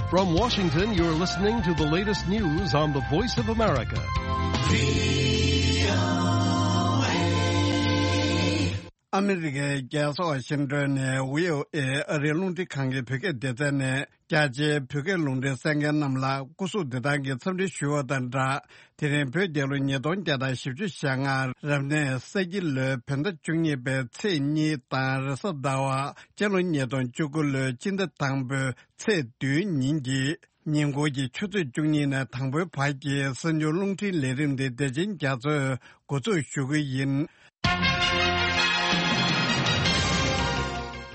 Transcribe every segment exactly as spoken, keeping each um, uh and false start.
From Washington, you're listening to the latest news on the Voice of America. ཨ་མི་རི་ཀའི་རྒྱལ་ས་ཝ་ཤིང་ཏོན་ནས་བྷི་ཨོ་ཨེ་ཨ་རིའི་རླུང་འཕྲིན་ཁང་གི་བོད་སྐད་སྡེ་ཚན་ནས། རྒྱ་ཆེའི་བོད་སྐད་རླུང་འཕྲིན་གསན་མཁན་རྣམས་ལ་སྐུ་གཟུགས་བདེ་ཐང་གི་འཚམས་འདྲི་ཞུ་བ་དང་སྦྲགས། དེ་རིང་བོད་རྒྱལ་ལོ་ཉིས་སྟོང་བརྒྱ་དང་བཞི་བཅུ་ཞེ་ལྔ་རབ་གནས་ས་ཁྱི་ལོའི་བོད་ཟླ་བཅུ་གཉིས་པའི་ཚེས་གཉིས་དང་རེས་གཟའ་ཟླ་བ། སྤྱི་ལོ་ཉིས་སྟོང་བཅུ་དགུ་ལོའི་སྤྱི་ཟླ་དང་པོའི་ཚེས་བདུན་ཉིན་གྱི་ཉིན་གུང་གི་ཆུ་ཚོད་བཅུ་གཉིས་ནས་དང་པོའི་བར་གྱི་གསར་འགྱུར་རླུང་འཕྲིན་ལས་རིམ་འདི་བདེ་ཆེན་རྒྱ་མཚོས་འགོ་འཛུགས་ཞུ་གི་ཡིན།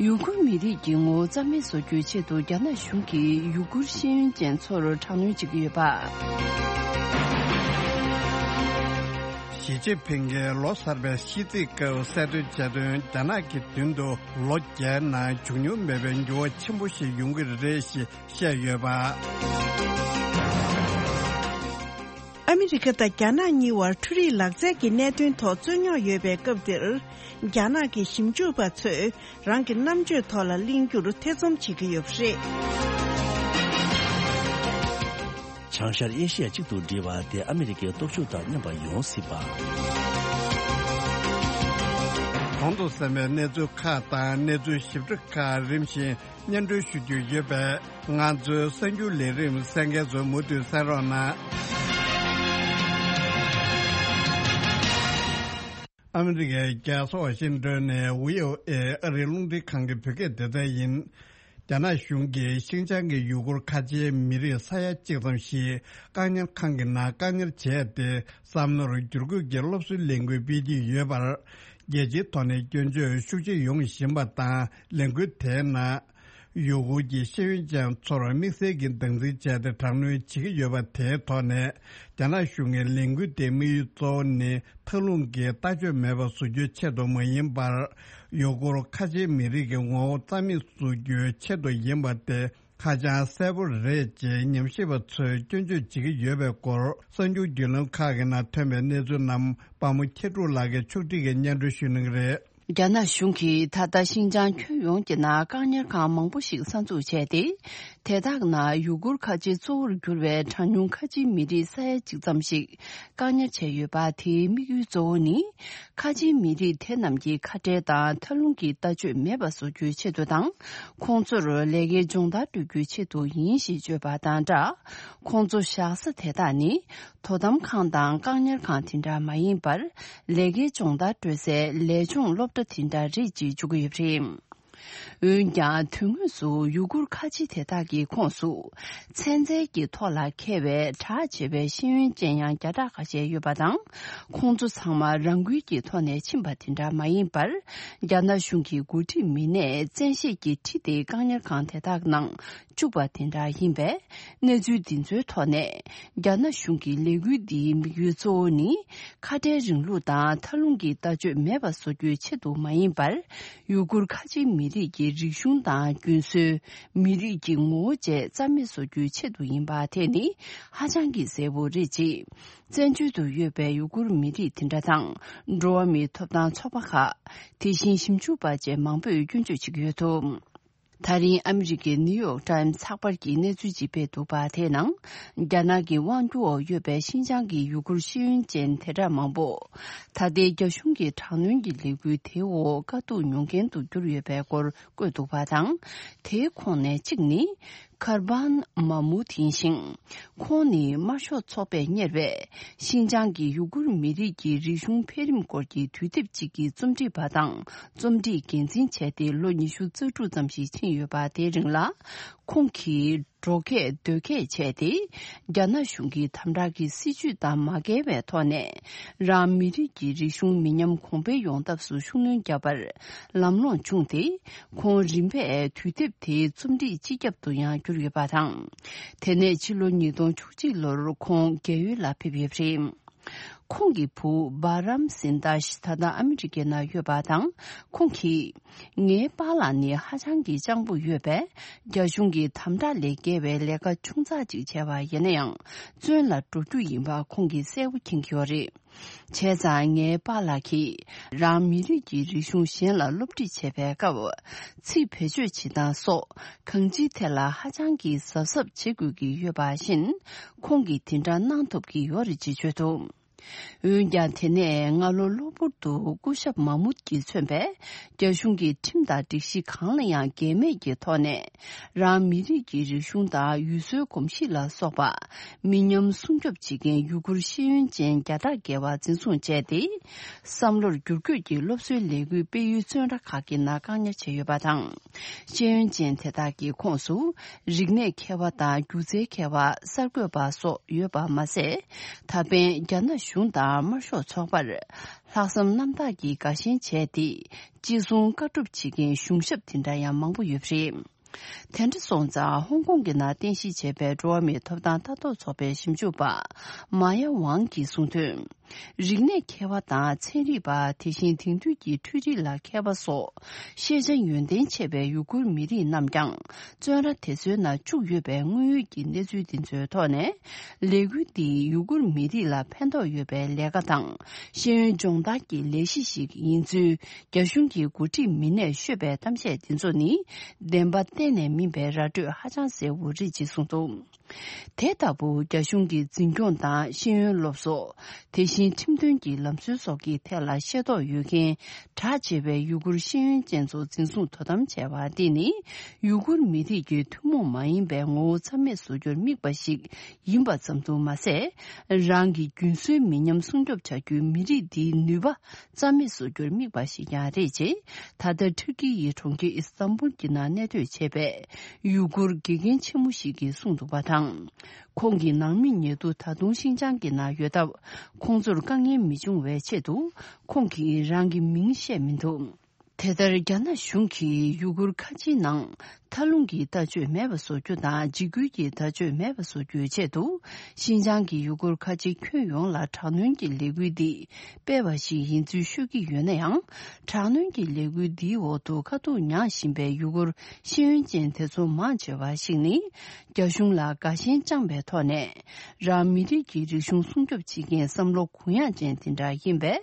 ཡུ་གུར་མི་རིགས་ཀྱི་ངོ་བོ་རྩ་མེད་བཟོ་རྒྱུའི་ཆེད་དུ་རྒྱ་ནག་གཞུང་གིས་ཡུ་གུར་ཤེས་ཡོན་ཅན་ཚོར་དྲག་གནོན་བྱེད་ཀྱི་ཡོད་པ། ཞི་ཅིན་ཕིང་གིས་ལོ་གསར་པའི་ཤིས་ཚིག་སྐབས་གསལ་སྟོན་བྱས་དོན། རྒྱ་ནག་གི་མདུན་དུ་ལོ་བརྒྱའི་ནང་བྱུང་མྱོང་མེད་པའི་འགྱུར་བ་ཆེན་པོ་ཞིག་ཡོང་གི་རེད་ཞེས་བཤད་ཡོད་པ། ཨ་མི་རི་ཀ་དང་རྒྱ་ནག་གཉིས་བར་འཕྲུལ་རིག་ལག་རྩལ་གྱི་གནད་དོན་ཐོག་རྩོད་རྙོག་ཡོད་པའི་སྐབས་འདིར། རྒྱ་ནག་གི་ཞིབ་འཇུག་པ་ཚོས་རང་གི་རྣམ་དཔྱོད་ཐོག་ལ་གླེང་རྒྱུར་ཐེ་ཚོམ་བྱེད་ཀྱི་ཡོད་པ་རེད། བྱང་ཤར་ཨེ་ཤི་ཡ་གཅིག་ཏུ་སྒྲིལ་བ་དེ་ཨ་མི་རི་ཀའི་སྟོབས་ཤུགས་དང་མཉམ་པ་ཡོང་སྲིད་པ། གོང་དུ་གསན་པའི་གནས་ཚུལ་ཁག་དང་གནས་ཚུལ་ཞིབ་ཕྲ་ཁག་རིམ་བཞིན་སྙན་སྒྲོན་ཞུ་རྒྱུ་ཡོད་པས། ང་ཚོའི་གསར་འགྱུར་ལས་རིམ་གསན་མཁན་ཚོ་མུ་མཐུད་གསན་རོགས་གནང་། ཨ་མི་རི་ཀའི་རྒྱལ་ས་ཝ་ཤིང་ཏོན་ནས་བྷི་ཨོ་ཨེ་ཨ་རིའི་རླུང་འཕྲིན་ཁང་གི་བོད་སྐད་སྡེ་ཚན་ཡིན། རྒྱ་ནག་གཞུང་གིས་ཤིན་ཅང་གི་ཡུ་གུར་ཁ་ཆེའི་མི་རིགས་ས་ཡ་གཅིག་ཙམ་ཞིག་བཀག་ཉར་ཁང་གི་ནང་བཀག་ཉར་བྱས་ཏེ། བསམ་མནོར་བསྒྱུར་བཀོད་ཀྱི་སློབ་གསོའི་ལས་འགུལ་སྤེལ་གྱི་ཡོད་པར། རྒྱལ་སྤྱིའི་ཐོག་ནས་སྐྱོན་བརྗོད་ཤུགས་ཆེ་ཡོང་བཞིན་པ་དང་། ལས་འགུལ་དེའི་ནང་ཡུ་གུར་གྱི་ཤེས་ཡོན་ཅན་ཚོར་དམིགས་བསལ་གྱི་སྟངས་འཛིན་བྱས་ཏེ་དྲག་གནོན་བྱེད་ཀྱི་ཡོད་པ་དེའི་ཐོག་ནས། རྒྱ་ནག་གཞུང་གི་ལས་འགུལ་དེའི་དམིགས་ཡུལ་གཙོ་བོ་ནི། མཐའ་ལྷུང་གི་ལྟ་སྤྱོད་མེད་པ་བཟོ་རྒྱུའི་ཆེད་དུ་མ་ཡིན་པར། ཡུ་གུར་ཁ་ཆེའི་མི་རིགས་ཀྱི་ངོ་བོ་རྩ་མེད་བཟོ་རྒྱུའི་ཆེད་དུ་ཡིན་པ་དེ་ཧ་ཅང་གསལ་པོ་རེད་ཅེས་ཉམས་ཞིབ་པ་ཚོས་སྐྱོན་བརྗོད་བྱེད་ཀྱི་ཡོད་པའི་སྐོར། གསར་འགྱུར་བརྒྱུད་ལམ་ཁག་གི་ནང་ཐོན་པའི་གནས་ཚུལ་རྣམས་དཔའ་མོ་མཁྱེན་གྲུབ་ལགས་ཀྱིས་ཕྱོགས་སྒྲིག་གིས་སྙན་སྒྲོན་ཞུ་གནང་གི་རེད། རྒྱ་ནག་གཞུང་གིས་ད་ལྟ་ཤིན་ཅང་ཁྱོན་ཡོངས་ཀྱི་ནང་བཀག་ཉར་ཁང་མང་པོ་ཞིག་གསར་འཛུགས་བྱས་ཏེ། དེ་དག་ནང་ཡུ་གུར་ཁ་ཆེ་གཙོ་བོར་གྱུར་བའི་གྲངས་ཉུང་ཁ་ཆེའི་མི་རིགས་ས་ཡ་གཅིག་ཙམ་ཞིག་བཀག་ཉར་བྱས་ཡོད་པ། དེའི་དམིགས་ཡུལ་གཙོ་བོ་ནི། ཁ་ཆེའི་མི་རིགས་དེ་རྣམས་ཀྱི་ཁ་བྲལ་དང་མཐའ་ལྷུང་གི་ལྟ་སྤྱོད་མེད་པ་བཟོ་རྒྱུའི་ཆེད་དུ་དང་། ཁོང་ཚོར་ལས་ཀའི་སྦྱོང་བརྡར་སྤྲོད་རྒྱུའི་ཆེད་དུ་ཡིན་ཞེས་བརྗོད་པ་དང་སྦྲགས། ཁོང་ཚོ་བཞག་ས་དེ་དག་ནི། དོ་དམ་ཁང་དང་བཀག་ཉར་ཁང་དེ་འདྲ་མ་ཡིན་པར། ལས་ཀའི་སྦྱོང་བརྡར་སྤྲོད་སའི་ལས་སྦྱོང་སློབ་གྲྭ་དེ་འདྲ་རེད་ཅེས་བརྗོད་ཀྱི་ཡོད་པ་རེད། འོན་ཀྱང་། དོན་དངོས་སུ་ཡུ་གུར་ཁ་ཆེ་དེ་དག་གི་ཁོངས་སུ། ཚན་རྩལ་གྱི་ཐོག་ལ་མཁས་པའི་གྲགས་ཆེ་བའི་ཤེས་ཡོན་ཅན་ཡང་བརྒྱ་ཕྲག་ཁ་ཤས་ཡོད་པ་དང་། ཁོང་ཚོ་ཚང་མ་རང་འགུལ་གྱི་ཐོག་ནས་ཕྱིན་པ་དེ་འདྲ་མ་ཡིན་པར། རྒྱ་ནག་གཞུང་གི་འགོ་ཁྲིད་མི་སྣས་བཙན་ཤེད་ཀྱིས་ཁྲིད་དེ་བཀག་ཉར་ཁང་དེ་དག་ནང་བཅུག་པ་དེ་འདྲ་ཡིན་པས། གནས་ཚུལ་འདི་ཚོའི་ཐོག་ནས། རྒྱ་ནག་གཞུང་གི་ལས་འགུལ་འདིའི་དམིགས་ཡུལ་གཙོ་བོ་ནི། ཁ་བྲལ་རིང་ལུགས་དང་མཐའ་ལྷུང་གི་ལྟ་སྤྱོད་མེད་པ་བཟོ་རྒྱུའི་ཆེད་དུ་མ་ཡིན་པར། ཡུ་གུར་ཁ་ཆེའི་མི་རིགས་ཀྱི་རིག་གཞུང་དང་རྒྱུན་སྲོལ། མི་རིགས་ཀྱི་ངོ་བོ་བཅས་རྩ་མེད་བཟོ་རྒྱུའི་ཆེད་དུ་ཡིན་པ་དེ་ནི་ཧ་ཅང་གི་གསལ་པོ་རེད་ཅེས། བཙན་བྱོལ་དུ་ཡོད་པའི་ཡུ་གུར་མི་རིགས་དེ་འདྲ་དང་། འགྲོ་བ་མིའི་ཐོབ་ཐང་ཚོགས་པ་ཁག་དེ་བཞིན་ཞིབ་འཇུག་པ་བཅས་མང་པོས་སྐྱོན་བརྗོད་བྱེད་ཀྱི་ཡོད་འདུག་ད་རིང་ཨ་མི་རི་ཀའི་ནིའུ་ཡོག་ཊའིམ་ཚགས་པར་གྱིས་གནས་ཚུལ་ཅིག་སྤེལ་འདུག་པ། དེའི་ནང་། རྒྱ་ནག་གི་དབང་སྒྱུར་འོག་ཡོད་པའི་ཤིན་ཅང་གི་ཡུ་གུར་ཤེས་ཡོན་ཅན་དེ་འདྲ་མང་པོ། ད་ལྟའི་རྒྱ་གཞུང་གི་དྲག་གནོན་གྱི་ལས་འགུལ་དེའི་འོག་དཀའ་སྡུག་མྱོང་མཁན་དུ་གྱུར་ཡོད་པའི་སྐོར་བཀོད་འདུག་པ་དང་། དེའི་ཁོངས་ནས་གཅིག་ནི། ཁར་བན་མ་མུད་ཡིན་ཞིང་། ཁོང་ནི་དམར་ཤོག་ཚོགས་པས་གཉེར་བའི་ཤིན་ཅང་གི་ཡུ་གུར་མི་རིགས་ཀྱི་རིག་གཞུང་འཕེལ་རིམ་སྐོར་གྱི་དུས་དེབ་ཅིག་གི་རྩོམ་སྒྲིག་པ་དང་རྩོམ་སྒྲིག་འགན་འཛིན་བྱས་ཏེ་ལོ་ཉི་ཤུ་རྩ་དྲུག་ཙམ་ཞིག་ཕྱིན་ཡོད་པ། དེའི་རིང་ལ་ཁོང་གིས་འགྲོ་སྐྱོད་སྡོད་སྐྱོད་བྱས་ཏེ། རྒྱ་ནག་གཞུང་གི་དམ་དྲག་གི་སྲིད་བྱུས་དང་མ་འགལ་བའི་ཐོག་ནས་རང་མི་རིགས་ཀྱི་རིག་གཞུང་མི་ཉམས་གོང་འཕེལ་ཡོང་ཐབས་སུ་ཤུགས་སྣོན་བརྒྱབ་པར་ལམ་ལྷོང་བྱུང་སྟེ། ཁོང་རིམ་པས་དུས་དེབ་དེའི་རྩོམ་སྒྲིག་སྤྱི་ཁྱབ་ཏུ་ཡང་གྱུར་ཡོད་པ་དང་། དེ་ནས་ཕྱི་ལོ་ཉིས་སྟོང་བཅུ་གཅིག་ལོར་ཁོང་རྒས་ཡོལ་ལ་ཕེབས་ཡོད་པ་རེད། ཁོང་གི་བུ་བྷ་རམ་སིན་དཱ་ཤི་ད་ལྟ་ཨ་མི་རི་ཀའི་ནང་ཡོད་པ་དང་། ཁོང་གིས། ངའི་པཱ་ལགས་ནི་ཧ་ཅང་གི་སྤྱང་པོ་ཡོད་པས། རྒྱ་གཞུང་གི་དམ་དྲག་ལས་བརྒལ་བའི་ལས་ཀ་ཆུང་ཙག་ཅིག་བྱས་པ་ཡིན་ན་ཡང་། བཙོན་ལ་འགྲོ་རྒྱུ་ཡིན་པ་ཁོང་གིས་གསལ་པོ་མཁྱེན་གྱི་ཡོད་རེད། བྱས་ཙང་ངའི་པཱ་ལགས་ཀྱིས་རང་མི་རིགས་ཀྱི་རིག་གཞུང་གཞན་ལ་སློབ་ཁྲིད་བྱེད་པའི་སྐབས། ཚིག་བེད་སྤྱོད་བྱེད་སྟངས་སོགས་གང་ཅིའི་ཐད་ལ་ཧ་ཅང་གི་གཟབ་གཟབ་བྱེད་དགོས་ཀྱི་ཡོད་པ་བཞིན། ཁོང་གིས་དེ་འདྲ་གནང་ཐུབ་ཀྱི་ཡོད་རེད་ཅེས་བརྗོད་འདུག་འོན་ཀྱང་། དེ་ནས་སྔ་ལོ་གློ་བུར་དུ་སྐུ་ཞབས་མ་མུད་ཀྱིས་མཚོན་པའི་རྒྱ་གཞུང་གི་ཁྲིམས་དང་སྒྲིག་གཞི་གང་ལ་ཡང་འགལ་མེད་ཀྱི་ཐོག་ནས། རང་མི་རིགས་ཀྱི་རིག་གཞུང་དང་ཡུལ་སྲོལ་གོམས་གཤིས་ལ་སོགས་པ་མི་ཉམས་སྲུང་སྐྱོབ་བྱེད་མཁན་ཡུ་གུར་ཤེས་ཡོན་ཅན་བརྒྱ་ཕྲག་བརྒལ་བ་འཛིན་བཟུང་བྱས་ཏེ། བསམ་བློར་བསྒྱུར་བཀོད་ཀྱི་སློབ་གསོའི་ལས་འགུལ་སྤེལ་ཡུལ་བཙོན་ར་ཁག་གི་ནང་བཀག་ཉར་བྱས་ཡོད་པ་དང་། ཤེས་ཡོན་ཅན་དེ་དག་གི་ཁོངས་སུ། རིག་གནས་མཁས་པ་དང་སྒྱུ་རྩལ་མཁས་པ། གསར་འགོད་པ་སོགས་ཡོད་པ་མ་ཟད། ད་ཕན་རྒྱ་ནག་གཞུང་དང་དམར་ཤོག་ཚོགས་པར་ལྷག་བསམ་རྣམ་དག་གིས་དགའ་ཞེན་བྱས་ཏེ། ཅི་གསུང་བཀའ་སྒྲུབ་བྱེད་མཁན་གཞུང་ཞབས་དེ་འདྲ་ཡང་མང་པོ་ཡོད་པ་རེད། དེ་འདྲ་སོང་ཙང་ཧོང་ཀོང་གི་ནང་རྟེན་གཞི་བྱས་པའི་འགྲོ་བ་མིའི་ཐོབ་ཐང་ལྟ་རྟོག་ཚོགས་པའི་ཞིབ་འཇུག་པ་མཱ་ཡ་ཝང་གིས་གསུངས་དོན། རིག་གནས་མཁས་པ་དང་ཚན་རིག་པ། དེ་བཞིན་དེང་དུས་ཀྱི་འཕྲུལ་རིག་ལ་མཁས་པ་སོགས་ཤེས་བྱ་ཡོན་ཏན་ཆེ་བའི་ཡུ་གུར་མི་རིགས་རྣམས་ཀྱང་བཙོན་ར་དེ་ཚོའི་ནང་བཅུག་ཡོད་པའི་དངོས་ཡོད་ཀྱི་གནས་ཚུལ་འདི་ཚོའི་ཐོག་ནས། ལས་འགུལ་འདིས་ཡུ་གུར་མི་རིགས་ལ་ཕན་ཐོགས་ཡོད་པའི་ལས་ཀ་དང་ཤེས་ཡོན་སྦྱོང་བརྡར་གྱི་ལས་གཞི་ཞིག་ཡིན་ཚུལ་རྒྱ་གཞུང་གི་འགོ་ཁྲིད་མི་སྣས་ཤོད་པའི་གཏམ་བཤད་འདི་ཚོ་ནི། བདེན་པ་གཏན་ནས་མིན་པའི་ར་སྤྲོད་ཧ་ཅང་གསལ་བོ་རེད་ཅེས་གསུངས་འདུག་དེ་ལྟ་བུ་རྒྱ་གཞུང་གི་འཛིན་སྐྱོང་དང་ཤེས་ཡོན་སློབ་གསོ། དེ་བཞིན་ཁྲིམས་དོན་གྱི་ལམ་སྲོལ་སོགས་ཀྱི་ཐད་ལ་ཤེས་རྟོགས་ཡོད་མཁན་གྲགས་ཆེ་བའི་ཡུ་གུར་ཤེས་ཡོན་ཅན་ཚོ་འཛིན་བཟུང་དོ་དམ་བྱས་པ་འདི་ནི་ཡུ་གུར་མི་རིགས་ཀྱི་ཐུན་མོང་མ་ཡིན་པའི་ངོ་བོ་རྩ་མེད་བཟོ་རྒྱུར་དམིགས་པ་ཞིག་ཡིན་པ་ཙམ་དུ་མ་ཟད། རང་གི་རྒྱུན་སྲོལ་མི་ཉམས་སྲུང་སྐྱོབ་བྱ་རྒྱུའི་མི་རིགས་འདིའི་ནུས་པ་རྩ་མེད་བཟོ་རྒྱུར་དམིགས་པ་ཞིག་ཀྱང་རེད་ཅེས། ད་ལྟ་ཐུར་ཀི་ཡི་གྲོང་ཁྱེར་ཨི་སི་ཐན་བུལ་གྱི་ནང་གནས་སྡོད་བྱས་པའི་ཡུ་གུར་དགེ་རྒན་ཆེན་མོ་ཞིག་གིས་གསུངས་འདུག་པ་དང་། ཁོང་གི་ནང་མི་ཉེ་དུ་ད་དུང་ཤིན་ཅང་གི་ནང་ཡོད་སྟབས། ཁོང་ཚོར་དཀའ་ངལ་མི་འབྱུང་བའི་ཆེད་དུ། ཁོང་གིས་རང་གི་མིང་བཤད་མི་འདུག་དེ་ལྟར། རྒྱ་ནག་གཞུང་གིས་ཡུ་གུར་ཁ་ཆེའི་ནང་། མཐའ་ལྷུང་གི་ལྟ་སྤྱོད་མེད་པ་བཟོ་རྒྱུ་དང་། འཇིགས་སྐུལ་གྱི་ལྟ་སྤྱོད་མེད་པ་བཟོ་རྒྱུའི་ཆེད་དུ། ཤིན་ཅང་གི་ཡུ་གུར་ཁ་ཆེ་ཁྱོན་ཡོངས་ལ་དྲག་གནོན་གྱི་ལས་འགུལ་འདི་སྤེལ་བ་ཞིག་ཡིན་ཚུལ་ཤོད་ཀྱི་ཡོད་ན་ཡང་། དྲག་གནོན་གྱི་ལས་འགུལ་འདིའི་འོག་ཏུ་དཀའ་སྡུག་མྱངས་བཞིན་པའི་ཡུ་གུར་ཤེས་ཡོན་ཅན་དེ་ཚོ་མང་ཆེ་བ་ཞིག་ནི། རྒྱ་གཞུང་ལ་དགའ་ཞེན་བཅངས་པའི་ཐོག་ནས། རང་མི་རིགས་ཀྱི་རིག་གཞུང་སྲུང་སྐྱོབ་བྱེད་མཁན་བསམ་བློ་གུ་ཡངས་ཅན་དེ་འདྲ་ཡིན་པས།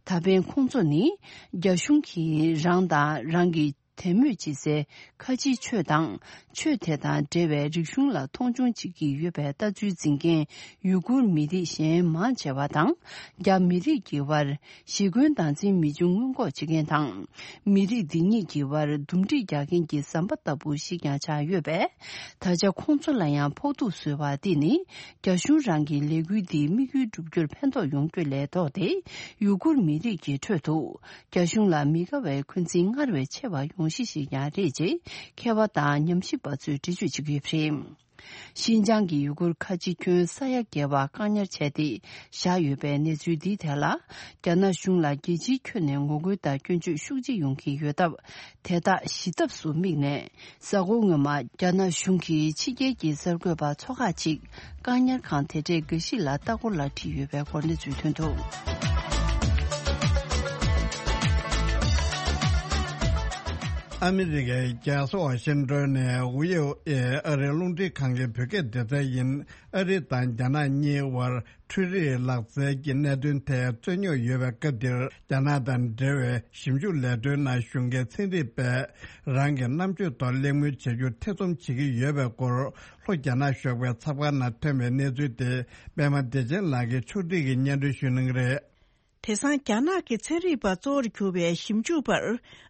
ད་ཕན་ཁོང་ཚོ་ནི། རྒྱ་གཞུང་གིས་རང་དང་རང་གི་དད་མོས་བྱེད་སའི་ཁ་ཆེའི་ཆོས་དང་། ཆོས་དེ་དང་འབྲེལ་བའི་རིག་གཞུང་ལ་མཐོང་ཆུང་བྱེད་ཀྱི་ཡོད་པའི་ལྟ་ཚུལ་འཛིན་མཁན་ཡུ་གུར་མི་རིགས་གཞན་མང་ཆེ་བ་དང་། རྒྱ་མི་རིགས་ཀྱི་དབར་ཞི་རྒོལ་སྟངས་འཛིན་མི་འབྱུང་སྔོན་འགོག་བྱེད་མཁན་དང་། མི་རིགས་འདི་གཉིས་ཀྱི་དབར་འདུམ་འགྲིག་རྒྱག་མཁན་གྱི་ཟམ་པ་ལྟ་བུ་ཞིག་ཀྱང་ཆགས་ཡོད་པས། ད་ཆ་ཁོང་ཚོ་ལ་ཡང་ཕོག་ཐུག་བཟོས་པ་འདི་ནི། རྒྱ་གཞུང་རང་གི་ལས་འགུལ་འདིའི་དམིགས་ཡུལ་བསྒྲུབ་རྒྱུར་ཕན་ཐོགས་ཡོང་རྒྱུ་ལས་ལྡོག་སྟེ། ཡུ་གུར་མི་རིགས་ཀྱི་ཁྲོད་དུ། རྒྱ་གཞུང་ལ་མི་དགའ་བའི་འཁོན་འཛིན་སྔར་བས་ཆེ་བ་ཡོང་གཞི་ཞིག་ཀྱང་རེད་ཅེས་མཁས་པ་དང་ཉམས་ཞིབ་པ་ཚོས་འགྲེལ་བརྗོད་བྱེད་ཀྱི་ཡོད་པ་རེད། ཤིན་ཅང་གི་ཡུ་གུར་ཁ་ཆེ་ཁྱོན་ས་ཡ་བརྒལ་བ་བཀག་ཉར་བྱས་ཏེ་བཞག་ཡོད་པའི་གནས་ཚུལ་འདིའི་ཐད་ལ། རྒྱ་ནག་གཞུང་ལ་རྒྱལ་སྤྱིའི་ཁྱོན་ནས་ངོ་རྒོལ་དང་སྐྱོན་བརྗོད་ཤུགས་ཆེ་ཡོང་གི་ཡོད་སྟབས། དེ་དག་ཞི་ཐབས་སུ་དམིགས་ནས། གཟའ་འཁོར་སྔོན་མ། རྒྱ་ནག་གཞུང་གིས་ཕྱི་རྒྱལ་གྱི་གསར་འགོད་པ་ཚོ་ཁག་ཅིག་བཀག་ཉར་ཁང་དེ་གྲས་འགའ་ཞིག་ལ་ལྟ་སྐོར་ལ་ཁྲིད་ཡོད་པའི་སྐོར་གནས་ཚུལ་ཐོན་འདུག་ཨ་མི་རི་ཀའི་རྒྱལ་ས་ཝ་ཤིང་ཏོན་ནས་ཝི་ཨོ་ཨེ་ཨ་རིའི་རླུང་འཕྲིན་ཁང་གི་བོད་སྐད་སྡེ་ཚན་ཡིན། ཨ་རི་དང་རྒྱ་ནག་གཉིས་དབར་འཕྲུལ་རིག་ལག་རྩལ་གྱི་གནད་དོན་ཐད་རྩོད་རྙོག་ཡོད་པའི་སྐབས་འདིར། རྒྱ་ནག་དང་འབྲེལ་བའི་ཞིབ་འཇུག་ལས་དོན་ནང་ཞུགས་མཁན་ཚན་རིག་པས་རང་གི་རྣམ་དཔྱོད་ཐོག་གླེང་མོལ་བྱེད་རྒྱུ་ཐེ་ཚོམ་བྱེད་ཀྱི་ཡོད་པའི་སྐོར། ལྷོ་རྒྱ་ནག་གཞུང་གི་ཚགས་པར་ནང་ཐོན་པའི་གནས་ཚུལ་དེ་པད་མ་བདེ་ཆེན་ལགས་ཀྱིས་ཕྱོགས་སྒྲིག་གིས་སྙན་སྒྲོན་ཞུ་གནང་གི་རེད། དེང་སང་རྒྱ་ནག་གི་ཚན་རིག་པ་གཙོ་བོར་གྱུར་པའི་ཞིབ་འཇུག་པར་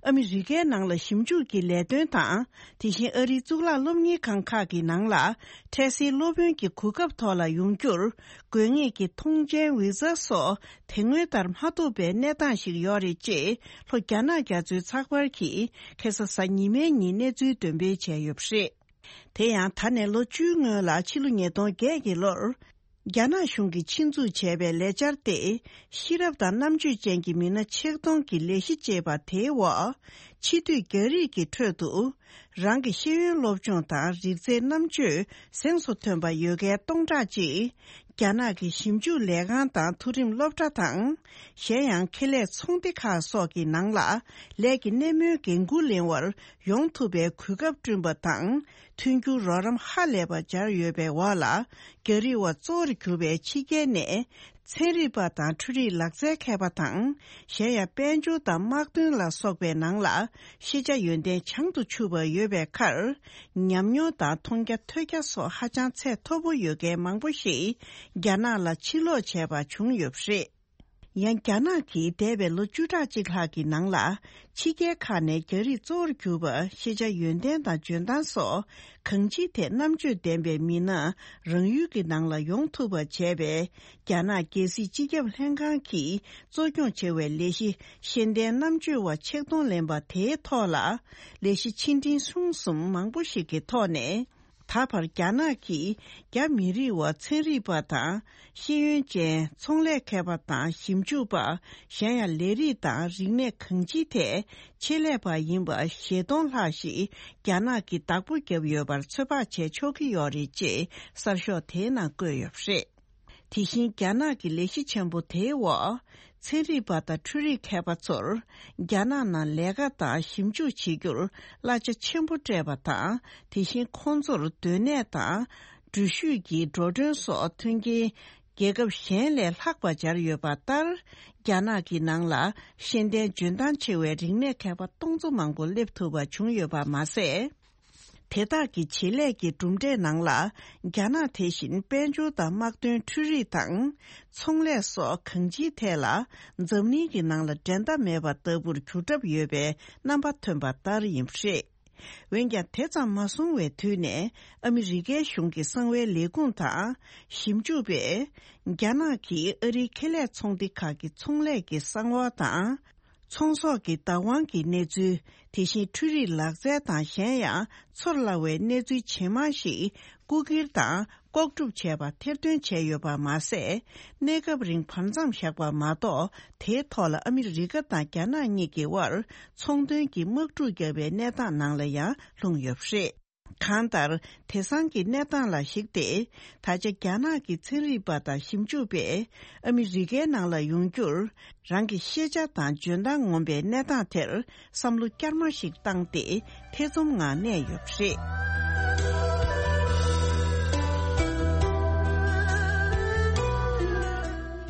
ཨ་མི་རི་ཀའི་ནང་ལ་ཞིབ་འཇུག་གི་ལས་དོན་དང་། དེ་བཞིན་ཨ་རིའི་གཙུག་ལག་སློབ་གཉེར་ཁང་ཁག་གི་ནང་ལ་འཕྲལ་སེལ་སློབ་དཔོན་གྱི་གོ་སྐབས་ཐོག་ལ་ཡོང་རྒྱུར་དགོས་ངེས་ཀྱི་ཐོངས་མཆན་ཝི་ཛ་སོགས་དེ་སྔོན་ལྟར་མ་ཐོབ་པའི་གནས་སྟངས་ཤིག་ཡོད་རེད་ཅེས་ལྷོ་རྒྱ་ནག་རྒྱ་མཚོའི་ཚགས་པར་གྱིས་ཁ་སང་གཟའ་ཉི་མའི་ཉིན་གནས་ཚུལ་འདོན་སྤེལ་བྱས་ཡོད་པ་རེད། དེ་ཡང་ད་ནས་ལོ་བཅུའི་སྔོན་ལ་ཕྱི་ལོ་ཉིས་སྟོང་བརྒྱད་ཀྱི་ལོར། རྒྱ་ནག་གཞུང་གིས་ཆེད་འཛུགས་བྱས་པའི་ལས་འཆར་ཏེ། ཤེས་རབ་དང་རྣམ་དཔྱོད་ཅན་གྱི་མི་སྣ་ཆེད་གཏོང་གི་ལས་གཞི་ཅེས་པ་དེའི་འོག་ཕྱི་སྡོད་རྒྱ་རིགས་ཀྱི་ཁྲོད་དུ། རང་གི་ཤེས་ཡོན་སློབ་སྦྱོང་དང་རིག་རྩལ་རྣམ་དཔྱོད་གཟེངས་སུ་ཐོན་པ་ཡོད་མཁན་སྟོང་ཕྲག་གཅིག་རྒྱ་ནག་གི་ཞིབ་འཇུག་ལས་ཁང་དང་མཐོ་རིམ་སློབ་གྲྭ་དང་། གཞན་ཡང་ཁེ་ལས་ཚོང་སྡེ་ཁག་སོགས་ཀྱི་ནང་ལ་ལས་ཀྱི་སྣེ་མོའི་འགན་འཁུར་ལེན་པར་ཡོང་ཐུབ་པའི་གོ་སྐབས་བསྐྲུན་པ་དང་། མཐུན་འགྱུར་རོགས་རམ་ཧ་ལས་པ་སྦྱར་ཡོད་པའི་འོག་ལ། རྒྱ་རིགས་བ་གཙོ་བོར་གྱུར་པའི་ཕྱི་རྒྱལ་ནས། ཚན་རིག་པ་དང་འཕྲུལ་རིག་ལག་རྩལ་མཁས་པ་དང་། གཞན་ཡང་དཔལ་འབྱོར་དང་དམག་དོན་ལ་སོགས་པའི་ནང་ལ་ཤེས་བྱ་ཡོན་ཏན་བྱང་དུ་ཆུད་པ་ཡོད་པའི་ཁར། ཉམས་མྱོང་དང་མཐོང་རྒྱ་ཐོས་རྒྱ་སོགས་ཧ་ཅང་ཚད་མཐོ་པོ་ཡོད་མཁན་མང་པོ་ཞིག་རྒྱ་ནག་ལ་ཕྱིར་ལོག་བྱས་པ་བྱུང་ཡོད་པ་རེད། ཡང་རྒྱ་ནག་གིས་འདས་པའི་ལོ་བཅུ་ཕྲག་གཅིག་ལྷག་གི་ནང་ལ། ཕྱི་རྒྱལ་ཁག་ནས་རྒྱ་རིགས་གཙོ་བོར་གྱུར་པ་ཤེས་བྱ་ཡོན་ཏན་དང་འཇོན་ཐང་སོགས་གང་ཅིའི་ཐད་རྣམ་དཔྱོད་ལྡན་པའི་མི་སྣ་རང་ཡུལ་གྱི་ནང་ལ་ཡོང་ཐུབ་པ་བྱས་པའི། རྒྱ་ནག་རྒྱལ་སྲིད་སྤྱི་ཁྱབ་ལྷན་ཁང་གིས་གཙོ་སྐྱོང་བྱེད་པའི་ལས་གཞི་ཤེས་ལྡན་རྣམ་དཔྱོད་པ་ཆིག་སྟོང་ལེན་པ་དེའི་ཐོག་ལ། ལས་གཞི་ཆེ་འབྲིང་ཆུང་གསུམ་མང་པོ་ཞིག་གི་ཐོག་ནས། ད་བར་རྒྱ་ནག་གིས་རྒྱ་མི་རིགས་བ་ཚན་རིག་པ་དང་། ཤེས་ཡོན་ཅན་ཚོང་ལས་མཁས་པ་དང་ཞིབ་འཇུག་པ། གཞན་ཡང་ལས་རིགས་དང་རིག་གནས་གང་ཅིའི་ཐད་ཆེད་ལས་པ་ཡིན་པ་ཞེ་སྟོང་ལྷག་ཞིག་རྒྱ་ནག་གིས་བདག་པོ་བརྒྱབ་ཡོད་པར་ཚོད་དཔག་བྱས་ཆོག་གི་ཡོད་རེད་ཅེས་གསར་ཤོག་དེའི་ནང་བཀོད་ཡོད་པ་རེད། དེ་བཞིན་རྒྱ་ནག་གི་ལས་གཞི་ཆེན་པོ་དེའི་འོག་ཚན་རིག་པ་དང་འཕྲུལ་རིག་མཁས་པ་ཚོར་རྒྱ་ནག་ནང་ལས་ཀ་དང་ཞིབ་འཇུག་བྱེད་རྒྱུར་གླ་ཆ་ཆེན་པོ་སྤྲད་པ་དང་། དེ་བཞིན་ཁོང་ཚོར་སྡོད་གནས་དང་འགྲུལ་བཞུད་ཀྱི་འགྲོ་གྲོན་སོགས་མཐུན་རྐྱེན་རྒྱལ་ཁབ་གཞན་ལས་ལྷག་པ་སྦྱར་ཡོད་པ་ལྟར། རྒྱ་ནག་གི་ནང་ལ་ཤེས་ལྡན་འཇོན་ཐང་ཆེ་བའི་རིག་གནས་མཁས་པ་སྟོང་ཚོ་མང་པོ་སླེབས་ཐུབ་པ་བྱུང་ཡོད་པ་མ་ཟད། དེ་དག་གི་བྱེད་ལས་ཀྱི་གྲུབ་འབྲས་ནང་ལ། རྒྱ་ནག་དེ་བཞིན་དཔལ་འབྱོར་དང་དམག་དོན། འཕྲུལ་རིག་དང་། ཚོང་ལས་སོགས་གང་ཅིའི་ཐད་ལ། འཛམ་གླིང་གི་ནང་ལ་འགྲན་ཟླ་མེད་པ་ལྟ་བུར་གྱུར་གྲབས་ཡོད་པའི་རྣམ་པ་ཐོན་པ་ལྟར་ཡིན་པ་རེད། འོན་ཀྱང་། དེ་ཙམ་མ་སོང་བའི་དུས་ནས། ཨ་མི་རི་ཀའི་གཞུང་གི་གསང་བའི་ལས་ཁུངས་དང་། ཞིབ་འཇུག་པས། རྒྱ་ནག་གིས་ཨ་རིའི་ཁེ་ལས་ཚོང་སྡེ་ཁག་གི་ཚོང་ལས་ཀྱི་གསང་བ་དང་། ཚོང་ཟོག་གི་བདག་དབང་གི་གནས་ཚུལ། དེ་བཞིན་འཕྲུལ་རིག་ལག་རྩལ་དང་། གཞན་ཡང་། ཚོར་སླ་བའི་གནས་ཚུལ་ཇེ་མང་ཞིག་རྐུ་འཁྱེར་དང་། ལྐོག་སྒྲུབ་བྱས་པ་ཐེར་འདོན་བྱས་ཡོད་པ་མ་ཟད། གནས་སྐབས་རིང་བར་མཚམས་བཞག་པ་མ་གཏོགས། དེའི་ཐོག་ལ་ཨ་མི་རི་ཀ་དང་རྒྱ་ནག་གཉིས་ཀྱི་དབར་ཚོང་དོན་གྱི་དམག་འཁྲུག་བརྒྱབ་པའི་གནས་སྟངས་ནང་ལ་ཡང་ལྷུང་ཡོད་པ་རེད། གང་ལྟར། དེང་སང་གི་གནས་སྟངས་ལ་གཞིགས་ཏེ། ད་ཆ་རྒྱ་ནག་གི་ཚན་རིག་པ་དང་ཞིབ་འཇུག་པས། ཨ་མི་རི་ཀའི་ནང་ལ་ཡོང་རྒྱུར། རང་གི་ཤེས་བྱ་དང་འཇོན་ཐང་ངོམ་པའི་གནས་སྟངས་དེར་བསམ་བློ་བསྐྱར་མ་ཞིག་བཏང་སྟེ། ཐེ་ཚོམ་ངང་གནས་ཡོད་པ་རེད།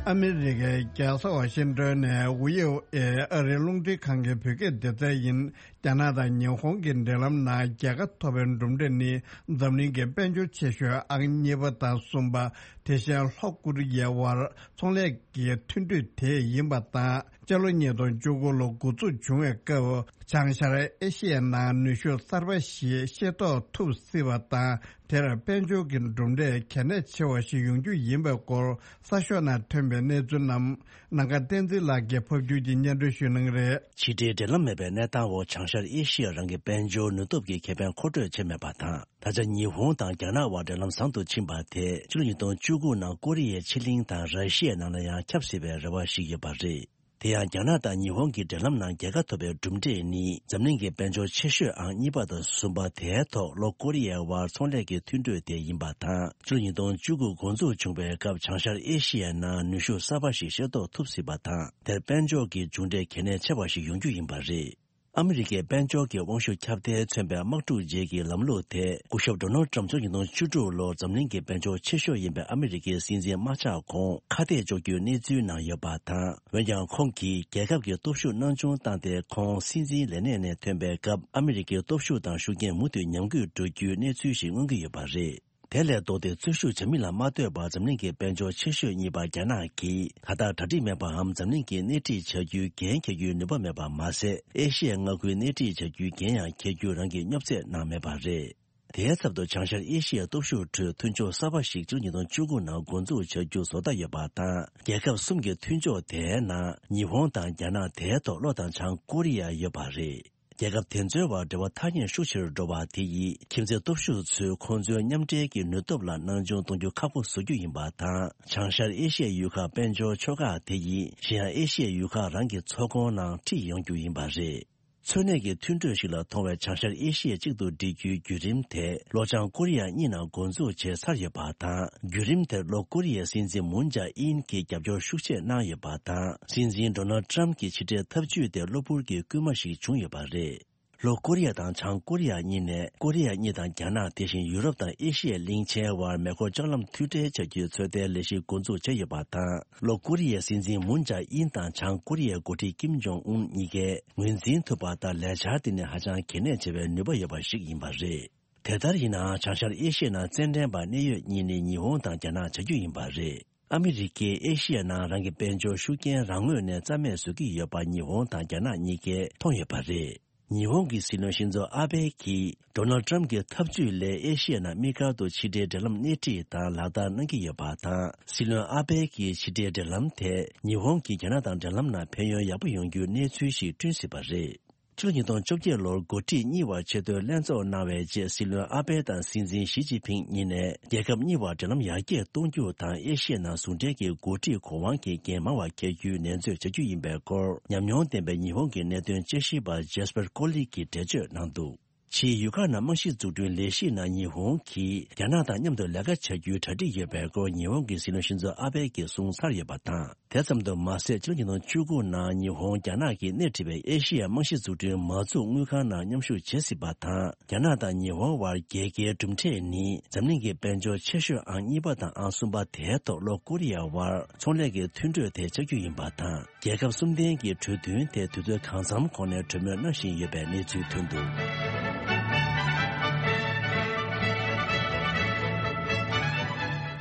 ཨ་མི་རི་ཀའི་རྒྱལ་ས་ཝ་ཤིང་ཏོན་ནས་ཝི་ཨོ་ཨེ་ཨ་རིའི་རླུང་འཕྲིན་ཁང་གི་བོད་སྐད་སྡེ་ཚན་ཡིན། རྒྱ་ནག་དང་ཉི་ཧོང་གི་འབྲེལ་ལམ་ནང་རྒྱལ་ཁ་ཐོབ་པའི་གྲུབ་འབྲས་ནི། འཛམ་གླིང་གི་དཔལ་འབྱོར་ཆེ་ཤོས་ཨང་གཉིས་པ་དང་གསུམ་པ། དེ་བཞིན་ལྷོ་ཀོ་རི་ཡའི་དབར་ཚོང་ལས་ཀྱི་མཐུན་གྲོས་དེ་ཡིན་པ་དང་། སྤྱི་ལོ་ཉིས་སྟོང་བཅུ་དགུ་ལོ་འགོ་འཛུགས་བྱུང་བའི་སྐབས། བྱང་ཤར་ཨེ་ཤི་ཡའི་ནང་ནུས་ཤུགས་གསར་པ་ཞིག་ཤེས་རྟོགས་ཐུབ་སྲིད་པ་དང་། དེར་དཔལ་འབྱོར་གྱི་གྲུབ་འབྲས་གལ་གནད་ཆེ་བ་ཞིག་ཡོང་རྒྱུ་ཡིན་པའི་སྐོར། གསར་ཤོག་ནང་ཐོན་པའི་གནས་ཚུལ་རྣམས། ནམ་མཁའ་བསྟན་འཛིན་ལགས་ཀྱིས་ཕབ་སྒྱུར་གྱིས་སྙན་སྒྲོན་ཞུ་གནང་གི་རེད། ཕྱི་འབྲེལ་འབྲེལ་ལམ་མེད་པའི་གནས་སྟངས་འོག་བྱང་ཤར་ཨེ་ཤི་ཡ་རང་གི་དཔལ་འབྱོར་ནུས་སྟོབས་ཀྱི་ཁེ་ཕན་མཁོ་སྤྲོད་བྱེད་མེད་པ་དང་། ད་ཆ་ཉི་ཧོང་དང་རྒྱ་ནག་དབར་འབྲེལ་ལམ་བཟང་དུ་ཕྱིན་པ་དེས་ཕྱི་ལོ་ཉིས་སྟོང་བཅུ་དགུ་ནང་ཀོ་རི་ཡའི་ཕྱེད་གླིང་དང་ར་ཤི་ཡའི་ནང་ལ་ཡང་ཁྱབ་སྲིད་པའི་རེ་བ་ཞིག་ཡོད་པ་རེད། དེ་ཡང་རྒྱ་ནག་དང་ཉི་ཧོང་གི་འབྲེལ་ལམ་ནང་རྒྱལ་ཁ་ཐོབ་པའི་གྲུབ་འབྲས་ནི། འཛམ་གླིང་གི་དཔལ་འབྱོར་ཆེ་ཤོས་ཨང་གཉིས་པ་དང་གསུམ་པ་དེའི་ཐོག་ལྷོ་ཀོ་རི་ཡའི་དབར་ཚོང་ལས་ཀྱི་མཐུན་གྲོས་དེ་ཡིན་པ་དང་། ཕྱི་ལོ་ཉིས་སྟོང་བཅུ་དགུ་འགོ་འཛུགས་བྱུང་བའི་སྐབས་བྱང་ཤར་ཨེ་ཤི་ཡའི་ནང་ནུས་ཤུགས་གསར་པ་ཞིག་ཤེས་རྟོགས་ཐུབ་སྲིད་པ་དང་། དེར་དཔལ་འབྱོར་གྱི་མཇུག་འབྲས་གལ་གནད་ཆེ་བ་ཞིག་ཡོང་རྒྱུ་ཡིན་པ་རེད། ཨ་མི་རི་ཀའི་དཔལ་འབྱོར་གྱི་དབང་ཤུགས་ཁྱབ་གདལ་མཚོན་པའི་དམག་འཁྲུག་རྗེས་ཀྱི་ལམ་ལུགས་དེ། སྐུ་ཞབས་ཌོ་ནལ་ཏྲམ་ཕྱི་ལོ་ཉིས་སྟོང་བཅུ་དྲུག་ལོར་འཛམ་གླིང་གི་དཔལ་འབྱོར་ཆེ་ཤོས་ཡིན་པའི་ཨ་མི་རི་ཀའི་སྲིད་འཛིན་དམག་འཇོག་གོང་ཁ་གཏད་གཅོག་རྒྱུའི་གནས་ཚུལ་ནང་ཡོད་པ་དང་། འོན་ཀྱང་། ཁོང་གིས་རྒྱལ་ཁབ་ཀྱི་སྟོབས་ཤུགས་སྣང་ཆུང་བཏང་སྟེ། ཁོང་སྲིད་འཛིན་ལས་གནས་ནས་ཐོན་པའི་སྐབས། ཨ་མི་རི་ཀའི་སྟོབས་ཤུགས་དང་ཤུགས་རྐྱེན་མུ་མཐུད་ཉམས་རྒུད་འགྲོ་རྒྱུའི་གནས་ཚུལ་ཞིག་མངོན་གྱི་ཡོད་པ་རེད། དེ་ལས་ལྡོག་སྟེ། འཛུལ་ཞུགས་བྱ་མིན་ལ་མ་ལྟོས་པར་འཛམ་གླིང་གི་དཔལ་འབྱོར་ཆེ་ཤོས་གཉིས་པ་རྒྱ་ནག་གིས། ད་ལྟ་གྲ་སྒྲིག་མེད་པའམ། འཛམ་གླིང་གིས་སྣེ་ཁྲིད་བྱ་རྒྱུའི་འགན་འཁྱེར་རྒྱུའི་ནུས་པ་མེད་པ་མ་ཟད། ཨེ་ཤི་ཡའི་མངའ་ཁུལ་སྣེ་ཁྲིད་བྱ་རྒྱུའི་འགན་ཡང་འཁྱེར་རྒྱུ་རང་གིས་སྙོབ་རྩེད་གནང་མེད་པ་རེད། དེའི་ཚབ་ཏུ། བྱང་ཤར་ཨེ་ཤི་ཡའི་སྟོབས་ཤུགས་ཁྲོད་མཐུན་ཕྱོགས་གསར་པ་ཞིག་ཕྱི་ལོ་ཉིས་སྟོང་བཅུ་དགུ་ནང་འགོ་འཛུགས་བྱ་རྒྱུ་བཟོ་འདོད་ཡོད་པ་དང་། རྒྱལ་ཁབ་གསུམ་གྱི་མཐུན་ཕྱོགས་དེའི་ནང་། ཉི་ཧོང་དང་རྒྱ་ནག་དེའི་ཐོག་ལྷོ་དང་བྱང་ཀོ་རི་ཡ་ཡོད་པ་རེད། རྒྱལ་ཁབ་དེ་ཚོའི་བར་འབྲེལ་བ་ཐག་ཉེ་ཤུགས་ཆེ་རུ་འགྲོ་བ་དེ་ཡིས། ཁྱིམ་མཚེས་སྟོབས་ཤུགས་ཚོས་ཁོང་ཚོའི་མཉམ་འབྲེལ་གྱི་ནུས་སྟོབས་ལ་སྣང་ཆུང་གཏོང་རྒྱུ་ཁག་པོ་བཟོ་རྒྱུ་ཡིན་པ་དང་། བྱང་ཤར་ཨེ་ཤི་ཡའི་ཡུལ་ཁག་དཔལ་འབྱོར་ཕྱོགས་ཁག་དེ་ཡིས། གཞན་ཡང་ཨེ་ཤི་ཡའི་ཡུལ་ཁག་རང་གི་ཚོགས་ཁོངས་ནང་ཁྲིད་ཡོང་རྒྱུ་ཡིན་པ་རེད། འཚོ་གནས་ཀྱི་མཐུན་གྲོས་ཤིག་ལ་མཐོང་བའི་བྱང་ཤར་ཨེ་ཤི་ཡ་གཅིག་ཏུ་སྒྲིལ་རྒྱུའི་བརྒྱུད་རིམ་དེ་ལྷོ་བྱང་ཀོ་རི་ཡ་གཉིས་ནང་འགོ་འཛུགས་བྱས་ཚར་ཡོད་པ་དང་། བརྒྱུད་རིམ་དེར་ལྷོ་ཀོ་རི་ཡའི་སྲིད་འཛིན་མུན་ཇཱ་ཨིན་གྱིས་རྒྱབ་སྐྱོར་ཤུགས་ཆེ་གནང་ཡོད་པ་དང་། སྲིད་འཛིན་ཌོ་ནལ་ཊམ་གྱི་ཕྱི་འབྲེལ་ཐབས་ཇུས་དེ་གློ་བུར་གྱི་སྐུལ་མ་ཞིག་བྱུང་ཡོད་པ་རེད། ལྷོ་ཀོ་རི་ཡ་དང་བྱང་ཀོ་རི་ཡ་གཉིས་ནས་ཀོ་རི་ཡ་གཉིས་དང་རྒྱ་ནག་དེ་བཞིན་ཡུ་རོབ་དང་ཨེ་ཤི་ཡའི་གླིང་ཆེན་བར་མེ་འཁོར་ལྕགས་ལམ་མཐུད་སྦྲེལ་བྱ་རྒྱུའི་ཚོད་ལྟའི་ལས་གཞི་འགོ་འཛུགས་བྱས་ཡོད་པ་དང་། ལྷོ་ཀོ་རི་ཡའི་སྲིད་འཛིན་མུན་ཇཱ་ཨིན་དང་བྱང་ཀོ་རི་ཡའི་འགོ་ཁྲིད་ཀིམ་ཇོང་ཨུན་གཉིས་ཀས་ངོས་འཛིན་ཐུབ་པ་དང་ལས་འཆར་དེ་ནི་ཧ་ཅང་གལ་གནད་ཆེ་བའི་ནུས་པ་ཡོད་པ་ཞིག་ཡིན་པ་རེད། དེ་ལྟར་ཡིན་ནའང་། བྱང་ཤར་ཨེ་ཤི་ཡའི་ནང་རྩེད་འགྲན་པ་གནད་ཡོད་གཉིས་ནི་ཉི་ཧོང་དང་རྒྱ་ནག་ཆགས་རྒྱུ་ཡིན་པ་རེད། ཨ་མི་རི་ཀས་ཨེ་ཤི་ཡའི་ནང་རང་གི་དཔལ་འབྱོར་ཤུགས་རྐྱེན་རང་ངོས་ནས་རྩ་མེད་བཟོ་གི་ཡོད་པ་ཉི་ཧོང་དང་རྒྱ་ནག་གཉིས་ཀས་མཐོང་ཡོད་པ་རེད། ཉི་ཧོང་གི་སྲིད་བློན་ཤིན་ཛོ་ཨ་བྷེ་གིས་ཌོ་ནལ་ཊམ་གྱི་ཐབས་ཇུས་ལས་ཨེ་ཤི་ཡའི་ནང་དམིགས་བཀར་དུ་ཕྱི་འབྲེལ་འབྲེལ་ལམ་སྣེ་ཁྲིད་དང་ལག་བསྟར་གནང་གི་ཡོད་པ་དང་། སྲིད་བློན་ཨ་བྷེ་གིས་ཕྱི་འབྲེལ་འབྲེལ་ལམ་དེས་ཉི་ཧོང་གིས་རྒྱ་ནག་དང་འབྲེལ་ལམ་ནང་ཕན་ཡོན་ཡག་པོ་ཡོང་རྒྱུའི་གནས་ཚུལ་ཞིག་བསྐྲུན་སྲིད་པ་རེད། ཕྱི་ལོ་ཉིས་སྟོང་བཅོ་བརྒྱད་ལོར་འགོ་ཁྲིད་གཉིས་བར་ཆེས་མཐོའི་ལྷན་ཚོགས་གནང་བའི་རྗེས། སྲིད་བློན་ཨ་བྷེ་དང་སྲིད་འཛིན་ཞི་ཅིན་ཕིང་གཉིས་ནས་རྒྱལ་ཁབ་གཉིས་བར་འབྲེལ་ལམ་ཡར་རྒྱས་གཏོང་རྒྱུ་དང་། ཨེ་ཤི་ཡའི་ནང་ཟུང་འབྲེལ་གྱི་འགོ་ཁྲིད་གོ་དབང་གི་འགན་མང་བ་འཁྱེར་རྒྱུའི་ནན་བརྗོད་བྱ་རྒྱུ་ཡིན་པའི་སྐོར། ཉམས་མྱོང་ལྡན་པའི་ཉི་ཧོང་གི་གནད་དོན་དཔྱད་ཞིབ་པ་ཇེ་སི་པར་ཀོ་ལི་གིས་འགྲེལ་བརྗོད་གནང་འདུག་ཕྱིའི་ཡུལ་ཁག་ནང་རྨང་གཞི་འཛུགས་སྐྲུན་ལས་གཞི་ནང་ཉི་ཧོང་གིས་རྒྱ་ནག་དང་མཉམ་དུ་ལས་ཀ་བྱ་རྒྱུའི་གྲ་སྒྲིག་ཡོད་པའི་སྐོར། ཉི་ཧོང་གི་སྲིད་བློན་ཤིན་ཛོ་ཨ་བྷེ་གིས་གསུངས་ཚར་ཡོད་པ་དང་། དེ་ཙམ་དུ་མ་ཟད། ཕྱི་ལོ་ཉིས་སྟོང་བཅུ་དགུ་ནང་ཉི་ཧོང་རྒྱ་ནག་གིས་སྣེ་ཁྲིད་པའི་ཨེ་ཤི་ཡའི་རྨང་གཞི་འཛུགས་སྐྲུན་མ་འཛུགས་དངུལ་ཁང་ནང་མཉམ་ཞུགས་བྱེད་སྲིད་པ་དང་། རྒྱ་ནག་དང་ཉི་ཧོང་བར་རྒྱལ་ཁའི་གྲུབ་འབྲས་ནི། འཛམ་གླིང་གི་དཔལ་འབྱོར་ཆེ་ཤོས་ཨང་གཉིས་པ་དང་ཨང་གསུམ་པ་དེའི་ཐོག་ལྷོ་ཀོ་རི་ཡ་བར་ཚོང་ལས་ཀྱི་མཐུན་གྲོས་དེ་ཆགས་རྒྱུ་ཡིན་པ་དང་། རྒྱལ་ཁབ་གསུམ་ལྡན་གྱི་གྲོས་མཐུན་དེ་དུས་ཚོད་གང་འཚམ་གོང་ནས་གྲོས་མོལ་གནང་བཞིན་ཡོད་པའི་གནས་ཚུལ་ཐོན་འདུག་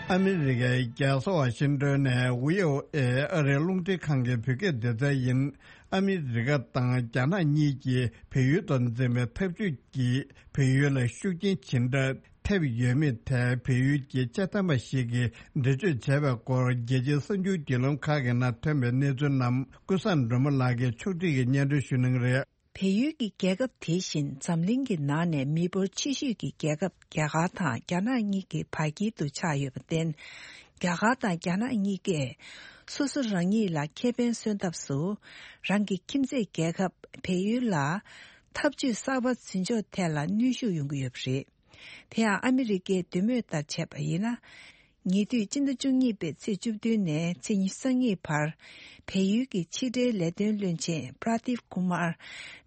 ཨ་མི་རི་ཀའི་རྒྱལ་ས་ཝ་ཤིང་ཏོན་ནས་བྷི་ཨོ་ཨེ་ཨ་རིའི་རླུང་འཕྲིན་ཁང་གི་བོད་སྐད་སྡེ་ཚན་ཡིན། ཨ་མི་རི་ཀ་དང་རྒྱ་ནག་གཉིས་ཀྱིས་བལ་ཡུལ་དུ་འཛིན་པའི་འཐབ་ཇུས་ཀྱིས་བལ་ཡུལ་ལ་ཤུགས་རྐྱེན་ཇི་འདྲ་ཐེབས་ཡོད་མེད་ཐད་བལ་ཡུལ་གྱི་དཔྱད་འདེམས་པ་ཞིག་གིས་འགྲེལ་བརྗོད་བྱས་པའི་སྐོར། རྒྱལ་སྤྱིའི་གསར་འགྱུར་བརྒྱུད་ལམ་ཁག་གི་ནང་ཐོན་པའི་གནས་ཚུལ་རྣམས་ཀུན་བཟང་སྒྲོལ་མ་ལགས་ཀྱིས་ཕྱོགས་སྒྲིག་གིས་སྙན་སྒྲོན་ཞུ་གནང་གི་རེད། བལ་ཡུལ་གྱི་རྒྱལ་ཁབ་དེ་བཞིན་འཛམ་གླིང་གི་ནང་ནས་མི་འབོར་ཆེ་ཤོས་ཀྱི་རྒྱལ་ཁབ་རྒྱ་གར་དང་རྒྱ་ནག་གཉིས་ཀྱི་བར་དཀྱིལ་དུ་ཆགས་ཡོད་པར་བརྟེན། རྒྱ་གར་དང་རྒྱ་ནག་གཉིས་ཀས་སོ་སོ་རང་ཉིད་ལ་ཁེ་ཕན་སོན་ཐབས་སུ། རང་གི་ཁྱིམ་མཚེས་རྒྱལ་ཁབ་བལ་ཡུལ་ལ་འཐབ་ཇུས་གསར་པ་འཛིན་ཕྱོགས་ཐད་ལ་གནོན་ཤུགས་ཡོང་གི་ཡོད་པ་རེད། དེ་ཡང་ཨ་མི་རི་ཀའི་འདོད་མོས་ལྟར་བྱས་པ་ཡིན་ན། ཉེ་དུས་སྤྱི་ཟླ་བཅུ་གཉིས་པའི་ཚེས་བཅུ་བདུན་ནས་ཚེས་ཉི་ཤུ་རྩ་གཉིས་བར། བལ་ཡུལ་གྱི་ཕྱི་འབྲེལ་ལས་དོན་བློན་ཆེན་པྲ་དིབ་ཀུ་མར།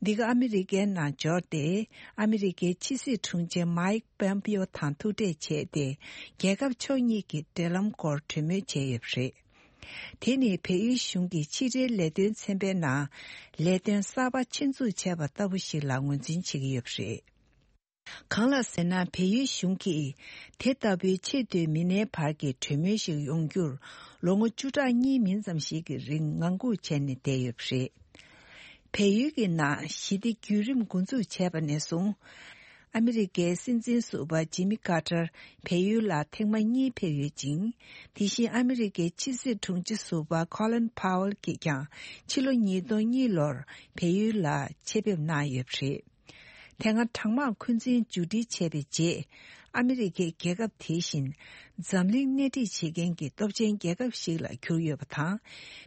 འདི་ག་ཨ་མི་རི་ཀའི་ནང་འབྱོར་ཏེ། ཨ་མི་རི་ཀའི་ཕྱི་སྲིད་དྲུང་ཆེ་མའིག་པོམ་པིའོ་དང་ཐུག་འཕྲད་བྱས་ཏེ། རྒྱལ་ཁབ་ཕྱོགས་གཉིས་ཀྱི་འབྲེལ་ལམ་སྐོར་གྲོས་མོལ་བྱས་ཡོད་པ་རེད། དེ་ནི་བལ་ཡུལ་གཞུང་གི་ཕྱི་འབྲེལ་ལས་དོན་ཚན་པའི་ནང་ལས་དོན་གསར་པ་ཆེད་འཛུགས་བྱས་པ་ལྟ་བུ་ཞིག་ལ་ངོས་འཛིན་བྱེད་ཀྱི་ཡོད་པ་རེད། གང་ལགས་ཟེར་ན། བལ་ཡུལ་གཞུང་གིས་དེ་ལྟ་བུའི་ཆེས་མཐོའི་མི་སྣའི་བར་གྱི་གྲོས་མོལ་ཞིག་ཡོང་རྒྱུར་ལོ་ངོ་བཅུ་ཕྲག་གཉིས་མིན་ཙམ་ཞིག་གི་རིང་ངང་སྒུག་བྱས་ནས་བསྡད་ཡོད་པ་རེད། བལ་ཡུལ་གྱི་ནང་ཞི་བདེ་བརྒྱུད་རིམ་འགོ་འཛུགས་བྱས་པ་ནས་བཟུང་། ཨ་མི་རི་ཀའི་སྲིད་འཛིན་ཟུར་པ་ཇི་མི་ཀར་ཏར་བལ་ཡུལ་ལ་ཐེངས་མ་གཉིས་ཕེབས་ཡོད་ཅིང་། དེ་བཞིན་ཨ་མི་རི་ཀའི་ཕྱི་སྲིད་དྲུང་ཆེ་ཟུར་པ་ཁོ་ལིན་ཕའོ་ཨེལ་གྱིས་ཀྱང་ཕྱི་ལོ་ཉིས་སྟོང་གཉིས་ལོར་བལ་ཡུལ་ལ་ཆེད་ཕེབས་གནང་ཡོད་པ་རེད། དེ་སྔ་གྲང་དམག་འཁོན་འཛིན་མཇུག་སྒྲིལ་བྱས་པའི་རྗེས། ཨ་མི་རི་ཀའི་རྒྱལ་ཁབ་དེ་བཞིན་འཛམ་གླིང་སྣེ་ཁྲིད་བྱེད་མཁན་གྱི་སྟོབས་ཆེན་རྒྱལ་ཁབ་ཞིག་ལ་གྱུར་ཡོད་པ་དང་།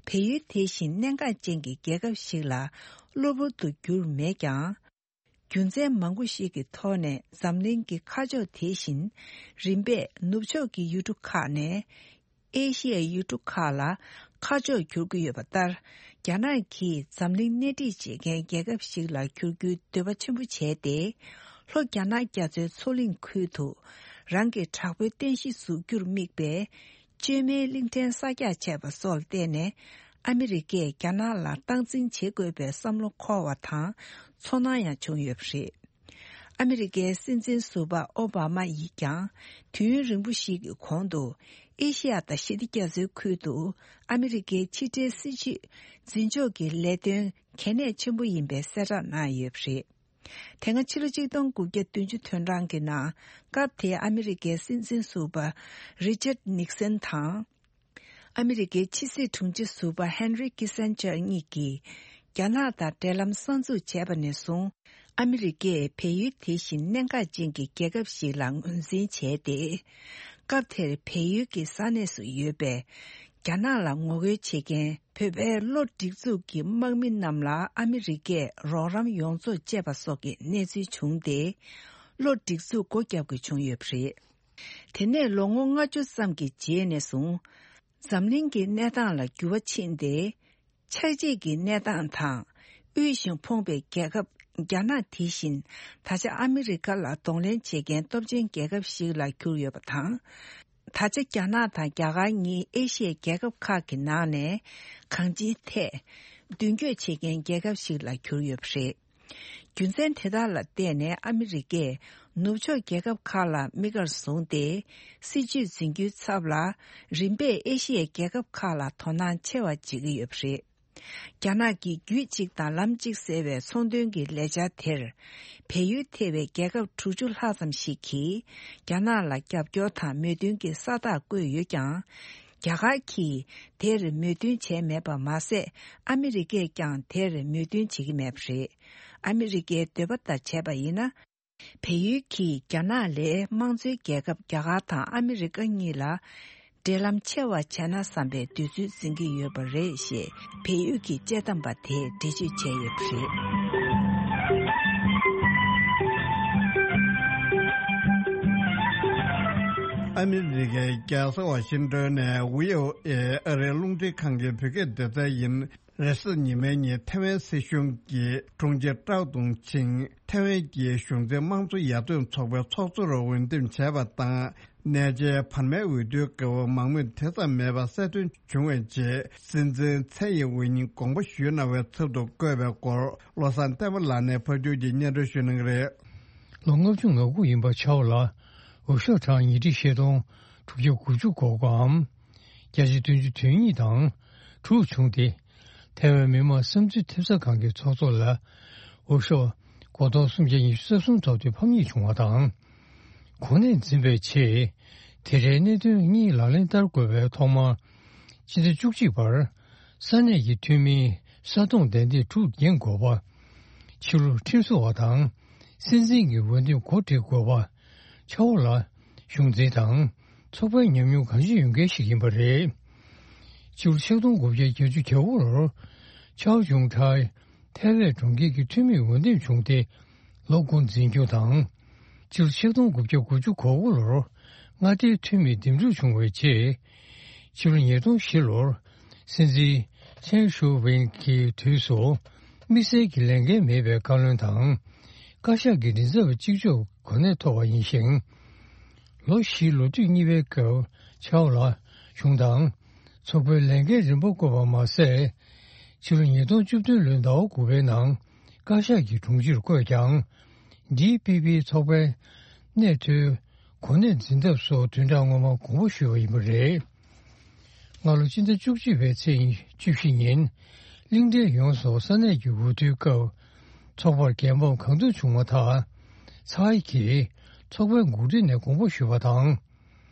བལ་ཡུལ་དེ་བཞིན་གནད་འགག་ཅན་གྱི་རྒྱལ་ཁབ་ཞིག་ལ་གློ་བུར་དུ་གྱུར་མེད་ཀྱང་། རྒྱུ་མཚན་མང་པོ་ཞིག་གི་ཐོག་ནས་འཛམ་གླིང་གི་ཁ་ཕྱོགས་དེ་བཞིན་རིམ་པས་ནུབ་ཕྱོགས་ཀྱི་ཡུལ་གྲུ་ཁག་ནས། ཨེ་ཤི་ཡའི་ཡུལ་གྲུ་ཁག་ལ་ཁ་ཕྱོགས་འགྱུར་གྱི་ཡོད་པ་ལྟར། རྒྱ་ནག་གིས་འཛམ་གླིང་སྣེ་ཁྲིད་བྱེད་མཁན་རྒྱལ་ཁབ་ཞིག་ལ་འགྱུར་རྒྱུའི་འདོད་པ་ཆེན་པོ་བྱས་ཏེ། ལྷོ་རྒྱ་ནག་རྒྱ་མཚོའི་མཚོ་གླིང་ཁུལ་དུ་རང་གི་དྲག་པོའི་རྟེན་གཞི་འཛུགས་རྒྱུར་དམིགས་པའི་བཅོས་མའི་གླིང་ཕྲན་གསར་རྒྱག་བྱས་པ་སོགས་ལ་བརྟེན་ནས། ཨ་མི་རི་ཀས་རྒྱ་ནག་ལ་སྟངས་འཛིན་བྱེད་དགོས་པའི་བསམ་བློ་འཁོར་བ་དང་ཚོར་སྣང་ཡང་བྱུང་ཡོད་པ་རེད། ཨ་མི་རི་ཀའི་སྲིད་འཛིན་ཟུར་པ་ཨོ་བྷ་མ་ཡིས་ཀྱང་དུས་ཡུན་རིང་པོ་ཞིག་གི་གོང་དུ། ཨེ་ཤི་ཡ་དང་ཞི་བདེ་རྒྱ་མཚོའི་ཁུལ་དུ་ཨ་མི་རི་ཀའི་ཕྱི་འབྲེལ་སྲིད་ཇུས་འཛིན་ཕྱོགས་ཀྱི་ལས་དོན་གལ་གནད་ཆེན་པོ་ཡིན་པའི་གསལ་བསྒྲགས་གནང་ཡོད་པ་རེད། དེ་སྔ་ཕྱི་ལོ་ཆིག་སྟོང་དགུ་བརྒྱ་བདུན་ཅུ་དོན་གྲངས་ཀྱི་ནང་། སྐབས་དེའི་ཨ་མི་རི་ཀའི་སྲིད་འཛིན་ཟུར་པ་རི་ཅར་ནིག་སན་དང་། ཨ་མི་རི་ཀའི་ཕྱི་སྲིད་དྲུང་ཆེ་ཟུར་པ་ཧན་རི་ཀི་སན་ཅར་གཉིས་ཀྱིས། རྒྱ་ནག་དང་འབྲེལ་ལམ་གསར་འཛུགས་བྱས་པ་ནས་བཟུང་། ཨ་མི་རི་ཀས་བལ་ཡུལ་དེ་བཞིན་གནད་འགག་ཅན་གྱི་རྒྱལ་ཁབ་ཞིག་ལ་ངོས་འཛིན་བྱས་ཏེ། སྐབས་དེར་བལ་ཡུལ་གྱི་ས་གནས་སུ་ཡོད་པའི་ རྒྱ་ནག་ལ་ངོ་རྒོལ་བྱེད་མཁན་བོད་པའི་གློ་སྒྲིག་འཛུགས་ཀྱི་དམག་མི་རྣམས་ལ་ཨ་མི་རི་ཀས་རོགས་རམ་ཡོངས་རྫོགས་བཅད་པ་སོགས་ཀྱི་གནས་ཚུལ་བྱུང་སྟེ། གློ་སྒྲིག་འཛུགས་སྒོ་བརྒྱབ་དགོས་བྱུང་ཡོད་པ་རེད། དེ་ནས་ལོ་ངོ་ལྔ་བཅུ་ཙམ་གྱི་རྗེས་ནས་བཟུང་། འཛམ་གླིང་གི་གནས་སྟངས་ལ་འགྱུར་བ་ཕྱིན་ཏེ། ཆགས་འཇིག་གི་གནས་སྟངས་དང་། དབུལ་ཞིང་ཕོངས་པའི་རྒྱལ་ཁབ་རྒྱ་ནག་དེ་བཞིན་ད་ཆ་ཨ་མི་རི་ཀ་ལ་གདོང་ལེན་བྱེད་མཁན་སྟོབས་ཆེན་རྒྱལ་ཁབ་ཞིག་ལ་གྱུར་ཡོད་པ་དང་། ད་ཆ་རྒྱ་ནག་དང་རྒྱ་གར་གཉིས་ཨེ་ཤི་ཡའི་རྒྱལ་ཁབ་ཁག་གི་ནང་ནས་གང་ཅིའི་ཐད་མདུན་སྐྱོད་བྱེད་མཁན་རྒྱལ་ཁབ་ཞིག་ལ་གྱུར་ཡོད་པ་རེད། རྒྱུ་མཚན་དེ་དག་ལ་བརྟེན་ནས་ཨ་མི་རི་ཀས་ནུབ་ཕྱོགས་རྒྱལ་ཁབ་ཁག་ལ་དམིགས་བཀར་བཟུང་སྟེ། སྲིད་ཇུས་འཛིན་རྒྱུའི་ཚབ་ལ་རིམ་པས་ཨེ་ཤི་ཡའི་རྒྱལ་ཁབ་ཁག་ལ་དོ་སྣང་ཆེ་བ་བྱེད་ཀྱི་ཡོད་པ་རེད། རྒྱ་ནག་གིས་རྒྱུད་གཅིག་དང་ལམ་གཅིག་ཟེར་བའི་ཚོང་དོན་གྱི་ལས་འཆར་དེར། བལ་ཡུལ་ཐེ་བའི་རྒྱལ་ཁབ་དྲུག་ཅུ་ལྷག་ཙམ་ཞིག་གིས་རྒྱ་ནག་ལ་རྒྱབ་སྐྱོར་དང་མོས་མཐུན་གྱི་ས་རྟགས་བཀོད་ཡོད་ཀྱང་། རྒྱ་གར་གྱིས་དེར་མོས་མཐུན་བྱས་མེད་པ་མ་ཟད། ཨ་མི་རི་ཀས་ཀྱང་དེར་མོས་མཐུན་བྱེད་ཀྱི་མེད་པ་རེད། ཨ་མི་རི་ཀའི་འདོད་པ་ལྟར་བྱས་པ་ཡིན་ན། བལ་ཡུལ་གྱིས་རྒྱ་ནག་ལས་དམངས་གཙོའི་རྒྱལ་ཁབ་རྒྱ་གར་དང་ཨ་མི་རི་ཀ་གཉིས་ལ་འབྲེལ་ལམ་ཆེ་བ་བྱས་ན་བསམ་པའི་འདོད་ཚུལ་འཛིན་གྱི་ཡོད་པ་རེད་ཞེས་བལ་ཡུལ་གྱི་དཔྱད་གཏམ་པ་དེས་འགྲེལ་བརྗོད་བྱས་ཡོད་པ་རེད། ཨ་མི་རི་ཀའི་རྒྱལ་ས་ཝ་ཤིང་ཏོན་ནས་ཝི་ཨོ་ཨེ་ཨ་རིའི་རླུང་འཕྲིན་ཁང་གི་བོད་སྐད་སྡེ་ཚན་ཡིན། རེས་གཟའ་ཉི་མའི་ཉིན་ཐེ་ཝན་སྲིད་གཞུང་གི་དྲུང་ཆེ་ཀྲའོ་ཏུང་ཆིང་ཐེ་ཝན་གྱི་གཞུང་འཛིན་དམངས་གཙོ་ཡར་ཐོན་ཚོགས་པའི་ཚོགས་གཙོར་འོས་འདེམས་བྱས་པ་དང་། གནས་མཇལ་བར་མའི་འོས་བསྡུའི་སྐབས་མང་མོས་དེ་ཙམ་མེད་པ་གསལ་སྟོན་བྱུང་བའི་རྗེས། སྲིད་འཛིན་ཚའེ་ཡིན་ཝེ་ཉིན་དགོངས་པ་ཞུས་གནང་བའི་ཚབ་ཏུ་བསྐོས་པའི་སྐོར། བློ་བཟང་བསྟན་པ་ལགས་ནས་ཕབ་སྒྱུར་གྱིས་སྙན་སྒྲོན་ཞུ་གནང་གི་རེད། ལོ་ལྔ་བཅུ་ང་དགུ་ཡིན་པ་ཆའོ་ལ་འོས་ཤོག་གྲངས་ཉིས་ཁྲི་ཆིག་སྟོང་དྲུག་བརྒྱ་དགུ་བཅུ་གོ་དགུའམ། བརྒྱ་ཆ་བདུན་ཅུ་དོན་གཉིས་དང་དྲུག་བྱུང་སྟེ། ཐེ་ཝན་མི་དམངས་བསམ་ཚུལ་ཐེབས་རྩ་ཁང་གི་ཚོགས་གཙོ་ལ་འོས་ཤོག་སྒོར་སྟོང་སུམ་བརྒྱ་ཉི་ཤུ་རྩ་གསུམ་ཐོབ་སྟེ་ཕམ་ཉེས་བྱུང་བ་དང་། གོ་གནས་འཛིན་པའི་ཆེད། དེ་འདྲའི་གནད་དོན་གཉིས་ལག་ལེན་བསྟར་དགོས་པའི་ཐོག་མར། སྤྱི་ཟླ་བཅུ་གཅིག་བར། ས་གནས་ཀྱི་འཐུས་མིའི་ས་སྟོང་བདེ་འདེད་དྲུག་འགན་དགོས་པ། ཕྱི་ལུགས་ཁྲིམས་བཟོ་བ་དང་། སྲིད་འཛིན་གྱི་འོས་འདེམས་གོ་སྒྲིག་དགོས་པ། ཆའོ་ལ་གཞུང་འཛིན་དང་ཚོགས་པའི་ཉམས་མྱོང་གང་ཅི་ཡོད་མཁན་ཞིག་ཡིན་པ་རེད། ཕྱི་ལོ་ཆིག་སྟོང་དགུ་བརྒྱ་བརྒྱད་ཅུ་གྱ་དགུ་ལོར་ཆའོ་ཆུང་ཁྲའི་ཐའེ་ཝན་གྲོང་ཁྱེར་གྱི་འཐུས་མིའི་འོས་འདེམས་བྱུང་སྟེ་ལོ་དགུ་འཛིན་སྐྱོང་དང་། ཕྱི་ལོ་ཆིག་སྟོང་དགུ་བརྒྱ་དགུ་བཅུ་གོ་དགུ་ལོར་མངའ་སྡེའི་འཐུས་མིའི་འདེམས་སྒྲུག་བྱུང་བའི་རྗེས། ཕྱི་ལོ་ཉིས་སྟོང་བཞི་ལོར་སྲིད་འཛིན་ཆན་ཞུ་ཝེན་གྱི་དུས་སུ་དམིགས་བསལ་གྱི་ལས་འགན་མེད་པའི་བཀའ་བློན་དང་། བཀའ་ཤག་གི་མགྲིན་ཚབ་གཅིག་ལྕོགས་གོ་གནས་ཐོབ་པ་ཡིན་ཞིང་། ལོ་བཞིའི་ལོ་དུས་གཉིས་པའི་སྐབས་ཆའོ་ལ་གཞུང་དང་ཚོགས་པའི་ལས་འགན་རིམ་པ་བསྐོས་པ་མ་ཟད། ཕྱི་ལོ་ཉིས་སྟོང་བཅུ་བདུན་ལོའི་ཟླ་བ་དགུ་པའི་ནང་བཀའ་ཤག་གི་དྲུང་ཆེར་བསྐོས་ཀྱང་། ཌི་པི་པི་ཚོགས་པའི་གནས་མཐོའི་གོ་གནས་འཛིན་ཐབས་སུ་བདུན་ཕྲག་སྔོན་མ་དགོངས་པ་ཞུས་པ་ཡིན་པ་རེད། སྔ་ལོ་སྤྱི་ཟླ་བཅུ་གཅིག་པའི་ཚེས་བཅུ་བཞི་ཉིན། གླིང་ཕྲན་ཡོངས་སུ་ས་གནས་ཀྱི་འོས་བསྡུའི་སྐབས། ཚོགས་པར་རྒྱལ་འབངས་གང་ཐུབ་བྱུང་བ་དང་། ཚའེ་གིས་ཚོགས་པའི་འགོ་ཁྲིད་ནས་དགོངས་པ་ཞུས་པ་དང་།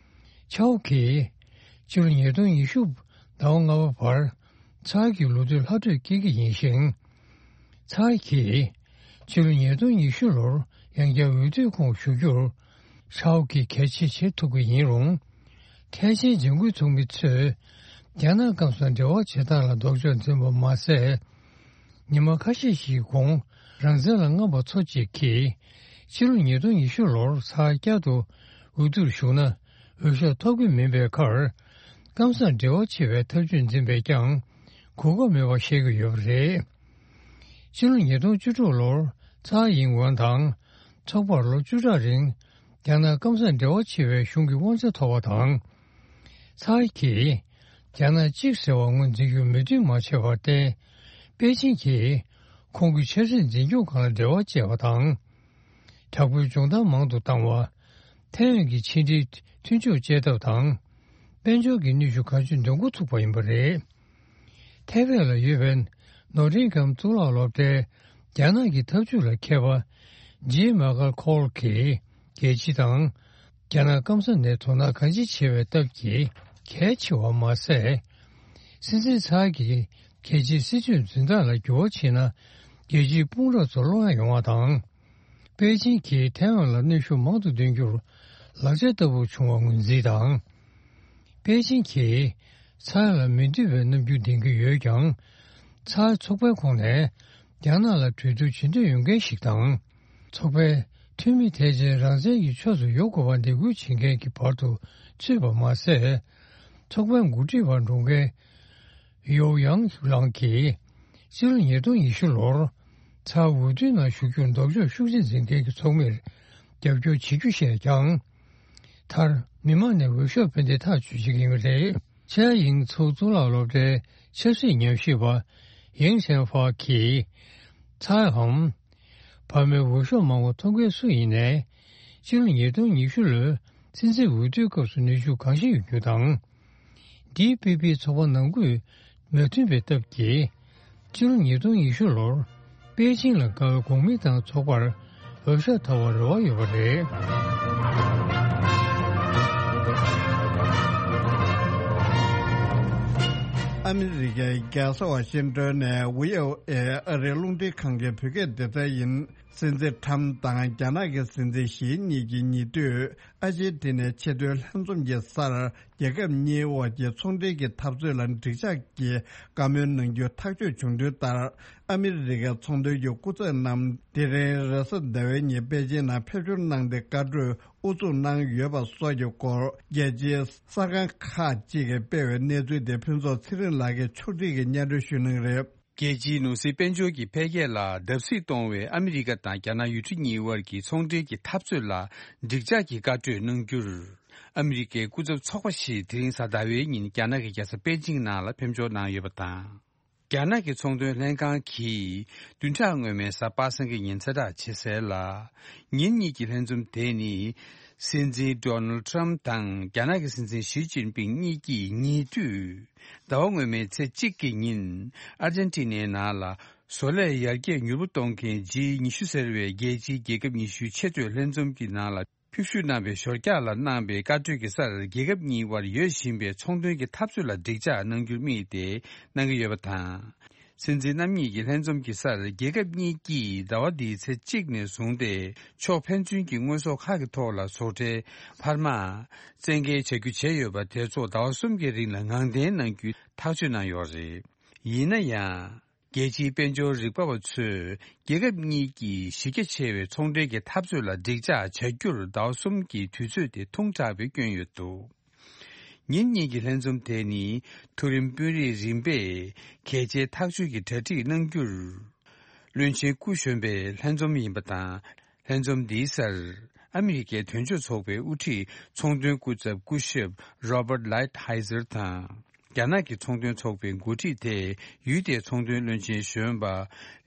ཆའོ་གིས་ཕྱི་ལོ་ཉིས་སྟོང་ཉི་ཤུ་ཟླ་བ་ལྔ་པ་བར་ཚའེ་གི་ལོ་དུས་ལྷག་འཕྲོས་སྐྱེལ་གྱི་ཡིན་ཞིང་། ཚའེ་གིས་ཕྱི་ལོ་ཉིས་སྟོང་ཉི་ཤུ་ལོར་ཡང་བསྐྱར་འོས་བསྡུའི་ཁོངས་ཞུགས་རྒྱུར་ཆའོ་གིས་གལ་ཆེ་བྱེད་ཐུབ་ཀྱི་ཡིན་རུང་། ཐེ་ཆེན་འཇིགས་སྐུལ་ཚོགས་མི་ཚོས་རྒྱ་ནག་སྐམ་སར་འབྲེལ་བ་བྱེད་སྟངས་ལ་ལྡོག་ཕྱོགས་འཛིན་པ་མ་ཟད། ཉི་མ་ཁ་ཤས་ཤིག་གོང་རང་བཙན་ལ་རྔམ་པ་ཚོ་གཅིག་གིས་ཕྱི་ལོ་ཉིས་སྟོང་ཉི་ཤུ་ལོར་ཚར་བསྐྱར་དུ་འོས་བསྡུར་ཞུགས་ན་འོས་ཤོག་ཐོབ་ཀྱི་མིན་པའི་ཁར། སྐམ་སར་འབྲེལ་བ་བྱེད་པའི་ཐབས་ཇུས་འཛིན་པས་ཀྱང་གོ་སྐབས་མེད་པ་བཤད་ཀྱི་ཡོད་པ་རེད། ཕྱི་ལོ་ཉིས་སྟོང་བཅུ་དྲུག་ལོར་ཚར་ཡིན་ཝན་དང་ཚོགས་པར་ལོ་བཅུ་ཕྲག་རིང་རྒྱ་ནག་སྐམ་སར་འབྲེལ་བ་བྱེད་པའི་གཞུང་གི་དབང་ཆ་ཐོབ་པ་དང་། ཚའེ་གིས་རྒྱ་ནག་གཅིག་ཟེར་བ་ངོས་འཛིན་རྒྱུར་མོས་མཐུན་མ་བྱས་པར་བརྟེན། པེ་ཅིན་གྱིས་ཁོང་གི་ཆབ་སྲིད་འཛིན་སྐྱོང་ཁང་ལ་འབྲེལ་བ་བཅད་པ་དང་། དྲག་པོའི་སྦྱོང་བརྡར་མང་དུ་བཏང་བ། ཐའེ་ཝན་གྱི་ཕྱི་འབྲེལ་མཐུན་ཕྱོགས་བཅད་ཐབས་དང་། དཔལ་འབྱོར་གྱི་གནོན་ཤུགས་གང་ཅི་འདོན་འགོ་ཚུགས་པ་ཡིན་པ་རེད། ཐའེ་ཝན་ལ་ཡོད་པའི་ནོ་ཊིང་གྷམ་གཙུག་ལག་སློབ་གྲྭའི་རྒྱ་ནག་གི་ཐབས་ཇུས་ལ་མཁས་པ་ཇི་མ་ཀར་ཁོལ་གྱིས་རྒྱལ་སྤྱི་དང་རྒྱ་ནག་སྐམ་ས་ནས་དོ་སྣང་གང་ཅི་བྱེད་པའི་སྟབས་ཀྱིས་གལ་ཆེ་བ་མ་ཟད། སྲིད་འཛིན་ཚའེ་གིས་རྒྱལ་སྤྱིའི་སྲིད་ཇུས་འཛིན་སྟངས་ལ་འགྱུར་བ་ཕྱིན་ན་རྒྱལ་སྤྱིའི་དཔུང་རོགས་ཚོར་བློ་ཡང་ཡོང་བ་དང་། པེ་ཅིན་གྱིས་ཐའེ་ཝན་ལ་གནོན་ཤུགས་མང་དུ་འདོན་རྒྱུར་ལག་ཆ་ལྟ་བུར་བྱུང་བ་ངོས་འཛིན་དང་། པེ་ཅིན་གྱིས་ ཚར་ལ་མི་འདོད་པའི་རྣམ་འགྱུར་ལྡན་གྱི་ཡོད་ཀྱང་། ཚར་ཚོགས་པའི་ཁོངས་ནས་རྒྱ་ནག་ལ་གྲོས་བསྡུར་བྱེད་འདོད་ཡོད་མཁན་ཞིག་དང་། ཚོགས་པའི་འཐུས་མི་དེ་ཚོས་རང་བཙན་གྱི་ཕྱོགས་སུ་ཡོང་དགོས་པར་འདེད་སྐུལ་བྱེད་མཁན་གྱི་བར་དུ་ཚུད་པ་མ་ཟད། ཚོགས་པའི་འགོ་ཁྲིད་པར་འགྲོ་མཁན་ཡོའུ་ཡང་ལང་གིས་ཕྱི་ལོ་ཉིས་སྟོང་ཉི་ཤུ་ལོར་ཚར་འོས་བསྡུའི་ནང་ཞུགས་རྒྱུར་ལྡོག་ཕྱོགས་ཤུགས་ཆེ་འཛིན་མཁན་གྱི་ཚོགས་མིར་རྒྱབ་སྐྱོར་བྱེད་རྒྱུ་བཤད་ཀྱང་། མཐར་མི་མང་ནས་འོས་ཤོག་ཕུལ་ཏེ་ཐག་གཅོད་བྱེད་ཀྱི་ཡོད་པ་རེད། ཆ་ཡིང་ཚོགས་གཙུག་ལག་སློབ་གྲྭའི་ཆབ་སྲིད་ཉམས་ཞིབ་པ་ཡེང་ཆན་ཧྥ་གིས། ཚའེ་འམ་བར་མའི་འོས་ཤོག་མང་བ་ཐོབ་མཁན་སུ་ཡིན་ནའི། སྤྱི་ལོ་ཉིས་སྟོང་ཉི་ཤུ་ལོའི་སྲིད་འཛིན་འོས་བསྡུའི་སྐབས་སུ་ནུས་ཤུགས་གང་ཤེས་ཡོད་རྒྱུ་དང་། ཌི་པི་པི་ཚོགས་པ་ནང་ཁུལ་མོས་མཐུན་པའི་སྟབས་ཀྱིས། སྤྱི་ལོ་ཉིས་སྟོང་ཉི་ཤུ་ལོར་པེ་ཅིང་ལ་དགའ་བའི་གོང་མི་དང་ཚོགས་པར་འོས་ཤོག་ཐོབ་པར་རེ་བ་ཡོད་པ་རེད། ཨ་མི་རི་ཀའི་རྒྱལ་ས་ཝ་ཤིང་ཏོན་ནས་ཝི་ཨོ་ཨེ་ཨ་རིའི་རླུང་འཕྲིན་ཁང་གི་བོད་སྐད་སྡེ་ཚན་ཡིན། སྲིད་འཛིན་ཁྲམ་དང་རྒྱ་ནག་གི་སྲིད་འཛིན་ཞི་གཉིས་ཀྱིས་ཉེ་དུས་ཨར་ཇེན་ཊི་ནའི་ཆེས་མཐོའི་ལྷན་འཛོམས་ཀྱི་སར། རྒྱལ་ཁབ་གཉིས་དབར་གྱི་ཚོང་འབྲེལ་གྱི་འཐབ་རྩོད་ལ་འགྲིག་འཇགས་ཀྱི་བཀའ་མོལ་གནང་རྒྱུ་ཐག་གཅོད་བྱུང་དོན་ལྟར། ཨ་མི་རི་ཀའི་ཚོང་དོན་གྱི་སྐུ་ཚབ་རྣམས་དེ་རིང་རེས་གཟའ་ཟླ་བའི་ཉིན་པེ་ཅིང་ནང་ཕེབས་འབྱོར་གནང་སྟེ་བཀའ་གྲོས་དབུ་འཛུགས་གནང་ཡོད་པ་སོགས་ཀྱི་སྐོར། རྒྱལ་སྤྱིའི་གསར་ཁང་ཁག་ཅིག་གིས་སྤེལ་བའི་གནས་ཚུལ་དེ་ཕུན་ཚོགས་ཚེ་རིང་ལགས་ཀྱིས་ཕྱོགས་སྒྲིག་གིས་སྙན་སྒྲོན་ཞུ་གནང་གི་རེད། རྒྱལ་སྤྱིའི་ནོར་སྲིད་དཔལ་འབྱོར་གྱི་འཕེལ་རྒྱས་ལ་བརྡབ་གསིག་གཏོང་བའི་ཨ་མི་རི་ཀ་དང་རྒྱ་ནག་ཡུལ་གྲུ་གཉིས་དབར་གྱི་ཚོང་འབྲེལ་གྱི་འཐབ་རྩོད་ལ་འགྲིག་འཇགས་ཀྱི་བཀའ་གྲོས་གནང་རྒྱུར། ཨ་མི་རི་ཀའི་སྐུ་ཚབ་ཚོགས་པ་ཞིག་དེ་རིང་གཟའ་ཟླ་བའི་ཉིན་རྒྱ་ནག་གི་རྒྱལ་ས་པེ་ཅིང་ནང་ལ་ཕེབས་འབྱོར་གནང་ཡོད་པ་དང་། རྒྱ་ནག་གི་ཚོང་དོན་ལྷན་ཁང་གིས་བདུན་ཕྲག་སྔོན་མའི་གཟའ་པ་སངས་ཀྱི་ཉིན་གསལ་བསྒྲགས་བྱས་གསལ་ལ། ཉིན་གཉིས་ཀྱི་ལྷན་འཛོམས་དེ་ནི། སྲིད་འཛིན་ཌོ་ནལ་ཊམ་དང་རྒྱ་ནག་གི་སྲིད་འཛིན་ཞི་ཅིན་ཕིང་གཉིས་ཀྱིས་ཉེ་དུས། ཟླ་བ་སྔོན་མའི་ཚེས་གཅིག་གི་ཉིན། ཨར་ཇན་ཊི་ནའི་ནང་ལ། བཟོ་ལས་ཡར་རྒྱས་མྱུར་པོ་གཏོང་མཁན་ཇི་ཉི་ཤུ་ཟེར་བའི་རྒྱལ་སྤྱིའི་རྒྱལ་ཁབ་ཉི་ཤུའི་ཆེས་མཐོའི་ལྷན་འཛོམས་ཀྱི་ནང་ལ། ཕེབས་བསུ་གནང་བའི་ཞོར་རྒྱག་ལ་གནང་བའི་བཀའ་གྲོས་ཀྱི་སར། རྒྱལ་ཁབ་གཉིས་དབར་ཡོད་བཞིན་པའི་ཚོང་དོན་གྱི་འཐབ་རྩོད་ལ་འགྲིག་འཇགས་གནང་རྒྱུར་དམིགས་ཏེ་གནང་གི་ཡོད་པ་དང་། སྲིད་འཛིན་རྣམ་གཉིས་ཀྱི་ལྷན་འཛོམས་ཀྱི་སར། རྒྱལ་ཁབ་གཉིས་ཀྱིས་ཟླ་བ་འདིའི་ཚེས་གཅིག་ནས་བཟུང་སྟེ། ཕྱོགས་ཕན་ཚུན་གྱི་དངོས་ཟོག་ཁག་གི་ཐོག་ལ་བཟོ་གྲྭའི་འཕར་མ། བཙན་འགེལ་བྱ་རྒྱུ་བྱས་ཡོད་པ་དེ་ཚོ་ཟླ་བ་གསུམ་གྱི་རིང་ལ་ངང་འཐེན་གནང་རྒྱུའི་ཐག་གཅོད་གནང་ཡོད་རེད། ཡིན་ན་ཡང་། རྒྱལ་སྤྱིའི་དཔལ་འབྱོར་རིག་པ་བ་ཚོས། རྒྱལ་ཁབ་གཉིས་ཀྱིས་གཞི་རྒྱ་ཆེ་བའི་ཚོང་འབྲེལ་གྱི་འཐབ་རྩོད་ལ་འགྲིག་འཇགས་བྱ་རྒྱུར་ཟླ་བ་གསུམ་གྱི་དུས་ཚོད་དེ་ཐུང་དྲགས་པའི་སྐྱོན་ཡོད་འདུག་ཉིན་གཉིས་ཀྱི་ལྷན་འཛོམས་དེ་ནི་མཐོ་རིམ་དཔོན་རིགས་རིམ་པས་གལ་ཆེའི་ཐག་གཅོད་ཀྱི་གྲ་སྒྲིག་གནང་རྒྱུར། བློན་ཆེན་སྐུ་གཞོན་པའི་ལྷན་འཛོམས་ཡིན་པ་དང་། ལྷན་འཛོམས་འདིའི་སར། ཨ་མི་རི་ཀའི་དོན་གཅོད་ཚོགས་པའི་དབུ་ཁྲིད་ཚོང་དོན་སྐུ་ཚབ་སྐུ་ཞབས་Robert Lighthizer་དང་། རྒྱ་ནག་གི་ཚོང་དོན་ཚོགས་པའི་འགོ་ཁྲིད་དེ་ཡུལ་དེའི་ཚོང་དོན་བློན་ཆེན་གཞོན་པ་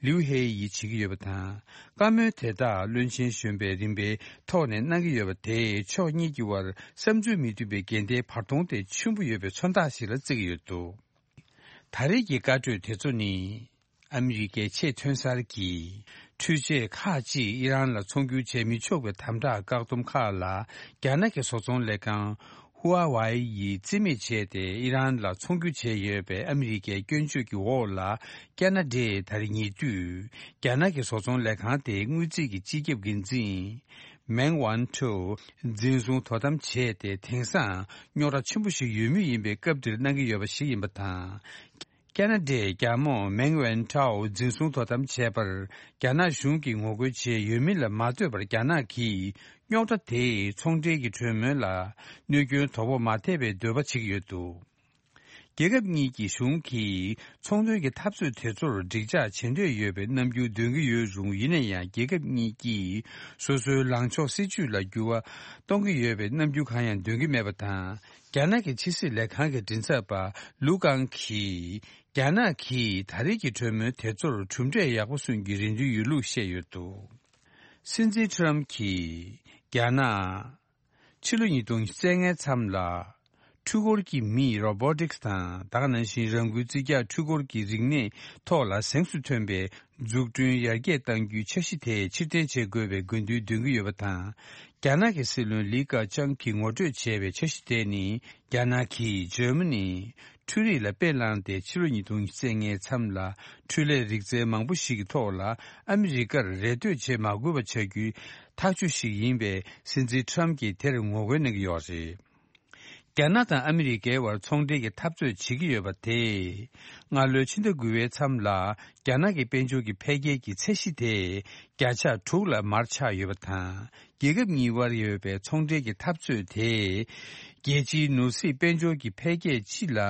ལིའུ་ཧེ་ཡིས་བྱེད་ཀྱི་ཡོད་པ་དང་། བཀའ་མོལ་དེ་དག་བློན་ཆེན་གཞོན་པས་རིམ་པའི་ཐོག་ནས་གནང་གི་ཡོད་པ་དེས་ཕྱོགས་གཉིས་ཀྱི་དབར་བསམ་ཚུལ་མི་མཐུན་པའི་འགལ་ཟླའི་བར་སྟོང་དེ་ཆེན་པོ་ཡོད་པའི་མཚོན་རྟགས་ཤིག་ལ་བརྩི་གི་ཡོད་འདུག་ད་རེས་ཀྱི་བཀའ་གྲོས་དེ་ཚོ་ནི། ཨ་མི་རི་ཀའི་ཆེས་མཐོའི་གསར་གྱི་འཕྲུལ་ཆས་ཁག་ཅིག་ཨི་རན་ལ་ཚོང་སྒྱུར་བྱེད་མི་ཆོག་པའི་དམ་དྲག་བཀག་སྡོམ་ཁག་ལ། རྒྱ་ནག་གི་བཟོ་ཚོང་ལས་ཁང་ཧུ་ཨ་ཝའི་ཡིས་རྩིས་མེད་བྱས་ཏེ། ཨི་རན་ལ་ཚོང་སྒྱུར་བྱས་ཡོད་པའི་ཨ་མི་རི་ཀའི་སྐྱོན་བརྗོད་ཀྱི་འོག་ལ། ཁ་ན་ཌས་ད་རེས་ཉེ་དུས། རྒྱ་ནག་གི་བཟོ་ཚོང་ལས་ཁང་དེའི་དངུལ་རྩིས་ཀྱི་སྤྱི་ཁྱབ་འགན་འཛིན། མེང་ཝན་ཁྲོའུ་འཛིན་བཟུང་དོ་དམ་བྱས་ཏེ། དེང་སང་རྙོག་དྲ་ཆེན་པོ་ཞིག་ཡོད་མུས་ཡིན་པའི་སྐབས་འདིར་གནང་གི་ཡོད་པ་ཞིག་ཡིན་པ་དང་། ཁ་ན་ཌའི་རྒྱལ་མོ་མེང་ཝན་ཁྲའོ་འཛིན་བཟུང་དོ་དམ་བྱས་པར། རྒྱ་ནག་གཞུང་གིས་ངོ་རྒོལ་བྱས་ཡོད་མིན་ལ་མ་ལྟོས་པར། རྒྱ་ནག་གིས་རྙོག་དྲ་དེས་ཚོང་འབྲེལ་གྱི་གྲོས་མོལ་ལ་གནོད་སྐྱོན་དོ་ཕོག་མ་ཐེབས་པའི་འདོད་པ་བྱེད་ཀྱི་ཡོད་འདུག་རྒྱལ་ཁབ་གཉིས་ཀྱི་གཞུང་གིས་ཚོང་དོན་གྱི་འཐབ་རྩོད་དེ་ཚོར་འགྲིག་འཇགས་བྱེད་འདོད་ཡོད་པའི་རྣམ་འགྱུར་འདོན་གྱི་ཡོད་རུང་། ཡིན་ན་ཡང་། རྒྱལ་ཁབ་གཉིས་ཀྱིས་སོ་སོའི་ལངས་ཕྱོགས་སྲིད་ཇུས་ལ་འགྱུར་བ་གཏོང་གི་ཡོད་པའི་རྣམ་འགྱུར་གང་ཡང་འདོན་གྱི་མེད་པ་དང་། རྒྱ་ནག་གི་ཕྱི་སྲིད་ལས་ཁང་གི་མགྲིན་ཚབ་པ་ལུའུ་ཀང་གིས། རྒྱ་ནག་གིས་ད་རེས་ཀྱི་གྲོས་མོལ་དེ་ཚོར་གྲུབ་འབྲས་ཡག་པོ་སོན་གྱི་རེ་འདུན་ཡོད་ལུགས་བཤད་ཡོད་འདུག་སྲིད་འཛིན་ཁྲམ་གྱིས་རྒྱ་ནག་ཕྱི་ལོ་ཉིས་སྟོང་ཉི་ཤུ་རྩ་ལྔའི་མཚམས་ལ། འཕྲུལ་འཁོར་གྱི་མིས་རོ་བྷོ་ཊིག་སི་དང་། ད་ག་ནང་བཞིན་རང་འགུལ་རྩིས་རྒྱག་འཕྲུལ་འཁོར་གྱི་རིག་གནས་ཐོག་ལ་གཟེངས་སུ་ཐོན་པའི་འཛུགས་སྐྲུན་ཡར་རྒྱས་གཏང་རྒྱུའི་འཆར་གཞི་དེ་ཕྱིར་འཐེན་བྱེད་དགོས་པའི་དགོས་འདུན་འདོན་གྱི་ཡོད་པ་དང་། རྒྱ་ནག་གི་སྲིད་བློན་ལི་ཁེ་ཆང་གིས་ངོ་སྤྲོད་བྱས་པའི་འཆར་གཞི་དེ་ནི། རྒྱ་ནག་གིས་འཇར་མ་ནི་འཕྲུལ་རིག་ལ་དཔེ་བླངས་ཏེ། ཕྱི་ལོ་ཉིས་སྟོང་ཉི་ཤུ་རྩ་ལྔའི་མཚམས་ལ། འཕྲུལ་ལས་རིག་རྩལ་མང་པོ་ཞིག་གི་ཐོག་ལ་ཨ་མི་རི་ཀར་རེ་ལྟོས་བྱེད་མ་དགོས་པ་བྱ་རྒྱུའི་ཐག་གཅོད་ཞིག་ཡིན་པས། སྲིད་འཛིན་ཁྲམ་གྱིས་དེར་ངོ་རྒོལ་གནང་གི་ཡོད་རེད། རྒྱ་ནག་དང་ཨ་མི་རི་ཀའི་བར་ཚོང་འབྲེལ་གྱི་འཐབ་རྩོད་བྱེད་ཀྱི་ཡོད་པ་དེས། སྔ་ལོའི་ཕྱི་ཟླ་དགུ་པའི་མཚམས་ལ། རྒྱ་ནག་གི་དཔལ་འབྱོར་གྱི་འཕེལ་རྒྱས་ཀྱི་ཚད་གཞི་དེ། བརྒྱ་ཆ་དྲུག་ལ་མར་ཆག་ཡོད་པ་དང་། རྒྱལ་ཁབ་གཉིས་དབར་ཡོད་པའི་ཚོང་འབྲེལ་གྱི་འཐབ་རྩོད་དེས། རྒྱལ་སྤྱིའི་ནོར་སྲིད་དཔལ་འབྱོར་གྱི་འཕེལ་རྒྱས་སྤྱི་ལ་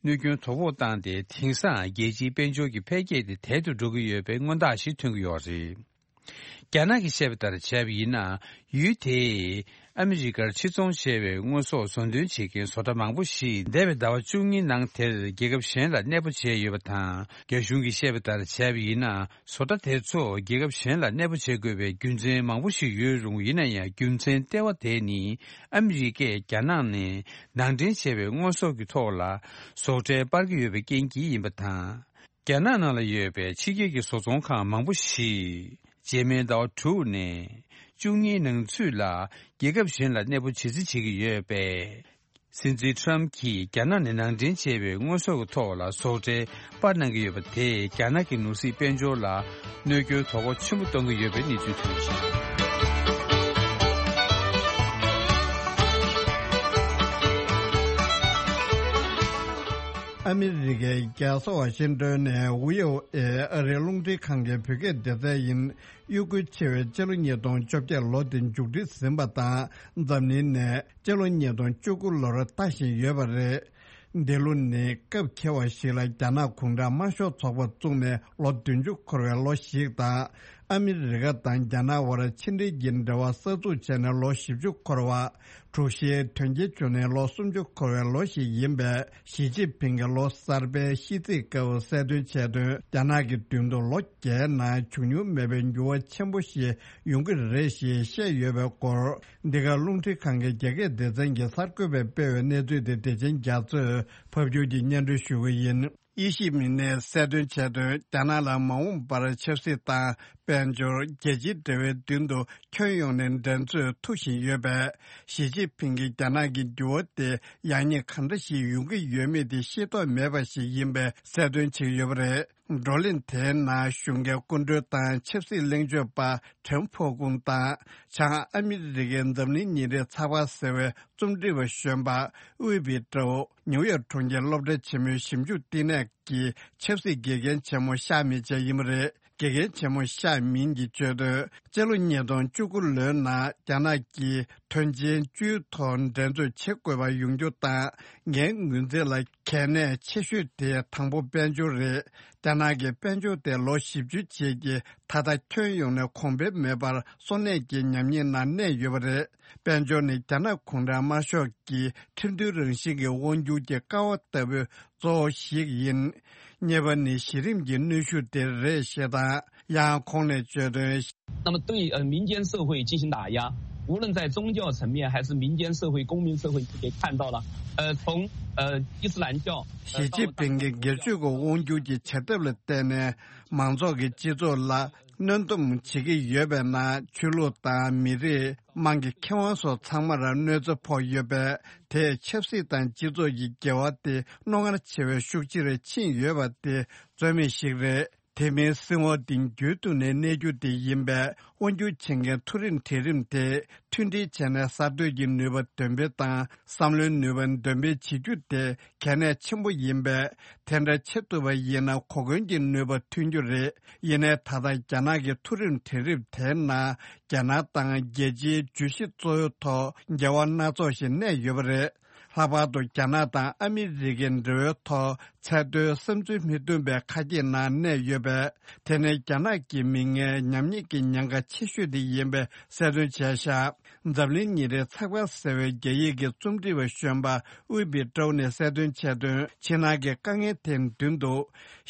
གནོད་སྐྱོན་དོ་ཕོག་བཏང་སྟེ། དེང་སང་རྒྱལ་སྤྱིའི་དཔལ་འབྱོར་གྱི་འཕེལ་རྒྱས་དེ་དལ་དུ་འགྲོ་གི་ཡོད་པའི་མངོན་རྟགས་ཤིག་ཐོན་གྱི་ཡོད་རེད། རྒྱ་ནག་གིས་བཤད་པ་ལྟར་བྱས་པ་ཡིན་ན། ཡུལ་དེས་ཨ་མི་རི་ཀར་ཕྱིར་ཚོང་བྱས་པའི་དངོས་ཟོག་བཟོ་འདོན་བྱེད་མཁན་བཟོ་གྲྭ་མང་པོ་ཞིག་འདས་པའི་ཟླ་བ་བཅུ་གཉིས་ནང་དེར་རྒྱལ་ཁབ་གཞན་ལ་གནས་སྤོ་བྱས་ཡོད་པ་དང་། རྒྱ་གཞུང་གིས་བཤད་པ་ལྟར་བྱས་པ་ཡིན་ན། བཟོ་གྲྭ་དེ་ཚོ་རྒྱལ་ཁབ་གཞན་ལ་གནས་སྤོ་བྱེད་དགོས་པའི་རྒྱུ་མཚན་མང་པོ་ཞིག་ཡོད་རུང་། ཡིན་ན་ཡང་རྒྱུ་མཚན་ལྟེ་བ་དེ་ནི། ཨ་མི་རི་ཀས་རྒྱ་ནག་ནས་ནང་འདྲེན་བྱས་པའི་དངོས་ཟོག་གི་ཐོག་ལ་བཟོ་གྲྭ་སྤར་གྱི་ཡོད་པའི་རྐྱེན་གྱིས་ཡིན་པ་དང་། རྒྱ་ནག་ནང་ལ་ཡོད་པའི་ཕྱི་རྒྱལ་གྱི་བཟོ་ཚོང་ཁང་མང་པོ་ཞིག་རྗེས་མའི་ཟླ་བ་དྲུག་ནས་བཅུ་གཉིས་ནང་ཚུད་ལ་རྒྱལ་ཁབ་གཞན་ལ་གནས་སྤོ་བྱེད་རྩིས་བྱེད་ཀྱི་ཡོད་པས། སྲིད་འཛིན་ཊམ་གྱིས་རྒྱ་ནག་ནས་ནང་འདྲེན་བྱས་པའི་དངོས་ཟོག་གི་ཐོག་ལ་བཟོ་གྲྭ་སྤར་གནང་གི་ཡོད་པ་དེས་རྒྱ་ནག་གི་ནོར་སྲིད་དཔལ་འབྱོར་ལ་གནོད་སྐྱོན་དོ་ཕོག་ཆེན་པོ་གཏོང་གི་ཡོད་པའི་གནས་ཚུལ་ཐོན་ཡོད། ཨ་མི་རི་ཀའི་རྒྱལ་ས་ཝ་ཤིང་ཏོན་ནས་ཝི་ཨོ་ཨེ་ཨ་རིའི་རླུང་འཕྲིན་ཁང་གི་བོད་སྐད་སྡེ་ཚན་ཡིན། དབྱུག་གུ་ཆེ་བའི་སྤྱི་ལོ་ཉིས་སྟོང་བཅོ་བརྒྱད་ལོ་དེ་མཇུག་སྒྲིལ་ཟིན་པ་དང་། འཛམ་གླིང་ནས་སྤྱི་ལོ་ཉིས་སྟོང་བཅུ་དགུ་ལོར་ལྟ་བཞིན་ཡོད་པ་རེད། འདི་ལོ་ནི་སྐབས་འཁེལ་བ་ཞིག་ལ་རྒྱ་ནག་གུང་ཁྲན་དམར་ཤོག་ཚོགས་པ་བཙུགས་ནས་ལོ་བདུན་ཅུ་འཁོར་བའི་ལོ་ཞིག་དང་། ཨ་མི་རི་ཀ་དང་རྒྱ་ནག་དབར་ཕྱི་འབྲེལ་གྱི་འབྲེལ་བ་གསར་འཛུགས་བྱས་ནས་ལོ་བཞི་བཅུ་འཁོར་བ། དྲུག་བཞིའི་དོན་རྐྱེན་བྱུང་ནས་ལོ་སུམ་ཅུ་འཁོར་བའི་ལོ་ཞིག་ཡིན་པས། ཞི་ཅིན་ཕིང་གིས་ལོ་གསར་པའི་ཤིས་ཚིག་སྐབས་གསལ་སྟོན་བྱས་དོན། རྒྱ་ནག་གི་མདུན་དུ་ལོ་བརྒྱའི་ནང་བྱུང་མྱོང་མེད་པའི་འགྱུར་བ་ཆེན་པོ་ཞིག་ཡོང་གི་རེད་ཞེས་བཤད་ཡོད་པའི་སྐོར། འདི་ག་རླུང་འཕྲིན་ཁང་གི་རྒྱ་སྐད་སྡེ་ཚན་གྱིས་གསར་འགོད་པས་སྤེལ་བའི་གནས་ཚུལ་དེ་བདེ་ཆེན་རྒྱ་མཚོས་ཕབ་སྒྱུར་གྱིས་སྙན་སྒྲོན་ཞུ་གི་ཡིན། དབྱེ་ཞིབ་མི་སྣས་གསལ་སྟོན་བྱས་དོན། རྒྱ་ནག་ལ་མ་འོངས་པར་ཆབ་སྲིད་དང་དཔལ་འབྱོར། རྒྱལ་སྤྱིའི་འབྲེལ་བའི་མདུན་དུ་ཁྱོན་ཡོངས་ནས་འགྲན་རྩོད་མཐུག་བཞིན་ཡོད་པས། ཞི་ཅིན་ཕིང་གིས་རྒྱ་ནག་གི་འགྱུར་བ་དེ་ཡག་ཉེས་གང་འདྲ་ཞིག་ཡོང་གི་ཡོད་མེད་དེ་ཤེས་རྟོགས་མེད་པ་ཞིག་ཡིན་པའི་གསལ་སྟོན་བྱེད་ཀྱི་ཡོད་པ་རེད། བགྲོ་གླེང་དེའི་ནང་གཞུང་འབྲེལ་སྐུ་མགྲོན་དང་ཆབ་སྲིད་གླེང་བརྗོད་པ་ཁྲེན་ཕོ་ཀུང་དང་། བྱང་ཨ་མི་རི་ཀའི་འཛམ་གླིང་ཉིན་རེའི་ཚགས་པར་ཟེར་བའི་རྩོམ་སྒྲིག་པ་གཞོན་པ་དབུས་པི་ཀྲོའུ། ནིའུ་ཡོག་གྲོང་ཁྱེར་སློབ་གྲྭ་ཆེན་མོའི་ཞིབ་འཇུག་བསྟི་གནས་ཀྱི་ཆབ་སྲིད་དགེ་རྒན་ཆེན་མོ་ཤ་མིན་ཅན་ཡིན་པ་རེད། དགེ་རྒན་ཆེན་མོ་ཤ་མིན་གྱིས་བརྗོད་དོན། སྤྱི་ལོ་ཉིས་སྟོང་བཅུ་དགུ་ལོའི་ནང་རྒྱ་ནག་གིས་དོན་ཆེན་བཅུའི་ཐོག་འགྲན་རྩོད་བྱེད་དགོས་པ་ཡོང་རྒྱུ་དང་། ངའི་ངོས་འཛིན་ལ་གལ་གནད་ཆེ་ཤོས་དེ་དང་པོ་དཔལ་འབྱོར་རེད། རྒྱ་ནག་གི་དཔལ་འབྱོར་དེ་ལོ་བཞི་བཅུའི་རྗེས་ཀྱི་ད་ལྟ་ཁྱོན་ཡོངས་ནས་གོང་འཕེལ་མེད་པར་སོར་གནས་ཀྱི་ཉམས་ཉེས་ནང་གནས་ཡོད་པ་རེད། དཔལ་འབྱོར་ནི་རྒྱ་ནག་གུང་ཁྲན་དམར་ཤོག་གི་ཁྲིམས་མཐུན་རང་བཞིན་གྱི་དབང་སྒྱུར་གྱི་ཀ་བ་ལྟ་བུའི་གཙོ་བོ་ཞིག་ཡིན། གཉིས་པ་ནི་གཞི་རིམ་གྱི་གནོན་ཤུགས་དེ་རེད་ཞེས་དང་། ཡང་ཁོང་ནས་བརྗོད་དོན། 那么对呃民间社会进行打压，无论在宗教层面还是民间社会、公民社会，可以看到了，呃，从呃伊斯兰教，呃， ཞི་ཅིན་ཕིང་གིས་སྒེར་གཅོད་ཀྱི་དབང་སྒྱུར་གྱི་བྱ་ཐབས་ལ་བརྟེན་ནས་མང་ཚོགས་ཀྱི་སྤྱི་ཚོགས་ལ་གནོན་སྡོམ་བྱེད་ཀྱི་ཡོད་པའི་ནང་ཆོས་ལུགས་དང་མི་རིགས། དམངས་ཀྱི་ཁེ་དབང་སོགས་ཚང་མར་གནོད་འཚེ་ཕོག་ཡོད་པས། དེས་ཆབ་སྲིད་དང་སྤྱི་ཚོགས་ཀྱི་འགལ་བ་དེ་རྣོ་ངར་ཆེ་བའི་ཤུགས་ཆེར་ཕྱིན་ཡོད་པ་དེ་རྩོད་མེད་ཞིག་རེད། དེ་མིན་སྲིད་དབང་དེ་རྒྱུན་དུ་ནས་གནས་རྒྱུ་དེ་ཡིན་པས། དབང་སྒྱུར་བྱེད་མཁན་མཐོ་རིམ་གྲལ་རིམ་དེ་མཐུན་སྒྲིལ་བྱས་ནས་གསར་གཏོད་ཀྱི་ནུས་པ་འདོན་སྤེལ་དང་། བསམ་བློའི་ནུས་པ་འདོན་སྤེལ་བྱེད་རྒྱུ་དེ་གལ་གནད་ཆེན་པོ་ཡིན་པས། དེ་འདྲ་བྱེད་ཐུབ་པ་ཡིན་ན། གོ་སྐོན་གྱི་ནུས་པ་ཐོན་རྒྱུ་རེད། ཡིན་ནའི་ད་ལྟ་རྒྱ་ནག་གི་མཐོ་རིམ་གྲལ་རིམ་དེའི་ནང་རྒྱ་ནག་དང་རྒྱལ་སྤྱིའི་བརྗོད་གཞི་གཙོ་བོའི་ཐོག་འགལ་བ་སྣ་ཚོགས་ཤིག་གནས་ཡོད་པ་རེད། ལྷག་པར་དུ་རྒྱ་ནག་དང་ཨ་མི་རི་ཀའི་འབྲེལ་བའི་ཐོག་ཚད་མཐོའི་བསམ་ཚུལ་མི་མཐུན་པའི་ཁ་གྱེས་ནང་གནས་ཡོད་པས། དེ་ནི་རྒྱ་ནག་གི་མི་ངན་ཉམས་ཉེས་ཀྱི་ཉེན་ཁ་ཆེ་ཤོས་དེ་ཡིན་པའི་གསལ་སྟོན་བྱས་ཤག་འཛམ་གླིང་ཉིན་རེའི་ཚགས་པར་ཟེར་བའི་རྒྱ་ཡིག་གི་རྩོམ་སྒྲིག་པ་གཞོན་པ་དབུས་པི་ཀྲོའུ་ནས་གསལ་སྟོན་བྱས་དོན། ཕྱི་ནང་གི་དཀའ་ངལ་དེའི་མདུན་དུ་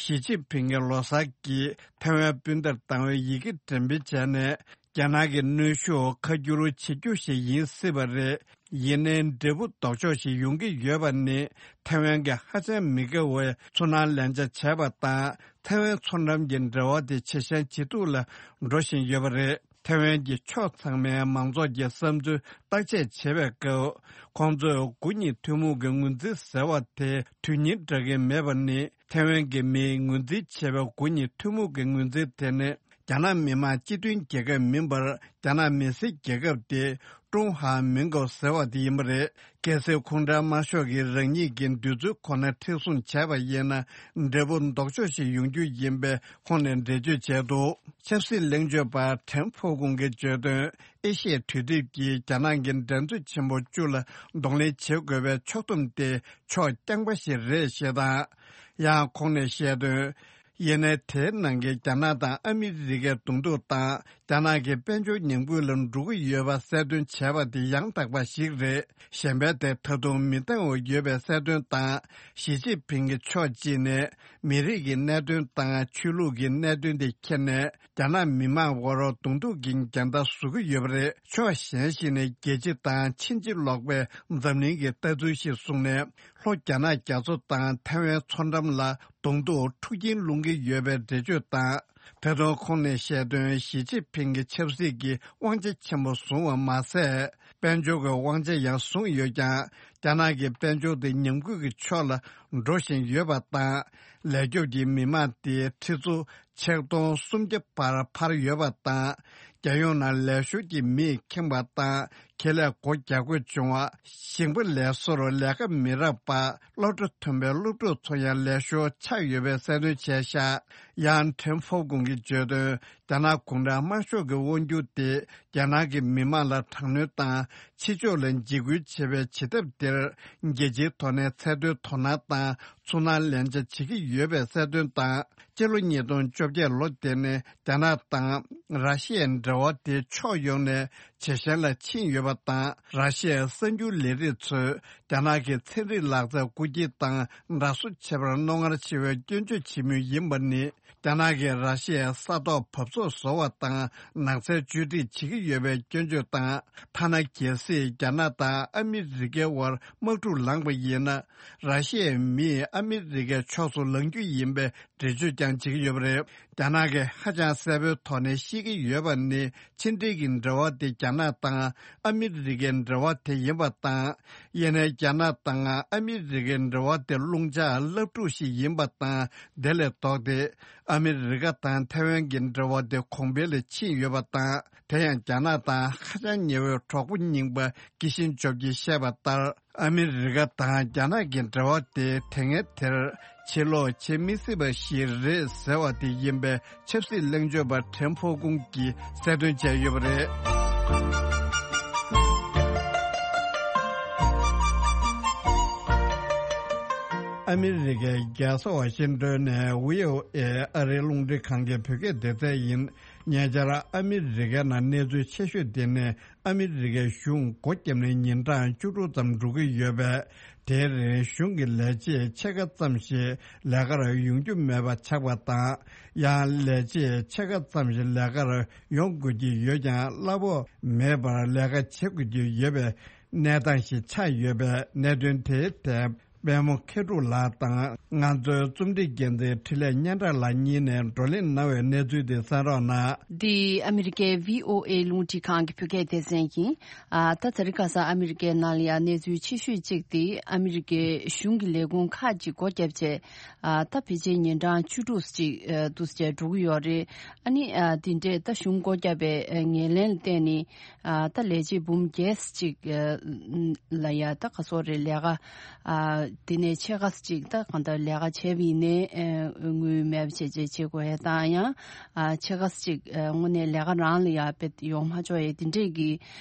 ཞི་ཅིན་ཕིང་གིས་ལོ་གསར་གྱི་ཐའེ་ཝན་སྤུན་ཟླར་བཏང་བའི་ཡི་གེ་འགྲེམས་སྤེལ་བྱས་ནས། རྒྱ་ནག་གི་གནོན་ཤུགས་ཁ་བསྒྱུར་བྱེད་རྒྱུ་ཞིག་ཡིན་སྲིད་པ་རེད། ཡིན་ནའི་འབྲས་བུ་ལྡོག་ཕྱོགས་ཤིག་ཡོང་གི་ཡོད་པ་ནི། ཐའེ་ཝན་གྱིས་ཧ་ཅང་མི་དགའ་བའི་ཚུར་སྣང་ལན་ཆགས་བྱས་པ་དང་། ཐའེ་ཝན་མཚོ་འགྲམ་གྱི་འབྲེལ་བ་དེ་ཇེ་ཞན་ཇེ་སྡུག་ལ་འགྲོ་བཞིན་ཡོད་པ་རེད། ཐའེ་ཝན་གྱི་ཕྱོགས་ཚང་མའི་མང་ཚོགས་ཀྱི་བསམ་ཚུལ་བརྟག་དཔྱད་བྱེད་པའི་སྐབས། ཁོང་ཚོས་དགུ་གཉིས་ཐུན་མོང་གི་ངོས་འཛིན་ཟེར་བ་དེ་དོན་སྙིང་འདྲ་གི་མེད་པ་ནི། ཐའེ་ཝན་གྱི་མིས་ངོས་འཛིན་བྱས་པའི་དགུ་གཉིས་ཐུན་མོང་གི་ངོས་འཛིན་དེ་ནི། རྒྱ་ནག་མི་དམངས་སྤྱི་མཐུན་རྒྱལ་ཁབ་མིན་པར། རྒྱ་ནག་མི་སེར་རྒྱལ་ཁབ་དེ་ ཀྲུང་ཧྭ་མིན་གོ་ཟེར་བ་དེ་ཡིན་པ་རེད། གལ་སྲིད་ཁོང་ཁྲའི་དམར་ཤོག་གིས་རང་ཉིད་ཀྱི་འདོད་ཚུལ་ཁོ་ན་མཁྲེགས་བཟུང་བྱས་པ་ཡིན་ན། འབྲས་བུ་ལྡོག་ཕྱོགས་ཤིག་ཡོང་རྒྱུ་ཡིན་པས། ཁོང་ནས་འགྲེལ་བརྗོད་བྱས་འདུག་ཆབ་སྲིད་གླེང་བརྗོད་པ་ཁྲེན་ཧྥོ་ཀུང་གིས་བརྗོད་དོན། ཨེ་ཤི་ཡའི་གྲོས་འདེབས་ཀྱིས་རྒྱ་ནག་གི་འགྲན་རྩོད་ཆེན་པོ་བཅུ་ལ་གདོང་ལེན་བྱེད་དགོས་པའི་ཕྱོགས་བསྡོམས་དེ་ཕྱོགས་རྐྱང་པ་ཞིག་རེད་ཞེས་དང་། ཡང་ཁོང་ནས་བཤད་དོན། ཡིན་ནའི་དེའི་ནང་གི་རྒྱ་ནག་དང་ཨ་མི་རི་ཀའི་གདོང་ཐུག་དང་། རྒྱ་ནག་གི་དཔལ་འབྱོར་ཉམས་རྒུད་ལ་འགྲོ་གི་ཡོད་པ་གསལ་སྟོན་བྱས་པ་དེ་ཡང་དག་པ་ཞིག་རེད། གཞན་པའི་དེ་ད་དུང་མི་འདང་བ་ཡོད་པའི་གསལ་སྟོན་དང་། ཞི་ཅིན་ཕིང་གིས་ཕྱོགས་གཅིག་ནས་མི་རིགས་ཀྱི་གནད་དོན་དང་ཆོས་ལུགས་ཀྱི་གནད་དོན་དེ་ཁྱེར་ནས། རྒྱ་ནག་མི་དམངས་བར་གདོང་ཐུག་གི་འགལ་ཟླ་བཟོ་གི་ཡོད་པ་རེད། ཕྱོགས་གཞན་ཞིག་ནས་རྒྱལ་སྤྱི་དང་ཕྱིན་ཅི་ལོག་པའི་འཛམ་གླིང་གི་ལྟ་ཚུལ་ཞིག་བཟུང་ནས། ལྷོ་རྒྱ་ནག་རྒྱ་མཚོ་དང་ཐའེ་ཝན་མཚོ་འགྲམ་ལ་གདོང་ཐུག་འཁྲུག་རྐྱེན་སློང་གི་ཡོད་པའི་འགྲེལ་བརྗོད་དང་། ད་དུང་ཁོང་ནས་བཤད་དོན། ཞི་ཅིན་ཕིང་གིས་ཆབ་སྲིད་ཀྱི་དབང་ཆ་ཆེན་པོ་བཟུང་བ་མ་ཟད། དཔལ་འབྱོར་གྱི་དབང་ཆ་ཡང་བཟུང་ཡོད་ཀྱང་། རྒྱ་ནག་གི་དཔལ་འབྱོར་དེ་ཉམས་རྒུད་ཀྱི་ཕྱོགས་ལ་འགྲོ་བཞིན་ཡོད་པ་དང་། ལས་སྐྱོབ་ཀྱི་མི་མང་དེ་ཁྲི་ཚོ་ཆིག་སྟོང་སུམ་བརྒྱ་བར་འཕར་ཡོད་པ་དང་། རྒྱལ་ཡོངས་ནང་ལས་ཞོར་གྱི་མིས་ཁེངས་པ་དང་། ཁེ་ལས་སྒོ་རྒྱག་དགོས་བྱུང་བ། ཞིང་པ་ལས་བཟོར་ལས་ཀ་མི་རག་པ། སློབ་གྲྭ་མཐུན་པའི་སློབ་ཕྲུག་ཚོ་ཡང་ལས་ཞོར་ཆགས་ཡོད་པའི་གསལ་སྟོན་བྱས་ཤག་ཡང་ཁྲེན་ཧྥོ་ཀུང་གིས་བརྗོད་དོན། རྒྱ་ནག་གུང་ཁྲན་དམར་ཤོག་གི་དབང་སྒྱུར་དེ་རྒྱ་ནག་གི་མི་དམངས་ལ་དྲག་གནོན་དང་། ཕྱི་ཕྱོགས་ལ་འཇིགས་སྐུལ་བྱེད་པའི་བྱེད་ཐབས་དེར། རྒྱལ་སྤྱིའི་ཐོག་ནས་ཚད་མཐོའི་དོ་སྣང་དང་ཚུར་སྣང་ལན་ཆ་བྱེད་ཀྱི་ཡོད་པའི་གསལ་སྟོན་དང་། སྤྱི་ལོ་ཉིས་སྟོང་བཅོ་བརྒྱད་ལོ་དེ་ནས་རྒྱ་ནག་དང་ར་ཤི་ཡའི་འབྲེལ་བ་དེ་ཕྱོགས་ཡོངས་ནས་ཇེ་ཞན་ལ་ཕྱིན་ཡོད་པ་དང་། ར་ཤི་ཡའི་གསར་འགྱུར་ལས་རིགས་ཚོས་རྒྱ་ནག་གི་ཚན་རིག་ལག་རྩལ་རྐུ་འཁྱེར་དང་འདྲ་བཟོ་བྱེད་པར་རྣོ་ངར་ཆེ་བའི་སྐྱོན་བརྗོད་བྱེད་མུས་ཡིན་པ་ནི། རྒྱ་ནག་གིས་ར་ཤི་ཡའི་ས་ཐོག་བབས་ཚོགས་བཟོ་བ་དང་ནགས་ཚལ་བཅོས་སྒྲིག་བྱེད་ཀྱི་ཡོད་པའི་སྐྱོན་བརྗོད་དང་། ཐ་ན་གལ་སྲིད་རྒྱ་ནག་དང་ཨ་མི་རི་ཀའི་དབར་དམག་འཁྲུག་ལངས་པ་ཡིན་ན། ར་ཤི་ཡའི་མིས་ཨ་མི་རི་ཀའི་ཕྱོགས་སུ་ལངས་རྒྱུ་ཡིན་པའི་འགྲེལ་བརྗོད་ཀྱང་བྱེད་ཀྱི་ཡོད་པ་རེད། རྒྱ་ནག་གིས་ཧ་ཅང་གསལ་པོའི་ཐོག་ནས་ཤེས་ཀྱི་ཡོད་པ་ནི། ཕྱི་འབྲེལ་གྱི་འབྲེལ་བ་དེ་རྒྱ་ནག་དང་ཨ་མི་རི་ཀའི་འབྲེལ་བ་དེ་ཡིན་པ་དང་། ཡིན་ནའི་རྒྱ་ནག་དང་ཨ་མི་རི་ཀའི་འབྲེལ་བ་དེ་རླུང་ལྕགས་རླབས་འཁྲུག་ཞིག་ཡིན་པ་དང་། དེ་ལས་ལྡོག་སྟེ། ཨ་མི་རི་ཀ་དང་ཐའེ་ཝན་གྱི་འབྲེལ་བ་དེ་གོང་འཕེལ་ལ་ཕྱིན་ཡོད་པ་དང་། དེ་ཡང་རྒྱ་ནག་དང་ཧ་ཅང་ཉེ་བའི་གྲོགས་པོ་རྙིང་པ་ཀི་ཤིན་ཇོབ་ཀྱིས་བཤད་པ་ལྟར། ཨ་མི་རི་ཀ་དང་རྒྱ་ནག་གི་འབྲེལ་བ་དེ་དེ་སྔའི་དེར་ཕྱིར་ལོག་བྱེད་མི་སྲིད་པ་ཞིག་རེད་ཟེར་བ་དེ་ཡིན་པའི་ཆབ་སྲིད་གླེང་བརྗོད་པ་ཁྲེན་ཧྥོ་ཀུང་གིས་གསལ་སྟོན་བྱས་ཡོད་པ་རེད། ཨ་མི་རི་ཀའི་རྒྱལ་ས་ཝ་ཤིང་ཏོན་ནས་བྷི་ཨོ་ཨེ་ཨ་རིའི་རླུང་འཕྲིན་ཁང་གི་བོད་སྐད་སྡེ་ཚན་ཡིན། ཉེ་ཆར་ཨ་མི་རི་ཀའི་ནང་གནས་ཚུལ་ཆེ་ཤོས་དེ་ནི། ཨ་མི་རི་ཀའི་གཞུང་སྒོ་བརྒྱབ་ནས་ཉིན་གྲངས་བཅུ་དྲུག་ཙམ་འགྲོ་གི་ཡོད་པས། དེའི་རིང་གཞུང་གི་ལས་བྱེད་ཕྱེད་ཀ་ཙམ་ཞིག་ལས་ཀར་ཡོང་རྒྱུ་མེད་པ་ཆགས་པ་དང་། ཡང་ལས་བྱེད་ཕྱེད་ཀ་ཙམ་ཞིག་ལས་ཀར་ཡོང་དགོས་ཀྱི་ཡོད་ཀྱང་། གླ་ཕོགས་མེད་པར་ལས་ཀ་བྱེད་དགོས་ཀྱི་ཡོད་པའི་གནས་སྟངས་ཤིག་ཆགས་ཡོད་པས། གནད་དོན་དེའི་ཐད། པད་མོ་མཁས་གྲུབ་ལགས་དང་། ང་ཚོའི་རྩོམ་སྒྲིག་འགན་འཛིན་འཕྲིན་ལས་སྙན་གྲགས་ལགས་གཉིས་ནས་བགྲོ་གླེང་གནང་བའི་གནས་ཚུལ་དེ་གསན་རོགས་གནང་། འདི་ཨ་མི་རི་ཀའི་བྷི་ཨོ་ཨེ་རླུང་འཕྲིན་ཁང་གི་བོད་སྐད་སྡེ་ཚན་ཡིན། ཨ། ད་དེ་རིང་ཁ་སང་ཨ་མི་རི་ཀའི་ནང་ལ་ཡང་གནས་ཚུལ་ཆེ་ཤོས་གཅིག་དེ། ཨ་མི་རི་ཀའི་གཞུང་གི་ལས་ཁུངས་ཁག་ཅིག་སྒོ་བརྒྱབ་བྱས། ཨ། ད་ཕལ་ཆེར་ཉིན་གྲངས་བཅུ་དྲུག་ཅིག་ཨ། འདུག་སེ་འགྲོ་གི་ཡོད་རེད། ཨ་ནི། ཨ། དེ་འདྲས་ད་གཞུང་སྒོ་བརྒྱབ་པའི་ཨ། ངོས་ལེན་ལ་བརྟེན་ནས། ཨ། ད་ལས་བྱེད་འབུམ་བརྒྱད་ཅིག་ཨ། ལ་ཡ་ད་ག་སོག་རེད། ལས་ཀ་ཨ། དེ་ནས་ཕྱེད་ཀ་ཅིག་ད་གང་ལྟར་ལས་ཀ་བྱས་པ་ཡིན་ནའི་ཨ། དངུལ་མེད་པ་བྱས་བྱས་བྱེད་དགོས་ཡ་དང་། ཡང་ཨ། ཕྱེད་ཀ་ཅིག་ཨ། དངོས་གནས་ལས་ཀ་རང་ལ་ཡ་དཔེ་ཡོང་མ་ཆོག་ཡ་དེ་འདྲས་ཀྱི་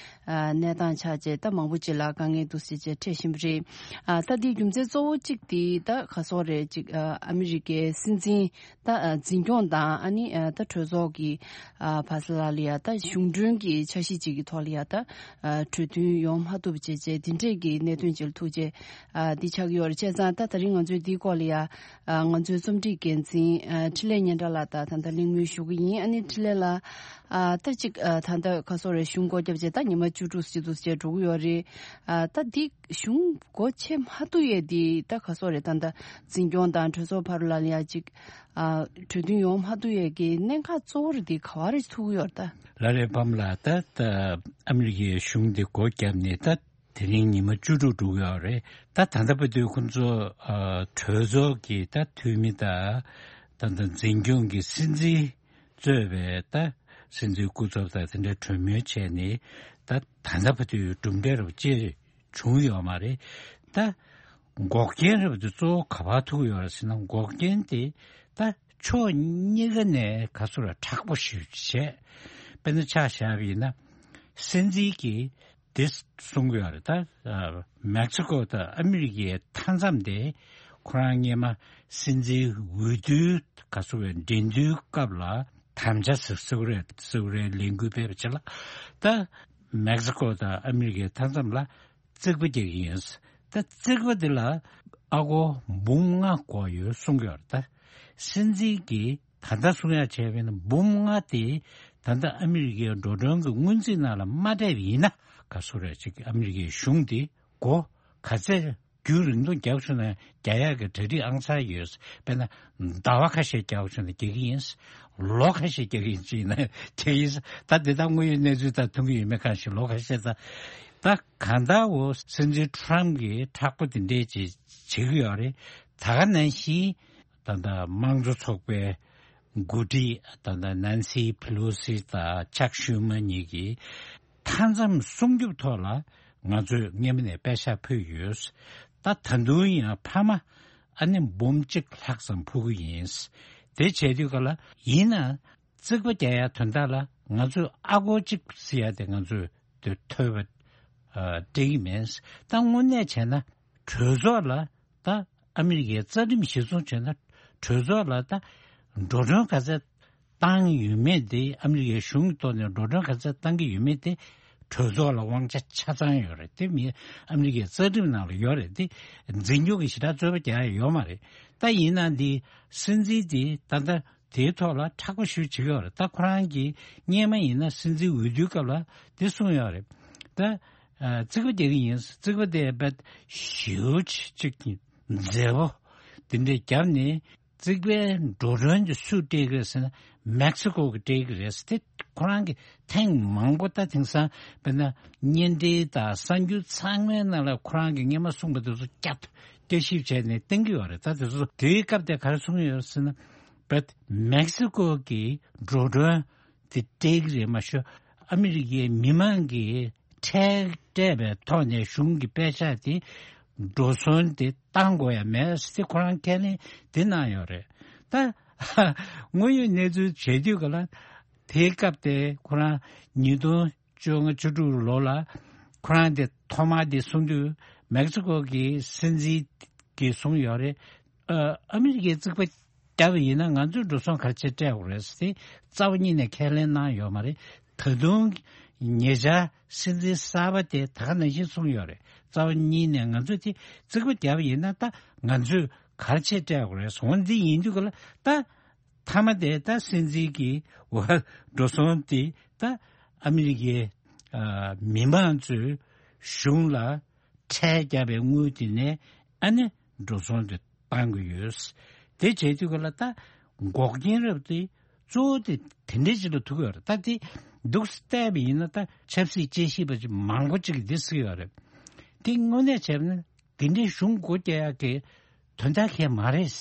ཨ། གནས་སྟངས་ཆགས་བྱས། ད་མང་པོ་ཅིག་ལ་དཀའ་ངལ་འདུག་སེ་བྱས་འཕྲད་བཞིན་པ་རེད། ཨ། ད་འདིའི་རྒྱུ་མཚན་གཙོ་བོ་གཅིག་དེ་ད་ག་སོག་རེད། ཅིག་ཨ། ཨ་མི་རི་ཀའི་སྲིད་འཛིན་ད་ཨ། འཛིན་སྐྱོང་དང་། ཨ་ནི་ཨ། ད་གྲོས་ཚོགས་ཀྱི་ཨ། བར་ས་ལ་ལ་ཡ་ད་གཞུང་གྲོན་གྱི་འཆར་གཞི་ཅིག་གི་ཐོག་ལ་ཡ་ད་ཨ། གྲོས་མཐུན་ཡོང་མ་ཐུབ་བྱས་བྱས་དེ་འདྲས་ཀྱི་གནད་དོན་ཅིག་ལ་ཐུག་བྱས་ཨ། འདི་ཆགས་ཀྱི་ཡོད་རེད། བྱས་ཙང་ད་དེ་རིང་ང་ཚོས་འདིའི་སྐོར་ལ་ཡ་ཨ། ང་ཚོའི་རྩོམ་སྒྲིག་འགན་འཛིན་ཨ། འཕྲིན་ལས་སྙན་གྲགས་ལགས་དང་ད་ལྟ་གླེང་མོལ་ཞུ་གི་ཡིན། ཨ་ནི་འཕྲིན་ལས་ལགས། ཨ། ད་ཅིག་ཨ། ད་ལྟ་ག་སོག་རེད། གཞུང་སྒོ་བརྒྱབ་བྱས་ད་ཉི་མ་བཅུ་དྲུག་ཅིག་འདུག་སེ་འགྲོ་གི་ཡོད་རེད། ཨ། ད་འདི་གཞུང་སྒོ་ཕྱེ་མ་ཐུབ་ཡས་འདི་ད་ག་སོག་རེད། ད་ལྟ་འཛིན་སྐྱོང་དང་གྲོས་ཚོགས་བར་ལ་ལ་ཡ་ཅིག་ཨ། གྲོས་མཐུན་ཡོང་མ་ཐུབ་ཡས་ཀྱི་གནད་འགག་གཙོ་བོ་རེད་འདི་ག་བ་རེ་ཐུག་གི་ཡོད་རེད་ད། ལགས་རེད། པམ་ལགས། ད་ད་ཨ་མི་རི་ཀའི་གཞུང་འདི་སྒོ་བརྒྱབ་ནས་ད་དེ་རིང་ཉི་མ་བཅུ་དྲུག་འགྲོ་གི་ཡོད་རེད། ད་ད་ལྟ་བར་དུ་ཁོང་ཚོ་ཨ། གྲོས་ཚོགས་ཀྱི་ད་འཐུས་མི་དང་། ད་ད་འཛིན་སྐྱོང་གི་སྲིད་འཛིན་གཙོས་པའི་ད་སྲིད་འཛིན་སྐུ་ཚབ་དང་དེ་འདྲ་གྲོས་མོལ་བྱས་ནས། ད་ད་ལྟ་བར་དུ་གྲུབ་འབྲས་རབ་ཅེས་བྱུང་ཡོད་མ་རེད། ད་འགོག་རྐྱེན་རབ་དེ་གཙོ་བོ་ག་པར་ཐུག་ཡོད་རེད་ཟེར་ན། འགོག་རྐྱེན་དེ་ད་ཕྱོགས་གཉིས་ཀ་ནས་ག་ཚོད་ར་མཁྲེགས་པོ་ཞིག་བྱས། དཔེར་ན་ཆ་བཞག་པ་ཡིན་ན། སྲིད་འཛིན་གྱིས་དེ་གསུང་གི་ཡོད་རེད། ད་མེག་སི་ཀོ་དང་ཨ་མི་རི་ཀའི་མཐའ་མཚམས་དེ་ཁོ་རང་སྔོན་མ་སྲིད་འཛིན་འོས་བསྡུའི་ག་ཚོད་རེད། འགྲན་བསྡུར་སྐབས་ལ་དམ་བཅའ་ཟེར་ཟེར་གི་རེད། ཟེར་གི་རེད། ལས་འགུལ་སྤེལ་བ་བྱས་ལ། ད་མེག་སི་ཀོ་དང་ཨ་མི་རི་ཀའི་མཐའ་མཚམས་ལ་རྩིག་པ་རྒྱག་གི་ཡིན། ད་རྩིག་པ་འདི་ལ་ཨ་སྒོར་འབུམ་ལྔ་དགོས་ཡོད་གསུང་གི་ཡོད་རེད། ད་སྲིད་འཛིན་གྱིས་ད་ལྟ་གསུང་ཡ་བྱས་པ་ཡིན་ན། འབུམ་ལྔ་དེ་ད་ལྟ་ཨ་མི་རི་ཀའི་འགྲོ་གྲོན་གྱི་སྔོན་རྩིས་ནང་ལ་མ་སྤྲད་པ་ཡིན་ན། ག་ཚོད་རེད་ཅིག་ཨ་མི་རི་ཀའི་གཞུང་དེ་སྒོར་ག་ཚད་རྒྱུན་རིང་ཐུང་རྒྱག་བྱུང་ན་རྒྱག་ཡག་གི་གྲ་སྒྲིག་ཨང་གསར་ཡོད། དཔེར་ན་ཟླ་བ་ཁ་ཤས་རྒྱག་བྱུང་ན་རྒྱག་གི་ཡིན། ལོ་ཁ་ཤས་རྒྱག་གི་ཡིན་ཅིག་ཡིན་ན་རྒྱག་གི་ཡིན། ད་འདི་དག་དངོས་ཡོད་གནས་ཚུལ་དང་མཐུན་གྱི་ཡོད་མེད་གང་ཞིག་ལོ་ཁ་ཤས་ད། ད་གང་ལྟར་འོ་སྲིད་འཛིན་ཁྲོམ་གྱིས་མཁྲེགས་པོ་དེ་འདྲས་ཅིག་བྱེད་ཀྱི་ཡོད་རེད། ད་ག་ནང་བཞིན་ད་ལྟ་དམངས་གཙོ་ཚོགས་པའི་འགོ་ཁྲིད་ད་ལྟ་ནན་སི་ཕི་ལོ་སི་དང་ཅག་ཤུ་མ་གཉིས་ཀྱིས་མཐའ་མཚམས་སྲུང་སྐྱོབ་ཐོག་ལ་ང་ཚོས་སྔོན་མ་ནས་པད་ཤག་ཕུལ་ཡོད། ད་ད་དུང་ཡང་ཕ་མ་ཨ་ནི་འབུམ་གཅིག་ལྷག་ཙམ་ཕུལ་གྱི་ཡིན། དེ་བྱས་དུས་ག་ལ་ཡིན་ན། རྩིག་པ་རྒྱག་ཡ་དོན་དག་ལ་ང་ཚོས་ཨ་སྒོར་གཅིག་ཟེར་ཡ་དེ་ང་ཚོས་དེ་ཐོབ་པ་སྤྲད་ཀྱི་མེད། ད་དངོས་གནས་བྱས་ན་གྲོས་ཚོགས་ལ་ད་ཨ་མི་རི་ཀའི་རྩ་ཁྲིམས་གཞིར་བཟུང་བྱས་ན་གྲོས་ཚོགས་ལ་ད་འགྲོ་གྲོན་ག་ཚད་བཏང་ཡོད་མེད་དེ། ཨ་མི་རི་ཀའི་གཞུང་གི་ཐོག་ནས་འགྲོ་གྲོན་ག་ཚད་བཏང་གི་ཡོད་མེད་དེ་གྲོས་ཚོགས་ལ་དབང་ཆ་ཆ་ཚང་ཡོད་རེད། དེ་མི་ཨ་མི་རི་ཀའི་རྩ་ཁྲིམས་ནང་ལ་ཡོད་རེད། དེ་འཛིན་སྐྱོང་གི་ཞེ་དྲག་རྩོད་པ་རྒྱག་ཡ་ཡོད་མ་རེད། ད་ཡིན་ན་འདི་སྲིད་འཛིན་དེ་ད་ལྟ་དེའི་ཐོག་ལ་མཁྲེགས་པོ་ཞེ་པོ་བྱེད་ཀྱི་ཡོད་རེད། ད་ཁོ་རང་གིས་སྔོན་མ་ཡིན་ན་སྲིད་འཛིན་འོས་བསྡུའི་སྐབས་ལ་དེ་གསུངས་ཡོད་རེད། ད་ཨ་རྩིག་པ་རྒྱག་གི་ཡིན། རྩིག་པ་དེ་རྦད་ཞེ་པོ་ཅིག་གི་མཛེས་པོ་དེ་འདྲས་བརྒྱབ་ནས། རྩིག་པའི་འགྲོ་གྲོན་དེ་སུས་སྤྲད་ཀྱི་རེད་ཟེར་ན། མེག་སི་ཀོ་གིས་སྤྲད་ཀྱི་རེད་ཟེར་ཏེ། ཁོ་རང་གིས་ཐེངས་མང་པོ་ད་དེང་སང་དཔེར་ན་བརྙན་འཕྲིན་དང་གསར་འགྱུར་ཚང་མའི་ནང་ལ་ཁོ་རང་གིས་སྔོན་མ་གསུངས་པ་དེ་ཚོ་བསྐྱར་བསྐྱར་ཞིབ་བྱས་ནས་བསྟན་གྱི་ཡོད་རེད། ད་དེ་ཚོ་དེའི་སྐབས་དེ་ག་རེ་གསུངས་ཡོད་ཟེར་ན། བེད་མེག་སི་ཀོ་གིས་འགྲོ་གྲོན་དེ་སྤྲད་ཀྱི་རེད་མ་ཤོད། ཨ་མི་རི་ཀའི་མི་མང་གིས་ཁྲལ་སྤྲད་པའི་ཐོག་ནས་གཞུང་གི་པད་ཤག་དེ་འགྲོ་སོང་དེ་བཏང་དགོས་ཡ་མེད་ཟེར་ཁོ་རང་ཁས་ལེན་དེ་གནང་ཡོད་རེད། ད་དངོས་ཡོད་གནས་ཚུལ་བྱེད་དུས་ག་ལ་དེའི་སྐབས་དེ་ཁོ་རང་ཉིས་སྟོང་བཅོ་ལྔ་བཅུ་དྲུག་ལོ་ལ་ཁོ་རང་དེ་ཐོག་མར་དེ་གསུང་དུས། མེག་སི་ཀོ་གི་སྲིད་འཛིན་གྱིས་གསུངས་ཡོད་རེད། ཨ་ཨ་མི་རི་ཀའི་རྩིག་པ་བརྒྱབ་པ་ཡིན་ན་ང་ཚོས་འགྲོ་སོང་ག་རེ་བྱས་སྤྲད་དགོས་རེད་ཟེར་ཏེ་རྩ་བ་ཉིད་ནས་ཁས་ལེན་གནང་ཡོད་མ་རེད། ད་དུང་ཉེ་ཆར་སྲིད་འཛིན་གསར་པ་དེ་ད་ག་ནང་བཞིན་གསུངས་ཡོད་རེད། རྩ་བ་ཉིད་ནས་ང་ཚོས་དེ་རྩིག་པ་བརྒྱབ་པ་ཡིན་ན་ད་ང་ཚོས་ག་རེ་བྱས་སྤྲད་དགོས་རེད། འོ་འདི་ཡིན་དུས་ག་ལ་ད་མཐའ་མ་དེ་ད་སྲིད་འཛིན་གྱིས་འོ་འགྲོ་སོང་དེ་ད་ཨ་མི་རི་ཀའི་ཨ་མི་མང་ཚོས་གཞུང་ལ་ཁྲལ་བརྒྱབ་པའི་དངུལ་དེ་ནས་ཨ་ནི་འགྲོ་སོང་དེ་བཏང་གི་ཡོད། དེ་བྱས་དུས་ག་ལ་ད་འགོག་རྐྱེན་རབ་དེ་གཙོ་བོ་དེ་དེ་འདྲའི་ཅིག་ལ་ཐུག་གི་ཡོད་རེད། ད་དེ་འདུག་སེ་བལྟས་པ་ཡིན་ན་ད་ཆབ་སྲིད་དཔྱད་ཞིབ་པ་ཅིག་མང་པོ་ཅིག་གིས་འདི་ཟེར་གྱི་ཡོད་རེད། དེ་དངོས་གནས་བྱས་ན་དེ་འདྲའི་གཞུང་སྒོ་རྒྱག་ཡག་གི་དོན་དག་གང་ཡང་མ་རེད།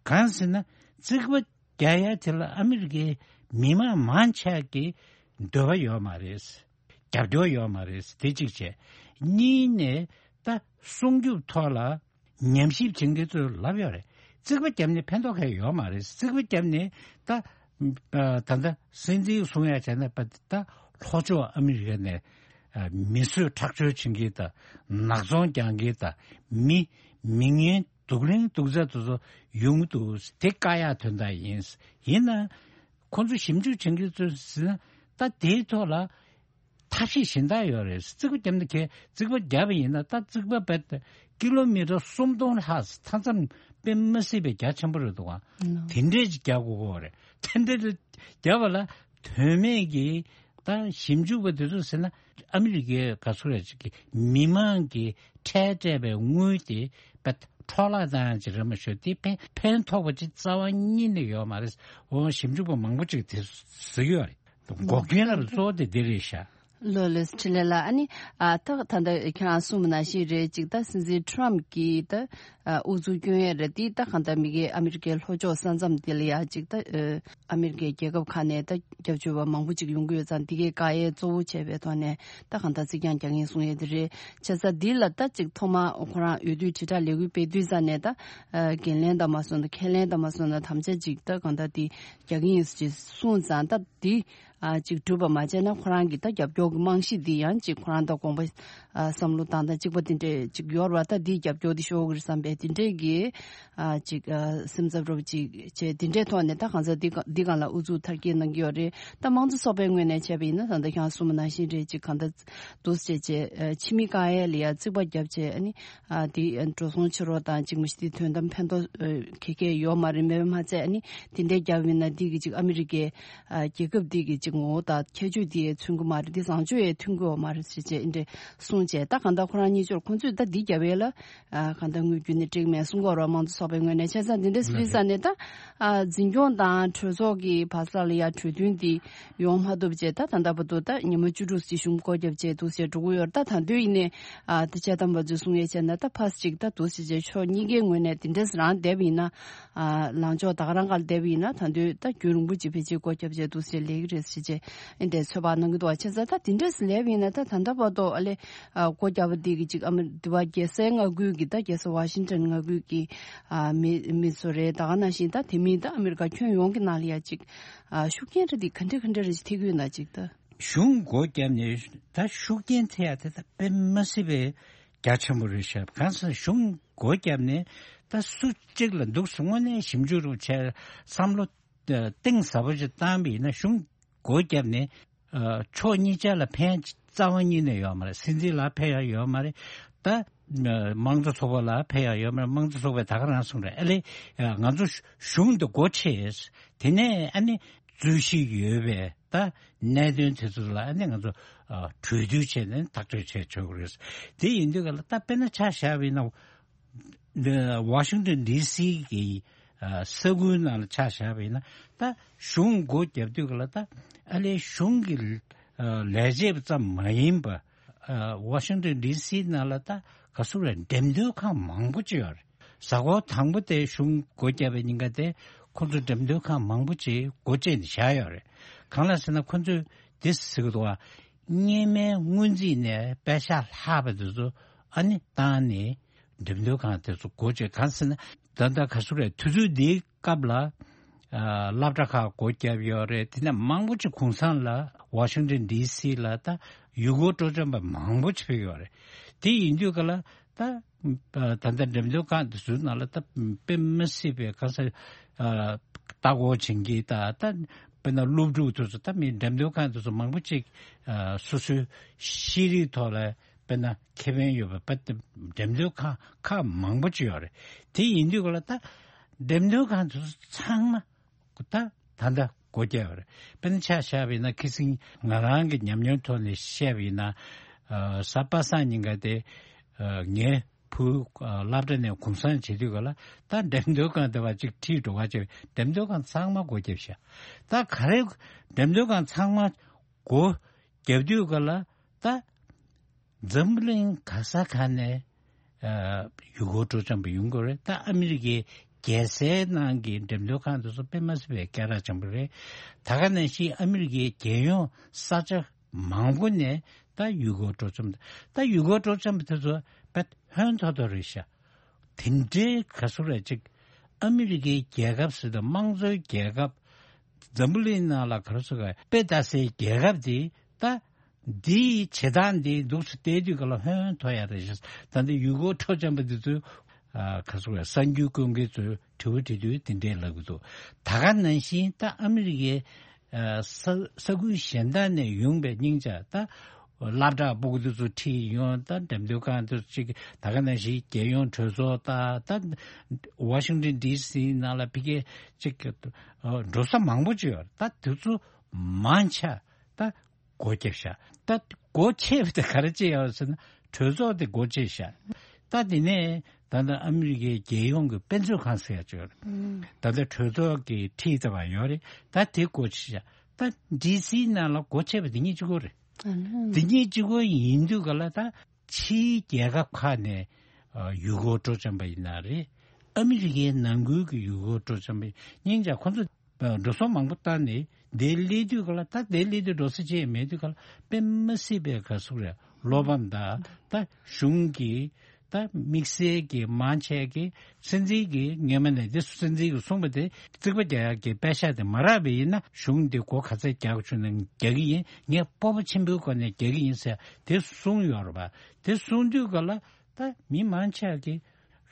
གང་ཟེར་ན་རྩིག་པ་རྒྱག་ཡ་དེ་ལ་ཨ་མི་རི་ཀའི་མི་མང་མང་ཆེ་གི་འདོད་པ་ཡོད་མ་རེད། རྒྱབ་སྐྱོར་ཡོད་མ་རེད། དེ་གཅིག་བྱས། གཉིས་ནས་ད་སྲུང་སྐྱོབ་ཐོག་ལ་ཉམས་ཞིབ་བྱེད་མཁན་ཚོས་ལབ་ཡོད་རེད། རྩིག་པ་བརྒྱབ་ནས་ཕན་ཐོགས་གང་ཡང་ཡོད་མ་རེད། རྩིག་པ་བརྒྱབ་ནས་ད་ད་ལྟ་སྲིད་འཛིན་གསུང་ཡ་བྱས་ན་པ་ད་ལྷོ་ཕྱོགས་ཨ་མི་རི་ཀ་ནས་མི་གསོད་ཁྲག་སྦྱོར་བྱེད་མཁན་དང་ནག་ཚོང་རྒྱག་མཁན་དང་མི་མི་ངན་སྡུག་ལན་སྡུག་ཚད་དེ་ཚོ་ཡོང་གི་འདུག་དེ་བཀག་ཡག་དོན་དག་ཡིན། ཡིན་ན་ཁོང་ཚོ་ཞིབ་འཇུག་བྱེད་མཁན་ཚོས་ཟེར་ན་ད་དེའི་ཐོག་ལ་ཐབས་ཤེས་གཞན་དག་ཡོད་རེད། རྩིག་པ་བརྒྱབ་ན་གས་རྩིག་པ་བརྒྱབ་པ་ཡིན་ན་ད་རྩིག་པ་བེད་ཀི་ལོ་མི་ཊར་སུམ་སྟོང་ལྷག་མཐའ་མཚམས་དཔེ་མི་སྲིད་པའི་རྒྱ་ཆེན་པོ་རེད་འདུག་ག་དེ་འདྲས་ཅིག་རྒྱག་དགོས་ཀྱི་ཡོད་རེད། དེ་འདྲས་རྒྱབ་པ་ལ་དོན་མེད་ཀྱི་ད་ཞིབ་འཇུག་པ་དེ་ཚོ་ཟེར་ན་ཨ་མི་རི་ཀའི་ག་ཚོད་རེད་ཅིག་གི་མི་མང་གི་ཁྲལ་སྤྲད་པའི་དངུལ་དེ་པ་འཕྲོ་བརླག་བཏང་ཡག་ཅིག་རེད་མ་ཤོད་དེ་ཕན་ཕན་ཐོགས་པ་ཅིག་རྩ་བ་ཉིད་ནས་ཡོད་མ་རེད། འོ་ཞིབ་འཇུག་པ་མང་པོ་ཅིག་དེ་ཟེར་གྱི་ཡོད་རེད། འགོག་རྐྱེན་ལ་གཙོ་བོ་དེ་འདི་རེད་ཤག་ལོ་ལེས་ཁྲི་ལེ་ལ། ཨ་ནི་ཨ་ད་ད་ལྟ་ཁྱེད་རང་གསུངས་པ་ནང་བཞིན་རེད། ཅིག་ད་སྲིད་འཛིན་ཁྲོམ་གྱིས་ད་ཨ་ཨུ་ཚུགས་སྐྱོན་ཡས་རེད། དེ་ད་གང་ལྟར་མི་སྒེར་ཨ་མི་རི་ཀའི་ལྷོ་ཕྱོགས་ས་མཚམས་དེ་ལ་ཡ་ཅིག་ད་ཨ་ཨ་མི་རི་ཀའི་རྒྱལ་ཁབ་ཁག་ནས་ད་སྐྱབས་བཅོལ་བ་མང་པོ་ཅིག་ཡོང་གི་ཡོད་ཙང་། དེ་གའི་བཀག་ཡས་གཙོ་བོ་བྱས་པའི་ཐོག་ནས་ད་གང་ལྟར་རྩིས་རྐྱང་རྒྱག་གིན་གསུང་ཡས་དེ་རེད། བྱས་ཙང་འདི་ལ་ད་ཅིག་ཐོག་མ་ཁོ་རང་འོས་བསྡུའི་དྲིལ་བསྒྲགས་ལས་འགུལ་སྤེལ་དུས་ཙ་ནས་ད་ཨ་འགན་ལེན་དང་མ་སོང་ན་ཁས་ལེན་དང་མ་སོང་ན་དམ་བཅའ་ཅིག་ད་གང་ལྟར་དེ་རྒྱག་གིན་ཡིན་ཅེས་གསུངས་ཙང་། ད་འདི་ཨ་ཅིག་གྲུབ་པ་མ་བྱས་ན་ཁོ་རང་གི་ད་རྒྱབ་སྐྱོར་གྱི་རྨང་གཞི་འདི་ཡང་ཅིག་ཁོ་རང་དང་དགོངས་པ་ཨ་བསམ་བློ་བཏང་སྟངས་གཅིག་པ་དེ་འདྲས་ཅིག་ཡོད་རེད་བ། ད་འདིའི་རྒྱབ་སྐྱོར་འདི་ཤོར་གི་རེད་བསམ་པའི་དེ་འདྲས་ཀྱི་ཨ་ཅིག་ཨ་སེམས་འཚབ་རབ་ཅིག་བྱས། དེ་འདྲའི་ཐོག་ནས་ད་གང་ཟག་འདི་ག་འདི་གང་ལ་ཨུ་ཚུགས་མཐར་སྐྱེལ་གནང་གི་ཡོད་རེད། ད་དམངས་གཙོ་ཚོགས་པའི་ངོས་ནས་བྱས་པ་ཡིན་ན་ད་ལྟ་ཁྱེད་རང་གསུངས་པ་ནང་བཞིན་རེད། ཅིག་གང་ལྟར་འདུག་སེ་བྱས་བྱས་ཨ་ཕྱི་མི་བཀག་ཡས་ལ་ཡ་རྩིག་པ་བརྒྱབ་བྱས། ཨ་ནི་ཨ་དེ་འགྲོ་སོང་ཕྱིར་རོགས་དང་ཅིག་མ་གཞི་དེ་དོན་དམ་ཕན་ཐོགས་ཨ་ག་གེ་ཡོད་མ་རེད། མེད་པ་མ་ཚད་ཨ་ནི་དེ་འདྲའི་རྒྱབ་ཡིན་ན་འདི་གི་ཅིག་ཨ་མི་རི་ཀའི་ཨ་རྒྱལ་ཁབ་འདི་གི་ཅིག་ངོ་བོ་དང་ཁྱད་ཆོས་དེ་མཚོན་གི་མ་རེད། འདི་བཟང་སྤྱོད་ཡང་མཐུན་གི་ཡོད་མ་རེད་ཟེར་བྱས་འདི་འདྲ་གསུངས་བྱས། ད་གང་ལྟར་ཁོ་རང་གཉིས་ཆར་ཁོང་ཚོས་ད་འདི་རྒྱབ་ཡས་ལ་ཨ་གང་ལྟར་དངོས་བརྒྱུད་ནས་འགྲིག་མེད་གསུང་གི་ཡོད་རེད། དམངས་གཙོ་ཚོགས་པའི་ངོས་ནས། བྱས་ཙང་འདི་འདྲ་ཟེར་ཙ་ནས་ད་ཨ་འཛིན་སྐྱོང་དང་གྲོས་ཚོགས་ཀྱི་བར་ས་ལ་ཡ་གྲོས་མཐུན་འདི་ཡོང་མ་ཐུབ་བྱས། ད་ད་ལྟ་བར་དུ་ད་ཉི་མ་བཅུ་དྲུག་ཅིག་གཞུང་སྒོ་བརྒྱབ་བྱས་འདུག་ཟེར་འགྲོ་གི་ཡོད་རེད། ད་ད་དུང་ཡིན་ནའི་ཨ་ད་དཔྱད་གཏམ་པ་ཚོས་གསུང་ཡས་བྱས་ན་ད་ཕར་ཅིག་ད་འདུག་ཟེར་བྱས་ཕྱོགས་གཉིས་ཀའི་ངོས་ནས་དེ་འདྲས་རང་བསྡད་པ་ཡིན་ན། ཨ་ལངས་ཕྱོགས་ད་ག་རང་སྒང་ལ་བསྡད་པ་ཡིན་ན་ད་དུང་ད་རྒྱུན་རིང་པོ་ཅིག་ཕལ་ཆེར་སྒོ་བརྒྱབ་བྱས་འདུག་ཟེར་ལས་ཀྱི་རེད་ཟེར་བྱས་ཨེ་འདྲས་ཚོད་དཔག་གནང་གི་འདུག་བ། བྱས་ཙང་ད་དེ་འདྲས་ལས་པ་ཡིན་ན་ད་ད་ལྟ་བར་དུ་ཨ་ལས་ཨ་སྒོ་བརྒྱབ་པ་འདི་གི་ཅིག་ཨ་མི་འདི་བ་རྒྱལ་སའི་མངའ་ཁུལ་གྱི་ད་རྒྱལ་ས་ཝ་ཤིང་ཊོན་མངའ་ཁུལ་གྱི་ཨ་མི་མི་ཚོ་རེད། ད་ག་ནང་བཞིན་ད་དེ་མིན་ད་ཨ་མི་རི་ཀ་ཁྱོན་ཡོངས་ཀྱི་ནང་ལ་ཡ་ཅིག་ཨ་ཤུགས་རྐྱེན་རེ་འདི་ག་འདྲ་ག་འདྲ་རེ་ཅིག་ཐེབས་ཀྱི་ཡོད་ན་ཅིག་ད། གཞུང་སྒོ་བརྒྱབ་ནས་ད་ཤུགས་རྐྱེན་ཐེབས་ཡ་དེ་ད་དཔེ་མ་སྲིད་པའི་རྒྱ་ཆེན་པོ་རེད་ཤག་གང་ཟེར་གཞུང་སྒོ་བརྒྱབ་ནས་ད་སུ་གཅིག་ལ་འདུག་སེ་དངོས་གནས་ཞིབ་འཇུག་རུ་བྱས་བསམ་བློ་གཏིང་ཟབ་པོ་ཞིག་བཏང་བ་ཡིན་ན། གཞུང་སྒོ་བརྒྱབ་ནས་ཨ་ཕྱོགས་གཉིས་ཆ་ལ་ཕན་རྩ་བ་ཉིད་ནས་ཡོད་མ་རེད། སྲིད་འཛིན་ལ་ཕན་ཡ་ཡོད་མ་རེད། ད་དམངས་གཙོ་ཚོགས་པ་ལ་ཕན་ཡ་ཡོད་མ་རེད། དམངས་གཙོ་ཚོགས་པས་ད་ག་རང་གསུངས་རེད། ཨ་ལས་ང་ཚོ་གཞུང་འདི་སྒོ་ཕྱེ། དེ་ནས་ཨ་ནི་རྩོད་གཞི་ཡོད་པའི་ད་གནད་དོན་དེ་ཚོ་ལ་ཨ་ནི་ང་ཚོ་ཨ་གྲོས་བསྡུར་བྱས་ནས་ཐག་གཅོད་བྱས་ཆོག་གི་རེད། དེ་ཡིན་དུས་ག་ལ་ད་དཔེར་ན་ཆ་བཞག་པ་ཡིན་ན། འདི་ཝ་ཤིང་ཏོན་ཌི་སི་གི་ཨ་ས་ཁུལ་ནང་ལ་ཆ་བཞག་པ་ཡིན་ན། ད་གཞུང་སྒོ་བརྒྱབ་དུས་ག་ལ་ད་ཨ་ལས་གཞུང་གི་ཨ་ལས་བྱེད་ཙམ་མ་ཡིན་པ། ཨ་ཝ་ཤིང་ཏོན་ཌི་སི་ནང་ལ་ད་ག་ཟེར་རེད། འགྲེམས་སྟོན་ཁང་མང་པོ་ཅིག་ཡོད་རེད། གཟའ་འཁོར་དང་པོ་དེ་གཞུང་སྒོ་བརྒྱབ་པའི་ཉིན་ཀ་དེ་ཁོང་ཚོ་འགྲེམས་སྟོན་ཁང་མང་པོ་ཅིག་སྒོ་བཅད་ནས་བཞག་ཡོད་རེད། གང་ལ་ཟེར་ན་ཁོང་ཚོས་འདི་ཟེར་གི་འདུག་བ། སྔོན་མའི་སྔོན་རྩིས་ནས་པེ་ཤག་ལྷག་པ་དེ་ཚོ་ཨ་ནི་བཏང་ནས་འགྲེམས་སྟོན་ཁང་དེ་ཚོ་སྒོ་བཅད། གང་ཟེར་ན་ད་ལྟ་ག་ཟེར་རེད། དུས་ཚོད་འདིའི་སྐབས་ལ་ཨ་སློབ་གྲྭ་ཁག་སྒོ་བརྒྱབ་ཡོད་རེད། དེ་ནས་མང་པོ་ཅིག་གུང་སེང་ལ་ཝ་ཤིང་ཏོན་ཌི་སི་ལ་ད་ཡུལ་སྐོར་སྤྲོ་འཆམ་པ་མང་པོ་ཅིག་ཕེབས་ཡོད་རེད། དེ་ཡིན་དུས་ག་ལ་ད་ད་ལྟ་འགྲེམས་སྟོན་ཁང་དེ་ཚོའི་ནང་ལ་ད་དཔེ་མི་སྲིད་པའི་ག་ས་ཨ་ལྟ་སྐོར་བྱེད་མཁན་ད་ད་དཔེར་ན་སློབ་ཕྲུག་དེ་ཚོ་ད་མི་འགྲེམས་སྟོན་ཁང་དེ་ཚོ་མང་པོ་ཅིག་ཨ་སོ་སོའི་ཤེས་རིག་ཐོག་ལ་དཔེར་ན་ཁེ་ཕན་ཡོད་པ་དཔེ་འགྲེམས་སྟོན་ཁང་ཁག་མང་པོ་ཅིག་ཡོད་རེད། དེ་ཡིན་དུས་ག་ལ་ད་འགྲེམས་སྟོན་ཁང་དེ་ཚོ་ཚང་མ་ད་ད་ལྟ་སྒོ་བརྒྱབ་པ་རེད། དཔེར་ན་ཆ་བཞག་པ་ཡིན་ན་ཁ་སང་ང་རང་གི་ཉམས་མྱོང་ཐོག་ནས་བཤད་པ་ཡིན་ན། ཨ་གཟའ་པ་སངས་ཉིན་ཀ་དེ་ཨ་ངའི་བུ་ཨ་སློབ་གྲྭ་ནས་གུང་སེང་བྱེད་དུས་ག་ལ་ད་འགྲེམས་སྟོན་ཁང་དེ་བ་གཅིག་ཁྲིད་འགྲོ་ག་བྱས། འགྲེམས་སྟོན་ཁང་ཚང་མ་སྒོ་བརྒྱབ་ཤག་ད་ག་རེ་འགྲེམས་སྟོན་ཁང་ཚང་མ་སྒོ་བརྒྱབ་དུས་ག་ལ་ད་འཛམ་བུ་གླིང་ག་ས་ག་ནས་ཨ་ཡུལ་སྐོར་སྤྲོ་འཆམ་པ་ཡོང་གི་རེད། ད་ཨ་མི་རི་ཀའི་རྒྱལ་སའི་ནང་གི་འགྲེམས་སྟོན་ཁང་དེ་ཚོ་དཔེ་མ་སྲིད་པའི་སྐད་གྲགས་ཆེན་པོ་རེད། ད་ག་ནང་བཞིན་ཨ་མི་རི་ཀའི་རྒྱལ་ཡོངས་ས་ཆ་མང་པོ་ནས་ད་ཡུལ་སྐོར་སྤྲོ་འཆམ། ད་ཡུལ་སྐོར་སྤྲོ་འཆམ་པ་དེ་ཚོ་དཔེ་ཧོན་ཐོར་ཐོར་རེད་ཤག་དེ་འདྲའི་ག་ཟེར་རེད། ཅིག་ཨ་མི་རི་ཀའི་རྒྱལ་ཁབ་ཟེར་དུས་དམངས་གཙོའི་རྒྱལ་ཁབ། འཛམ་བུ་གླིང་ནང་ལ་ག་རེ་ཟེར་ག་དཔེ་ལྟ་སའི་རྒྱལ་ཁབ་དེ་ད་འདིའི་བྱེད་སྟངས་འདི་འདུག་སེ་བལྟས་དུས་ག་ལ་ཧོན་ཐོར་ཡ་རེད་ཤག་ད་འདི་ཡུལ་སྐོར་སྤྲོ་འཆམ་པ་འདི་ཚོས་ཨ་ག་ཟེར་ག་གསར་འགྱུར་བཀོད་མཁན་ཚོས་དྲི་བ་དྲི་དུས་དེ་འདྲས་ལབ་གི་འདུག་ད་ག་ནང་བཞིན་ད་ཨ་མི་རི་ཀའི་ཨ་ས་ས་ཁུལ་གཞན་དག་ནས་ཡོང་པའི་སྙིང་ཆ་ད་སློབ་གྲྭ་ཕྲུ་གུ་དེ་ཚོ་ཁྲིད་ཡོང་། ད་འགྲེམས་སྟོན་ཁང་དེ་ཚོ་ཅིག་ད་ག་ནང་བཞིན་རྒྱལ་ཡོངས་གྲོས་ཚོགས་ད་ད་ཝ་ཤིང་ཏོན་ཌི་སི་ནང་ལ་ཕ་གིའི་ཅིག་འགྲོ་ས་མང་པོ་ཅིག་ཡོད་རེད། ད་དེ་ཚོ་མང་ཆེ་ད་སྒོ་བརྒྱབ་ཤག་ད་སྒོ་ཕྱེ་བ་དེ་ག་རེ་བྱས་ཡོད་ཟེར་ན་གྲོས་ཚོགས་དེ་སྒོ་ཕྱེ་ཤག་ད་དེ་ནས་ད་ལྟ་ཨ་མི་རི་ཀའི་རྒྱལ་ཡོངས་ཀྱི་དཔེ་མཛོད་ཁང་ཟེར་ཡ་ཅིག་ཡོད་རེད། ད་ལྟ་གྲོས་ཚོགས་ཀྱི་ཁྲིད་ལྟ་བ་ཡོད་རེད། ད་དེ་སྒོ་ཕྱེ་ཤག་ད་ཌི་སི་ནང་ལ་སྒོ་ཕྱེ་བ་དེ་གཉིས་གཅིག་པོ་རེད། དེ་གཉིས་གཅིག་པོ་ཡིན་དུས་ག་ལ་ད་ཕྱིའི་རྒྱལ་ཁབ་ཁག་ནས་ཡུལ་སྐོར་སྤྲོ་འཆམ་པ་ཡིན་ན་རེད། ཨ་མི་རི་ཀའི་ནང་ཁུལ་གྱི་ཡུལ་སྐོར་སྤྲོ་འཆམ་པ་སྙིང་རྗེ་ཁོ་ཚོ་འགྲོ་སོང་མང་པོ་བཏང་ནས་དེ་སླེབས་དུས་ག་ལ་ད་དེ་སླེབས་དུས་འགྲོ་ས་ཅི་ཡང་མེད་དུས་ག་ལ་དཔེ་མ་སྲིད་པའི་ག་ཟུག་རེད། བློ་ཕམ་དང་ད་གཞུང་གི་ད་དམིགས་བསལ་གྱི་མང་ཆེ་གི་སྲིད་འཛིན་གྱི་སྔོན་མ་ནས་དེ་སྲིད་འཛིན་གྱིས་གསུངས་པ་དེ་རྩིག་པ་རྒྱག་ཡག་གི་པད་ཤག་དེ་མ་རག་པ་ཡིན་ན་གཞུང་དེ་སྒོ་ག་ཚད་རྒྱག་དགོས་བྱུང་ན་རྒྱག་གི་ཡིན། ངས་སྤོབས་པ་ཆེན་པོའི་སྒོ་ནས་རྒྱག་གི་ཡིན་ཟེར་དེ་གསུངས་ཡོད་རེད་པ། དེ་གསུངས་དུས་ག་ལ་ད་མི་མང་ཆེ་གི་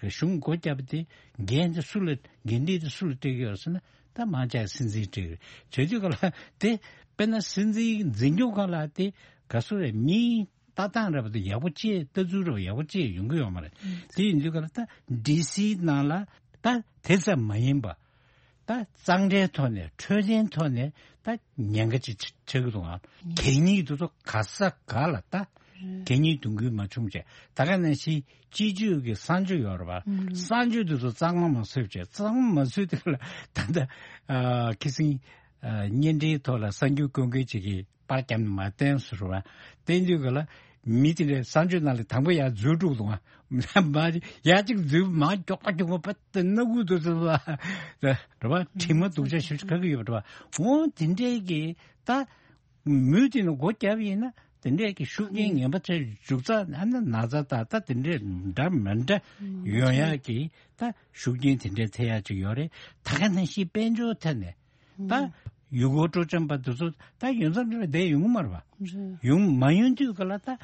གཞུང་སྒོ་བརྒྱབ་པ་དེ་འགན་དེ་སུ་ལ་འགན་འཁྲི་དེ་སུ་ལ་སྤྲད་ཀྱི་ཡོད་ཟེར་ན་ད་མང་ཆེ་སྲིད་འཛིན་སྤྲད་ཀྱི་རེད། བྱེད་དུས་ག་ལ་དེ་དཔེར་ན་སྲིད་འཛིན་འཛིན་སྐྱོང་ཁང་ལ་དེ་ག་སུ་རེད། མི་ལྟ་སྟངས་རེད་པ་དེ་ཡག་པོ་ཅིག་ལྟ་ཚུལ་རེད་པ་ཡག་པོ་ཅིག་ཡོང་གི་ཡོད་མ་རེད། དེ་ཡིན་དུས་ག་ལ་ད་ཌི་སི་ནང་ལ་ད་དེ་ཙམ་མ་ཡིན་པ་ད་གཙང་སྦྲའི་ཐོག་ནས་འཕྲོད་བསྟེན་ཐོག་ནས་ད་ཉེན་ཁ་ཅིག་ཆགས་ཀྱི་འདུག་ཨང་། གད་སྙིགས་དེ་ཚོ་ག་ས་ག་ལ་ད་གད་སྙིགས་འདོན་ཁུལ་མ་བྱུང་བྱས། ད་ག་ནང་བཞིན་སྤྱི་སྤྱོད་ཀྱི་གསང་སྤྱོད་ཡོད་རེད་པ། གསང་སྤྱོད་དེ་ཚོ་གཙང་མ་མ་བཟོས་བྱས། གཙང་མ་མ་བཟོས་དེ་ལ་ད་ལྟ་ཁི་སིང་བརྙན་འཕྲིན་ཐོག་ལ་གསར་འགྱུར་བཀོད་མཁན་ཅིག་གིས་པར་བརྒྱབ་ནས་མར་བསྟན་སོང་རེད་པ། བསྟན་དུས་ག་ལ་མི་དེ་འདྲའི་གསང་སྤྱོད་ནང་ལ་དང་པོ་ཡར་འཛུལ་འགྲོ་འདུག་ཨ། མར་ཡར་གཅིག་འཛུལ་མར་མགྱོགས་པ་མགྱོགས་པ་པ་དེ་སྣ་ཁུག་ཏུ་འཛུལ་བ་རེད་པ། དྲི་མ་སྡུག་ཅག་ཞེ་པོ་ཅིག་ཁ་གི་ཡོད་པ་རེད་པ། འོ་དེ་འདྲའི་གི་ད་མུས་དེ་ནས་སྒོ་བརྒྱབ་ཡིན་ན་དེ་འདྲའི་གི་ཤུགས་རྐྱེན་ངན་པ་ཚོའི་འཇུག་རྩ་ཨ་ན་ན་ཚ་དང་ད་དེ་འདྲའི་འདྲ་མི་འདྲ་ཡོང་ཡག་གི་ད་ཤུགས་རྐྱེན་དེ་འདྲའི་ཐེབས་ཡག་ཅིག་ཡོད་རེད། ད་ག་ནང་བཞིན་དཔལ་འབྱོར་ཐད་ནས་ད་ཡུལ་སྐོར་སྤྲོ་འཆམ་པ་དེ་ཚོ་ད་ཡོང་མཚམས་རེ་བསྡད་ཡོང་གི་མ་རེད་པ། ཡོང་མ་ཡོང་དུས་ག་ལ་ད་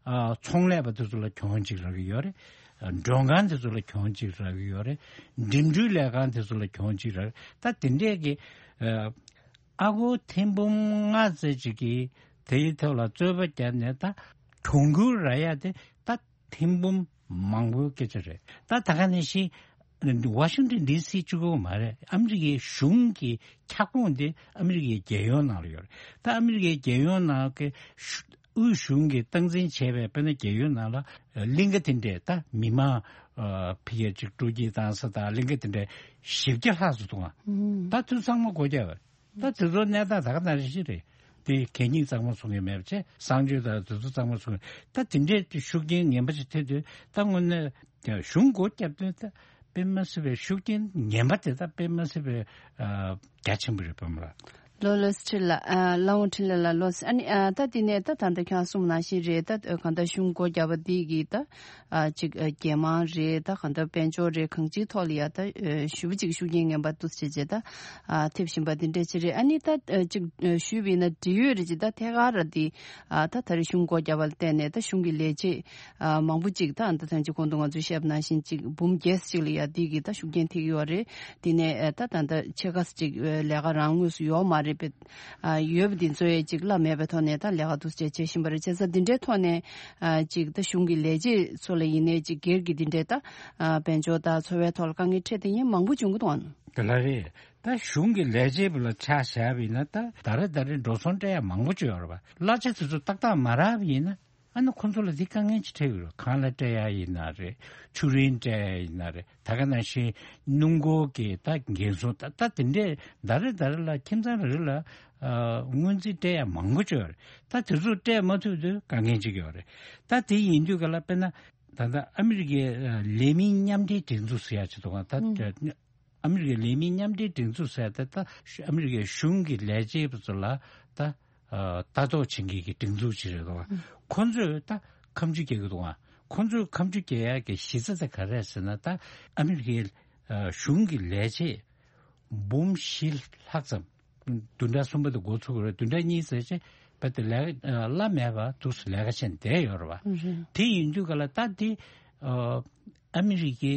ཨ་ཚོང་ལས་པ་དེ་ཚོ་ལ་གྱོང་ཅིག་རག་གི་ཡོད་རེད། མགྲོན་ཁང་དེ་ཚོ་ལ་གྱོང་ཅིག་རག་གི་ཡོད་རེད། འགྲིམ་འགྲུལ་ལས་ཁང་དེ་ཚོ་ལ་གྱོང་ཅིག་རག་ད་དེ་འདྲས་ཀྱི་ཨ་ཨ་སྒོར་ཐེར་འབུམ་ལྔ་ཙམ་ཅིག་གིས་དེའི་ཐོག་ལ་རྩོད་པ་བརྒྱབ་ནས་ད་གྱོང་གུན་རག་ཡ་དེ་ད་ཐེར་འབུམ་མང་པོའི་སྐད་ཆ་རེད། ད་ད་ག་ནང་བཞིན་ཝ་ཤིང་ཏོན་ཌི་སི་གཅིག་པོ་མ་རེད། ཨ་མི་རི་ཀའི་གཞུང་གི་ཁྱབ་ཁོངས་དེ་ཨ་མི་རི་ཀའི་རྒྱལ་ཡོངས་ནང་ལ་ཡོད་རེད། ད་ཨ་མི་རི་ཀའི་རྒྱལ་ཡོངས་ནང་གི་དབུས་གཞུང་གིས་སྟངས་འཛིན་བྱས་པའི་དཔེར་ན་རྒྱལ་ཡོངས་ནང་ལ་གླིང་ག་དེ་འདྲས་ད་མི་མང་ཕི་ཡ་ཅིག་སྤྲོ་སྐྱིད་བཏང་ས་དང་གླིང་ག་དེ་འདྲས་བཞི་བརྒྱ་ལྷག་ཙམ་འདུག་ཨ། ད་དུས་ཚང་མ་སྒོ་རྒྱག་པ་རེད། ད་དེ་ཚོ་གནས་སྟངས་ད་ག་ནང་རེ་ཞིག་རེད། དེ་གད་སྙིགས་གཙང་མ་བཟོ་མཁན་མེད་པ་བྱས། གསང་སྤྱོད་དང་དེ་ཚོ་གཙང་མ་བཟོ་མཁན་ད་དེ་འདྲའི་ཤུགས་རྐྱེན་ངན་པ་ཞིག་ཐེབས་དུས་ད་དངོས་གནས་གཞུང་སྒོ་བརྒྱབ་དུས་ད་དཔེ་མ་སྲིད་པའི་ཤུགས་རྐྱེན་ངན་པ་དེ་ད་དཔེ་མ་སྲིད་པའི་རྒྱ་ཆེན་པོ་རེད་པ་མ་ལ། ལོ་ལོ་སི་ཁྲི་ལ་ལ་འོང་ཁྲི་ལ་ལ་ལོ་སི་ཨ་ནི་ད་དེ་ནས་ད་ད་ལྟ་ཁྱང་གསུམ་ནང་བཞིན་རེད། ད་གང་ལྟར་གཞུང་སྒོ་བརྒྱབ་པ་དེ་གི་ད། ཨ་ཅིག་ཨ་རྒྱལ་དམངས་རེད། ད་གང་ལྟར་དཔལ་འབྱོར་རེད། གང་ཅིའི་ཐོག་ལ་ཡ་ད་ཨ་ཞེ་པོ་ཅིག་ཤུགས་རྐྱེན་ངན་པ་འདུག་བྱས་བྱས་ད་ཨ་ཐེབས་བཞིན་པ་འདི་འདྲ་ཅིག་རེད། ཨ་ནི་ད་ཨ་ཅིག་ཨ་ཞུས་པ་ཡིན་ན་འབྲེལ་ཡོད་རེད་ཅིག་ད་ཐད་ཀར་ར་འདི་ཨ་ད་ད་རེས་གཞུང་སྒོ་བརྒྱབ་པ་ལ་བརྟེན་ནས་ད་གཞུང་གི་ལས་བྱེད་ཨ་མང་པོ་ཅིག་ད་ཨ་ད་ཐེངས་ཅིག་གོང་དུ་ང་ཚོས་བཤད་པ་ནང་བཞིན་ཅིག་འབུམ་བརྒྱད་ཅིག་ལ་ཡ་འདི་གི་ད་ཤུགས་རྐྱེན་ཐེབས་ཀྱི་ཡོད་རེད། འདི་ནས་ཨ་ད་ད་ད་ཕྱེད་ཀ་ཅིག་ཨ་ལས་ཀ་རང་དངོས་སུ་ཡོད་མ་རེད་པས། ཨ་ཡོད་པ་འདི་ཚོ་ཡང་ཅིག་གླ་མེད་པའི་ཐོག་ནས་ད་ལས་ཀ་འདུག་སེ་བྱེད་བཞིན་པ་རེད། བྱས་ཙང་འདི་འདྲའི་ཐོག་ནས་ཨ་ཅིག་ད་གཞུང་གི་ལས་བྱེད་ཚོ་ལ་ཡིན་ནའི་ཅིག་སྒེར་གྱི་འདི་འདྲའི་ད་ཨ་དཔལ་འབྱོར་དང་འཚོ་བའི་ཐོག་ལ་དཀའ་ངལ་འཕྲད་བསྡད་མཁན་མང་པོ་བྱུང་གི་འདུག་ཨ། དེ་ལ་རེད། ད་གཞུང་གི་ལས་བྱེད་པ་ལ་ཆ་བཞག་པ་ཡིན་ན་ད་ད་རེས་ད་རེས་འགྲོ་སོང་སྤྲད་ཡ་མང་པོ་ཅིག་ཡོད་རེད་པ། གླ་ཆ་དེ་ཚོ་ཏག་ཏག་མ་རག་པ་ཡིན་ན། ཨ་ནི་ཁོང་ཚོ་ལ་འདི་དཀའ་ངལ་ཅིག་འཕྲད་ཡོད་རེད། ཁང་གླ་སྤྲད་ཡ་ཡིན་ན་རེད། ཆུ་རིན་སྤྲད་ཡ་ཡིན་ན་རེད། ད་ག་ནང་བཞིན་སྣུམ་འཁོར་གྱི་ད་འགན་སྲུང་ད་ད་དེ་འདྲས་ཟླ་རེ་ཟླ་རེ་ལ་ཁྱིམ་ཚང་རེ་རེ་ལ་ཨ་སྔོན་རྩིས་སྤྲད་ཡ་མང་པོ་ཅིག་ཡོད་རེད། ད་དེ་ཚོ་སྤྲད་མ་ཐུབ་དུས་དཀའ་ངལ་ཅིག་ཡོད་རེད། ད་དེ་ཡིན་དུས་ག་ལ་དཔེར་ན་ད་ལྟ་ཨ་མི་རི་ཀའི་ཨ་ལས་མི་མཉམ་འབྲེལ་སྒྲིག་འཛུགས་ཟེར་ཡ་ཅིག་འདུག་ག་ད་ཨ་མི་རི་ཀའི་ལས་མི་མཉམ་འབྲེལ་སྒྲིག་འཛུགས་ཟེར་ཏེ་ད་ཨ་མི་རི་ཀའི་གཞུང་གི་ལས་བྱེད་པ་ཚོ་ལ་ད་ལྟ་རྟོག་བྱེད་མཁན་གྱི་སྒྲིག་འཛུགས་ཅིག་རེད་འདུག་ག་ཁོ་ཚོས་ད་ཁ་མཆུ་རྒྱག་གི་འདུག་ག་ཁོ་ཚོས་ཁ་མཆུ་རྒྱག་ཡག་གི་གཞི་རྩ་དེ་ག་རེ་རེད་ཟེར་ན། ད་ཨ་མི་རི་ཀའི་གཞུང་གི་ལས་བྱེད་འབུམ་བཞི་ལྷག་ཙམ། བདུན་ཕྲག་གསུམ་པ་དེ་འགོ་ཚུགས་ཀྱི་རེད། བདུན་ཕྲག་གཉིས་ཙམ་ཅིག་བར་དུ་ལས་གླ་མེད་པར་འདུག་སེ་ལས་ཀ་བྱས་བསྡད་ཡོད་རེད་པ། དེ་ཡིན་དུས་ག་ལ་ད་འདི་ཨ་མི་རི་ཀའི་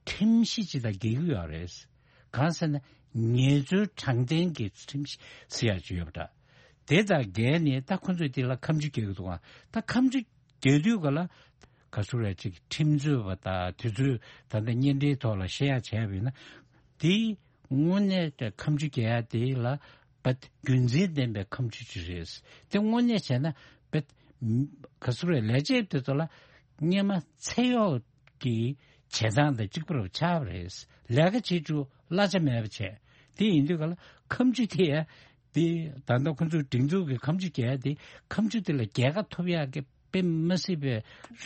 ཁྲིམས་གཞི་ཅིག་དང་འགལ་གྱི་ཡོད་རེད། གང་ཟེར་ན་ངལ་རྩོལ་དྲང་བདེན་གྱི་ཁྲིམས་གཞི་ཟེར་ཡག་ཅིག་ཡོད་པ་འདྲ། དེ་དང་འགལ་ནས་ད་ཁོ་ཚོས་དེ་ལ་ཁ་མཆུ་རྒྱག་གི་འདུག་ག་ད་ཁ་མཆུ་རྒྱག་དུས་ག་ལ་ག་ཚོད་རེད་ཅིག་ཁྲིམས་རྩོད་པ་དང་དེ་ཚོས་ད་ལྟ་གཉེན་འབྲེལ་ཐོག་ལ་བཤད་ཡག་བྱས་པ་ཡིན་ན། དེ་དངོས་གནས་ཀྱི་ཁ་མཆུ་རྒྱག་ཡག་དེ་ལ་བད་རྒྱུ་མཚན་ལྡན་པའི་ཁ་མཆུ་ཅིག་རེད། དེ་དངོས་གནས་བྱས་ན་བད་ག་ཚོད་རེད་ལས་བྱེད་དེ་ཚོ་ལ་སྔོན་མ་ཚེ་གཡོག་གི་བྱེད་སྟངས་དང་གཅིག་པ་རུ་ཆགས་པ་རེད། ལས་ཀ་བྱེད་རྒྱུ་གླ་ཆ་མེད་པ་བྱས། དེ་ཡིན་དུས་ག་ལ་ཁ་མཆུ་དེ་ཡང་ དེ་ད་ལྟ་ཁོང་ཚོའི་སྒྲིག་འཛུགས་ཀྱི་ཁ་མཆུ་རྒྱག་ཡ་དེ་ཁ་མཆུ་དེ་ལ་རྒྱལ་ཁ་ཐོབ་ཡག་གི་དཔེ་མ་སྲིད་པའི་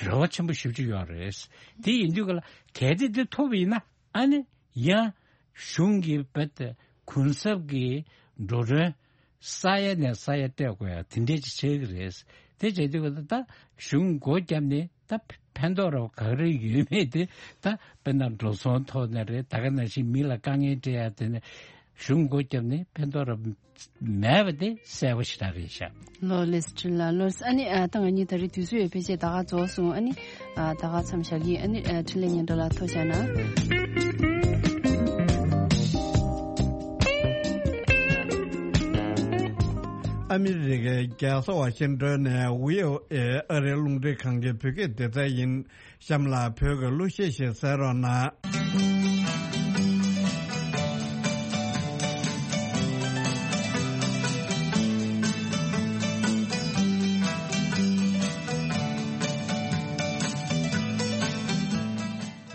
རེ་བ་ཆེན་པོ་ཞེ་པོ་ཅིག་ཡོད་རེད། དེ་ཡིན་དུས་ག་ལ་གལ་ཏེ་དེ་ཐོབ་པ་ཡིན་ན་ཨ་ནི་ཡང་གཞུང་གི་རྦད་དེ་གུན་གསབ་ཀྱི་འགྲོ་གྲོན་ས་ཡ་ནས་ས་ཡ་སྤྲད་དགོས་ཡ་དེ་འདྲས་ཅིག་ཆགས་ཀྱི་རེད། དེ་བྱས་དུས་ག་ལ་ད་གཞུང་སྒོ་བརྒྱབ་ནས་ད་ཕན་ཐོགས་ར་ག་རེ་ཡོད་མེད་དེ་ད་དཔེར་ན་འགྲོ་སོང་ཐོག་ནས་རེད། ད་ག་ནང་བཞིན་མི་ལ་དཀའ་ངལ་སྤྲད་ཡ་དེ་ནས་གཞུང་སྒོ་བརྒྱབ་ནས་ཕན་ཐོགས་ར་མེད་པ་དེ་གསལ་པོ་ཞེ་དྲག་རེད་ཤག་ལོ་ལེ་སི་ཀྲི་ལ་ལོ་ཨ་ནི་ཨ་ད་ང་གཉིས་ད་རེས་དུས་ཚོད་ཡོད་ཕལ་ཆེར་ད་ག་རྫོགས་སོང་། ཨ་ནི་ཨ་ད་ག་མཚམས་བཞག་གི། ཨ་ནི་ཨ་འཕྲིན་ལས་ཉན་གྲྭ་ལ་ཐུགས་རྗེ་གནང་། ཨ་མི་རི་ཀའི་རྒྱལ་ས་ཝ་ཤིང་ཏོན་ནས་བྷི་ཨོ་ཨེ་ཨ་རིའི་རླུང་འཕྲིན་ཁང་གི་བོད་སྐད་སྡེ་ཚན་ཡིན། གཤམ་ལ་བོད་ཀྱི་གླུ་གཞས་ཤིག་གསན་རོགས་གནང་།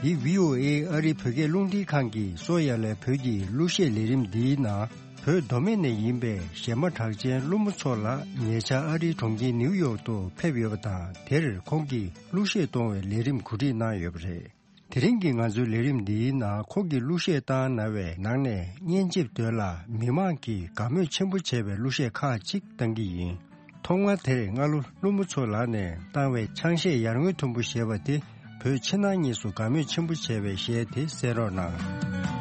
འདི་བྷི་ཨོ་ཨེ་ཨ་རིའི་བོད་སྐད་རླུང་འཕྲིན་ཁང་གི་སོ་ཡ་ལའི་བོད་ཀྱི་གླུ་གཞས་ལས་རིམ་འདིའི་ནང་། བོད་མདོ་སྨད་ནས་ཡིན་པའི་གཞས་མ་གྲགས་ཅན་ཀླུ་མོ་མཚོ་ལགས་ཉེ་ཆར་ཨ་རིའི་གྲོང་ཁྱེར་ནིའུ་ཡོག་ཏུ་ཕེབས་ཡོད་པ་དང་། དེར་ཁོང་གིས་གླུ་གཞས་གཏོང་བའི་ལས་རིམ་གོ་སྒྲིག་གནང་ཡོད་པ་རེད། དེ་རིང་གི་ང་ཚོའི་ལས་རིམ་འདིའི་ནང་ཁོང་གིས་གླུ་གཞས་བཏང་གནང་བའི་ནང་ནས་སྙན་འཇེབས་དོན་ལ་མི་མང་གིས་དགའ་མོས་ཆེན་པོ་བྱས་པའི་གླུ་གཞས་ཁག་ཅིག་བཏང་གི་ཡིན། ཐོག་མར་དེར་སྔ་ལོ་ཀླུ་མོ་མཚོ་ལགས་ནས་བཏང་བའི་ཆང་གཞས་ཡར་ངོའི་དུམ་བུ་ཞེས་པ་དེ་བོད་ཕྱི་ནང་གཉིས་སུ་དགའ་མོས་ཆེན་པོ་བྱས་པའི་གཞས་དེ་གསན་རོགས་གནང་།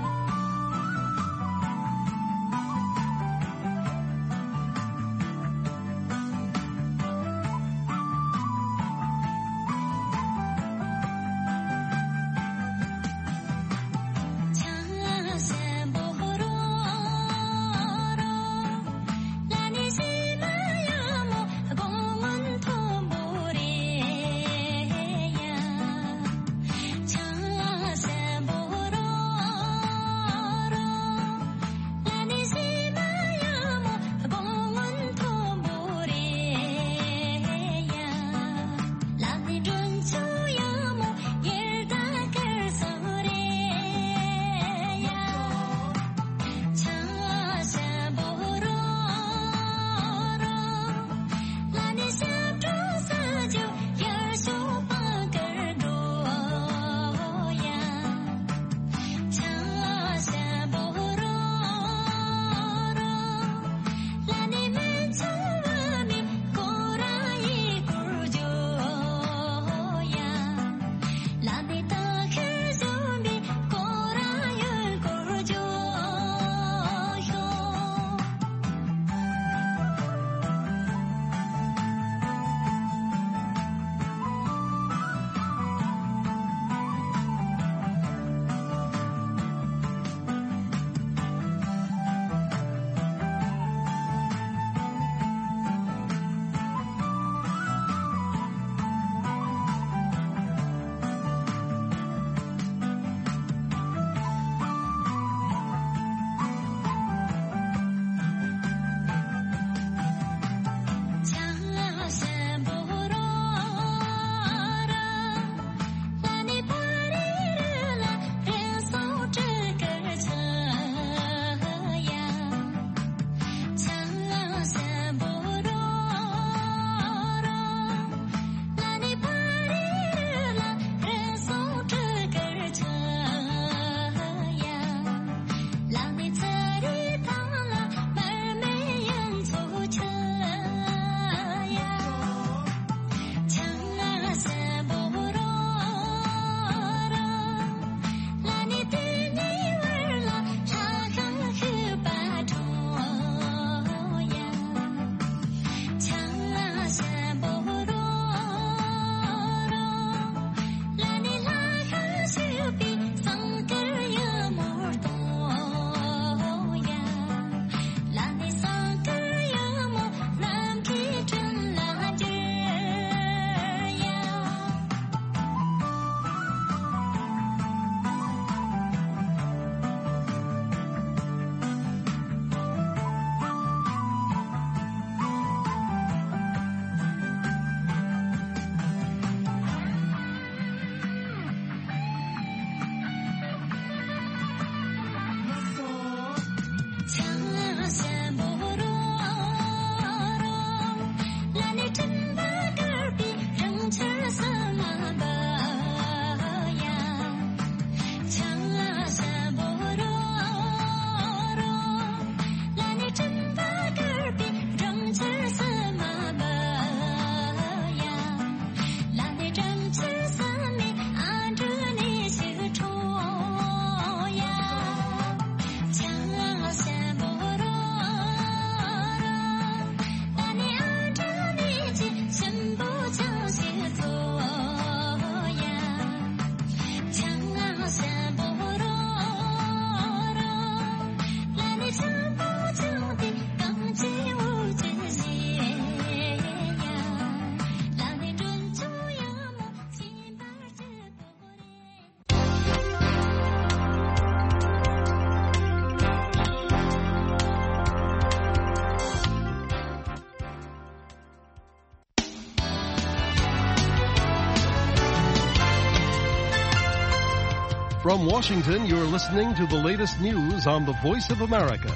From Washington, you're listening to the latest news on the Voice of America.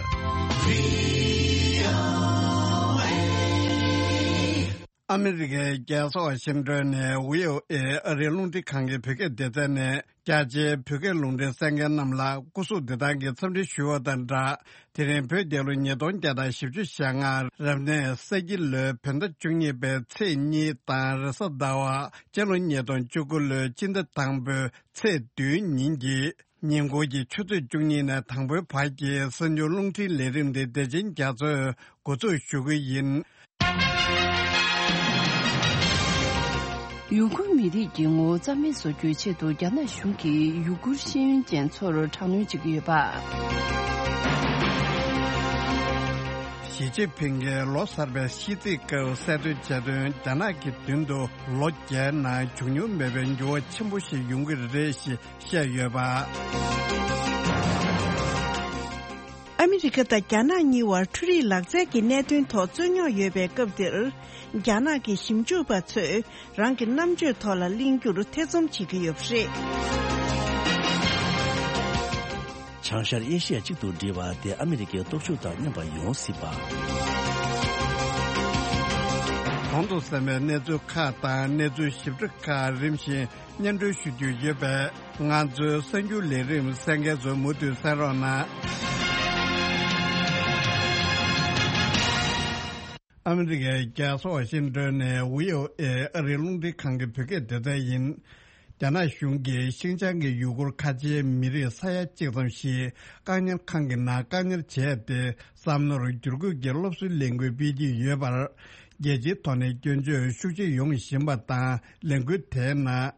ཨ་མི་རི་ཀའི་རྒྱལ་ས་ཝ་ཤིང་ཏོན་ནས་བྷི་ཨོ་ཨེ་ཨ་རིའི་རླུང་འཕྲིན་ཁང་གི་བོད་སྐད་སྡེ་ཚན་ནས་རྒྱ་ཆེའི་བོད་སྐད་རླུང་འཕྲིན་གསན་མཁན་རྣམས་ལ་སྐུ་གཟུགས་བདེ་ཐང་གི་འཚམས་འདྲི་ཞུ་བ་དང་སྦྲགས། དེ་རིང་བོད་རྒྱལ་ལོ་ཉིས་སྟོང་བརྒྱ་དང་བཞི་བཅུ་ཞེ་ལྔ་རབ་གནས་ས་ཁྱི་ལོའི་བོད་ཟླ་བཅུ་གཉིས་པའི་ཚེས་གཉིས་དང་རེས་གཟའ་ཟླ་བ། སྤྱི་ལོ་ཉིས་སྟོང་བཅུ་དགུ་ལོའི་སྤྱི་ཟླ་དང་པོའི་ཚེས་བདུན་ཉིན་གྱི་ཉིན་གུང་གི་ཆུ་ཚོད་བཅུ་གཉིས་ནས་དང་པོའི་བར་གྱི་གསར་འགྱུར་རླུང་འཕྲིན་ལས་རིམ་འདི་བདེ་ཆེན་རྒྱ་མཚོས་འགོ་འཛུགས་ཞུ་གི་ཡིན། ཡུ་གུར་མི་རིགས་ཀྱི་ངོ་བོ་རྩ་མེད་བཟོ་རྒྱུའི་ཆེད་དུ་རྒྱ་ནག་གཞུང་གིས་ཡུ་གུར་ཤེས་ཡོན་ཅན་ཚོར་དྲག་གནོན་བྱེད་ཀྱི་ཡོད་པ། ཞི་ཅིན་ཕིང་གིས་ལོ་གསར་པའི་ཤིས་ཚིག་སྐབས་གསལ་སྟོན་བྱས་དོན། རྒྱ་ནག་གི་མདུན་དུ་ལོ་བརྒྱའི་ནང་བྱུང་མྱོང་མེད་པའི་འགྱུར་བ་ཆེན་པོ་ཞིག་ཡོང་གི་རེད་ཞེས་བཤད་ཡོད་པ། ཨ་མི་རི་ཀ་དང་རྒྱ་ནག་གཉིས་བར་འཕྲུལ་རིག་ལག་རྩལ་གྱི་གནད་དོན་ཐོག་རྩོད་རྙོག་ཡོད་པའི་སྐབས་འདིར། རྒྱ་ནག་གི་ཞིབ་འཇུག་པ་ཚོས་རང་གི་རྣམ་དཔྱོད་ཐོག་ལ་གླེང་རྒྱུར་ཐེ་ཚོམ་བྱེད་ཀྱི་ཡོད་པ་རེད། བྱང་ཤར་ཨེ་ཤི་ཡ་གཅིག་ཏུ་སྒྲིལ་བ་དེ་ཨ་མི་རི་ཀའི་སྟོབས་ཤུགས་དང་མཉམ་པ་ཡོང་སྲིད་པ། གོང་དུ་གསན་པའི་གནས་ཚུལ་ཁག་དང་གནས་ཚུལ་ཞིབ་ཕྲ་ཁག་རིམ་བཞིན་སྙན་སྒྲོན་ཞུ་རྒྱུ་ཡོད་པས། ང་ཚོའི་གསར་འགྱུར་ལས་རིམ་གསན་མཁན་ཚོ་མུ་མཐུད་གསན་རོགས་གནང་། ཨ་མི་རི་ཀའི་རྒྱལ་ས་ཝ་ཤིང་ཏོན་ནས་བྷི་ཨོ་ཨེ་ཨ་རིའི་རླུང་འཕྲིན་ཁང་གི་བོད་སྐད་སྡེ་ཚན་ཡིན། རྒྱ་ནག་གཞུང་གིས་ཤིན་ཅང་གི་ཡུ་གུར་ཁ་ཆེའི་མི་རིགས་ས་ཡ་གཅིག་ཙམ་ཞིག་བཀག་ཉར་ཁང་གི་ནང་བཀག་ཉར་བྱས་ཏེ། བསམ་མནོར་བསྒྱུར་བཀོད་ཀྱི་སློབ་གསོའི་ལས་འགུལ་སྤེལ་གྱི་ཡོད་པར། རྒྱལ་སྤྱིའི་ཐོག་ནས་སྐྱོན་བརྗོད་ཤུགས་ཆེ་ཡོང་བཞིན་པ་དང་། ལས་འགུལ་དེའི་ནང་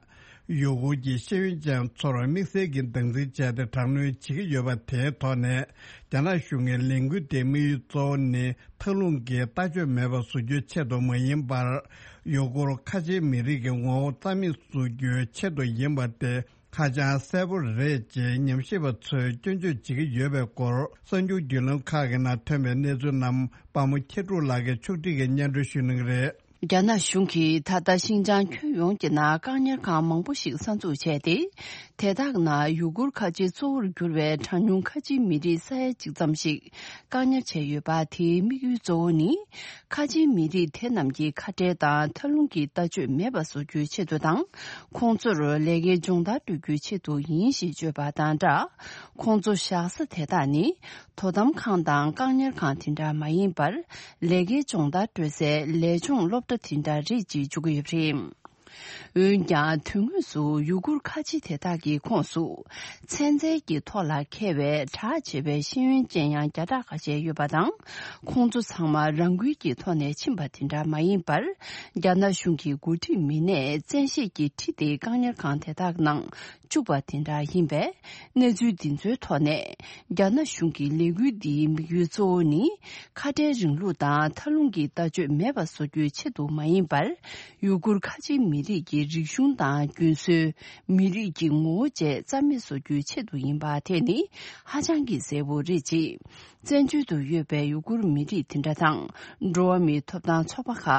ཡུ་གུར་གྱི་ཤེས་ཡོན་ཅན་ཚོར་དམིགས་བསལ་གྱི་སྡང་འཛིན་བྱས་ཏེ་དྲག་གནོན་བྱེད་ཀྱི་ཡོད་པ་དེའི་ཐོག་ནས། རྒྱ་ནག་གཞུང་གིས་ལས་འགུལ་དེའི་དམིགས་ཡུལ་གཙོ་བོ་ནི། མཐའ་ལྷུང་གི་ལྟ་སྤྱོད་མེད་པ་བཟོ་རྒྱུའི་ཆེད་དུ་མ་ཡིན་པར། ཡུ་གུར་ཁ་ཆེའི་མི་རིགས་ཀྱི་ངོ་བོ་རྩ་མེད་བཟོ་རྒྱུའི་ཆེད་དུ་ཡིན་པ་དེ་ཧ་ཅང་གསལ་པོ་རེད་ཅེས་ཉམས་ཞིབ་པ་ཚོས་སྐྱོན་བརྗོད་བྱེད་ཀྱི་ཡོད་པའི་སྐོར། གསར་འགྱུར་བརྒྱུད་ལམ་ཁག་གི་ནང་ཐོན་པའི་གནས་ཚུལ་རྣམས་དཔའ་མོ་མཁྱེན་གྲུབ་ལགས་ཀྱིས་ཕྱོགས་སྒྲིག་གིས་སྙན་སྒྲོན་ཞུ་གནང་གི་རེད། རྒྱ་ནག་གཞུང་གིས་ད་ལྟ་ཤིན་ཅང་ཁྱོན་ཡོངས་ཀྱི་ནང་བཀག་ཉར་ཁང་མང་པོ་ཞིག་གསར་འཛུགས་བྱས་ཏེ། དེ་དག་ནང་ཡུ་གུར་ཁ་ཆེ་གཙོ་བོར་གྱུར་བའི་གྲངས་ཉུང་ཁ་ཆེའི་མི་རིགས་ས་ཡ་གཅིག་ཙམ་ཞིག་བཀག་ཉར་བྱས་ཡོད་པ། དེའི་དམིགས་ཡུལ་གཙོ་བོ་ནི། ཁ་ཆེའི་མི་རིགས་དེ་རྣམས་ཀྱི་ཁ་བྲལ་དང་མཐའ་ལྷུང་གི་ལྟ་སྤྱོད་མེད་པ་བཟོ་རྒྱུའི་ཆེད་དུ་དང་། ཁོང་ཚོར་ལས་ཀའི་སྦྱོང་བརྡར་སྤྲོད་རྒྱུའི་ཆེད་དུ་ཡིན་ཞེས་བརྗོད་པ་དང་སྦྲགས། ཁོང་ཚོ་བཞག་ས་དེ་དག་ནི། དོ་དམ་ཁང་དང་བཀག་ཉར་ཁང་དེ་འདྲ་མ་ཡིན་པར། ལས་ཀའི་སྦྱོང་བརྡར་སྤྲོད་སའི་ལས་སྦྱོང་སློབ་གྲྭ་དེ་འདྲ་རེད་ཅེས་བརྗོད་ཀྱི་ཡོད་པ་རེད། འོན་ཀྱང་། དོན་དངོས་སུ་ཡུ་གུར་ཁ་ཆེ་དེ་དག་གི་ཁོངས་སུ། ཚན་རྩལ་གྱི་ཐོག་ལ་མཁས་པའི་གྲགས་ཆེ་བའི་ཤེས་ཡོན་ཅན་ཡང་བརྒྱ་ཕྲག་ཁ་ཤས་ཡོད་པ་དང་། ཁོང་ཚོ་ཚང་མ་རང་འགུལ་གྱི་ཐོག་ནས་ཕྱིན་པ་དེ་འདྲ་མ་ཡིན་པར། རྒྱ་ནག་གཞུང་གི་འགོ་ཁྲིད་མི་སྣས་བཙན་ཤེད་ཀྱིས་ཁྲིད་དེ་བཀག་ཉར་ཁང་དེ་དག་ནང་བཅུག་པ་དེ་འདྲ་ཡིན་པས། གནས་ཚུལ་འདི་ཚོའི་ཐོག་ནས། རྒྱ་ནག་གཞུང་གི་ལས་འགུལ་འདིའི་དམིགས་ཡུལ་གཙོ་བོ་ནི། ཁ་བྲལ་རིང་ལུགས་དང་མཐའ་ལྷུང་གི་ལྟ་སྤྱོད་མེད་པ་བཟོ་རྒྱུའི་ཆེད་དུ་མ་ཡིན་པར། ཡུ་གུར་ཁ་ཆེའི་མི་རིགས་ཀྱི་རིག་གཞུང་དང་རྒྱུན་སྲོལ། མི་རིགས་ཀྱི་ངོ་བོ་བཅས་རྩ་མེད་བཟོ་རྒྱུའི་ཆེད་དུ་ཡིན་པ་དེ་ནི་ཧ་ཅང་གི་གསལ་པོ་རེད་ཅེས། བཙན་བྱོལ་དུ་ཡོད་པའི་ཡུ་གུར་མི་རིགས་དེ་འདྲ་དང་། འགྲོ་བ་མིའི་ཐོབ་ཐང་ཚོགས་པ་ཁག་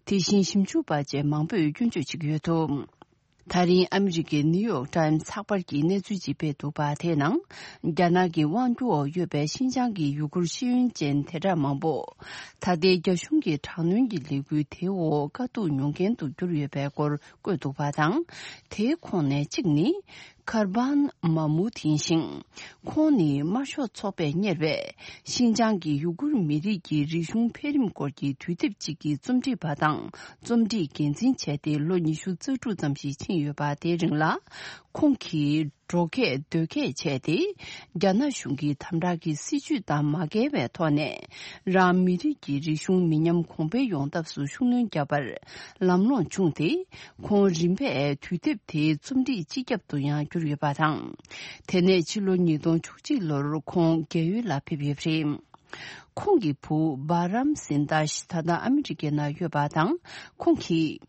དེ་བཞིན་ཞིབ་འཇུག་པ་བཅས་མང་པོས་སྐྱོན་བརྗོད་བྱེད་ཀྱི་ཡོད་འདུག་ད་རིང་ཨ་མི་རི་ཀའི་ནིའུ་ཡོག་ཊའིམ་ཚགས་པར་གྱིས་གནས་ཚུལ་ཅིག་སྤེལ་འདུག་པ། དེའི་ནང་། རྒྱ་ནག་གི་དབང་སྒྱུར་འོག་ཡོད་པའི་ཤིན་ཅང་གི་ཡུ་གུར་ཤེས་ཡོན་ཅན་དེ་འདྲ་མང་པོ། ད་ལྟའི་རྒྱ་གཞུང་གི་དྲག་གནོན་གྱི་ལས་འགུལ་དེའི་འོག་དཀའ་སྡུག་མྱོང་མཁན་དུ་གྱུར་ཡོད་པའི་སྐོར་བཀོད་འདུག་པ་དང་། དེའི་ཁོངས་ནས་གཅིག་ནི། ཁར་བན་མ་མུ་ཐིན་ཞིང་། ཁོང་ནི་དམར་ཤོག་ཚོགས་པས་གཉེར་བའི་ཤིན་ཅང་གི་ཡུ་གུར་མི་རིགས་ཀྱི་རིག་གཞུང་འཕེལ་རིམ་སྐོར་གྱི་དུས་དེབ་ཅིག་གི་རྩོམ་སྒྲིག་པ་དང་རྩོམ་སྒྲིག་འགན་འཛིན་བྱས་ཏེ་ལོ་ཉི་ཤུ་རྩ་དྲུག་ཙམ་ཞིག་ཕྱིན་ཡོད་པ། དེའི་རིང་ལ་ཁོང་གིས་འགྲོ་སྐྱོད་སྡོད་སྐྱོད་བྱས་ཏེ། རྒྱ་ནག་གཞུང་གི་དམ་དྲག་གི་སྲིད་བྱུས་དང་མ་འགལ་བའི་ཐོག་ནས་རང་མི་རིགས་ཀྱི་རིག་གཞུང་མི་ཉམས་གོང་འཕེལ་ཡོང་ཐབས་སུ་ཤུགས་སྣོན་བརྒྱབ་པར་ལམ་ལྷོང་བྱུང་སྟེ། ཁོང་རིམ་པས་དུས་དེབ་དེའི་རྩོམ་སྒྲིག་སྤྱི་ཁྱབ་ཏུ་ཡང་གྱུར་ཡོད་པ་དང་། དེ་ནས་ཕྱི་ལོ་ཉིས་སྟོང་བཅུ་གཅིག་ལོར་ཁོང་རྒས་ཡོལ་ལ་ཕེབས་ཡོད་པ་རེད། ཁོང་གི་བུ་བྷ་རམ་སིན་དཱ་ཤི་ད་ལྟ་ཨ་མི་རི་ཀའི་ནང་ཡོད་པ་དང་། ཁོང་གིས།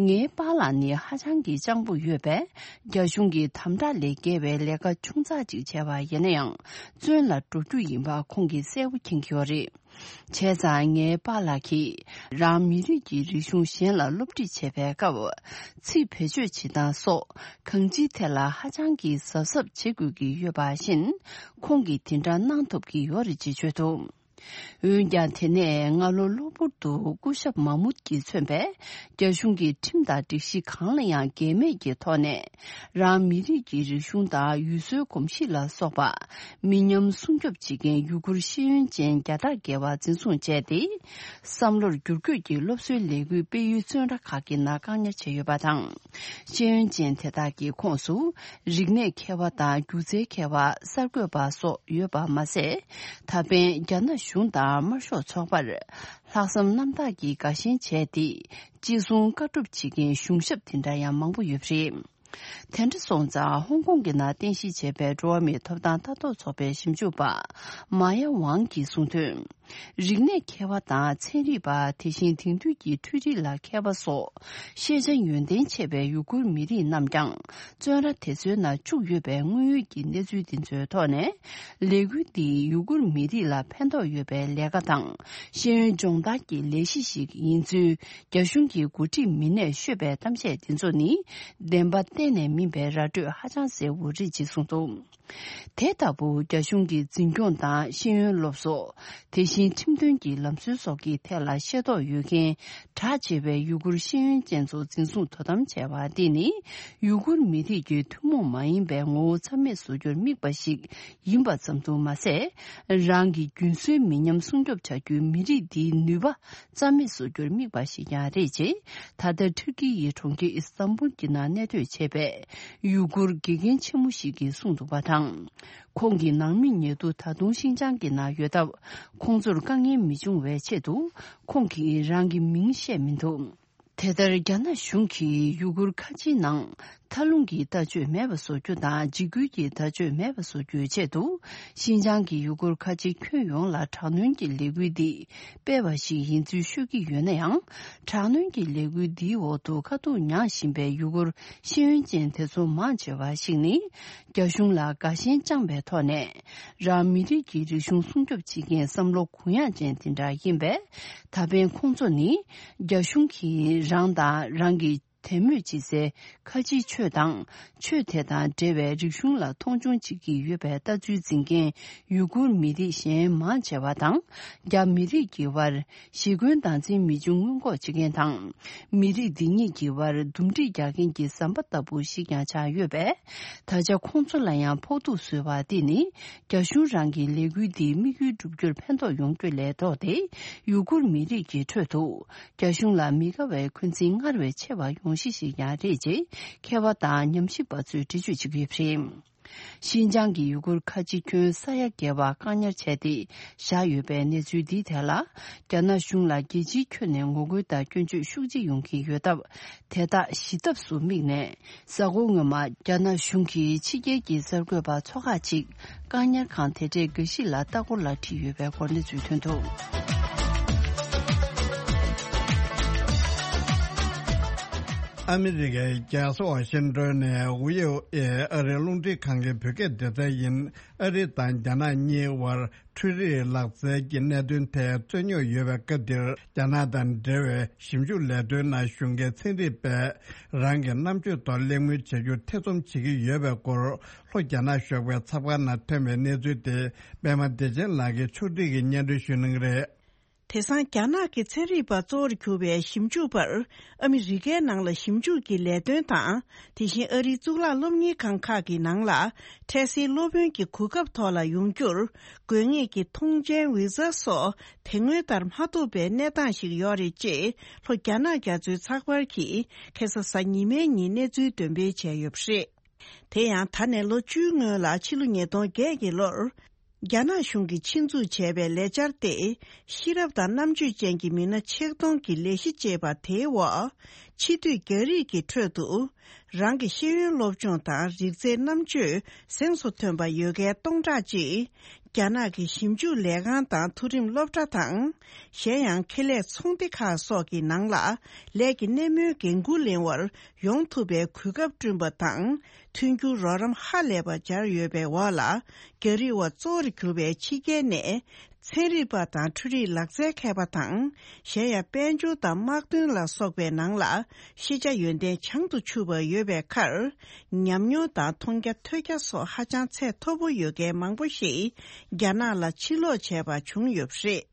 ངའི་པཱ་ལགས་ནི་ཧ་ཅང་གི་སྤྱང་པོ་ཡོད་པས། རྒྱ་གཞུང་གི་དམ་དྲག་ལས་བརྒལ་བའི་ལས་ཀ་ཆུང་ཙག་ཅིག་བྱས་པ་ཡིན་ན་ཡང་། བཙོན་ལ་འགྲོ་རྒྱུ་ཡིན་པ་ཁོང་གིས་གསལ་པོ་མཁྱེན་གྱི་ཡོད་རེད། བྱས་ཙང་ངའི་པཱ་ལགས་ཀྱིས་རང་མི་རིགས་ཀྱི་རིག་གཞུང་གཞན་ལ་སློབ་ཁྲིད་བྱེད་པའི་སྐབས། ཚིག་བེད་སྤྱོད་བྱེད་སྟངས་སོགས་གང་ཅིའི་ཐད་ལ་ཧ་ཅང་གི་གཟབ་གཟབ་བྱེད་དགོས་ཀྱི་ཡོད་པ་བཞིན། ཁོང་གིས་དེ་འདྲ་གནང་ཐུབ་ཀྱི་ཡོད་རེད་ཅེས་བརྗོད་འདུག་འོན་ཀྱང་། དེ་ནས་སྔ་ལོ་གློ་བུར་དུ་སྐུ་ཞབས་མཱ་མུད་ཀྱིས་མཚོན་པའི་རྒྱ་གཞུང་གི་ཁྲིམས་དང་སྒྲིག་གཞི་གང་ལ་ཡང་འགལ་མེད་ཀྱི་ཐོག་ནས། རང་མི་རིགས་ཀྱི་རིག་གཞུང་དང་ཡུལ་སྲོལ་གོམས་གཤིས་ལ་སོགས་པ་མི་ཉམས་སྲུང་སྐྱོབ་བྱེད་མཁན་ཡུ་གུར་ཤེས་ཡོན་ཅན་བརྒྱ་དང་བརྒལ་བ་འཛིན་བཟུང་བྱས་ཏེ། བསམ་བློར་བསྒྱུར་བཀོད་ཀྱི་སློབ་གསོའི་ལས་འགུལ་སྤེལ་ཡུལ་བཙོན་ར་ཁག་གི་ནང་བཀག་ཉར་བྱས་ཡོད་པ་དང་། ཤེས་ཡོན་ཅན་དེ་དག་གི་ཁོངས་སུ། རིག་གནས་མཁས་པ་དང་སྒྱུ་རྩལ་མཁས་པ། གསར་འགོད་པ་སོགས་ཡོད་པ་མ་ཟད། ད་ཕན་རྒྱ་ནག་གཞུང་དང་དམར་ཤོག་ཚོགས་པར་ལྷག་བསམ་རྣམ་དག་གིས་དགའ་ཞེན་བྱས་ཏེ། ཅི་གསུང་བཀའ་སྒྲུབ་བྱེད་མཁན་གཞུང་ཞབས་དེ་འདྲ་ཡང་མང་པོ་ཡོད་པ་རེད། དེ་འདྲ་སོང་ཙང་ཧོང་ཀོང་གི་ནང་རྟེན་གཞི་བྱས་པའི་འགྲོ་བ་མིའི་ཐོབ་ཐང་ལྟ་རྟོག་ཚོགས་པའི་ཞིབ་འཇུག་པ་མཱ་ཡ་ཝང་གིས་གསུངས་དོན། རིག་གནས་མཁས་པ་དང་ཚན་རིག་པ། དེ་བཞིན་དེང་དུས་ཀྱི་འཕྲུལ་རིག་ལ་མཁས་པ་སོགས་ཤེས་བྱ་ཡོན་ཏན་ཆེ་བའི་ཡུ་གུར་མི་རིགས་རྣམས་ཀྱང་བཙོན་ར་དེ་ཚོའི་ནང་བཅུག་ཡོད་པའི་དངོས་ཡོད་ཀྱི་གནས་ཚུལ་འདི་ཚོའི་ཐོག་ནས། ལས་འགུལ་འདིས་ཡུ་གུར་མི་རིགས་ལ་ཕན་ཐོགས་ཡོད་པའི་ལས་ཀ་དང་ཤེས་ཡོན་སྦྱོང་བརྡར་གྱི་ལས་གཞི་ཞིག་ཡིན་ཚུལ་རྒྱ་གཞུང་གི་འགོ་ཁྲིད་མི་སྣས་ཤོད་པའི་གཏམ་བཤད་འདི་ཚོ་ནི། བདེན་པ་གཏན་ནས་མིན་པའི་ར་སྤྲོད་ཧ་ཅང་གསལ་པོ་རེད་ཅེས་གསུངས་འདུག་དེ་ལྟ་བུ་རྒྱ་གཞུང་གི་འཛིན་སྐྱོང་དང་ཤེས་ཡོན་སློབ་གསོ། དེ་བཞིན་ཁྲིམས་དོན་གྱི་ལམ་སྲོལ་སོགས་ཀྱི་ཐད་ལ་ཤེས་རྟོགས་ཡོད་མཁན་གྲགས་ཆེ་བའི་ཡུ་གུར་ཤེས་ཡོན་ཅན་ཚོ་འཛིན་བཟུང་དོ་དམ་བྱས་པ་འདི་ནི། ཡུ་གུར་མི་རིགས་ཀྱི་ཐུན་མོང་མ་ཡིན་པའི་ངོ་བོ་རྩ་མེད་བཟོ་རྒྱུར་དམིགས་པ་ཞིག་ཡིན་པ་ཙམ་དུ་མ་ཟད། རང་གི་རྒྱུན་སྲོལ་མི་ཉམས་སྲུང་སྐྱོབ་བྱ་རྒྱུའི་མི་རིགས་འདིའི་ནུས་པ་རྩ་མེད་བཟོ་རྒྱུར་དམིགས་པ་ཞིག་ཀྱང་རེད་ཅེས། ད་ལྟ་ཐུར་ཀི་ཡི་གྲོང་ཁྱེར་ཨི་སི་ཐན་བུལ་གྱི་ནང་གནས་སྡོད་བྱེད་པའི་ཡུ་གུར་དགེ་རྒན་ཆེན་མོ་ཞིག་གིས་གསུངས་འདུག་པ་དང་། ཁོང་གི་ནང་མི་ཉེ་དུ་ད་དུང་ཤིན་ཅང་གི་ནང་ཡོད་སྟབས། ཁོང་ཚོར་དཀའ་ངལ་མི་འབྱུང་བའི་ཆེད་དུ། ཁོང་གིས་རང་གི་མིང་བཤད་མི་འདུག་དེ་ལྟར། རྒྱ་ནག་གཞུང་གིས་ཡུ་གུར་ཁ་ཆེའི་ནང་མཐའ་ལྷུང་གི་ལྟ་སྤྱོད་མེད་པ་བཟོ་རྒྱུ་དང་། འཇིགས་སྐུལ་གྱི་ལྟ་སྤྱོད་མེད་པ་བཟོ་རྒྱུའི་ཆེད་དུ། ཤིན་ཅང་གི་ཡུ་གུར་ཁ་ཆེ་ཁྱོན་ཡོངས་ལ་དྲག་གནོན་གྱི་ལས་འགུལ་འདི་སྤེལ་བ་ཞིག་ཡིན་ཚུལ་ཤོད་ཀྱི་ཡོད་ན་ཡང་། དྲག་གནོན་གྱི་ལས་འགུལ་འདིའི་འོག་ཏུ་དཀའ་སྡུག་མྱངས་བཞིན་པའི་ཡུ་གུར་ཤེས་ཡོན་ཅན་དེ་ཚོ་མང་ཆེ་བ་ཞིག་ནི། རྒྱ་གཞུང་ལ་དགའ་ཞེན་བཅངས་པའི་ཐོག་ནས། རང་མི་རིགས་ཀྱི་རིག་གཞུང་སྲུང་སྐྱོབ་བྱེད་མཁན་བསམ་བློ་གུ་ཡངས་ཅན་དེ་འདྲ་ཡིན་པས། ད་ཕན་ཁོང་ཚོ་ནི། རྒྱ་གཞུང་གིས་རང་དང་རང་གི་དད་མོས་བྱེད་སའི་ཁ་ཆེའི་ཆོས་དང་། ཆོས་དེ་དང་འབྲེལ་བའི་རིག་གཞུང་ལ་མཐོང་ཆུང་བྱེད་ཀྱི་ཡོད་པའི་ལྟ་ཚུལ་འཛིན་མཁན་ཡུ་གུར་མི་རིགས་གཞན་མང་ཆེ་བ་དང་། རྒྱ་མི་རིགས་ཀྱི་དབར་ཞི་རྒོལ་སྟངས་འཛིན་མི་འབྱུང་སྔོན་འགོག་བྱེད་མཁན་དང་། མི་རིགས་འདི་གཉིས་ཀྱི་དབར་འདུམ་འགྲིག་རྒྱག་མཁན་གྱི་ཟམ་པ་ལྟ་བུ་ཞིག་ཀྱང་ཆགས་ཡོད་པས། ད་ཆ་ཁོང་ཚོ་ལ་ཡང་ཕོག་ཐུག་བཟོས་པ་འདི་ནི། རྒྱ་གཞུང་རང་གི་ལས་འགུལ་འདིའི་དམིགས་ཡུལ་བསྒྲུབ་རྒྱུར་ཕན་ཐོགས་ཡོང་རྒྱུ་ལས་ལྡོག་སྟེ། ཡུ་གུར་མི་རིགས་ཀྱི་ཁྲོད་དུ། རྒྱ་གཞུང་ལ་མི་དགའ་བའི་འཁོན་འཛིན་སྔར་བས་ཆེ་བ་ཡོང་གཞི་ཞིག་ཀྱང་རེད་ཅེས། མཁས་པ་དང་ཉམས་ཞིབ་པ་ཚོས་འགྲེལ་བརྗོད་བྱེད་ཀྱི་ཡོད་པ་རེད། ཤིན་ཅང་གི་ཡུ་གུར་ཁ་ཆེ་ཁྱོན་ས་ཡ་བརྒལ་བ་བཀག་ཉར་བྱས་ཏེ་བཞག་ཡོད་པའི་གནས་ཚུལ་འདིའི་ཐད་ལ། རྒྱ་ནག་གཞུང་ལ་རྒྱལ་སྤྱིའི་ཁྱོན་ནས་ངོ་རྒོལ་དང་སྐྱོན་བརྗོད་ཤུགས་ཆེ་ཡོང་གི་ཡོད་སྟབས། དེ་དག་ཞི་ཐབས་སུ་དམིགས་ནས། གཟའ་འཁོར་སྔོན་མ། རྒྱ་ནག་གཞུང་གིས་ཕྱི་རྒྱལ་གྱི་གསར་འགོད་པ་ཚོ་ཁག་ཅིག་བཀག་ཉར་ཁང་དེ་འདྲའི་འགའ་ཞིག་ལ་ལྟ་སྐོར་ལ་ཁྲིད་ཡོད་པའི་སྐོར་གནས་ཚུལ་ཐོན་འདུག་ཨ་མི་རི་ཀའི་རྒྱལ་ས་ཝ་ཤིང་ཏོན་ནས་ཝི་ཨོ་ཨེ་ཨ་རིའི་རླུང་འཕྲིན་ཁང་གི་བོད་སྐད་སྡེ་ཚན་ཡིན། ཨ་རི་དང་རྒྱ་ནག་གཉིས་དབར་འཕྲུལ་རིག་ལག་རྩལ་གྱི་གནད་དོན་ཐད་རྩོད་རྙོག་ཡོད་པའི་སྐབས་འདིར། རྒྱ་ནག་དང་འབྲེལ་བའི་ཞིབ་འཇུག་ལས་དོན་ནང་ཞུགས་མཁན་ཚན་རིག་པས་རང་གི་རྣམ་དཔྱོད་ཐོག་གླེང་མོལ་བྱ་རྒྱུ་ཐེ་ཚོམ་བྱེད་ཀྱི་ཡོད་པའི་སྐོར། ལྷོ་རྒྱ་ནག་གཞུང་གི་ཚགས་པར་ནང་ཐོན་པའི་གནས་ཚུལ་དེ། པད་མ་བདེ་ཆེན་ལགས་ཀྱིས་ཕྱོགས་སྒྲིག་གིས་སྙན་སྒྲོན་ཞུ་གནང་གི་རེད། དེང་སང་རྒྱ་ནག་གི་ཚན་རིག་པ་གཙོ་བོར་གྱུར་པའི་ཞིབ་འཇུག་པར་ཨ་མི་རི་ཀའི་ནང་ལ་ཞིབ་འཇུག་གི་ལས་དོན་དང་། དེ་བཞིན་ཨ་རིའི་གཙུག་ལག་སློབ་གཉེར་ཁང་ཁག་གི་ནང་ལ་འཕྲལ་སེལ་སློབ་དཔོན་གྱི་གོ་སྐབས་ཐོག་ལ་ཡོང་རྒྱུར་དགོས་ངེས་ཀྱི་ཐོངས་མཆན་ཝི་ཟ་སོགས་དེ་སྔོན་ལྟར་མ་ཐོབ་པའི་གནས་སྟངས་ཤིག་ཡོད་རེད་ཅེས་ལྷོ་རྒྱ་ནག་རྒྱ་མཚོའི་ཚགས་པར་གྱིས་ཁ་སང་གཟའ་ཉི་མའི་ཉིན་གནས་ཚུལ་འདོན་སྤེལ་བྱས་ཡོད་པ་རེད། དེ་ཡང་ད་ནས་ལོ་བཅུའི་སྔོན་ལ་ཕྱི་ལོ་ཉིས་སྟོང་བརྒྱད་ཀྱི་ལོར། རྒྱ་ནག་གཞུང་གིས་ཆེད་འཛུགས་བྱས་པའི་ལས་འཆར་ཏེ། ཤེས་རབ་དང་རྣམ་དཔྱོད་ཅན་གྱི་མི་སྣ་ཆེད་གཏོང་གི་ལས་གཞི་ཅེས་པ་དེའི་འོག་ཕྱི་སྡོད་རྒྱ་རིགས་ཀྱི་ཁྲོད་དུ། རང་གི་ཤེས་ཡོན་སློབ་སྦྱོང་དང་རིག་རྩལ་རྣམ་དཔྱོད་གཟེངས་སུ་ཐོན་པ་ཡོད་མཁན་སྟོང་ཕྲག་གཅིག་རྒྱ་ནག་གི་ཞིབ་འཇུག་ལས་ཁང་དང་མཐོ་རིམ་སློབ་གྲྭ་དང་། གཞན་ཡང་ཁེ་ལས་ཚོང་སྡེ་ཁག་སོགས་ཀྱི་ནང་ལ་ལས་ཀྱི་སྣེ་མོའི་འགན་འཁུར་ལེན་པར་ཡོང་ཐུབ་པའི་གོ་སྐབས་བསྐྲུན་པ་དང་། མཐུན་འགྱུར་རོགས་རམ་ཧ་ལས་པ་སྦྱར་ཡོད་པའི་འོག་ལ། རྒྱ་རིགས་བ་གཙོ་བོར་གྱུར་པའི་ཕྱི་རྒྱལ་ནས། ཚན་རིག་པ་དང་འཕྲུལ་རིག་ལག་རྩལ་མཁས་པ་དང་། གཞན་ཡང་དཔལ་འབྱོར་དང་དམག་དོན་ལ་སོགས་པའི་ནང་ལ་ཤེས་བྱ་ཡོན་ཏན་བྱང་དུ་ཆུད་པ་ཡོད་པའི་ཁར། ཉམས་མྱོང་དང་མཐོང་རྒྱ་ཐོས་རྒྱ་སོགས་ཧ་ཅང་ཚད་མཐོ་པོ་ཡོད་མཁན་མང་པོ་ཞིག་རྒྱ་ནག་ལ་ཕྱིར་ལོག་བྱས་པ་བྱུང་ཡོད་པ་རེད།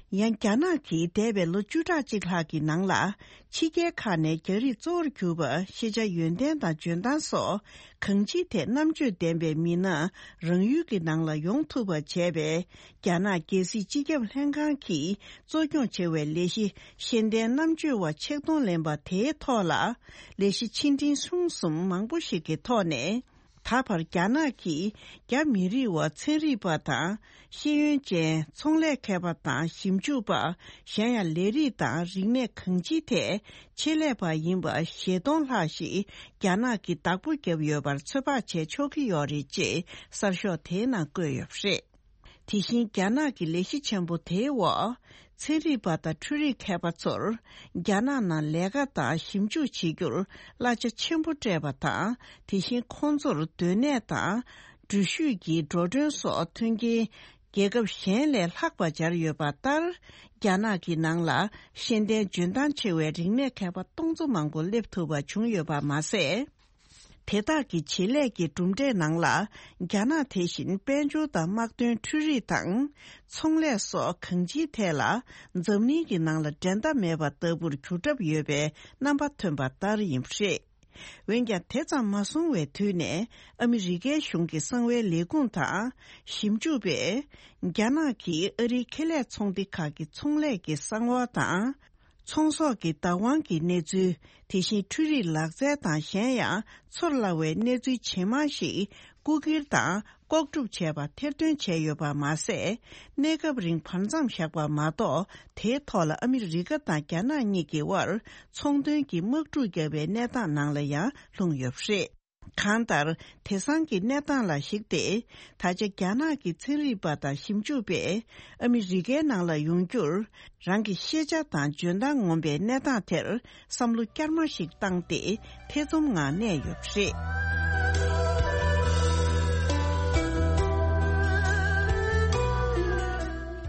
ཡང་རྒྱ་ནག་གིས་འདས་པའི་ལོ་བཅུ་ཕྲག་གཅིག་ལྷག་གི་ནང་ལ། ཕྱི་རྒྱལ་ཁག་ནས་རྒྱ་རིགས་གཙོ་བོར་གྱུར་པ་ཤེས་བྱ་ཡོན་ཏན་དང་འཇོན་ཐང་སོགས་གང་ཅིའི་ཐད་རྣམ་དཔྱོད་ལྡན་པའི་མི་སྣ་རང་ཡུལ་གྱི་ནང་ལ་ཡོང་ཐུབ་པ་བྱས་པའི། རྒྱ་ནག་རྒྱལ་སྲིད་སྤྱི་ཁྱབ་ལྷན་ཁང་གིས་གཙོ་སྐྱོང་བྱེད་པའི་ལས་གཞི་ཤེས་ལྡན་རྣམ་དཔྱོད་པ་ཆིག་སྟོང་ལེན་པ་དེའི་ཐོག་ལ། ལས་གཞི་ཆེ་འབྲིང་ཆུང་གསུམ་མང་པོ་ཞིག་གི་ཐོག་ནས། ད་བར་རྒྱ་ནག་གིས་རྒྱ་མི་རིགས་བ་ཚན་རིག་པ་དང་། ཤེས་ཡོན་ཅན་ཚོང་ལས་མཁས་པ་དང་ཞིབ་འཇུག་པ། གཞན་ཡང་ལས་རིགས་དང་རིག་གནས་གང་ཅིའི་ཐད་ཆེད་ལས་པ་ཡིན་པ་བཞི་སྟོང་ལྷག་ཞིག་རྒྱ་ནག་གིས་བདག་པོ་བརྒྱབ་ཡོད་པར་ཚོད་དཔག་བྱེད་ཆོག་གི་ཡོད་རེད་ཅེས་གསར་ཤོག་དེའི་ནང་བཀོད་ཡོད་པ་རེད། དེ་བཞིན་རྒྱ་ནག་གི་ལས་གཞི་ཆེན་པོ་དེའི་འོག་ཚན་རིག་པ་དང་འཕྲུལ་རིག་མཁས་པ་ཚོར་རྒྱ་ནག་ནང་ལས་ཀ་དང་ཞིབ་འཇུག་བྱེད་རྒྱུར་གླ་ཆ་ཆེན་པོ་སྤྲད་པ་དང་། དེ་བཞིན་ཁོང་ཚོར་སྡོད་གནས་དང་འགྲུལ་བཞུད་ཀྱི་འགྲོ་གྲོན་སོགས་མཐུན་རྐྱེན་རྒྱལ་ཁབ་གཞན་ལས་ལྷག་པ་སྦྱར་ཡོད་པ་ལྟར། རྒྱ་ནག་གི་ནང་ལ་ཤེས་ལྡན་འཇོན་ཐང་ཆེ་བའི་རིག་གནས་མཁས་པ་སྟོང་ཚོ་མང་པོ་སླེབས་ཐུབ་པ་བྱུང་ཡོད་པ་མ་ཟད། དེ་དག་གི་བྱེད་ལས་ཀྱི་གྲུབ་འབྲས་ནང་ལ། རྒྱ་ནག་དེ་བཞིན་དཔལ་འབྱོར་དང་དམག་དོན། འཕྲུལ་རིག་དང་། ཚོང་ལས་སོགས་གང་ཅིའི་ཐད་ལ། འཛམ་གླིང་གི་ནང་ལ་འགྲན་ཟླ་མེད་པ་ལྟ་བུར་གྱུར་གྲབས་ཡོད་པའི་རྣམ་པ་ཐོན་པ་ལྟར་ཡིན་པ་རེད། འོན་ཀྱང་། དེ་ཙམ་མ་སོང་བའི་དུས་ནས། ཨ་མི་རི་ཀའི་གཞུང་གི་གསང་བའི་ལས་ཁུངས་དང་། ཞིབ་འཇུག་པས། རྒྱ་ནག་གིས་ཨ་རིའི་ཁེ་ལས་ཚོང་སྡེ་ཁག་གི་ཚོང་ལས་ཀྱི་གསང་བ་དང་། ཚོང་ཟོག་གི་བདག་དབང་གི་གནས་ཚུལ། དེ་བཞིན་འཕྲུལ་རིག་ལག་རྩལ་དང་། གཞན་ཡང་ཚོར་སླ་བའི་གནས་ཚུལ་ཇེ་མང་ཞིག་རྐུ་འཁྱེར་དང་ལྐོག་སྒྲུབ་བྱས་པ་ཐེར་འདོན་བྱས་ཡོད་པ་མ་ཟད། གནས་སྐབས་རིང་བར་མཚམས་བཞག་པ་མ་གཏོགས། དེའི་ཐོག་ལ་ཨ་མི་རི་ཀ་དང་རྒྱ་ནག་གཉིས་ཀྱི་དབར་ཚོང་དོན་གྱི་དམག་འཁྲུག་བརྒྱབ་པའི་གནས་སྟངས་ནང་ལ་ཡང་ལྷུང་ཡོད་པ་རེད། གང་ལྟར། དེང་སང་གི་གནས་སྟངས་ལ་གཞིགས་ཏེ། ད་ཆ་རྒྱ་ནག་གི་ཚན་རིག་པ་དང་ཞིབ་འཇུག་པས་ཨ་མི་རི་ཀའི་ནང་ལ་ཡོང་རྒྱུར། རང་གི་ཤེས་བྱ་དང་འཇོན་ཐང་ངོམ་པའི་གནས་སྟངས་དེར་བསམ་བློ་བསྐྱར་མ་ཞིག་བཏང་སྟེ་ཐེ་ཚོམ་ངང་གནས་ཡོད་པ་རེད།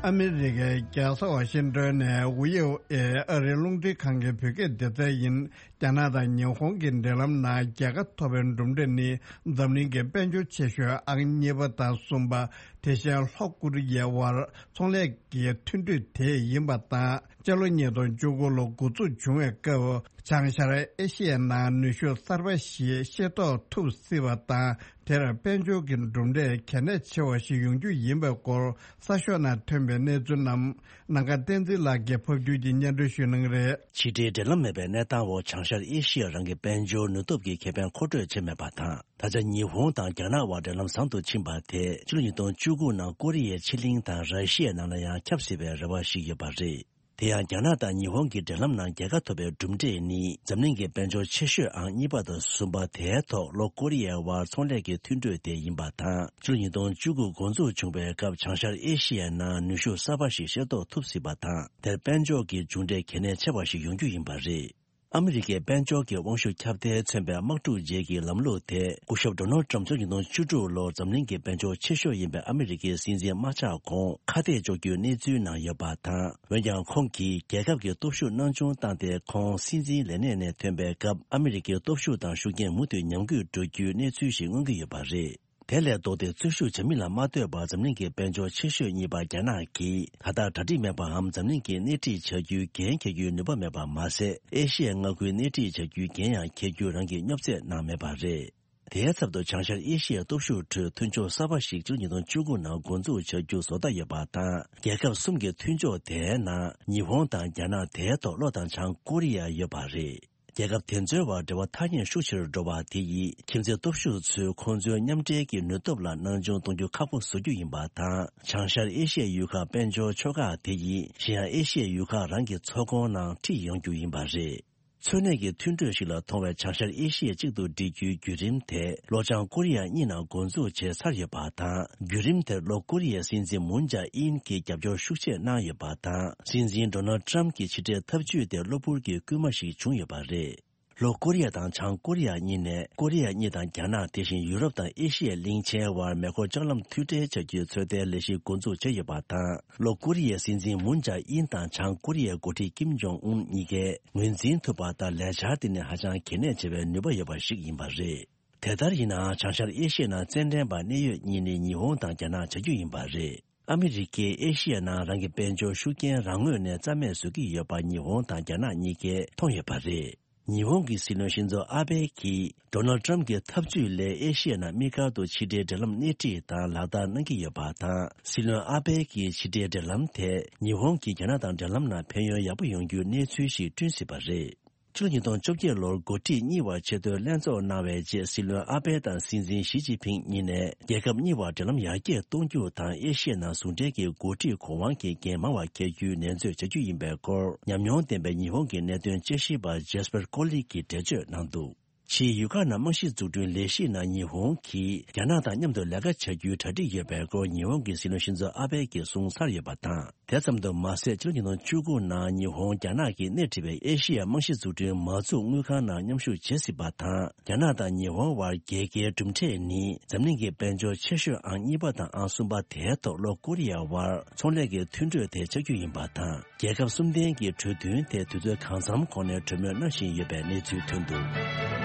ཨ་མི་རི་ཀའི་རྒྱལ་ས་ཝ་ཤིང་ཏོན་ནས་ཝི་ཨོ་ཨེ་ཨ་རིའི་རླུང་འཕྲིན་ཁང་གི་བོད་སྐད་སྡེ་ཚན་ཡིན། རྒྱ་ནག་དང་ཉི་ཧོང་གི་འབྲེལ་ལམ་ནང་རྒྱལ་ཁ་ཐོབ་པའི་གྲུབ་འབྲས་ནི། འཛམ་གླིང་གི་དཔལ་འབྱོར་ཆེ་ཤོས་ཨང་གཉིས་པ་དང་གསུམ་པ། དེ་བཞིན་ལྷོ་ཀོ་རི་ཡའི་དབར་ཚོང་ལས་ཀྱི་མཐུན་གྲོས་དེ་ཡིན་པ་དང་། སྤྱི་ལོ་ཉིས་སྟོང་བཅུ་དགུ་ལོ་འགོ་འཛུགས་བྱུང་བའི་སྐབས། བྱང་ཤར་ཨེ་ཤི་ཡའི་ནང་ནུས་ཤུགས་གསར་པ་ཞིག་ཤེས་རྟོགས་ཐུབ་སྲིད་པ་དང་། དེར་དཔལ་འབྱོར་གྱི་གྲུབ་འབྲས་གལ་གནད་ཆེ་བ་ཞིག་ཡོང་རྒྱུ་ཡིན་པའི་སྐོར། གསར་ཤོག་ནང་ཐོན་པའི་གནས་ཚུལ་རྣམས། ནམ་མཁའ་བསྟན་འཛིན་ལགས་ཀྱིས་ཕབ་སྒྱུར་གྱིས་སྙན་སྒྲོན་ཞུ་གནང་གི་རེད། ཕྱི་འབྲེལ་འབྲེལ་ལམ་མེད་པའི་གནས་སྟངས་འོག་བྱང་ཤར་ཨེ་ཤི་ཡ་རང་གི་དཔལ་འབྱོར་ནུས་སྟོབས་ཀྱི་ཁེ་ཕན་མཁོ་སྤྲོད་བྱེད་མེད་པ་དང་། ད་ཆ་ཉི་ཧོང་དང་རྒྱ་ནག་དབར་འབྲེལ་ལམ་བཟང་དུ་ཕྱིན་པ་དེ། ཕྱི་ལོ་ཉིས་སྟོང་བཅུ་དགུ་ནང་ཀོ་རི་ཡའི་ཕྱེད་གླིང་དང་ར་ཤི་ཡའི་ནང་ལ་ཡང་ཁྱབ་སྲིད་པའི་རེ་བ་ཞིག་ཡོད་པ་རེད། དེ་ཡང་། རྒྱ་ནག་དང་ཉི་ཧོང་གི་འབྲེལ་ལམ་ནང་རྒྱལ་ཁ་ཐོབ་པའི་གྲུབ་འབྲས་ནི། འཛམ་གླིང་གི་དཔལ་འབྱོར་ཆེ་ཤོས་ཨང་གཉིས་པ་དང་གསུམ་པ་དེའི་ཐོག་ལྷོ་ཀོ་རི་ཡའི་དབར་ཚོང་ལས་ཀྱི་མཐུན་གྲོས་དེ་ཡིན་པ་དང་། ཕྱི་ལོ་ཉིས་སྟོང་བཅུ་དགུ་འགོ་འཛུགས་བྱུང་བའི་སྐབས། བྱང་ཤར་ཨེ་ཤི་ཡའི་ནང་ནུས་ཤུགས་གསར་པ་ཞིག་ཤེས་རྟོགས་ཐུབ་སྲིད་པ་དང་། དེར་དཔལ་འབྱོར་གྱི་མཇུག་འབྲས་གལ་གནད་ཆེ་བ་ཞིག་ཡོང་རྒྱུ་ཡིན་པ་རེད། ཨ་མི་རི་ཀའི་དཔལ་འབྱོར་གྱི་དབང་ཤུགས་ཁྱབ་གདལ་མཚོན་པའི་དམག་འཁྲུག་རྗེས་ཀྱི་ལམ་ལུགས་དེ། སྐུ་ཞབས་ཌོ་ནལ་ཊམ་ཕྱི་ལོ་ཉིས་སྟོང་བཅུ་དྲུག་ལོར་འཛམ་གླིང་གི་དཔལ་འབྱོར་ཆེ་ཤོས་ཡིན་པའི་ཨ་མི་རི་ཀའི་སྲིད་འཛིན་མ་ཆགས་གོང་ཁ་གཏད་གཅོག་རྒྱུའི་གནས་ཚུལ་ནང་ཡོད་པ་དང་། འོན་ཀྱང་། ཁོང་གིས་རྒྱལ་ཁབ་ཀྱི་སྟོབས་ཤུགས་སྣང་ཆུང་བཏང་སྟེ། ཁོང་སྲིད་འཛིན་ལས་གནས་ནས་ཐོན་པའི་སྐབས། ཨ་མི་རི་ཀའི་སྟོབས་ཤུགས་དང་ཤུགས་རྐྱེན་མུ་མཐུད་ཉམས་རྒུད་འགྲོ་རྒྱུའི་གནས་ཚུལ་ཞིག་མངོན་གྱི་ཡོད་པ་རེད། དེ་ལས་ལྡོག་སྟེ། རྩོད་ཤུགས་བྱ་མིན་ལ་མ་ལྟོས་པར། འཛམ་གླིང་གི་དཔལ་འབྱོར་ཆེ་ཤོས་གཉིས་པ་རྒྱ་ནག་གིས། ད་ལྟ་གྲ་སྒྲིག་མེད་པའམ། འཛམ་གླིང་གི་སྣེ་ཁྲིད་བྱ་རྒྱུའི་འགན་འཁྱེར་རྒྱུའི་ནུས་པ་མེད་པ་མ་ཟད། ཨེ་ཤི་ཡའི་མངའ་ཁུལ་སྣེ་ཁྲིད་བྱ་རྒྱུའི་འགན་ཡང་འཁྱེར་རྒྱུ་རང་གིས་སྙོབ་རྩེད་གནང་མེད་པ་རེད། དེའི་ཚབ་ཏུ། བྱང་ཤར་ཨེ་ཤི་ཡའི་སྟོབས་ཤུགས་ཁྲོད་མཐུན་ཕྱོགས་གསར་པ་ཞིག་ཕྱི་ལོ་ཉིས་སྟོང་བཅུ་དགུ་ནང་འགོ་འཛུགས་བྱ་རྒྱུ་བཟོ་ལྟ་ཡོད་པ་དང་། རྒྱལ་ཁབ་གསུམ་གྱི་མཐུན་ཕྱོགས་དེའི་ནང་། ཉི་ཧོང་དང་རྒྱ་ནག། དེའི་ཐོག་ལྷོ་དང་བྱང་ཀོ་རི་ཡ་ཡོད་པ་རེད། རྒྱལ་ཁབ་དེ་ཚོའི་བར་འབྲེལ་བ་ཐག་ཉེ་ཤུགས་ཆེ་རུ་འགྲོ་བ་དེ་ཡིས། ཁྱིམ་མཚེས་སྟོབས་ཤུགས་ཚོས་ཁོང་ཚོའི་མཉམ་འབྲེལ་གྱི་ནུས་སྟོབས་ལ་སྣང་ཆུང་གཏོང་རྒྱུ་ཁག་པོ་བཟོ་རྒྱུ་ཡིན་པ་དང་། བྱང་ཤར་ཨེ་ཤི་ཡའི་ཡུལ་ཁག་དཔལ་འབྱོར་ཕྱོགས་ཁག་དེ་ཡིས། གཞན་ཡང་ཨེ་ཤི་ཡའི་ཡུལ་ཁག་རང་གི་ཚོགས་ཁོངས་ནང་ཁྲིད་ཡོང་རྒྱུ་ཡིན་པ་རེད། འཚོ་གནས་ཀྱི་མཐུན་གྲོས་ཤིག་ལ་མཐོང་བའི་བྱང་ཤར་ཨེ་ཤི་ཡ་གཅིག་ཏུ་སྒྲིལ་རྒྱུའི་བརྒྱུད་རིམ་དེ་ལྷོ་བྱང་ཀོ་རི་ཡ་གཉིས་ནང་འགོ་འཛུགས་བྱས་ཚར་ཡོད་པ་དང་། བརྒྱུད་རིམ་དེར་ལྷོ་ཀོ་རི་ཡའི་སྲིད་འཛིན་མུན་ཇཱ་ཨིན་གྱིས་རྒྱབ་སྐྱོར་ཤུགས་ཆེ་གནང་ཡོད་པ་དང་། སྲིད་འཛིན་ཌོ་ནལ་ཌི་ཊརམ་གྱི་ཕྱི་འབྲེལ་འཐབ་ཇུས་དེ་གློ་བུར་གྱི་སྐུལ་མ་ཞིག་བྱུང་ཡོད་པ་རེད། ལྷོ་ཀོ་རི་ཡ་དང་བྱང་ཀོ་རི་ཡ་གཉིས་ནས་ཀོ་རི་ཡ་གཉིས་དང་རྒྱ་ནག་དེ་བཞིན་ཡུ་རོབ་དང་ཨེ་ཤི་ཡའི་གླིང་ཆེན་བར་མེ་འཁོར་ལྕགས་ལམ་མཐུད་སྦྲེལ་བྱ་རྒྱུའི་ཚོད་ལྟའི་ལས་གཞི་འགོ་འཛུགས་བྱས་ཡོད་པ་དང་། ལྷོ་ཀོ་རི་ཡའི་སྲིད་འཛིན་མུན་ཇཱ་ཨིན་དང་བྱང་ཀོ་རི་ཡའི་འགོ་ཁྲིད་ཀིམ་ཇོང་ཨུན་གཉིས་ཀས་ངོས་འཛིན་ཐུབ་པ་ལྟར་ལས་འཆར་དེ་ནི་ཧ་ཅང་གལ་གནད་ཆེ་བའི་ནུས་པ་ཡོད་པ་ཞིག་ཡིན་པ་རེད། དེ་ལྟར་ཡིན་ནའང་། བྱང་ཤར་ཨེ་ཤི་ཡའི་ནང་རྩེད་འགྲན་པ་གནད་ཡོད་གཉིས་ནི་ཉི་ཧོང་དང་རྒྱ་ནག་བྱ་རྒྱུ་ཡིན་པ་རེད། ཨ་མི་རི་ཀས་ཨེ་ཤི་ཡའི་ནང་རང་གི་དཔལ་འབྱོར་ཤུགས་རྐྱེན་རང་ངོས་ནས་རྩ་མེད་བཟོ་གི་ཡོད་པ་ཉི་ཧོང་དང་རྒྱ་ནག་གཉིས་ཀས་མཐོང་ཡོད་པ་རེད། ཉི་ཧོང་གི་སྲིད་བློན་ཤིན་ཛོ་ཨ་བྷེ་གིས་ཌོ་ནལ་ཌི་ཊརམ་གྱི་འཐབ་ཇུས་ལས་ཨེ་ཤི་ཡའི་ནང་དམིགས་བཀར་དུ་ཕྱི་འབྲེལ་འབྲེལ་ལམ་སྣེ་ཁྲིད་དང་ལག་བསྟར་གནང་གི་ཡོད་པ་དང་། སྲིད་བློན་ཨ་བྷེ་གིས་ཕྱི་འབྲེལ་འབྲེལ་ལམ་དེས་ཉི་ཧོང་གིས་རྒྱ་ནག་དང་འབྲེལ་ལམ་ནང་ཕན་ཡོན་ཡག་པོ་ཡོང་རྒྱུའི་གནས་ཚུལ་ཞིག་བསྐྲུན་སྲིད་པ་རེད། ཕྱི་ལོ་ཉིས་སྟོང་བཅོ་བརྒྱད་ལོར་འགོ་ཁྲིད་གཉིས་བར་ཆེས་མཐོའི་ལྷན་ཚོགས་གནང་བའི་རྗེས། སྲིད་བློན་ཨ་བྷེ་དང་སྲིད་འཛིན་ཞི་ཅིན་ཕིང་གཉིས་ནས་རྒྱལ་ཁབ་གཉིས་བར་འབྲེལ་ལམ་ཡར་རྒྱས་གཏོང་རྒྱུ་དང་། ཨེ་ཤི་ཡའི་ནང་ཟུང་འབྲེལ་གྱི་འགོ་ཁྲིད་གོ་དབང་གི་འགན་མང་བ་འཁྱེར་རྒྱུའི་ནན་བརྗོད་བྱ་རྒྱུ་ཡིན་པའི་སྐོར། ཉམས་མྱོང་ལྡན་པའི་ཉི་ཧོང་གི་གནད་དོན་དཔྱད་ཞིབ་པ་ཇེ་སི་པར་ཀོ་ལི་གིས་འགྲེལ་བརྗོད་གནང་འདུག་ཕྱིའི་ཡུལ་ཁག་ནང་རྨང་གཞི་འཛུགས་སྐྲུན་ལས་གཞི་ནང་ཉི་ཧོང་གིས་རྒྱ་ནག་དང་མཉམ་དུ་ལས་ཀ་བྱ་རྒྱུའི་གྲ་སྒྲིག་ཡོད་པའི་སྐོར། ཉི་ཧོང་གི་སྲིད་བློན་ཤིན་ཛོ་ཨ་བྷེ་གིས་གསུངས་ཚར་ཡོད་པ་དང་། དེ་ཙམ་དུ་མ་ཟད། ཕྱི་ལོ་ཉིས་སྟོང་བཅུ་དགུ་ནང་ཉི་ཧོང་རྒྱ་ནག་གིས་སྣེ་ཁྲིད་པའི་ཨེ་ཤི་ཡའི་རྨང་གཞི་འཛུགས་སྐྲུན་མ་འཛུགས་དངུལ་ཁང་ནང་མཉམ་ཞུགས་བྱེད་སྲིད་པ་དང་། རྒྱ་ནག་དང་ཉི་ཧོང་བར་རྒྱལ་ཁའི་གྲུབ་འབྲས་ནི། འཛམ་གླིང་གི་དཔལ་འབྱོར་ཆེ་ཤོས་ཨང་གཉིས་པ་དང་ཨང་གསུམ་པ་དེའི་ཐོག་ལྷོ་ཀོ་རི་ཡ་བར་ཚོང་ལས་ཀྱི་མཐུན་གྲོས་དེ་ཆགས་རྒྱུ་ཡིན་པ་དང་། རྒྱལ་ཁབ་གསུམ་ལྡན་གྱི་གྲོས་མཐུན་དེ་དུས་ཚོད་གང་འཚམ་གོང་ནས་གྲོས་མོལ་གནང་བཞིན་ཡོད་པའི་གནས་ཚུལ་ཐོན་འདུག་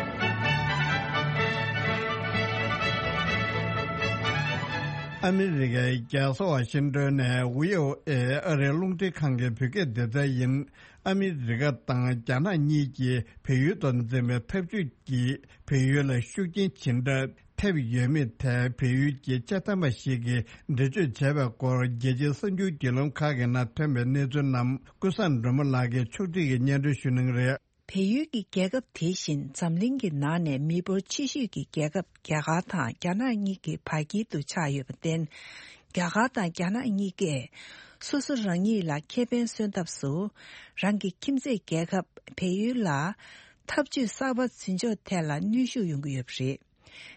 ཨ་མི་རི་ཀའི་རྒྱལ་ས་ཝ་ཤིང་ཏོན་ནས་བྷི་ཨོ་ཨེ་ཨ་རིའི་རླུང་འཕྲིན་ཁང་གི་བོད་སྐད་སྡེ་ཚན་ཡིན། ཨ་མི་རི་ཀ་དང་རྒྱ་ནག་གཉིས་ཀྱིས་བལ་ཡུལ་དུ་འཛིན་པའི་འཐབ་ཇུས་ཀྱིས་བལ་ཡུལ་ལ་ཤུགས་རྐྱེན་ཇི་འདྲ་ཐེབས་ཡོད་མེད་ཐད། བལ་ཡུལ་གྱི་སྤྱི་བཏང་པ་ཞིག་གིས་འགྲེལ་བརྗོད་བྱས་པའི་སྐོར། རྒྱལ་སྤྱིའི་གསར་འགྱུར་བརྒྱུད་ལམ་ཁག་གི་ནང་ཐོན་པའི་གནས་ཚུལ་རྣམས། ཀུན་བཟང་སྒྲོལ་མ་ལགས་ཀྱིས་ཕྱོགས་སྒྲིག་གིས་སྙན་སྒྲོན་ཞུ་གནང་གི་རེད། བལ་ཡུལ་གྱི་རྒྱལ་ཁབ་དེ་བཞིན་འཛམ་གླིང་གི་ནང་ནས་མི་འབོར་ཆེ་ཤོས་ཀྱི་རྒྱལ་ཁབ་རྒྱ་གར་དང་རྒྱ་ནག་གཉིས་ཀྱི་བར་དཀྱིལ་དུ་ཆགས་ཡོད་པར་བརྟེན། རྒྱ་གར་དང་རྒྱ་ནག་གཉིས་ཀས་སོ་སོ་རང་ཉིད་ལ་ཁེ་ཕན་སོན་ཐབས་སུ། རང་གི་ཁྱིམ་མཚེས་རྒྱལ་ཁབ་བལ་ཡུལ་ལ་འཐབ་ཇུས་གསར་པ་འཛིན་ཕྱོགས་ཐད་ལ་གནོན་ཤུགས་ཡོང་གི་ཡོད་པ་རེད།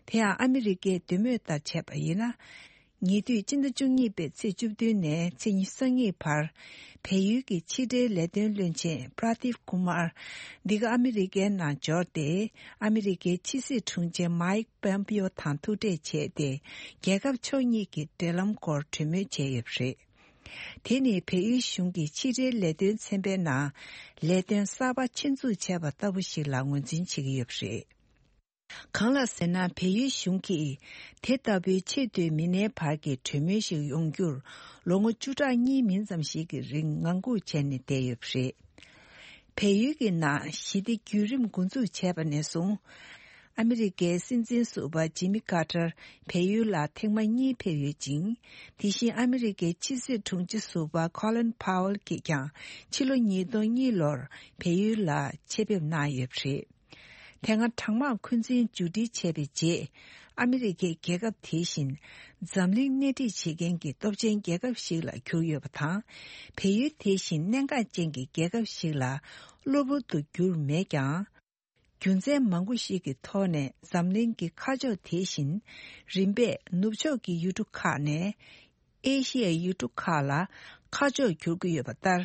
དེ་ཡང་ཨ་མི་རི་ཀའི་འདོད་མོས་ལྟར་བྱས་པ་ཡིན་ན། ཉེ་དུས་སྤྱི་ཟླ་བཅུ་གཉིས་པའི་ཚེས་བཅུ་བདུན་ནས་ཚེས་ཉི་ཤུ་རྩ་གཉིས་བར། བལ་ཡུལ་གྱི་ཕྱི་འབྲེལ་ལས་དོན་བློན་ཆེན་པྲ་དིབ་ཀུ་མར། འདི་ག་ཨ་མི་རི་ཀའི་ནང་འབྱོར་ཏེ། ཨ་མི་རི་ཀའི་ཕྱི་སྲིད་དྲུང་ཆེ་མའིག་པོམ་པིའོ་དང་ཐུག་འཕྲད་བྱས་ཏེ། རྒྱལ་ཁབ་ཕྱོགས་གཉིས་ཀྱི་འབྲེལ་ལམ་སྐོར་གྲོས་མོལ་བྱས་ཡོད་པ་རེད། དེ་ནི་བལ་ཡུལ་གཞུང་གི་ཕྱི་འབྲེལ་ལས་དོན་ཚན་པའི་ནང་ལས་དོན་གསར་པ་ཆེད་འཛུགས་བྱས་པ་ལྟ་བུ་ཞིག་ལ་ངོས་འཛིན་བྱེད་ཀྱི་ཡོད་པ་རེད། གང་ལགས་ཟེར་ན། བལ་ཡུལ་གཞུང་གིས་དེ་ལྟ་བུའི་ཆེས་མཐོའི་མི་སྣའི་བར་གྱི་གྲོས་མོལ་ཞིག་ཡོང་རྒྱུར་ལོ་ངོ་བཅུ་ཕྲག་གཉིས་མིན་ཙམ་ཞིག་གི་རིང་ངང་སྒུག་བྱས་ནས་བསྡད་ཡོད་པ་རེད། བལ་ཡུལ་གྱི་ནང་ཞི་བདེ་བརྒྱུད་རིམ་འགོ་འཛུགས་བྱས་པ་ནས་བཟུང་། ཨ་མི་རི་ཀའི་སྲིད་འཛིན་ཟུར་པ་ཇི་མི་ཀར་ཏར་བལ་ཡུལ་ལ་ཐེངས་མ་གཉིས་ཕེབས་ཡོད་ཅིང་། དེ་བཞིན་ཨ་མི་རི་ཀའི་ཕྱི་སྲིད་དྲུང་ཆེ་ཟུར་པ་ཁོ་ལིན་ཕའོ་ལ་གིས་ཀྱང་ཕྱི་ལོ་ཉིས་སྟོང་གཉིས་ལོར་བལ་ཡུལ་ལ་ཆེད་ཕེབས་གནང་ཡོད་པ་རེད། དེ་སྔ་གྲང་དམག་འཁོན་འཛིན་མཇུག་སྒྲིལ་བྱས་པའི་རྗེས། ཨ་མི་རི་ཀས་རྒྱལ་ཁབ་དེ་བཞིན་འཛམ་གླིང་སྣེ་ཁྲིད་བྱེད་མཁན་གྱི་སྟོབས་ཆེན་རྒྱལ་ཁབ་ཞིག་ལ་གྱུར་ཡོད་པ་དང་། བལ་ཡུལ་དེ་བཞིན་གནད་འགག་ཅན་གྱི་རྒྱལ་ཁབ་ཞིག་ལ་གློ་བུར་དུ་གྱུར་མེད་ཀྱང་། རྒྱུ་མཚན་མང་པོ་ཞིག་གི་ཐོག་ནས་འཛམ་གླིང་གི་ཁ་ཕྱོགས་དེ་བཞིན་རིམ་པས་ནུབ་ཕྱོགས་ཀྱི་ཡུལ་གྲུ་ཁག་ནས། ཨེ་ཤི་ཡའི་ཡུལ་གྲུ་ཁག་ལ་ཁ་ཕྱོགས་འགྱུར་གྱི་ཡོད་པ་ལྟར།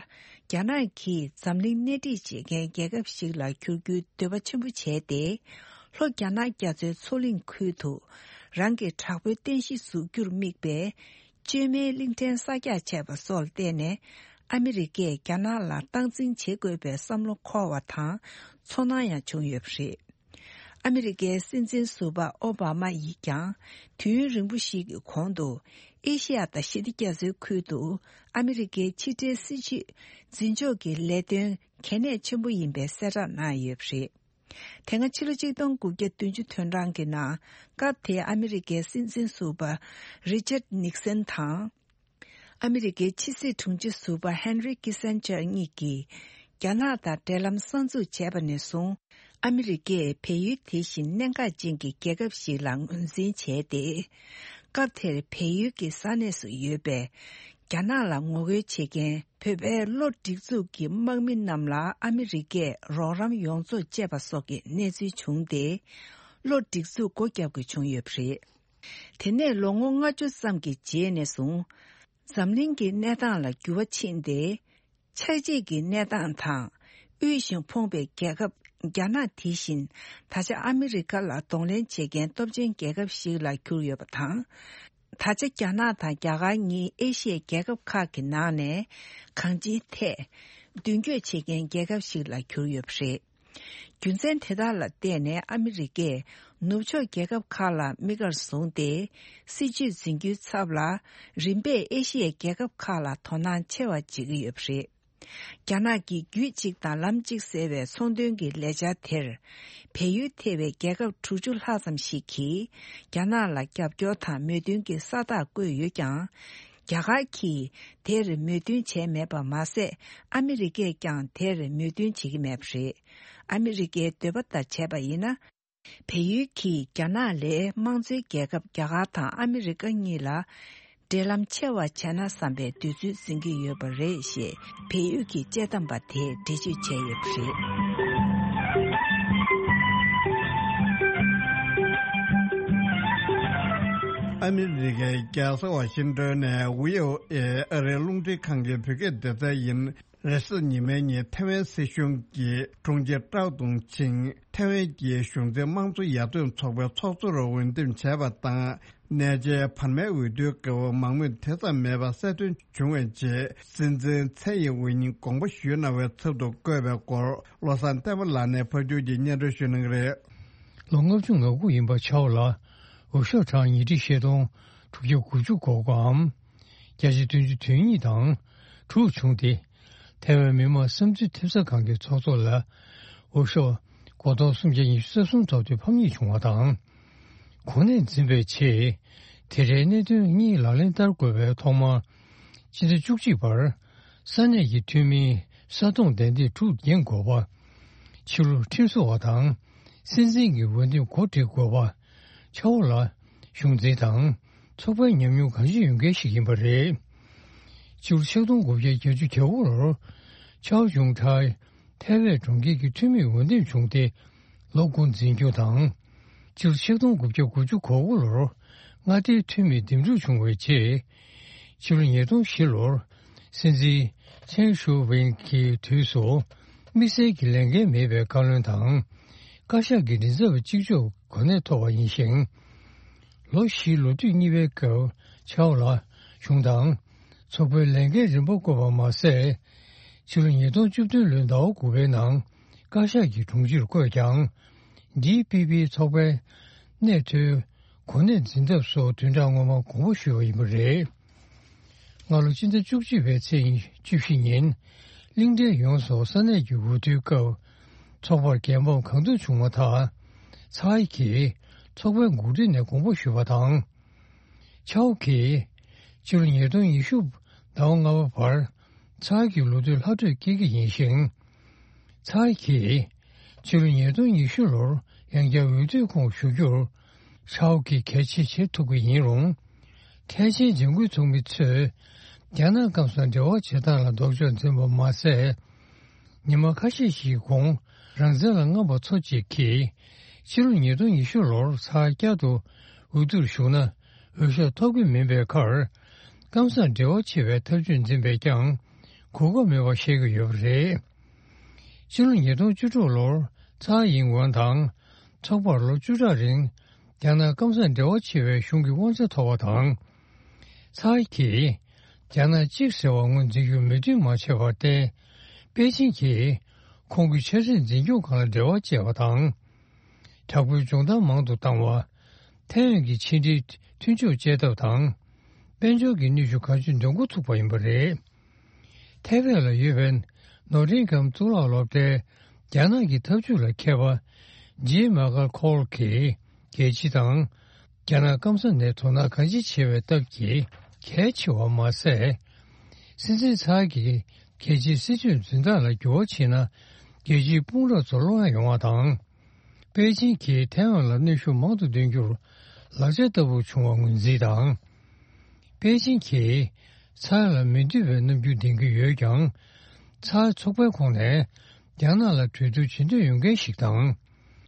རྒྱ་ནག་གིས་འཛམ་གླིང་སྣེ་ཁྲིད་བྱེད་མཁན་རྒྱལ་ཁབ་ཞིག་ལ་འགྱུར་རྒྱུའི་འདོད་པ་ཆེན་པོ་བྱས་ཏེ། ལྷོ་རྒྱ་ནག་རྒྱ་མཚོའི་མཚོ་གླིང་ཁུལ་དུ་རང་གི་དྲག་པོའི་རྟེན་གཞི་འཛུགས་རྒྱུར་དམིགས་པའི་བཅོས་མའི་གླིང་ཕྲན་གསར་རྒྱག་བྱས་པ་སོགས་ལ་བརྟེན་ནས། ཨ་མི་རི་ཀས་རྒྱ་ནག་ལ་སྟངས་འཛིན་བྱེད་དགོས་པའི་བསམ་བློ་འཁོར་བ་དང་ཚོར་སྣང་ཡང་བྱུང་ཡོད་པ་རེད། ཨ་མི་རི་ཀའི་སྲིད་འཛིན་ཟུར་པ་ཨོ་བྷ་མ་ཡིས་ཀྱང་དུས་ཡུན་རིང་པོ་ཞིག་གི་གོང་དུ། ཨེ་ཤི་ཡ་དང་ཞི་བདེ་རྒྱ་མཚོའི་ཁུལ་དུ་ཨ་མི་རི་ཀའི་ཕྱི་འབྲེལ་སྲིད་བྱུས་འཛིན་ཕྱོགས་ཀྱི་ལས་དོན་གལ་གནད་ཆེན་པོ་ཡིན་པའི་གསལ་བསྒྲགས་གནང་ཡོད་པ་རེད། དེ་སྔ་ཕྱི་ལོ་ཆིག་སྟོང་དགུ་བརྒྱ་བདུན་ཅུ་དོན་གྲངས་ཀྱི་ནང་། སྐབས་དེའི་ཨ་མི་རི་ཀའི་སྲིད་འཛིན་ཟུར་པ་རི་ཅར་ནིག་སན་དང་། ཨ་མི་རི་ཀའི་ཕྱི་སྲིད་དྲུང་ཆེ་ཟུར་པ་ཧན་རི་ཀི་སན་ཇར་གཉིས་ཀྱིས། རྒྱ་ནག་དང་འབྲེལ་ལམ་གསར་འཛུགས་བྱས་པ་ནས་བཟུང་། ཨ་མི་རི་ཀས་བལ་ཡུལ་དེ་བཞིན་གནད་འགག་ཅན་གྱི་རྒྱལ་ཁབ་ཞིག་ལ་ངོས་འཛིན་བྱས་ཏེ། སྐབས་དེར་བལ་ཡུལ་གྱི་ས་གནས་སུ་ཡོད་པའི་ རྒྱ་ནག་ལ་ངོ་རྒོལ་བྱེད་མཁན་བོད་པའི་བློ་སྒྲིག་འཛུགས་ཀྱི་དམག་མི་རྣམས་ལ་ཨ་མི་རི་ཀས་རོགས་རམ་ཡོངས་རྫོགས་བཅད་པ་སོགས་ཀྱི་གནས་ཚུལ་བྱུང་སྟེ། བློ་སྒྲིག་འཛུགས་སྒོ་བརྒྱབ་དགོས་བྱུང་ཡོད་པ་རེད། དེ་ནས་ལོ་ངོ་ལྔ་བཅུ་ཙམ་གྱི་རྗེས་ནས་བཟུང་། འཛམ་གླིང་གི་གནས་སྟངས་ལ་འགྱུར་བ་ཕྱིན་ཏེ། ཆགས་འཇིག་གི་གནས་སྟངས་དང་། དབུལ་ཞིང་ཕོངས་པའི་རྒྱལ་ཁབ་རྒྱ་ནག་དེ་བཞིན་ད་ཆ་ཨ་མི་རི་ཀ་ལ་གདོང་ལེན་བྱེད་མཁན་སྟོབས་ཆེན་རྒྱལ་ཁབ་ཞིག་ལ་གྱུར་ཡོད་པ་དང་། ད་ཆ་རྒྱ་ནག་དང་རྒྱ་གར་གཉིས་ཨེ་ཤི་ཡའི་རྒྱལ་ཁབ་ཁག་གི་ནང་ནས་གང་ཅིའི་ཐད་མདུན་སྐྱོད་བྱེད་མཁན་རྒྱལ་ཁབ་ཞིག་ལ་གྱུར་ཡོད་པ་རེད། རྒྱུ་མཚན་དེ་དག་ལ་བརྟེན་ནས་ཨ་མི་རི་ཀས་ནུབ་ཕྱོགས་རྒྱལ་ཁབ་ཁག་ལ་དམིགས་བཀར་བཟུང་སྟེ། སྲིད་ཇུས་འཛིན་རྒྱུའི་ཚབ་ལ་རིམ་པས་ཨེ་ཤི་ཡའི་རྒྱལ་ཁབ་ཁག་ལ་དོ་སྣང་ཆེ་བ་བྱེད་ཀྱི་ཡོད་པ་རེད། རྒྱ་ནག་གིས་རྒྱུད་གཅིག་དང་ལམ་གཅིག་ཟེར་བའི་ཚོང་དོན་གྱི་ལས་འཆར་དེར། བལ་ཡུལ་ཐེ་བའི་རྒྱལ་ཁབ་དྲུག་ཅུ་ལྷག་ཙམ་ཞིག་གིས་རྒྱ་ནག་ལ་རྒྱབ་སྐྱོར་དང་མོས་མཐུན་གྱི་ས་རྟགས་བཀོད་ཡོད་ཀྱང་། རྒྱ་གར་གྱིས་དེར་མོས་མཐུན་བྱས་མེད་པ་མ་ཟད། ཨ་མི་རི་ཀས་ཀྱང་དེར་མོས་མཐུན་བྱེད་ཀྱི་མེད་པ་རེད། ཨ་མི་རི་ཀའི་འདོད་པ་ལྟར་བྱས་པ་ཡིན་ན། བལ་ཡུལ་གྱིས་རྒྱ་ནག་ལས་དམངས་གཙོའི་རྒྱལ་ཁབ་རྒྱ་གར་དང་ཨ་མི་རི་ཀ་གཉིས་ལ་འབྲེལ་ལམ་ཆེ་བ་བྱས་ན་བསམ་པའི་འདོད་ཚུལ་འཛིན་གྱི་ཡོད་པ་རེད་ཞེས་བལ་ཡུལ་གྱི་དཔྱད་གཏམ་པ་དེས་འགྲེལ་བརྗོད་བྱས་ཡོད་པ་རེད། ཨ་མི་རི་ཀའི་རྒྱལ་ས་ཝ་ཤིང་ཏོན་ནས་ཝི་ཨོ་ཨེ་ཨ་རིའི་རླུང་འཕྲིན་ཁང་གི་བོད་སྐད་སྡེ་ཚན་ཡིན། རེས་གཟའ་ཉི་མའི་ཉིན་ཐེ་ཝན་སྲིད་གཞུང་གི་དྲུང་ཆེ་ཀྲའོ་ཏུང་ཆིང་ཐེ་ཝན་གྱི་གཞུང་འཛིན་དམངས་གཙོ་ཡར་ཐོན་ཚོགས་པའི་ཚོགས་གཙོར་འོས་འདེམས་བྱས་པ་དང་། གནས་མཇལ་བར་མའི་འོས་བསྡུའི་སྐབས་མང་མོས་དེ་ཙམ་མེད་པ་གསལ་སྟོན་བྱུང་བའི་རྗེས། སྲིད་འཛིན་ཚའེ་ཡིན་ཝེ་ཉིན་དགོངས་པ་ཞུས་གནང་བའི་ཚབ་ཏུ་བསྐོས་པའི་སྐོར། བློ་བཟང་བསྟན་པ་ལགས་ནས་ཕར་ཕྱོགས་ཀྱི་སྙན་སྒྲོན་ཞུ་གནང་གི་རེད། ལོ་ལྔ་བཅུ་ང་དགུ་ཡིན་པ་ཆའོ་ལ་འོས་ཤོག་གྲངས་ཉིས་ཁྲི་བཞི་སྟོང་དྲུག་བརྒྱ་དགུ་བཅུ་གོ་དགུའམ། བརྒྱ་ཆ་བདུན་ཅུ་དོན་གཉིས་དང་དྲུག་བྱུང་སྟེ། ཐེ་ཝན་མི་དམངས་བསམ་ཚུལ་ཐེབས་རྩ་ཁང་གི་ཚོགས་གཙོ་ལ་འོས་ཤོག་སྒོར་སྟོང་སུམ་བརྒྱ་ཉི་ཤུ་རྩ་གསུམ་ཐོབ་སྟེ་ཕམ་ཉེས་བྱུང་བ་དང་། གོ་གནས་འཛིན་པའི་ཆེད། དེ་འདྲའི་གནད་དོན་གཉིས་ལག་ལེན་བསྟར་དགོས་པའི་ཐོག་མར། སྤྱི་ཟླ་བཅུ་གཅིག་བར། ས་གནས་ཀྱི་འཐུས་མིའི་ས་སྟོང་བདའ་འདེད་དྲུག་འགན་དགོས་པ། ཕྱི་ལུགས་ཁྲིམས་བཟོ་བ་དང་། སྲིད་འཛིན་གྱི་འོས་འདེམས་གོ་སྒྲིག་དགོས་པ། ཆའོ་ལ། གཞུང་འཛིན་དང་། ཚོགས་པའི་ཉམས་མྱོང་གང་ཅི་ཡོད་མཁན་ཞིག་ཡིན་པ་རེད། ཕྱི་ལོ་ཆིག་སྟོང་དགུ་བརྒྱ་བརྒྱད་ཅུ་གྱ་དགུ་ལོར། ཆའོ་ཅུང་ཁྲའི་ཐའེ་ཝན་གྲོང་ཁྱེར་གྱི་འཐུས་མིའི་འོས་འདེམས་བྱུང་སྟེ། ལོ་དགུ་འཛིན་སྐྱོང་དང་། ཕྱི་ལོ་ཆིག་སྟོང་དགུ་བརྒྱ་དགུ་བཅུ་གོ་དགུ་ལོར། མངའ་སྡེའི་འཐུས་མིའི་འདེམས་སྒྲུག་བྱུང་བའི་རྗེས། ཕྱི་ལོ་ཉིས་སྟོང་བཞི་ལོར། སྲིད་འཛིན་ཆེན་ཧྲུའུ་ཝེན་གྱི་དུས་སུ། དམིགས་བསལ་གྱི་ལས་འགན་མེད་པའི་བཀའ་བློན་དང་། བཀའ་ཤག་གི་མགྲིན་ཚབ་པ་གཅིག་ལྕོགས་གོ་གནས་ཐོབ་པ་ཡིན་ཞིང་། ལོ་བཞིའི་ལོ་དུས་གཉིས་པའི་སྐབས་ཆའོ་ལ་གཞུང་དང་། ཚོགས་པའི་ལས་འགན་རིམ་པ་བསྐོས་པ་མ་ཟད། ཕྱི་ལོ་ཉིས་སྟོང་བཅུ་བདུན་ལོའི་ཟླ་བ་དགུ་པའི་ནང་བཀའ་ཤག་གི་དྲུང་ཆེར་བསྐོས་ཀྱང་། ཌི་པི་པི་ཚོགས་པའི་གནས་མཐོའི་གོ་གནས་འཛིན་ཐབས་སུ་བདུན་ཕྲག་སྔོན་མ་དགོངས་པ་ཞུས་པ་ཡིན་པ་རེད། སྔ་ལོ་སྤྱི་ཟླ་བཅུ་གཅིག་པའི་ཚེས་བཅུ་བཞི་ཉིན། གླིང་ཕྲན་ཡོངས་སུ་ས་གནས་ཀྱི་འོས་བསྡུའི་སྐབས། ཚོགས་པར་རྒྱལ་འབངས་གང་ཐུབ་བྱུང་བ་དང་། ཚའེ་གིས་ཚོགས་པའི་འགོ་ཁྲིད་ནས་དགོངས་པ་ཞུས་པ་དང་། ཆའོ་གིས་ཕྱི་ལོ་ཉིས་སྟོང་ཉི་ཤུ་ཟླ་བ་ལྔ་པ་བར་ཚའེ་གི་ལོ་དུས་ལྷག་འཕྲོས་སྐྱེལ་གྱི་ཡིན་ཞིང་། ཚའེ་གིས་ཕྱི་ལོ་ཉིས་སྟོང་ཉི་ཤུ་ལོར་ཡང་བསྐྱར་འོས་བསྡུའི་ཁོངས་ཞུགས་རྒྱུར། ཆའོ་གིས་གལ་ཆེ་བྱེད་ཐུབ་ཀྱི་ཡིན་རུང་། ཐེངས་ཆེན་འཇིགས་སྐུལ་ཚོགས་མི་ཚོས་རྒྱ་ནག་སྐམ་སར་འབྲེལ་བ་བྱེད་སྟངས་ལ་ལྡོག་ཕྱོགས་འཛིན་པ་མ་ཟད། ཉི་མ་ཁ་ཤས་ཤིག་གོང་རང་བཙན་ལ་རྔམ་པ་ཚོ་གཅིག་གིས། ཕྱི་ལོ་ཉིས་སྟོང་ཉི་ཤུ་ལོར་ཚར་བསྐྱར་དུ་འོས་བསྡུར་ཞུགས་ན་འོས་ཤོག་ཐོབ་ཀྱི་མིན་པའི་ཁར། སྐམ་སར་འབྲེལ་བ་ཆེ་བའི་ཐབས་ཇུས་འཛིན་པས་ཀྱང་གོ་སྐབས་མེད་པ་ཤེས་ཀྱི་ཡོད་པ་རེད། ཕྱི་ལོ་ཉིས་སྟོང་བཅུ་དྲུག་ལོར་ཚའེ་ཡིན་ཝེན་དང་ཚོགས་པར་ལོ་བཅུ་ཕྲག་རིང་རྒྱ་ནག་སྐམ་སར་འབྲེལ་བ་ཆེ་བའི་གཞུང་གི་དབང་ཆ་ཐོབ་པ་དང་། ཚའེ་གིས་རྒྱ་ནག་གཅིག་ཟེར་བ་ངོས་འཛིན་རྒྱུ་མོས་མཐུན་མ་བྱས་པར་བརྟེན། པེ་ཅིན་གྱིས་ཁོང་གི་ཆ་སྲིད་འཛིན་སྐྱོང་ཁང་ལ་འབྲེལ་བ་བཅད་པ་དང་། དྲག་པོའི་སྦྱོང་བརྡར་མང་དུ་བཏང་བ། ཐའེ་ཝན་གྱི་ཕྱི་འབྲེལ་མཐུན་ཕྱོགས་བཅད་ཐབས་དང་། དཔལ་འབྱོར་གྱི་གནོན་ཤུགས་གང་ཅི་འདོན་འགོ་ཚུགས་པ་ཡིན་པ་རེད། ཐའེ་ཝན་ལ་ཡོད་པའི་ནོ་ཊིང་གྷམ་གཙུག་ལག་སློབ་གྲྭའི་རྒྱ་ནག་གི་འཐབ་ཇུས་ལ་མཁས་པ་ཇི་མ་ཀལ་ཁོལ་གྱིས་རྒྱལ་སྤྱི་དང་རྒྱ་ནག་སྐམ་ས་ནས་དོ་སྣང་གང་ཅི་ཆེ་བའི་སྟབས་ཀྱིས་གལ་ཆེ་བ་མ་ཟད། སྲིད་འཛིན་ཚའེ་གིས་རྒྱལ་སྤྱིའི་སྲིད་ཇུས་འཛིན་སྟངས་ལ་འགྱུར་བ་ཕྱིན་ན་རྒྱལ་སྤྱིའི་དཔུང་རོགས་ཚོར་བློ་ཡང་ཡོང་བ་དང་། པེ་ཅིན་གྱིས་ཐའེ་ཝན་ལ་གནོན་ཤུགས་མང་དུ་འདོན་རྒྱུར་ལག་ཆ་ལྟ་བུར་བྱུང་བ་ངོས་འཛིན་དང་། པེ་ཅིན་གྱིས་ ཚར་ལ་མི་འདོད་པའི་རྣམ་འགྱུར་ལྡན་གྱི་ཡོད་ཀྱང་། ཚར་ཚོགས་པའི་ཁོངས་ནས་རྒྱ་ནག་ལ་གྲོས་བསྡུར་བྱེད་འདོད་ཡོད་མཁན་ཞིག་དང་།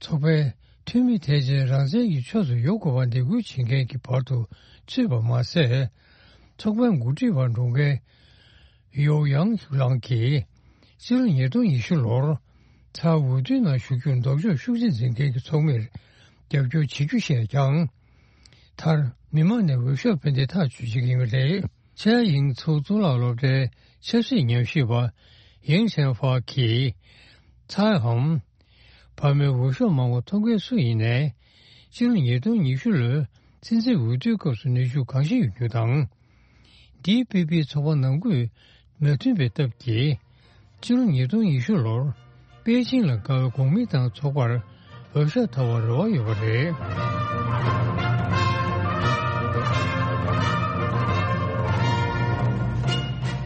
ཚོགས་པའི་འཐུས་མི་ཐེག་ཆེན་རང་བཙན་གྱི་ཕྱོགས་སུ་ཡོང་དགོས་པར་འདེད་སྐུལ་བྱེད་མཁན་གྱི་བར་དུ་ཚུད་པ་མ་ཟད། ཚོགས་པའི་འགོ་ཁྲིད་པར་འགྲོ་མཁན་ཡོའུ་ཡང་ལང་གིས་ཕྱི་ལོ་ཉིས་སྟོང་ཉི་ཤུ་ལོར་ཚར་འོས་བསྡུའི་ནང་ཞུགས་རྒྱུར་ལྡོག་ཕྱོགས་ཤུགས་ཆེ་འཛིན་མཁན་གྱི་ཚོགས་མིར་རྒྱབ་སྐྱོར་བྱེད་རྒྱུ་བཤད་ཀྱང་། མཐར་མི་མང་ནས་འོས་ཤོག་འཕེན་ཏེ་ཐག་གཅོད་བྱེད་ཀྱི་ཡོད་པ་རེད། ཆེ་ཡིང་ཚོགས་གཙོ་ལ་སློབ་གྲྭའི་ཆབ་སྲིད་ཉམས་ཞིབ་པ་ཡིང་ཆན་ཧྥ་གིས། ཚའེ་འམ། བར་མའི་འོས་ཤོག་མང་བ་ཐོབ་མཁན་སུ་ཡིན་ནའི། སྤྱི་ལོ་ཉིས་སྟོང་ཉི་ཤུ་ལོའི་སྲིད་འཛིན་འོས་བསྡུའི་སྐབས་སུ་ནུས་ཤུགས་གང་ཞིག་ཡོད་རྒྱུ་དང་། ཌི་པི་པི་ཚོགས་པ་ནང་ཁུལ་མོས་མཐུན་པའི་སྟབས་ཀྱིས། སྤྱི་ལོ་ཉིས་སྟོང་ཉི་ཤུ་ལོར་པེ་ཅིང་ལ་དགའ་བའི་གོང་མི་དང་ཚོགས་པར་འོས་ཤོག་ཐོབ་པར་རེ་བ་ཡོད་པ་རེད།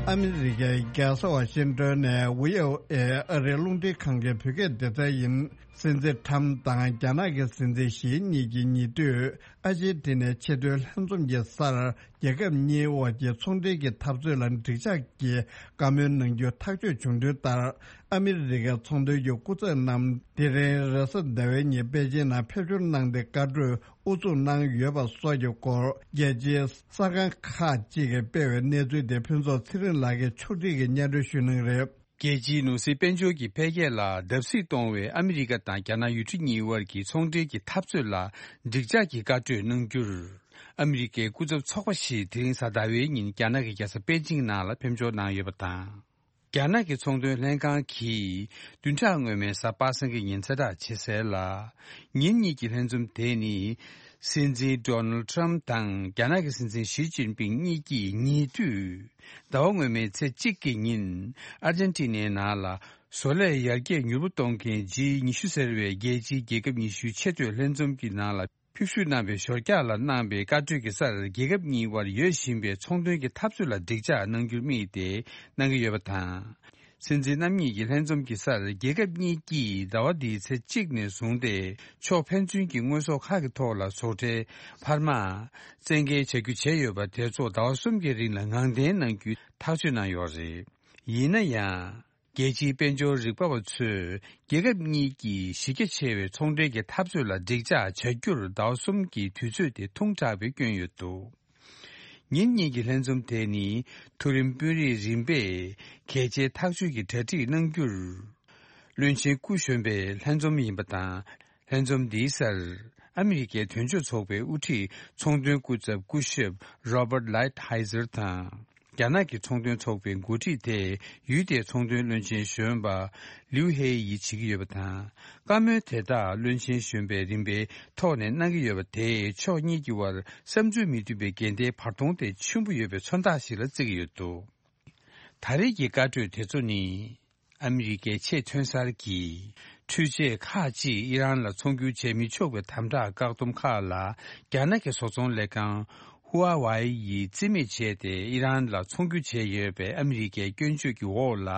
ཨ་མི་རི་ཀའི་རྒྱལ་ས་ཝ་ཤིང་ཏོན་ནས་ཝི་ཨོ་ཨེ་ཨ་རིའི་རླུང་འཕྲིན་ཁང་གི་བོད་སྐད་སྡེ་ཚན་ཡིན། སྲིད་འཛིན་ཁྲམ་དང་རྒྱ་ནག་གི་སྲིད་འཛིན་ཞི་གཉིས་ཀྱིས་ཉེ་དུས་ཨར་ཇེན་ཊི་ནའི་ཆེས་མཐོའི་ལྷན་འཛོམས་ཀྱི་སར། རྒྱལ་ཁབ་གཉིས་དབར་གྱི་ཚོང་འབྲེལ་གྱི་འཐབ་རྩོད་ལ་འགྲིག་འཇགས་ཀྱི་བཀའ་མོལ་གནང་རྒྱུ་ཐག་གཅོད་བྱུང་དོན་ལྟར། ཨ་མི་རི་ཀའི་ཚོང་དོན་གྱི་སྐུ་ཚབ་རྣམས་དེ་རིང་རེས་གཟའ་ཟླ་བའི་ཉིན་པེ་ཅིང་ནང་ཕེབས་འབྱོར་གནང་སྟེ་བཀའ་གྲོས་དབུ་འཛུགས་གནང་ཡོད་པ་སོགས་ཀྱི་སྐོར། རྒྱལ་སྤྱིའི་གསར་ཁང་ཁག་ཅིག་གིས་སྤེལ་བའི་གནས་ཚུལ་དེ་ཕུན་ཚོགས་ཚེ་རིང་ལགས་ཀྱིས་ཕྱོགས་སྒྲིག་གིས་སྙན་སྒྲོན་ཞུ་གནང་གི་རེད། རྒྱལ་སྤྱིའི་ནོར་སྲིད་དཔལ་འབྱོར་གྱི་འཕེལ་རྒྱས་ལ་བརྡབ་གསིག་གཏོང་བའི་ཨ་མི་རི་ཀ་དང་རྒྱ་ནག་ཡུལ་གྲུ་གཉིས་དབར་གྱི་ཚོང་འབྲེལ་གྱི་འཐབ་རྩོད་ལ་འགྲིག་འཇགས་ཀྱི་བཀའ་གྲོས་གནང་རྒྱུར། ཨ་མི་རི་ཀའི་སྐུ་ཚབ་ཚོགས་པ་ཞིག་དེ་རིང་གཟའ་ཟླ་བའི་ཉིན་རྒྱ་ནག་གི་རྒྱལ་ས་པེ་ཅིང་ནང་ལ་ཕེབས་འབྱོར་གནང་ཡོད་པ་དང་། རྒྱ་ནག་གི་ཚོང་དོན་ལྷན་ཁང་གིས་བདུན་ཕྲག་སྔོན་མའི་གཟའ་པ་སངས་ཀྱི་ཉིན་གསལ་བསྒྲགས་བྱས་གསལ་ལ། ཉིན་གཉིས་ཀྱི་ལྷན་འཛོམས་དེ་ནི། སྲིད་འཛིན་ཌོ་ནལ་ཊམ་དང་རྒྱ་ནག་གི་སྲིད་འཛིན་ཞི་ཅིན་ཕིང་གཉིས་ཀྱིས་ཉེ་དུས། ཟླ་བ་སྔོན་མའི་ཚེས་གཅིག་གི་ཉིན། ཨར་ཇན་ཊི་ནའི་ནང་ལ། བཟོ་ལས་ཡར་རྒྱས་མྱུར་པོ་གཏོང་མཁན་ཇི་ཉི་ཤུ་ཟེར་བའི་རྒྱལ་སྤྱིའི་རྒྱལ་ཁབ་ཉི་ཤུའི་ཆེས་མཐོའི་ལྷན་འཛོམས་ཀྱི་ནང་ལ་ཕེབས་བཞུགས་གནང་བའི་ཞོར་རྒྱག་ལ་གནང་བའི་བཀའ་གྲོས་ཀྱི་སར། རྒྱལ་ཁབ་གཉིས་དབར་ཡོད་བཞིན་པའི་ཚོང་དོན་གྱི་འཐབ་རྩོད་ལ་འགྲིག་འཇགས་གནང་རྒྱུར་དམིགས་ཏེ་གནང་གི་ཡོད་པ་དང་། སྲིད་འཛིན་རྣམ་གཉིས་ཀྱི་ལྷན་འཛོམས་ཀྱི་སར། རྒྱལ་ཁབ་གཉིས་ཀྱིས་ཟླ་བ་འདིའི་ཚེས་གཅིག་ནས་བཟུང་སྟེ། ཕྱོགས་ཕན་ཚུན་གྱི་དངོས་ཟོག་ཁག་གི་ཐོག་ལ་ཟོག་ཁྲལ་འཕར་མ་བཙན་འགེལ་བྱ་རྒྱུ་བྱས་ཡོད་པ་དེ་ཚོ་ཟླ་བ་གསུམ་གྱི་རིང་ལ་ངང་འཐེན་གནང་རྒྱུའི་ཐག་གཅོད་གནང་ཡོད་རེད། ཡིན་ན་ཡང་། རྒྱལ་སྤྱིའི་དཔལ་འབྱོར་རིག་པ་བ་ཚོས། རྒྱལ་ཁབ་གཉིས་ཀྱིས་གཞི་རྒྱ་ཆེ་བའི་ཚོང་འབྲེལ་གྱི་འཐབ་རྩོད་ལ་འགྲིག་འཇགས་བྱ་རྒྱུར་ཟླ་བ་གསུམ་གྱི་དུས་ཚོད་དེ་ཐུང་དྲགས་པའི་སྐྱོན་ཡོད་འདུག་ཉིན་གཉིས་ཀྱི་ལྷན་འཛོམས་དེ་ནི་མཐོ་རིམ་དཔོན་རིགས་རིམ་པས་གལ་ཆེའི་ཐག་གཅོད་ཀྱི་གྲ་སྒྲིག་གནང་རྒྱུར། བློན་ཆེན་སྐུ་གཞོན་པའི་ལྷན་འཛོམས་ཡིན་པ་དང་། ལྷན་འཛོམས་འདིའི་སར། ཨ་མི་རི་ཀའི་དོན་གཅོད་ཚོགས་པའི་དབུ་ཁྲིད་ཚོང་དོན་སྐུ་ཚབ་སྐུ་ཞབས་Robert Lighthizer་དང་། རྒྱ་ནག་གི་ཚོང་དོན་ཚོགས་པའི་འགོ་ཁྲིད་དེ་ཡུལ་དེའི་ཚོང་དོན་བློན་ཆེན་གཞོན་པ་ལིའུ་ཧེ་ཡིས་བྱེད་ཀྱི་ཡོད་པ་དང་། བཀའ་མོལ་དེ་དག་བློན་ཆེན་གཞོན་པས་རིམ་པའི་ཐོག་ནས་གནང་གི་ཡོད་པ་དེས་ཕྱོགས་གཉིས་ཀྱི་དབར་བསམ་ཚུལ་མི་མཐུན་པའི་འགལ་ཟླའི་བར་སྟོང་དེ་ཆེན་པོ་ཡོད་པའི་མཚོན་རྟགས་ཤིག་ལ་བརྩི་གི་ཡོད་འདུག་ད་རེས་ཀྱི་བཀའ་གྲོས་དེ་ཚོ་ནི། ཨ་མི་རི་ཀའི་ཆེས་ཐོན་གསར་གྱི་འཕྲུལ་ཆས་ཁག་ཅིག་ཨི་རན་ལ་ཚོང་སྒྱུར་བྱེད་མི་ཆོག་པའི་དམ་དྲག་བཀག་སྡོམ་ཁག་ལ། རྒྱ་ནག་གི་བཟོ་ཚོང་ལས་ཁང་ཧུ་ཨ་ཝའེ་ཡིས་རྩིས་མེད་བྱས་ཏེ། ཨི་རན་ལ་ཚོང་སྒྱུར་བྱས་ཡོད་པའི་ཨ་མི་རི་ཀའི་སྐྱོན་བརྗོད་ཀྱི་འོག་ལ།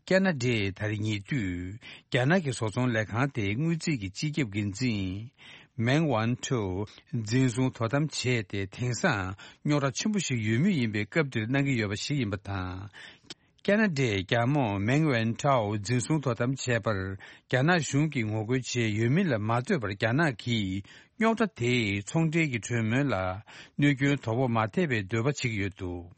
ཁ་ན་ཌས་ད་རེས་ཉེ་དུས། རྒྱ་ནག་གི་བཟོ་ཚོང་ལས་ཁང་དེའི་དངུལ་རྩིས་ཀྱི་སྤྱི་ཁྱབ་འགན་འཛིན། མེང་ཝན་ཁྲོའུ་འཛིན་བཟུང་དོ་དམ་བྱས་ཏེ། དེང་སང་རྙོག་དྲ་ཆེན་པོ་ཞིག་ཡོད་མུས་ཡིན་པའི་སྐབས་འདིར་གནང་གི་ཡོད་པ་ཞིག་ཡིན་པ་དང་། ཁ་ན་ཌའི་རྒྱལ་མོ་མེང་ཝན་ཁྲའོ་འཛིན་བཟུང་དོ་དམ་བྱས་པར། རྒྱ་ནག་གཞུང་གིས་ངོ་རྒོལ་བྱས་ཡོད་མིན་ལ་མ་ལྟོས་པར། རྒྱ་ནག་གིས་རྙོག་དྲ་དེས་ཚོང་འབྲེལ་གྱི་གྲོས་མོལ་ལ་གནོད་སྐྱོན་དོ་ཕོག་མ་ཐེབས་པའི་འདོད་པ་བྱེད་ཀྱི་ཡོད་འདུག་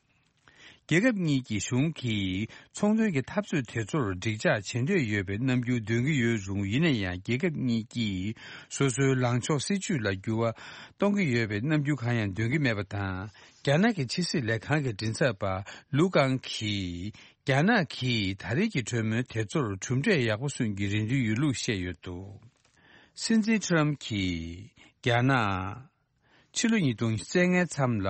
རྒྱལ་ཁབ་གཉིས་ཀྱི་གཞུང་གིས་ཚོང་དོན་གྱི་འཐབ་རྩོད་དེ་ཚོར་འགྲིག་འཇགས་བྱེད་འདོད་ཡོད་པའི་རྣམ་འགྱུར་འདོན་གྱི་ཡོད་རུང་། ཡིན་ན་ཡང་རྒྱལ་ཁབ་གཉིས་ཀྱིས་སོ་སོའི་ལངས་ཕྱོགས་སྲིད་ཇུས་ལ་འགྱུར་བ་གཏོང་གི་ཡོད་པའི་རྣམ་འགྱུར་གང་ཡང་འདོན་གྱི་མེད་པ་དང་། རྒྱ་ནག་གི་ཕྱི་སྲིད་ལས་ཁང་གི་མགྲིན་ཚབ་པ་ལུའུ་ཀང་གིས། རྒྱ་ནག་གིས་ད་རེས་ཀྱི་གྲོས་མོལ་དེ་ཚོར་གྲུབ་འབྲས་ཡག་པོ་སོན་གྱི་རེད་འདོད་ཡོད་ལུགས་བཤད་ཡོད་འདུག་སྲིད་འཛིན་ཁྲམ་གྱིས་རྒྱ་ནག་ཕྱི་ལོ་ཉིས་སྟོང་ཉེར་ལྔའི་མཚམས་ལ།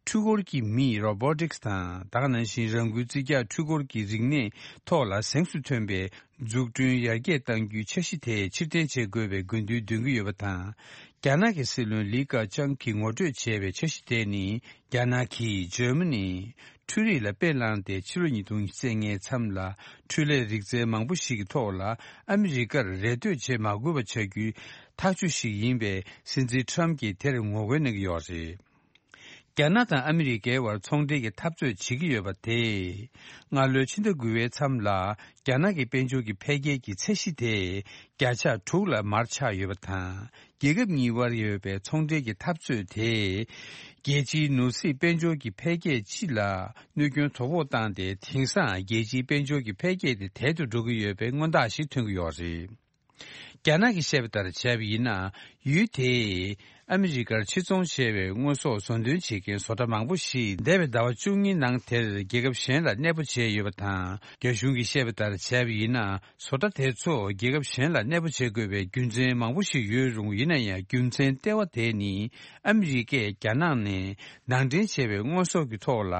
འཕྲུལ་འཁོར་གྱི་མིས་Robotics་དང་། ད་ག་ནང་བཞིན་རང་འགུལ་རྩིས་རྒྱག་འཕྲུལ་འཁོར་གྱི་རིག་གནས་ཐོག་ལ་གཟེངས་སུ་ཐོན་པའི་འཛུགས་སྐྲུན་ཡར་རྒྱས་གཏང་རྒྱུའི་འཆར་གཞི་དེ་ཕྱིར་འཐེན་བྱེད་དགོས་པའི་དགོས་འདུན་འདོན་གྱི་ཡོད་པ་དང་། རྒྱ་ནག་གི་སྲིད་བློན་ལི་ཀ་ཅང་གིས་ངོ་སྤྲོད་བྱས་པའི་འཆར་གཞི་དེ་ནི། རྒྱ་ནག་གིས་འཇར་མ་ནི་འཕྲུལ་རིག་ལ་དཔེ་བླངས་ཏེ། ཕྱི་ལོ་ཉིས་སྟོང་ཉེར་ལྔའི་མཚམས་ལ་འཕྲུལ་ལས་རིག་རྩལ་མང་པོ་ཞིག་གི་ཐོག་ལ་ཨ་མི་རི་ཀར་རེ་ལྟོས་བྱེད་མ་དགོས་པ་བྱ་རྒྱུའི་ཐག་གཅོད་ཞིག་ཡིན་པས། སྲིད་འཛིན་ཁྲམ་གྱིས་དེར་ངོ་རྒོལ་གནང་གི་ཡོད་རེད། རྒྱ་ནག་དང་ཨ་མི་རི་ཀའི་བར་ཚོང་འབྲེལ་གྱི་འཐབ་རྩོད་བྱེད་ཀྱི་ཡོད་པ་དེས། སྔ་ལོའི་ཕྱི་ཟླ་དགུ་པའི་མཚམས་ལ། རྒྱ་ནག་གི་དཔལ་འབྱོར་གྱི་འཕེལ་རྒྱས་ཀྱི་ཚད་གཞི་དེ། བརྒྱ་ཆ་དྲུག་ལ་མར་ཆག་ཡོད་པ་དང་། རྒྱལ་ཁབ་གཉིས་དབར་ཡོད་པའི་ཚོང་འབྲེལ་གྱི་འཐབ་རྩོད་དེས། རྒྱལ་སྤྱིའི་ནོར་སྲིད་དཔལ་འབྱོར་གྱི་འཕེལ་རྒྱས་སྤྱི་ལ་གནོད་སྐྱོན་དོ་ཕོག་བཏང་སྟེ། དེང་སང་རྒྱལ་སྤྱིའི་དཔལ་འབྱོར་གྱི་འཕེལ་རྒྱས་དེ་དལ་དུ་འགྲོ་གི་ཡོད་པའི་མངོན་རྟགས་ཤིག་ཐོན་གྱི་ཡོད་རེད། རྒྱ་ནག་གིས་བཤད་པ་ལྟར་བྱས་པ་ཡིན་ན། ཡུལ་དེས་ཨ་མི་རི་ཀར་ཕྱིར་ཚོང་བྱས་པའི་དངོས་ཟོག་བཟོ་འདོན་བྱེད་མཁན་བཟོ་གྲྭ་མང་པོ་ཞིག་འདས་པའི་ཟླ་བ་བཅུ་གཉིས་ནང་དེར་རྒྱལ་ཁབ་གཞན་ལ་གནས་སྤོ་བྱས་ཡོད་པ་དང་། རྒྱ་གཞུང་གིས་བཤད་པ་ལྟར་བྱས་པ་ཡིན་ན། བཟོ་གྲྭ་དེ་ཚོ་རྒྱལ་ཁབ་གཞན་ལ་གནས་སྤོ་བྱེད་དགོས་པའི་རྒྱུ་མཚན་མང་པོ་ཞིག་ཡོད་རུང་། ཡིན་ན་ཡང་རྒྱུ་མཚན་ལྟེ་བ་དེ་ནི། ཨ་མི་རི་ཀས་རྒྱ་ནག་ནས་ནང་འདྲེན་བྱས་པའི་དངོས་ཟོག་གི་ཐོག་ལ་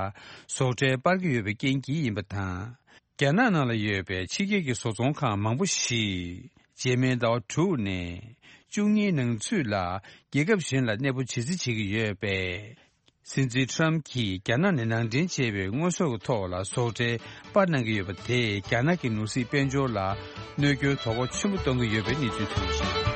བཟོ་གྲྭའི་སྤར་གྱི་ཡོད་པའི་རྐྱེན་གྱིས་ཡིན་པ་དང་། རྒྱ་ནག་ནང་ལ་ཡོད་པའི་ཕྱི་རྒྱལ་གྱི་བཟོ་ཚོང་ཁང་མང་པོ་ཞིག་རྗེས་མའི་ཟླ་བ་དྲུག་ནས་བཅུ་གཉིས་ནང་ཚུད་ལ་རྒྱལ་ཁབ་གཞན་ལ་གནས་སྤོ་བྱེད་རྩིས་བྱེད་ཀྱི་ཡོད་པས། སྲིད་འཛིན་ཊམ་གྱིས་རྒྱ་ནག་ནས་ནང་འདྲེན་བྱས་པའི་དངོས་ཟོག་གི་ཐོག་ལ་བཟོ་གྲྭའི་པར་གནང་གི་ཡོད་པ་དེས་རྒྱ་ནག་གི་ནོར་སྲིད་དཔལ་འབྱོར་ལ་གནོད་སྐྱོན་དོ་ཕོག་ཆེན་པོ་གཏོང་གི་ཡོད་པའི་གནས་ཚུལ་ཐོན་ཡོད།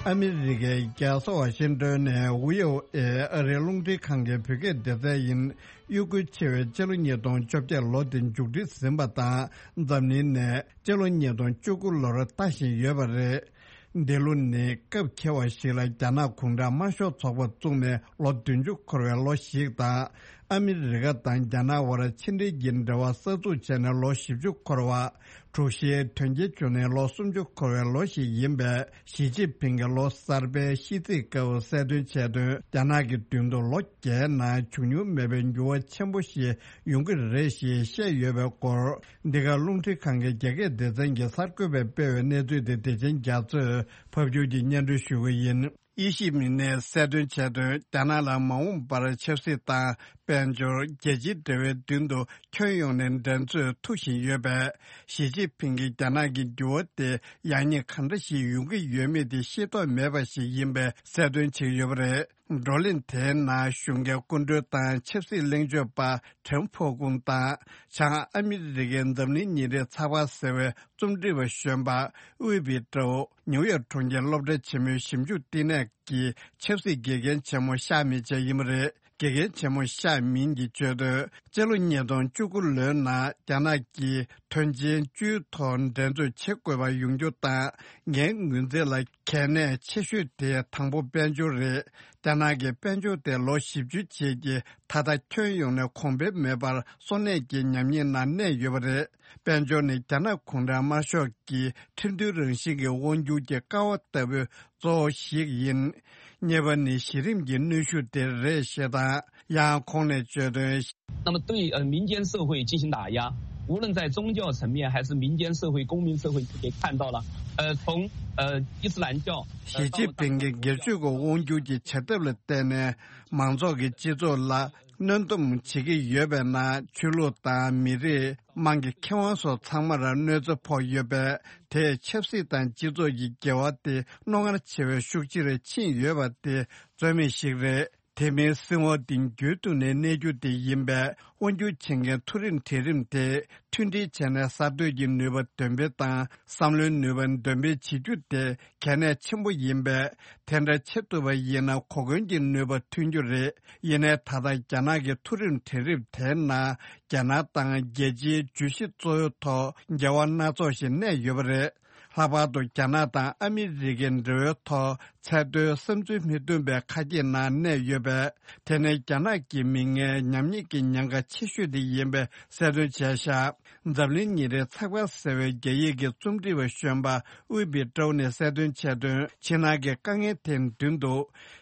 ཨ་མི་རི་ཀའི་རྒྱལ་ས་ཝ་ཤིང་ཏོན་ནས་ཝི་ཨོ་ཨེ་ཨ་རིའི་རླུང་འཕྲིན་ཁང་གི་བོད་སྐད་སྡེ་ཚན་ཡིན། དབྱུག་གུ་ཆེ་བའི་སྤྱི་ལོ་ཉིས་སྟོང་བཅོ་བརྒྱད་ལོ་དེ་མཇུག་སྒྲིལ་ཟིན་པ་དང་། འཛམ་གླིང་ནས་སྤྱི་ལོ་ཉིས་སྟོང་བཅུ་དགུ་ལོར་ལྟ་བཞིན་ཡོད་པ་རེད། འདི་ལོ་ནི་སྐབས་འཁེལ་བ་ཞིག་ལ་རྒྱ་ནག་གུང་ཁྲན་དམར་ཤོག་ཚོགས་པ་བཙུགས་ནས་ལོ་བདུན་ཅུ་འཁོར་བའི་ལོ་ཞིག་དང་། ཨ་མི་རི་ཀ་དང་རྒྱ་ནག་དབར་ཕྱི་འབྲེལ་གྱི་འབྲེལ་བ་གསར་འཛུགས་བྱས་ནས་ལོ་བཞི་བཅུ་འཁོར་བ། དྲུག་བཞིའི་དོན་རྐྱེན་བྱུང་ནས་ལོ་སུམ་ཅུ་འཁོར་བའི་ལོ་ཞིག་ཡིན་པས། ཞི་ཅིན་ཕིང་གིས་ལོ་གསར་པའི་ཤིས་ཚིག་སྐབས་གསལ་སྟོན་བྱས་དོན། རྒྱ་ནག་གི་མདུན་དུ་ལོ་བརྒྱའི་ནང་བྱུང་མྱོང་མེད་པའི་འགྱུར་བ་ཆེན་པོ་ཞིག་ཡོང་གི་རེད་ཞེས་བཤད་ཡོད་པའི་སྐོར། འདི་ག་རླུང་འཕྲིན་ཁང་གི་རྒྱ་སྐད་སྡེ་ཚན་གྱི་གསར་འགོད་པས་སྤེལ་བའི་གནས་ཚུལ་དེ་བདེ་ཆེན་རྒྱ་མཚོས་ཕབ་སྒྱུར་གྱིས་སྙན་སྒྲོན་ཞུ་གི་ཡིན། དབྱི་ཞིས་མིན་ནས་གསལ་སྟོན་བྱས་དོན། རྒྱ་ནག་ལ་མ་འོངས་པར་ཆབ་སྲིད་དང་དཔལ་འབྱོར། རྒྱལ་སྤྱིའི་འབྲེལ་བའི་མདུན་དུ་ཁྱོན་ཡོངས་ནས་འགྲན་རྩོད་མཐུག་བཞིན་ཡོད་པས། ཞི་ཅིན་ཕིང་གིས་རྒྱ་ནག་གི་འགྱུར་བ་དེ་ཡག་ཉེས་གང་འདྲ་ཞིག་ཡོང་གི་ཡོད་མེད་དེ་ཤེས་རྟོགས་མེད་པ་ཞིག་ཡིན་པའི་གསལ་སྟོན་བྱེད་ཀྱི་ཡོད་པ་རེད། བགྲོ་གླེང་དེའི་ནང་གཞུང་འབྲེལ་སྐུ་མགྲོན་དང་ཆབ་སྲིད་གླེང་བརྗོད་པ་ཁྲེན་ཕོ་ཀུང་དང་། བྱང་ཨ་མི་རི་ཀའི་འཛམ་གླིང་ཉིན་རེའི་ཚགས་པར་ཟེར་བའི་རྩོམ་སྒྲིག་པ་གཞོན་པ་དབུས་པི་ཀྲོའུ། ནིའུ་ཡོག་གྲོང་ཁྱེར་སློབ་གྲྭ་ཆེན་མོའི་ཞིབ་འཇུག་བསྟི་གནས་ཀྱི་ཆབ་སྲིད་དགེ་རྒན་ཆེན་མོ་ཤ་མིན་བཅས་ཡིན་པ་རེད། དགེ་རྒན་ཆེན་མོ་ཤ་མིན་གྱིས་བརྗོད་དོན། སྤྱི་ལོ་ཉིས་སྟོང་བཅུ་དགུ་ལོའི་ནང་རྒྱ་ནག་གིས་དོན་ཆེན་བཅུའི་ཐོག་འགྲན་རྩོད་བྱེད་དགོས་པ་ཡོང་རྒྱུ་དང་། ངའི་ངོས་འཛིན་ལ་གལ་གནད་ཆེ་ཤོས་དེ་དང་པོ་དཔལ་འབྱོར་རེད། རྒྱ་ནག་གི་དཔལ་འབྱོར་དེ་ལོ་བཞི་བཅུ་རྗེས་ཀྱི་ད་ལྟ་ཁྱོན་ཡོངས་ནས་གོང་འཕེལ་མེད་པར་སོར་གནས་ཀྱི་ཉམས་ཉེས་ནང་གནས་ཡོད་པ་རེད། དཔལ་འབྱོར་ནི་རྒྱ་ནག་གུང་ཁྲན་དམར་ཤོག་གི་ཁྲིམས་མཐུན་རང་བཞིན་གྱི་དབང་སྒྱུར་གྱི་ཀ་བ་ལྟ་བུའི་གཙོ་བོ་ཞིག་ཡིན། གཉིས་པ་ནི་གཞི་རིམ་གྱི་གནོན་ཤུགས་དེ་རེད་ཞེས་དང་། ཡང་ཁོང་ནས་བརྗོད་དོན། 那么对呃民间社会进行打压，无论在宗教层面还是民间社会、公民社会，可以看到了，呃，从呃伊斯兰教，呃， ཞི་ཅིན་ཕིང་གིས་སྒེར་གཅོད་ཀྱི་དབང་སྒྱུར་གྱི་བྱ་ཐབས་ལ་བརྟེན་ནས་མང་ཚོགས་ཀྱི་སྤྱི་ཚོགས་ལ་གནོན་སྡོམ་བྱེད་ཀྱི་ཡོད་པའི་ནང་ཆོས་ལུགས་དང་མི་རིགས། དམངས་ཀྱི་ཁེ་དབང་སོགས་ཚང་མར་གནོད་འཚེ་ཕོག་ཡོད་པས། དེས་ཆབ་སྲིད་དང་སྤྱི་ཚོགས་ཀྱི་འགལ་བ་དེ་རྣོ་ངར་ཆེ་བའི་ཤུགས་ཆེར་ཕྱིན་ཡོད་པ་དེ་རྩོད་མེད་ཞིག་རེད། དེ་མིན་སྲིད་དབང་དེ་རྒྱུན་དུ་ནས་གནས་རྒྱུ་དེ་ཡིན་པས། དབང་སྒྱུར་བྱེད་མཁན་མཐོ་རིམ་གྲལ་རིམ་དེ་མཐུན་སྒྲིལ་བྱས་ནས་གསར་གཏོད་ཀྱི་ནུས་པ་འདོན་སྤེལ་དང་། བསམ་བློའི་ནུས་པ་འདོན་སྤེལ་བྱེད་རྒྱུ་དེ་གལ་གནད་ཆེན་པོ་ཡིན་པས། དེ་འདྲ་བྱེད་ཐུབ་པ་ཡིན་ན་གོ་སྐོན་གྱི་ནུས་པ་ཐོན་རྒྱུ་རེད། ཡིན་ནའི་ད་ལྟ་རྒྱ་ནག་གི་མཐོ་རིམ་གྲལ་རིམ་དེའི་ནང་རྒྱ་ནག་དང་རྒྱལ་སྤྱིའི་བརྗོད་གཞི་གཙོ་བོའི་ཐོག་འགལ་བ་སྣ་ཚོགས་ཤིག་གནས་ཡོད་པ་རེད། ལྷག་པར་དུ་རྒྱ་ནག་དང་ཨ་མི་རི་ཀའི་འབྲེལ་བའི་ཐོག་ཚད་མཐོའི་བསམ་ཚུལ་མི་མཐུན་པའི་ཁ་གྱེས་ནང་གནས་ཡོད་པས། དེ་ནི་རྒྱ་ནག་གི་མི་ངན་ཉམས་ཉེས་ཀྱི་ཉེན་ཁ་ཆེ་ཤོས་དེ་ཡིན་པའི་གསལ་སྟོན་བྱས་བཞག་འཛམ་གླིང་ཉིན་རེའི་ཚགས་པར་ཟེར་བའི་རྒྱ་ཡིག་གི་རྩོམ་སྒྲིག་པ་གཞོན་པ་དབུས་པི་ཀྲོའུ་ནས་གསལ་སྟོན་བྱས་དོན། ཕྱི་ནང་གི་དཀའ་ངལ་དེ་མདུན་དུ།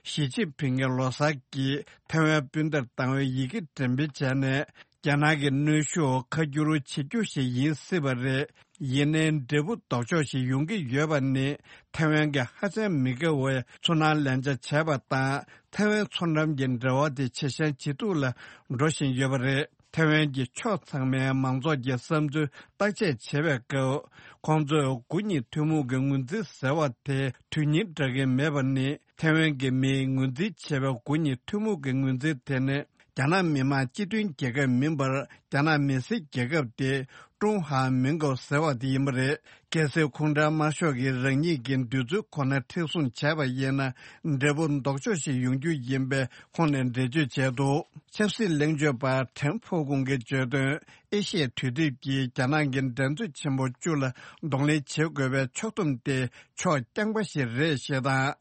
ཞི་ཅིན་ཕིང་གིས་ལོ་གསར་གྱི་ཐའེ་ཝན་སྤུན་ཟླར་བཏང་བའི་ཡི་གེ་འགྲེམས་སྤེལ་བྱས་ནས། རྒྱ་ནག་གི་གནོན་ཤུགས་ཁ་བསྒྱུར་བྱེད་རྒྱུ་ཞིག་ཡིན་སྲིད་པ་རེད། ཡིན་ནའི་འབྲས་བུ་ལྡོག་ཕྱོགས་ཤིག་ཡོང་གི་ཡོད་པ་ནི། ཐའེ་ཝན་གྱི་ཧ་ཅང་མི་དགའ་བའི་ཚོར་སྣང་ལན་ཆ་བྱས་པ་དང་། ཐའེ་ཝན་མཚོ་འགྲམ་གྱི་འབྲེལ་བ་དེ་ཇེ་ཞན་ཇེ་སྡུག་ལ་འགྲོ་བཞིན་ཡོད་པ་རེད། ཐའེ་ཝན་གྱི་ཕྱོགས་ཚང་མའི་མང་ཚོགས་ཀྱི་བསམ་ཚུལ་བརྟག་དཔྱད་བྱེད་པའི་སྐབས། ཁོང་ཚོས་དགུ་གཉིས་ཐུན་མོང་གི་ངོས་འཛིན་ཟེར་བ་དེ་དོན་སྙིང་འདྲ་གི་མེད་པ་ནི། ཐའེ་ཝན་གྱི་མིས་ངོས་འཛིན་བྱས་པའི་དགུ་གཉིས་ཐུན་མོང་གི་ངོས་འཛིན་དེ་ནི། རྒྱ་ནག་མི་དམངས་སྤྱི་མཐུན་རྒྱལ་ཁབ་མིན་པར། རྒྱ་ནག་མི་སེར་རྒྱལ་ཁབ་སྟེ་ཀྲུང་ཧྭ་མིན་གོ་ཟེར་བ་དེ་ཡིན་པ་རེད། གལ་སྲིད་ཁོང་ཁྲོ་དམར་ཤོག་གིས་རང་ཉིད་ཀྱི་འདོད་ཚུལ་ཁོ་ན་མཁྲེགས་བཟུང་བྱས་པ་ཡིན་ན། འབྲས་བུ་ལྡོག་ཕྱོགས་ཤིག་ཡོང་རྒྱུ་ཡིན་པའི་ཁོང་ནས་འགྲེལ་བརྗོད་བྱས་འདུག་ཆབ་སྲིད་གླེང་བརྗོད་པ་ཁྲེན་ཧྥོ་ཀུང་གིས་བརྗོད་དོན། ཨེ་ཤི་ཡའི་འདུས་སྡེ་གིས་རྒྱ་ནག་གི་འགྲན་རྩོད་ཆེན་པོ་བཅུ་ལ་གདོང་ལེན་བྱེད་དགོས་པའི་ཕྱོགས་བསྡོམས་དེ་ཕྱོགས་རྐྱང་པ་ཞིག་རེད་ཞེས་དང་།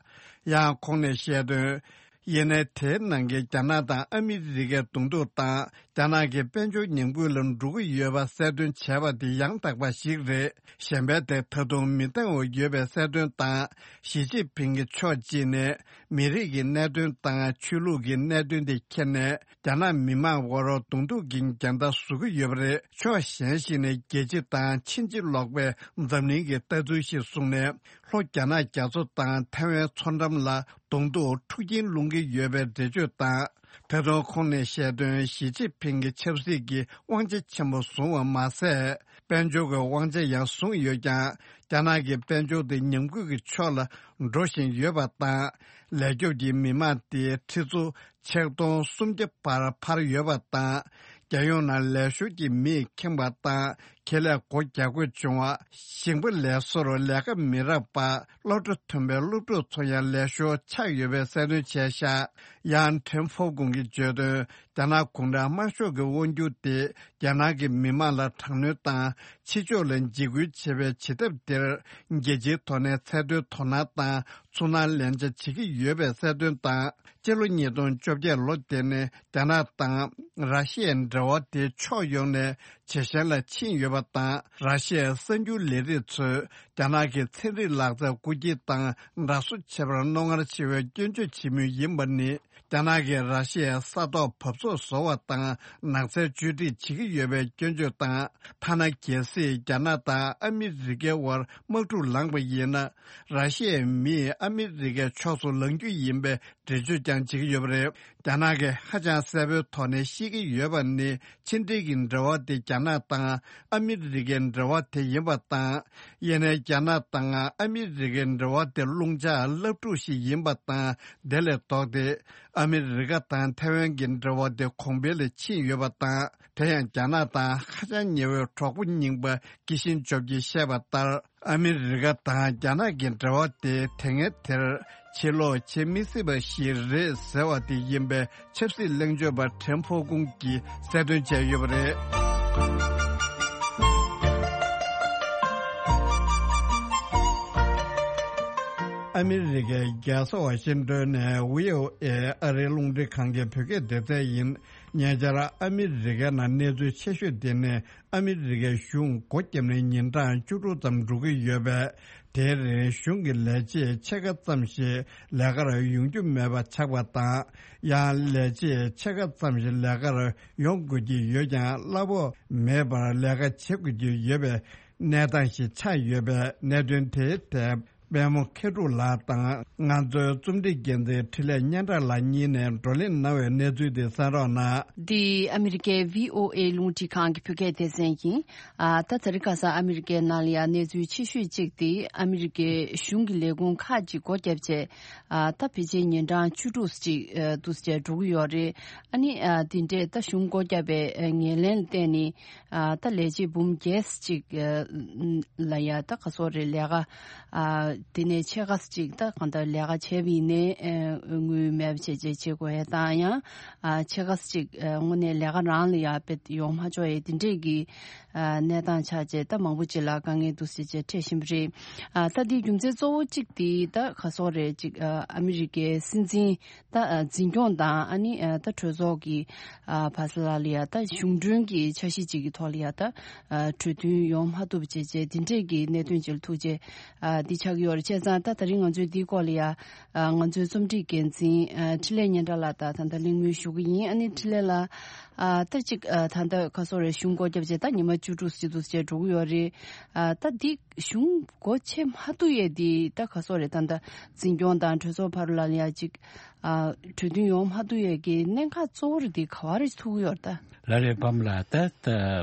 ཡང་ཁོང་ནས་བཤད་དོན། ཡིན་ནའི་དེའི་ནང་གི་རྒྱ་ནག་དང་ཨ་མི་རི་ཀའི་གདོང་ཐུག་དང་། རྒྱ་ནག་གི་དཔལ་འབྱོར་ཉམས་རྒུད་ལ་འགྲོ་གི་ཡོད་པ་གསལ་སྟོན་བྱས་པ་དེ་ཡང་དག་པ་ཞིག་རེད། གཞན་པའི་དེ་ད་དུང་མི་འདང་བ་ཡོད་པའི་གསལ་སྟོན་དང་། ཞི་ཅིན་ཕིང་གིས་ཕྱོགས་གཅིག་ནས་མི་རིགས་ཀྱི་གནད་དོན་དང་ཆོས་ལུགས་ཀྱི་གནད་དོན་དེ་ཁྱེར་ནས། རྒྱ་ནག་མི་དམངས་དབར་གདོང་ཐུག་གི་འགལ་ཟླ་བཟོ་གི་ཡོད་པ་རེད། ཕྱོགས་གཞན་ཞིག་ནས་རྒྱལ་སྤྱི་དང་ཕྱིན་ཅི་ལོག་པའི་འཛམ་གླིང་གི་ལྟ་ཚུལ་ཞིག་བཟུང་ནས། ལྷོ་རྒྱ་ནག་རྒྱ་མཚོ་དང་ཐའེ་ཝན་མཚོ་འགྲམ་ལ་གདོང་ཐུག་འཁྲུག་རྐྱེན་སློང་གི་ཡོད་པའི་འགྲེལ་བརྗོད་དང་། ད་དུང་ཁོང་ནས་བཤད་དོན། ཞི་ཅིན་ཕིང་གིས་ཆབ་སྲིད་ཀྱི་དབང་ཆ་ཆེན་པོ་བཟུང་བ་མ་ཟད། དཔལ་འབྱོར་གྱི་དབང་ཆ་ཡང་བཟུང་ཡོད་ཀྱང་། རྒྱ་ནག་གི་དཔལ་འབྱོར་དེ་ཉམས་རྒུད་ཀྱི་ཕྱོགས་ལ་འགྲོ་བཞིན་ཡོད་པ་དང་། ལས་སྐྱོབ་ཀྱི་མི་མང་དེ་ཁྲི་ཚོ་ཆིག་སྟོང་སུམ་བརྒྱ་བར་འཕར་ཡོད་པ་དང་། རྒྱལ་ཡོངས་ནང་ལས་ཞོར་གྱི་མིས་ཁེངས་པ་དང་། ཁེ་ལས་སྒོ་རྒྱག་དགོས་བྱུང་བ། ཞིང་པ་ལས་བཟོར་ལས་ཀ་མི་རག་པ། སློབ་གྲྭ་མཐུན་པའི་སློབ་ཕྲུག་ཚོ་ཡང་ལས་ཞོར་ཆགས་ཡོད་པའི་གསལ་སྟོན་བྱས་ཤག་ཡང་ཁྲེན་ཧྥོ་ཀུང་གིས་བརྗོད་དོན། རྒྱ་ནག་གུང་ཁྲན་དམར་ཤོག་གི་དབང་སྒྱུར་དེ་རྒྱ་ནག་གི་མི་དམངས་ལ་དྲག་གནོན་དང་། ཕྱི་ཕྱོགས་ལ་འཇིགས་སྐུལ་བྱེད་པའི་བྱེད་ཐབས་དེར། རྒྱལ་སྤྱིའི་ཐོག་ནས་ཚད་མཐོའི་དོ་སྣང་དང་ཚུར་སྣང་ལེན་ཆ་བྱེད་ཀྱི་ཡོད་པའི་གསལ་སྟོན་དང་། སྤྱི་ལོ་ཉིས་སྟོང་བཅོ་བརྒྱད་ལོ་དེ་ནས་རྒྱ་ནག་དང་ར་ཤི་ཡའི་འབྲེལ་བ་དེ་ཕྱོགས་ཡོངས་ནས་ཇེ་ཞན་ལ་ཕྱིན་ཡོད་པ་དང་། ར་ཤི་ཡའི་གསར་འགྱུར་ལས་རིགས་ཚོས་རྒྱ་ནག་གི་ཚན་རིག་ལག་རྩལ་རྐུ་འཁྱེར་དང་འདྲ་བཟོ་བྱེད་པར་རྣོ་ངར་ཆེ་བའི་སྐྱོན་བརྗོད་བྱེད་མུས་ཡིན་པ་ནི། རྒྱ་ནག་གིས་ར་ཤི་ཡའི་ས་ཐོག་བབས་ཚོད་བཟོ་བ་དང་ནགས་ཚལ་བཅོས་སྒྲིག་བྱེད་ཀྱི་ཡོད་པའི་སྐྱོན་བརྗོད་དང་། ཐ་ན་གལ་སྲིད་རྒྱ་ནག་དང་ཨ་མི་རི་ཀའི་དབར་དམག་འཁྲུག་ལངས་པ་ཡིན་ན། ར་ཤི་ཡའི་མིས་ཨ་མི་རི་ཀའི་ཕྱོགས་སུ་ལངས་རྒྱུ་ཡིན་པའི་འགྲེལ་བརྗོད་ཀྱང་བྱེད་ཀྱི་ཡོད་པ་རེད། རྒྱ་ནག་གིས་ཧ་ཅང་གསལ་པོའི་ཐོག་ནས་བཤད་ཀྱི་ཡོད་པ་ནི། ཕྱི་འབྲེལ་གྱི་འབྲེལ་བ་དེ་རྒྱ་ནག་དང་ཨ་མི་རི་ཀའི་འབྲེལ་བ་དེ་ཡིན་པ་དང་། ཡིན་ནའི་རྒྱ་ནག་དང་ཨ་མི་རི་ཀའི་འབྲེལ་བ་དེ་རླུང་ལྕགས་རླབས་འཁྲུག་ཞིག་ཡིན་པ་དང་། དེ་ལས་ལྡོག་སྟེ། ཨ་མི་རི་ཀ་དང་ཐའེ་ཝན་གྱི་འབྲེལ་བ་དེ་གོང་འཕེལ་ལ་ཕྱིན་ཡོད་པ་དང་། དེ་ཡང་རྒྱ་ནག་དང་ཧ་ཅང་ཉེ་བའི་གྲོགས་པོ་རྙིང་པ་ཀི་ཤིན་ཇོབ་ཀྱིས་བཤད་པ་ལྟར། ཨ་མི་རི་ཀ་དང་རྒྱ་ནག་གི་འབྲེལ་བ་དེ་དེ་སྔའི་དེར་ཕྱིར་ལོག་བྱེད་མི་སྲིད་པ་ཞིག་རེད་ཟེར་བ་དེ་ཡིན་པའི་ཆབ་སྲིད་གླེང་བརྗོད་པ་ཁྲེན་ཧྥོ་ཀུང་གིས་གསལ་སྟོན་བྱས་ཡོད་པ་རེད། ཨ་མི་རི་ཀའི་རྒྱལ་ས་ཝ་ཤིང་ཏོན་ནས་ཝི་ཨོ་ཨེ་ཨ་རིའི་རླུང་འཕྲིན་ཁང་གི་བོད་སྐད་སྡེ་ཚན་ཡིན། ཉེ་ཆར་ཨ་མི་རི་ཀའི་ནང་གནས་ཚུལ་ཆེ་ཤོས་དེ་ནི། ཨ་མི་རི་ཀའི་གཞུང་སྒོ་བརྒྱབ་ནས་ཉིན་གྲངས་བཅུ་དྲུག་ཙམ་འགྲོ་གི་ཡོད་པས། དེའི་རིང་གཞུང་གི་ལས་བྱེད་ཕྱེད་ཀ་ཙམ་ཞིག་ལས་ཀར་ཡོང་རྒྱུ་མེད་པ་ཆགས་པ་དང་། ཡང་ལས་བྱེད་ཕྱེད་ཀ་ཙམ་ཞིག་ལས་ཀར་ཡོང་དགོས་ཀྱི་ཡོད་ཀྱང་། གླ་ཕོགས་མེད་པར་ལས་ཀ་བྱེད་དགོས་ཀྱི་ཡོད་པའི་གནས་སྟངས་ཤིག་ཆགས་ཡོད་པས། གནད་དོན་དེའི་ཐད། པད་མོ་མཁས་གྲུབ་ལགས་དང་། ང་ཚོའི་རྩོམ་སྒྲིག་འགན་འཛིན་འཕྲིན་ལས་སྙན་གྲགས་ལགས་གཉིས་ནས་བགྲོ་གླེང་གནང་བའི་གནས་ཚུལ་དེ་གསན་རོགས་གནང་། འདི་ཨ་མི་རི་ཀའི་ཝི་ཨོ་ཨེ་རླུང་འཕྲིན་ཁང་གི་བོད་སྐད་སྡེ་ཚན་ཡིན། ཨ། ད་དེ་རིང་ཁ་སང་ཨ་མི་རི་ཀའི་ནང་ལ་ཡང་གནས་ཚུལ་ཆེ་ཤོས་གཅིག་དེ། ཨ་མི་རི་ཀའི་གཞུང་གི་ལས་ཁུངས་ཁག་ཅིག་སྒོ་བརྒྱབ་བྱས། ཨ། ད་ཕལ་ཆེར་ཉིན་གྲངས་བཅུ་དྲུག་ཅིག་ཨ། འདུག་སེ་འགྲོ་གི་ཡོད་རེད། ཨ་ནི། ཨ། དེ་འདྲས་ད་གཞུང་སྒོ་བརྒྱབ་པའི་ངོས་ལེན་ལ་བརྟེན་ནས། ཨ། ད་ལས་བྱེད་འབུམ་བརྒྱད་ཅིག་ཨ། ལ་ཡ་ད་ག་སོགས་རེད། ལས་ཀ་ཨ། དེ་ནས་ཕྱེད་ཀ་ཅིག་ད་གང་ལྟར་ལས་ཀ་བྱས་པ་ཡིན་ནའི། ཨ། དངུལ་མེད་པ་བྱས་བྱས་བྱེད་དགོས་ཡ་དང་། ཡང་ཨ། ཕྱེད་ཀ་ཅིག་ཨ། དངོས་གནས་ལས་ཀ་རང་ལ་ཡ་དཔེ་ཡོང་མ་ཆོག་ཡ་དེ་འདྲས་ཀྱི་ཨ། གནས་སྟངས་ཆགས་བྱས། ད་མང་པོ་ཅིག་ལ་དཀའ་ངལ་འདུག་སེ་བྱས་འཕྲད་བཞིན་པ་རེད། ཨ། ད་འདིའི་རྒྱུ་མཚན་གཙོ་བོ་གཅིག་དེ་ད་ག་སོགས་རེད། ཅིག་ཨ། ཨ་མི་རི་ཀའི་སྲིད་འཛིན་ད་ཨ། འཛིན་སྐྱོང་དང་། ཨ་ནི་ཨ། ད་གྲོས་ཚོགས་ཀྱི་ཨ། བར་ལ་ལ་ཡ་ད་གཞུང་གྲོན་གྱི་འཆར་གཞི་ཅིག་གི་ཐོག་ལ་ཡ་ད་ཨ། གྲོས་མཐུན་ཡོང་མ་ཐུབ་བྱས་བྱས། འདི་འདྲས་ཀྱི་གནད་དོན་ཅིག་ལ་ཐུག་རྗེས་ཨ། འདི་ཆགས་ཀྱི་ཡོད་རེད། བྱས་ཙང་ད་དེ་རིང་ང་ཚོས་འདིའི་སྐོར་ལ་ཡ་ཨ། ང་ཚོའི་རྩོམ་སྒྲིག་འགན་འཛིན་ཨ། འཕྲིན་ལས་སྙན་གྲགས་ལགས་དང་ད་ལྟ་གླེང་མོལ་ཞུ་གི་ཡིན། ཨ་ནི་འཕྲིན་ལས་ལགས། ཨ། ད་ཅིག་ཨ། ད་ལྟ་ག་སོགས་རེད། གཞུང་སྒོ་བརྒྱབ་བྱས་ད་ཉི་མ་བཅུ་དྲུག་ཅིག་འདུག་སེ་འགྲོ་གི་ཡོད་རེད། ཨ། ད་འདི་གཞུང་སྒོ་ཕྱེ་མ་ཐུབ་ཡས་འདི་ད་ག་སོགས་རེད། ད་ལྟ་འཛིན་སྐྱོང་དང་གྲོས་ཚོགས་བར་ལ་ཡ་ཅིག་ཨ། གྲོས་མཐུན་ཡོང་མ་ཐུབ་ཡས་ཀྱི་གནད་འགག་གཙོ་བོ་རེད། འདི་ག་བ་རེ་ཐུག་གི་ཡོད་རེད་ད། ལགས་རེད། པད་མ་ལགས། ད་ད་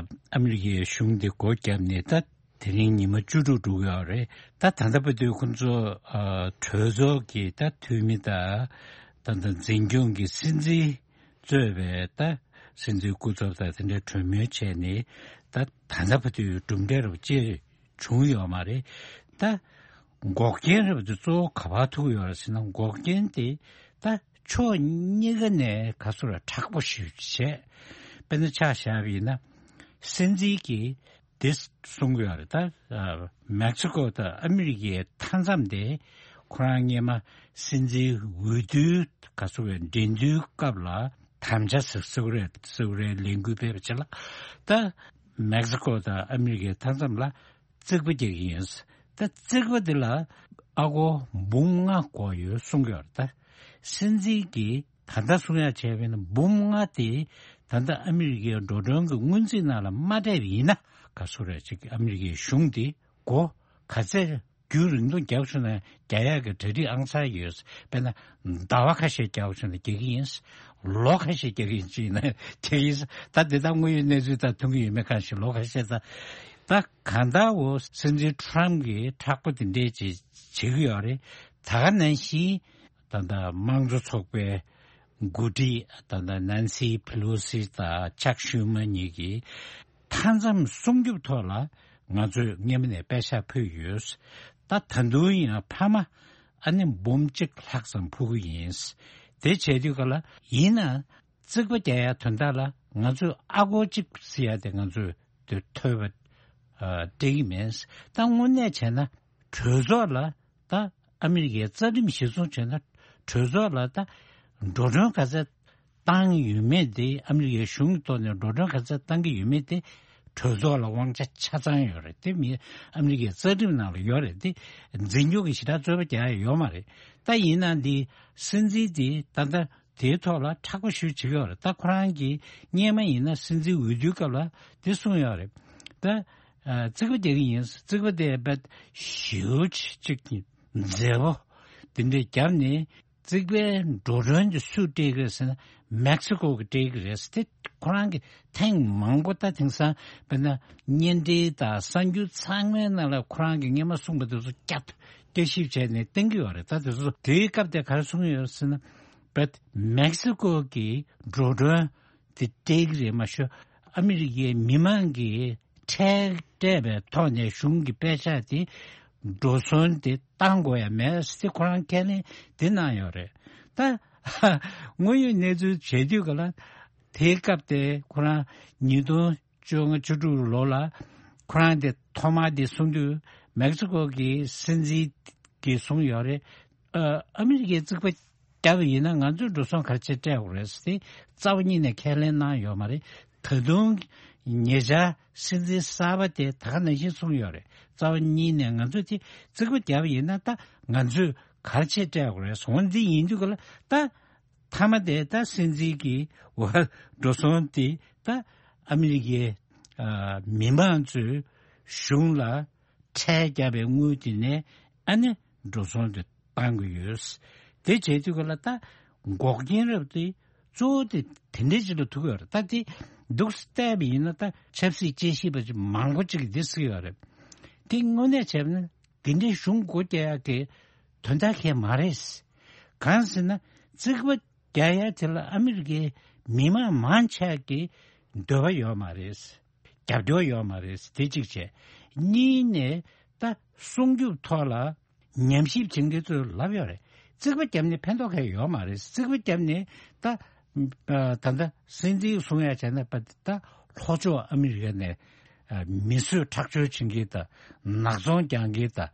ཨ་མི་རི་ཀའི་གཞུང་འདི་སྒོ་བརྒྱབ་ནས་ད་དེ་རིང་ཉི་མ་བཅུ་དྲུག་འགྲོ་གི་ཡོད་རེད། ད་ད་ལྟ་བར་དུ་ཁོང་ཚོ་ཨ། གྲོས་ཚོགས་ཀྱི་ད་འཐུས་མི་དང་། ད་ད་འཛིན་སྐྱོང་གི་སྲིད་འཛིན་ གཙོས་པའི་ད་སྲིད་འཛིན་སྐུ་ཚབ་དང་དེ་འདྲའི་གྲོས་མོལ་བྱས་ནས་ད་ད་ལྟ་བར་དུ་གྲུབ་འབྲས་རབ་ཅེས་བྱུང་ཡོད་མ་རེད། ད་འགོག་རྐྱེན་རབ་དེ་གཙོ་བོ་ག་པར་ཐུག་ཡོད་རེད་ཟེར་ན། འགོག་རྐྱེན་དེ་ད་ཕྱོགས་གཉིས་ཀ་ནས་ག་ཚོད་ར་མཁྲེགས་པོ་ཞིག་བྱས། དཔེར་ན་ཆ་བཞག་པ་ཡིན་ན། སྲིད་འཛིན་གྱིས་དེ་གསུང་གི་ཡོད་རེད། ད་ཨ་མེག་སི་ཀོ་དང་ཨ་མི་རི་ཀའི་མཐའ་མཚམས་དེ་ཁོ་རང་སྔོན་མ་སྲིད་འཛིན་འོས་བསྡུའི་ག་ཚོད་རེད། འགྲན་བསྡུར་སྐབས་ལ་དམ་བཅའ་ཟེར་ཟེར་གི་རེད། ཟེར་གི་རེད། ལས་འགུལ་སྤེལ་བ་བྱས་ལ། ད་མེག་སི་ཀོ་དང་ཨ་མི་རི་ཀའི་མཐའ་མཚམས་ལ་རྩིག་པ་རྒྱག་གི་ཡིན། ད་རྩིག་པ་འདི་ལ་ཨ་སྒོར་འབུམ་ལྔ་དགོས་ཡོད་གསུང་གི་ཡོད་རེད། ད་སྲིད་འཛིན་གྱིས་ད་ལྟ་གསུང་ཡག་བྱས་པ་ཡིན་ན། འབུམ་ལྔ་དེ་ད་ལྟ་ཨ་མི་རི་ཀའི་འགྲོ་གྲོན་གྱི་སྔོན་རྩིས་ནང་ལ་མ་སྤྲད་པ་ཡིན་ན། ག་ཚོད་རེད་ཅིག་ཨ་མི་རི་ཀའི་གཞུང་དེ་སྒོ་ག་ཚད་རྒྱུན་རིང་ཐུང་རྒྱག་བྱུང་ན་རྒྱག་ཡག་གི་གྲ་སྒྲིག་ཨང་གསར་ཡོད། དཔེར་ན་ཟླ་བ་ཁ་ཤས་རྒྱག་བྱུང་ན་རྒྱག་གི་ཡིན། ལོ་ཁ་ཤས་རྒྱག་གི་ཡིན་ཅིག་ན་རྒྱག་གི་ཡིན། ད་དེ་དག་དངོས་ཡོད་གནས་ཚུལ་དང་མཐུན་གྱི་ཡོད་མེད་གང་ཞིག་ལོ་ཁ་ཤས་ད། ད་གང་ལྟར་འོ་སྲིད་འཛིན་ཊམ་གྱིས་མཁྲེགས་པོ་དེ་འདྲས་ཅིག་བྱེད་ཀྱི་ཡོད་རེད། ད་ག་ནང་བཞིན་ད་ལྟ་དམངས་གཙོ་ཚོགས་པའི་འགོ་ཁྲིད་ད་ལྟ་ནན་སི་ཕི་ལོ་སི་དང་ཅག་ཤུ་མ་གཉིས་ཀྱིས་མཐའ་མཚམས་སྲུང་སྐྱོབ་ཐོག་ལ་ང་ཚོས་སྔོན་མ་ནས་པད་ཤག་ཕུལ་ཡོད། ད་ད་དུང་ཡང་ཕ་མ་ཨ་ནི་འབུམ་གཅིག་ལྷག་ཙམ་ཕུལ་གི་ཡིན། དེ་བྱས་དུས་ག་ལ་ཡིན་ན་རྩིག་པ་རྒྱག་ཡ་དོན་དག་ལ་ང་ཚོས་ཨ་སྒོར་གཅིག་ཟེར་ཡ་དེ་ང་ཚོས་དེ་ཐོལ་པ་ཨ་སྤྲད་ཀྱི་མེད། ད་དངོས་གནས་བྱས་ན་གྲོས་ཚོགས་ལ་ད་ཨ་མི་རི་ཀའི་རྩ་ཁྲིམས་གཞིར་བཟུང་བྱས་ན་གྲོས་ཚོགས་ལ་ད་འགྲོ་གྲོན་ག་ཚད་བཏང་ཡོད་མེད་དེ། ཨ་མི་རི་ཀའི་གཞུང་གི་ཐོག་ནས་འགྲོ་གྲོན་ག་ཚད་བཏང་གི་ཡོད་མེད་དེ་གྲོས་ཚོགས་ལ་དབང་ཆ་ཆ་ཚང་ཡོད་རེད། དེ་མི་ཨ་མི་རི་ཀའི་རྩ་ཁྲིམས་ནང་ལ་ཡོད་རེད། དེ་འཛིན་སྐྱོང་གི་ཞེ་དྲག་རྩོད་པ་རྒྱག་ཡ་ཡོད་མ་རེད། ད་ཡིན་ན་འདི་སྲིད་འཛིན་དེ་ད་ལྟ་དེའི་ཐོག་ལ་མཁྲེགས་པོ་ཞེ་པོ་བྱེད་ཀྱི་ཡོད་རེད། ད་ཁོ་རང་གིས་སྔོན་མ་ཡིན་ན་སྲིད་འཛིན་འོས་བསྡུའི་སྐབས་ལ་དེ་གསུངས་ཡོད་རེད། ད་ཨ་རྩིག་པ་རྒྱག་གི་ཡིན། རྩིག་པ་དེ་རྦད་ཞེ་པོ་ཅིག་མཛེས་པོ་དེ་འདྲས་བརྒྱབ་ནས། རྩིག་པའི་འགྲོ་གྲོན་དེ་སུས་སྤྲད་ཀྱི་རེད་ཟེར་ན། མེག་སི་ཀོ་གིས་སྤྲད་ཀྱི་རེད་ཟེར། དེ་ཁོ་རང་གིས་ཐེངས་མང་པོ་ད་དེང་སང་དཔེར་ན་བརྙན་འཕྲིན་དང་གསར་འགྱུར་ཚང་མའི་ནང་ལ་ཁོ་རང་གིས་སྔོན་མ་གསུངས་པ་དེ་ཚོ་བསྐྱར་བསྐྱར་ཞིབ་བྱས་ནས་བསྟན་གྱི་ཡོད་རེད། ད་དེ་ཚོ་དེའི་སྐབས་དེ་ག་རེ་གསུངས་ཡོད་ཟེར་ན། བེད་མེག་སི་ཀོ་གིས་འགྲོ་གྲོན་དེ་སྤྲད་ཀྱི་རེད་མ་ཤོད། ཨ་མི་རི་ཀའི་མི་མང་གིས་ཁྲལ་སྤྲད་པའི་ཐོག་ནས་གཞུང་གི་པད་ཤག་དེ་འགྲོ་སོང་དེ་བཏང་དགོས་ཡ་མེད་ཟེར་ཁོ་རང་ཁས་ལེན་དེ་གནང་ཡོད་རེད། ད་དངོས་ཡོད་གནས་ཚུལ་བྱེད་དུས་ག་ལ་དེའི་སྐབས་དེ་ཁོ་རང་ཉིས་སྟོང་བཅོ་ལྔ་བཅུ་དྲུག་ལོ་ལ་ཁོ་རང་དེ་ཐོག་མར་དེ་གསུང་དུས་མེག་སི་ཀོ་གི་སྲིད་འཛིན་གྱིས་གསུངས་ཡོད་རེད། ཨ་ཨ་མི་རི་ཀའི་རྩིག་པ་བརྒྱབ་པ་ཡིན་ན་ང་ཚོས་འགྲོ་སོང་ག་རེ་བྱས་སྤྲད་དགོས་རེད་ཟེར་ཏེ་རྩ་བ་ཉིད་ནས་ཁས་ལེན་གནང་ཡོད་མ་རེད། ད་དུང་ཉེ་ཆར་སྲིད་འཛིན་གསར་པ་དེ་ད་ག་ནང་བཞིན་གསུངས་ཡོད་རེད། རྩ་བ་ཉིད་ནས་ང་ཚོས་དེ་རྩིག་པ་བརྒྱབ་པ་ཡིན་ན་ད་ང་ཚོས་ག་རེ་བྱས་སྤྲད་དགོས་རེད། འོ་འདི་ཡིན་དུས་ག་ལ་ད་མཐའ་མ་དེ་ད་སྲིད་འཛིན་གྱི་འགྲོ་སོང་དེ་ད་ཨ་མི་རི་ཀའི་ཨ་མི་མང་ཚོས་གཞུང་ལ་ཁྲལ་བརྒྱབ་པའི་དངུལ་དེ་ནས་ཨ་ནི་འགྲོ་སོང་དེ་བཏང་གི་ཡོད། དེ་བྱེད་དུས་ག་ལ་ད་འགོག་རྐྱེན་རབ་དེ་གཙོ་བོ་དེ་དེ་འདྲའི་ཅིག་ལ་ཐུག་ཡོད་རེད། ད་དེ་འདུག་བལྟས་པ་ཡིན་ན་ད་ཆབ་སྲིད་དཔྱད་ཞིབ་པ་ཅིག་མང་པོ་ཅིག་གིས་འདི་ཟེར་ཡོད་རེད། དེ་དངོས་གནས་བྱས་ན་དེ་འདྲའི་གཞུང་སྒོ་རྒྱག་ཡག་གི་དོན་དག་གང་ཡང་མ་རེད། གང་ཟེར་ན་རྩིག་པ་རྒྱག་ཡ་དེ་ལ་ཨ་མི་རི་ཀའི་མི་མང་མང་ཆེ་གི་འདོད་པ་ཡོད་མ་རེད། རྒྱབ་སྐྱོར་ཡོད་མ་རེད། དེ་གཅིག་བྱས། གཉིས་ནས་ད་སྲུང་སྐྱོབ་ཐོག་ལ་ཉམས་ཞིབ་བྱེད་མཁན་ཚོས་ལབ་ཡོད་རེད། རྩིག་པ་བརྒྱབ་ནས་ཕན་ཐོགས་གང་ཡང་ཡོད་མ་རེད། རྩིག་པ་བརྒྱབ་ནས་ད་ད་ལྟ་སྲིད་འཛིན་གསུང་ཡ་བྱས་ན་ད་ལྷོ་ཕྱོགས་ཨ་མི་རི་ཀ་ནས་མི་གསོད་ཁྲག་སྦྱོར་བྱེད་མཁན་དང་ནག་ཚོང་རྒྱག་མཁན་དང་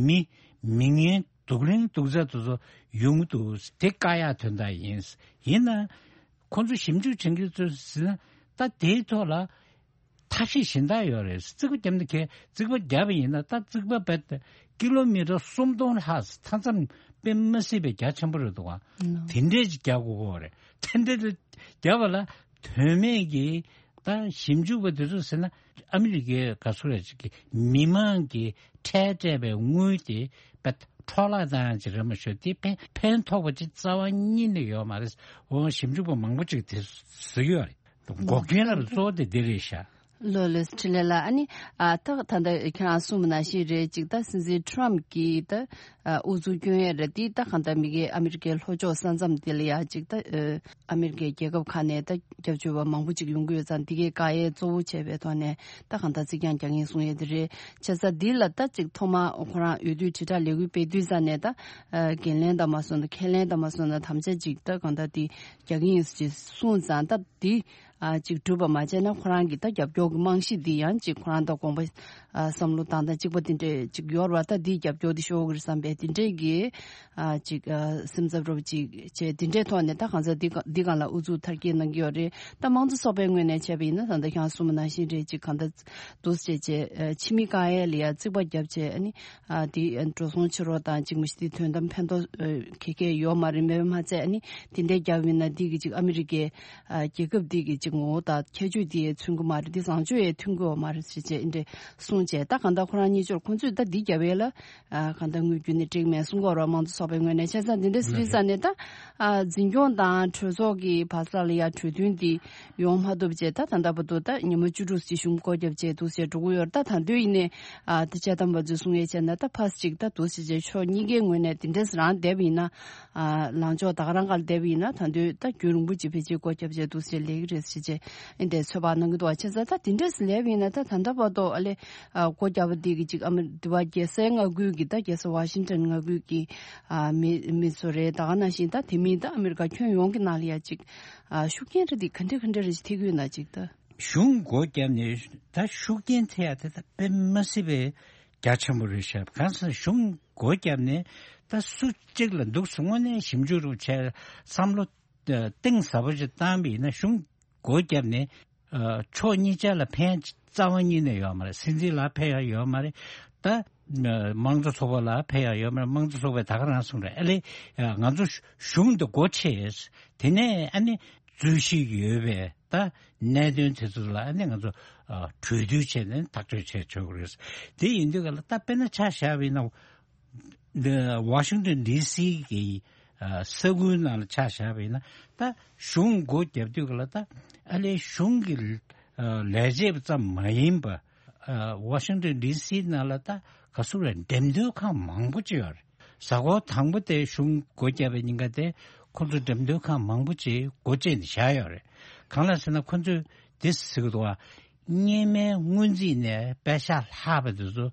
མི་མི་ངན་སྡུག་ལེན་སྡུག་ཚ་དེ་ཚོ་ཡོང་གི་འདུག་དེ་བཀག་ཡག་དོན་དག་ཡིན། ཡིན་ན་ཁོང་ཚོ་ཞིབ་འཇུག་བྱེད་མཁན་ཚོས་ཟེར་ན་ད་དེའི་ཐོག་ལ་ཐབས་ཤེས་གཞན་དག་ཡོད་རེད། རྩིག་པ་བརྒྱབ་ན་ཁྱེད་རྩིག་པ་བརྒྱབ་པ་ཡིན་ན་ད་རྩིག་པ་རྦད་ཀི་ལོ་མི་ཊར་སུམ་སྟོང་ལྷག་མཐའ་མཚམས་དཔེ་མི་སྲིད་པའི་རྒྱ་ཆེན་པོ་རེད་འདུག་ག་ཨ་ནོ། དེ་འདྲས་ཅིག་རྒྱག་དགོས་ཀྱི་ཡོད་རེད། དེ་འདྲས་རྒྱབ་པ་ལ་དོན་མེད་ཀྱི་ད་ཞིབ་འཇུག་པ་དེ་ཚོ་ཟེར་ན་ཨ་མི་རི་ཀའི་ག་ཚོད་རེད་ཅིག་གི་མི་མང་གི་ཁྲལ་སྤྲད་པའི་དངུལ་དེ་རྦད་འཕྲོ་བརླག་བཏང་ཡག་ཅིག་རེད་མ་ཤོད། དེ་ཕན་ཕན་ཐོགས་པ་ཅིག་རྩ་བ་ཉིད་ནས་ཡོད་མ་རེད། འོ་ཞིབ་འཇུག་པ་མང་པོ་ཅིག་དེ་ཟེར་གྱི་ཡོད་རེད། འགོག་རྐྱེན་ལ་གཙོ་བོ་དེ་འདི་རེད་ཤག་ལོ་ལོས་ཁྲི་ལེ་ལ་ཨ་ནི་ཨ་ད་ད་ལྟ་ཁྱེད་རང་གསུངས་པ་ནང་བཞིན་རེད། ཅིག་ད་སྲིད་འཛིན་ཊམ་གྱིས་ད་ཨ་ཨུ་ཚུགས་སྐྱོན་ཡས་རེད། དེ་ད་གང་ལྟར་མི་སྒེར་ཨ་མི་རི་ཀའི་ལྷོ་ཕྱོགས་ས་མཚམས་དེ་ལ་ཡ་ཅིག་ད་ཨ་ཨ་མི་རི་ཀའི་རྒྱལ་ཁབ་ཁག་ནས་ད་སྐྱབས་བཅོལ་བ་མང་པོ་ཅིག་ཡོང་གི་ཡོད་ཙང་། དེ་གའི་བཀག་ཡས་གཙོ་བོ་བྱས་པའི་ཐོག་ནས་ད་གང་ལྟར་རྩིག་གྱང་རྒྱག་གིན་གསུང་ཡས་དེ་རེད། བྱས་ཙང་འདི་ལ་ད་ཅིག་ཐོག་མ་ཁོ་རང་འོས་བསྡུའི་དྲིལ་བསྒྲགས་ལས་འགུལ་སྤེལ་དུས་ཙ་ནས་ད་ཨ་འགན་ལེན་དང་མ་སོང་ན་ཁས་ལེན་དང་མ་སོང་ན་དམ་བཅའ་ཅིག་ད་གང་ལྟར་དེ་རྒྱག་གིན་ཡིན་ཟེར་གསུངས་ཙང་། ད་དེ་ཨ་ཅིག་གྲུབ་པ་མ་བྱས་ན་ཁོ་རང་གི་ད་རྒྱབ་སྐྱོར་གྱི་རྨང་གཞི་འདི་ཡང་ཅིག་ཁོ་རང་དང་དགོངས་པ་ཨ་བསམ་བློ་བཏང་སྟངས་གཅིག་པ་དེ་འདྲས་ཅིག་ཡོད་རེད་བ། ད་འདིའི་རྒྱབ་སྐྱོར་འདི་ཤོར་གི་རེད་བསམ་པའི་དེ་འདྲས་ཀྱི་ཨ་ཅིག་ཨ་སེམས་འཚབ་རོབ་ཅིག་བྱས། དེ་འདྲས་ཐོག་ནས་ད་གང་ཟག་འདི་ག་འདི་སྒང་ལ་ཨུ་ཚུགས་མཐར་སྐྱེལ་གནང་གི་ཡོད་རེད། ད་དམངས་གཙོ་ཚོགས་པའི་ངོས་ནས་བྱས་པ་ཡིན་ན་ད་ལྟ་ཁྱེད་རང་གསུངས་པ་ནང་བཞིན་རེད། ཅིག་གང་ལྟར་འདུག་སེ་བྱས་བྱས་ཨ་ཕྱི་མི་བཀག་ཡས་ལ་ཡ་རྩིག་པ་བརྒྱབ་བྱས། ཨ་ནི་ཨ་དེ་འགྲོ་སོང་ཕྱིར་རོགས་དང་ཅིག་མི་ཤེས། དེ་དོན་དམ་ཕན་ཐོགས་ཨ་ག་གེ་ཡོད་མ་རེད། མེད་པ་མ་ཚད་ཨ་ནི་དེ་འདྲས་བརྒྱབ་ཡིན་ན་འདི་གི་ཅིག་ཨ་མི་རི་ཀའི་ཨ་རྒྱལ་ཁབ་འདི་གི་ཅིག་ངོ་བོ་དང་ཁྱད་ཆོས་དེ་མཚོན་གི་མ་རེད། འདི་བཟང་སྤྱོད་ཡས་མཐུན་གི་ཡོད་མ་རེད་ཟེར་བྱས་འདི་འདྲས་གསུངས་བྱས། ད་གང་ལྟར་ཁོ་རང་གཉིས་ཆར་ཁོང་ཚོས་ད་འདི་བརྒྱབ་ཡས་ལ་ཨ་གང་ལྟར་དངུལ་བརྒྱུད་ནས་སྤྲད་མེད་གསུང་གི་ཡོད་རེད། དམངས་གཙོ་ཚོགས་པའི་ངོས་ནས། བྱས་ཙང་འདི་འདྲས་ཟེར་ཙ་ནས་ད་ཨ་འཛིན་སྐྱོང་དང་གྲོས་ཚོགས་ཀྱི་བར་ས་ལ་ཡ་གྲོས་མཐུན་འདི་ཡོང་མ་ཐུབ་བྱས། ད་ད་ལྟ་བར་དུ་ད་ཉི་མ་བཅུ་དྲུག་ཅིག་གཞུང་སྒོ་བརྒྱབ་བྱས་འདུག་ཟེར་འགྲོ་གི་ཡོད་རེད། ད་ད་དུང་ཡིན་ནའི་ཨ་ད་དཔྱད་གཏམ་པ་ཚོས་གསུང་ཡས་བྱས་ན་ད་ཕར་ཅིག་ད་འདུག་ཟེར་བྱས་ཕྱོགས་གཉིས་ཀའི་ངོས་ནས་དེ་འདྲས་རང་བསྡད་པ་ཡིན་ན། ཨ་ལངས་ཕྱོགས་ད་ག་རང་ག་ལ་བསྡད་པ་ཡིན་ན་ད་དུང་ད་རྒྱུན་རིང་པོ་ཅིག་ཕལ་ཆེར་སྒོ་བརྒྱབ་བྱས་འདུག་ཟེར་ལས་ཀྱི་རེད་ཟེར་བྱས་ཨེ་འདྲས་ཚོད་དཔག་གནང་གི་འདུག་བ། བྱས་ཙང་ད་དེ་འདྲས་ལས་པ་ཡིན་ན་ད་ད་ལྟ་བར་དུ་ཨ་ལས་ཨ་སྒོ་བརྒྱབ་པ་འདི་གི་ཅིག་ཨ་མི་འདི་བ་རྒྱལ་སའི་མངའ་ཁུལ་གྱི་ད་རྒྱལ་ས་ཝ་ཤིང་ཊོན་མངའ་ཁུལ་གྱི་ཨ་མི་མི་ཚོ་རེད། ད་ག་ནང་བཞིན་ད་དེ་མིན་ད་ཨ་མི་རི་ཀ་ཁྱོན་ཡོངས་ཀྱི་ནང་ལ་ཡ་ཅིག་ཨ་ཤུགས་རྐྱེན་རེ་འདི་ག་འདྲ་ག་འདྲ་རེ་ཞིག་ཐེབས་ཀྱི་ཡོད་ན་ཅིག་ད། གཞུང་སྒོ་བརྒྱབ་ནས་ད་ཤུགས་རྐྱེན་ཐེབས་ཡ་དེ་ད་དཔེ་མ་སྲིད་པའི་རྒྱ་ཆེན་པོ་རེད་ཤག་གང་ཟེར་གཞུང་སྒོ་བརྒྱབ་ནས་ད་སུ་གཅིག་ལ་འདུག་སེ་དངོས་གནས་ཞིབ་འཇུག་རུ་བྱས་བསམ་བློ་གཏིང་ཟབ་པོ་ཞིག་བཏང་བ་ཡིན་ན། གཞུང་སྒོ་བརྒྱབ་ནས་ཨ་ཕྱོགས་གཉིས་ཆ་ལ་ཕན་རྩ་བ་ཉིད་ནས་ཡོད་མ་རེད། སྲིད་འཛིན་ལ་ཕན་ཡ་ཡོད་མ་རེད། ད་དམངས་གཙོ་ཚོགས་པ་ལ་ཕན་ཡ་ཡོད་མ་རེད། དམངས་གཙོ་ཚོགས་པས་ད་ག་རང་གསུངས་རེད། ཨ་ལས་ང་ཚོ་གཞུང་འདི་སྒོ་ཕྱེ། དེ་ནས་ཨ་ནི་རྩོད་གཞི་ཡོད་པའི་ད་གནད་དོན་དེ་ཚོ་ལ་ཨ་ནི་ང་ཚོ་ཨ་གྲོས་བསྡུར་བྱས་ནས་ཐག་གཅོད་བྱས་ཆོག་གི་རེད། དེ་ཡིན་དུས་ག་ལ་ད་དཔེར་ན་ཆ་བཞག་པ་ཡིན་ན། འདི་ཝ་ཤིང་ཏོན་ཌི་སི་གི་ཨ་ས་ཁུལ་ནང་ལ་ཆ་བཞག་པ་ཡིན་ན། ད་གཞུང་སྒོ་བརྒྱབ་དུས་ག་ལ་ད་ཨ་ལས་གཞུང་གི་ཨ་ལས་བྱེད་པ་ཙམ་མ་ཡིན་པ། ཨ་ཝ་ཤིང་ཏོན་ཌི་སི་ནང་ལ་ད་ག་ཟེར་རེད། འགྲེམས་སྟོན་ཁང་མང་པོ་ཅིག་ཡོད་རེད། གཟའ་འཁོར་དང་པོ་དེ་གཞུང་སྒོ་བརྒྱབ་པའི་ཉིན་ཀ་དེ་ཁོ་ཚོ་འགྲེམས་སྟོན་ཁང་མང་པོ་ཅིག་སྒོ་བཅད་ནས་བཞག་ཡོད་རེད། གང་ལ་ཟེར་ན་ཁོ་ཚོས་དེ་ཟེར་གི་འདུག་བ། སྔོན་མའི་སྔོན་རྩིས་ནས་པེ་ཤག་ལྷག་པ་དེ་ཚོ་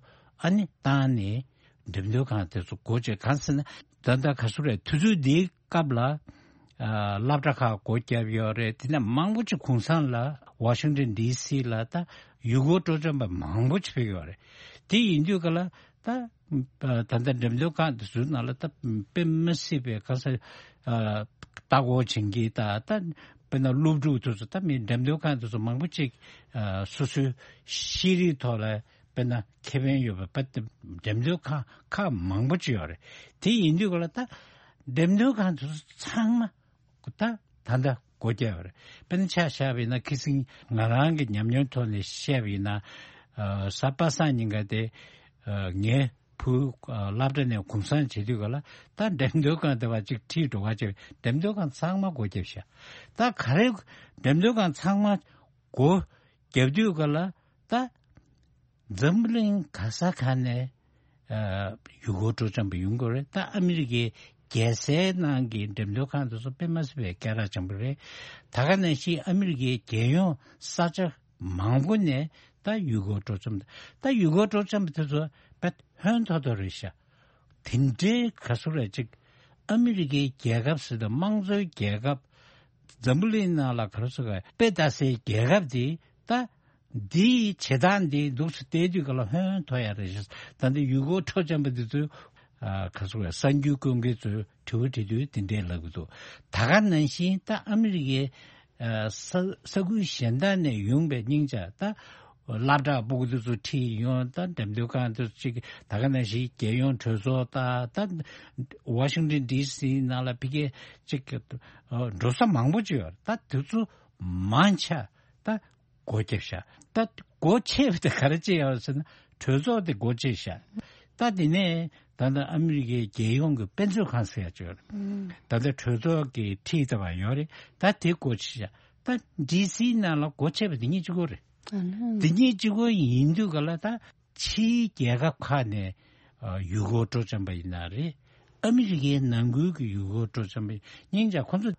ཨ་ནི་བཏང་ནས་འགྲེམས་སྟོན་ཁང་དེ་ཚོ་སྒོ་བཅད། གང་ཟེར་ན་ད་ལྟ་ག་ཟེར་རེད། དུས་ཚོད་འདིའི་སྐབས་ལ་ཨ་སློབ་གྲྭ་ཁག་སྒོ་བརྒྱབ་ཡོད་རེད། དེ་ནས་མང་པོ་ཅིག་གུང་སེང་ལ་ཝ་ཤིང་ཏོན་ཌི་སི་ལ་ད་ཡུལ་སྐོར་སྤྲོ་འཆམ་པ་མང་པོ་ཅིག་ཕེབས་ཡོད་རེད། དེ་ཡིན་དུས་ག་ལ་ད་ད་ལྟ་འགྲེམས་སྟོན་ཁང་དེ་ཚོའི་ནང་ལ་ད་དཔེ་མི་སྲིད་པའི་ག་ས་ཨ་ལྟ་སྐོར་བྱེད་མཁན་ད་ད་དཔེར་ན་སློབ་ཕྲུག་དེ་ཚོ་ད་མི་འགྲེམས་སྟོན་ཁང་དེ་ཚོ་མང་པོ་ཅིག་ཨ་སོ་སོའི་ཤེས་རིག་ཐོག་ལ་དཔེར་ན་ཁེ་ཕན་ཡོད་པ་དཔེ་འགྲེམས་སྟོན་ཁང་ཁག་མང་པོ་ཅིག་ཡོད་རེད། དེ་ཡིན་དུས་ག་ལ་ད་འགྲེམས་སྟོན་ཁང་དེ་ཚོ་ཚང་མ་ད་ད་ལྟ་སྒོ་བརྒྱབ་པ་རེད། དཔེར་ན་ཆ་བཞག་པ་ཡིན་ན་ཁ་སང་ང་རང་གི་ཉམས་མྱོང་ཐོག་ནས་བཤད་པ་ཡིན་ན། ཨ་གཟའ་པ་སངས་ཉིན་ཀ་དེ་ཨ་ངའི་བུ་ཨ་སློབ་གྲྭ་ནས་གུང་སེང་བྱེད་དུས་ག་ལ་ད་འགྲེམས་སྟོན་ཁང་དེ་བ་གཅིག་ཁྲིད་འགྲོ་ག་བྱས། འགྲེམས་སྟོན་ཁང་ཚང་མ་སྒོ་བརྒྱབ་ཤག་ད་ག་རེ་འགྲེམས་སྟོན་ཁང་ཚང་མ་སྒོ་བརྒྱབ་དུས་ག་ལ་ད་འཛམ་བུ་གླིང་ག་ས་ག་ནས་ཨ་ཡུལ་སྐོར་སྤྲོ་འཆམ་པ་ཡོང་གི་རེད། ད་ཨ་མི་རི་ཀའི་རྒྱལ་སའི་ནང་གི་འགྲེམས་སྟོན་ཁང་དེ་ཚོ་དཔེ་མ་སྲིད་པའི་སྐད་གྲགས་ཆེན་པོ་རེད། ད་ག་ནང་བཞིན་ཨ་མི་རི་ཀའི་རྒྱལ་ཡོངས་ས་ཆ་མང་པོ་ནས་ད་ཡུལ་སྐོར་སྤྲོ་འཆམ། ད་ཡུལ་སྐོར་སྤྲོ་འཆམ་པ་དེ་ཚོ་དཔེ་ཧོན་ཐོར་ཐོར་རེད་ཤག་དེ་འདྲའི་ག་ཟེར་རེད། ཅིག་ཨ་མི་རི་ཀའི་རྒྱལ་ཁབ་ཟེར་དུས་དམངས་གཙོའི་རྒྱལ་ཁབ། འཛམ་བུ་གླིང་ནང་ལ་ག་རེ་ཟེར་དགོས། དཔེ་ལྟ་སའི་རྒྱལ་ཁབ་དེ་ད་འདིའི་བྱེད་སྟངས་འདི་འདུག་སེ་བལྟས་དུས་ག་ལ་ཧོན་ཐོར་ཡ་རེད་ཤག་ད་འདི་ཡུལ་སྐོར་སྤྲོ་འཆམ་པ་འདི་ཚོས་ཨ་ག་ཟེར་དགོས། གསར་འགྱུར་བཀོད་མཁན་ཚོས་དྲི་བ་དྲི་དུས་དེ་འདྲས་ལབ་ཀྱི་འདུག་ད་ག་ནང་བཞིན་ད་ཨ་མི་རི་ཀའི་ཨ་ས་ས་ཁུལ་གཞན་དག་ནས་ཡོང་པའི་སྙིང་ཆ་ད་སློབ་གྲྭ་ཕྲུ་གུ་དེ་ཚོ་ཁྲིད་ཡོང་། ད་འགྲེམས་སྟོན་ཁང་དེ་ཚོ་ཅིག་ད་ག་ནང་བཞིན་རྒྱལ་ཡོངས་གྲོས་ཚོགས་ད་ད་ཝ་ཤིང་ཏོན་ཌི་སི་ནང་ལ་ཕ་གིའི་ཅིག་འགྲོ་ས་མང་པོ་ཅིག་ཡོད་རེད། ད་དེ་ཚོ་མང་ཆེ་ད་སྒོ་བརྒྱབ་ཤག་ད་སྒོ་ཕྱེ་བ་དེ་ག་རེ་བྱས་ཡོད་ཟེར་ན་གྲོས་ཚོགས་དེ་སྒོ་ཕྱེ་ཤག་ད་དེ་ནས་ད་ལྟ་ཨ་མི་རི་ཀའི་རྒྱལ་ཡོངས་ཀྱི་དཔེ་མཛོད་ཁང་ཟེར་ཡ་ཅིག་ཡོད་རེད། ད་ལྟ་གྲོས་ཚོགས་ཀྱི་ཁྲིད་ཐུབ་པ་ཡོད་རེད། ད་དེ་སྒོ་ཕྱེ་ཤག་ད་ཌི་སི་ནང་ལ་སྒོ་ཕྱེ་བ་དེ་གཉིས་གཅིག་པོ་རེད། ཨ་ནི། དེ་གཉིས་གཅིག་པོ་ཡིན་དུས་ག་ལ། ད་ཕྱིའི་རྒྱལ་ཁབ་ཁག་ནས་ཨ་ཡུལ་སྐོར་སྤྲོ་འཆམ་པ་ཡིན་ན་རེད། ཨ་མི་རི་ཀའི་ནང་ཁུལ་གྱི་ཡུལ་སྐོར་སྤྲོ་འཆམ་པ་སྙིང་རྗེ། ཁོ་ཚོ་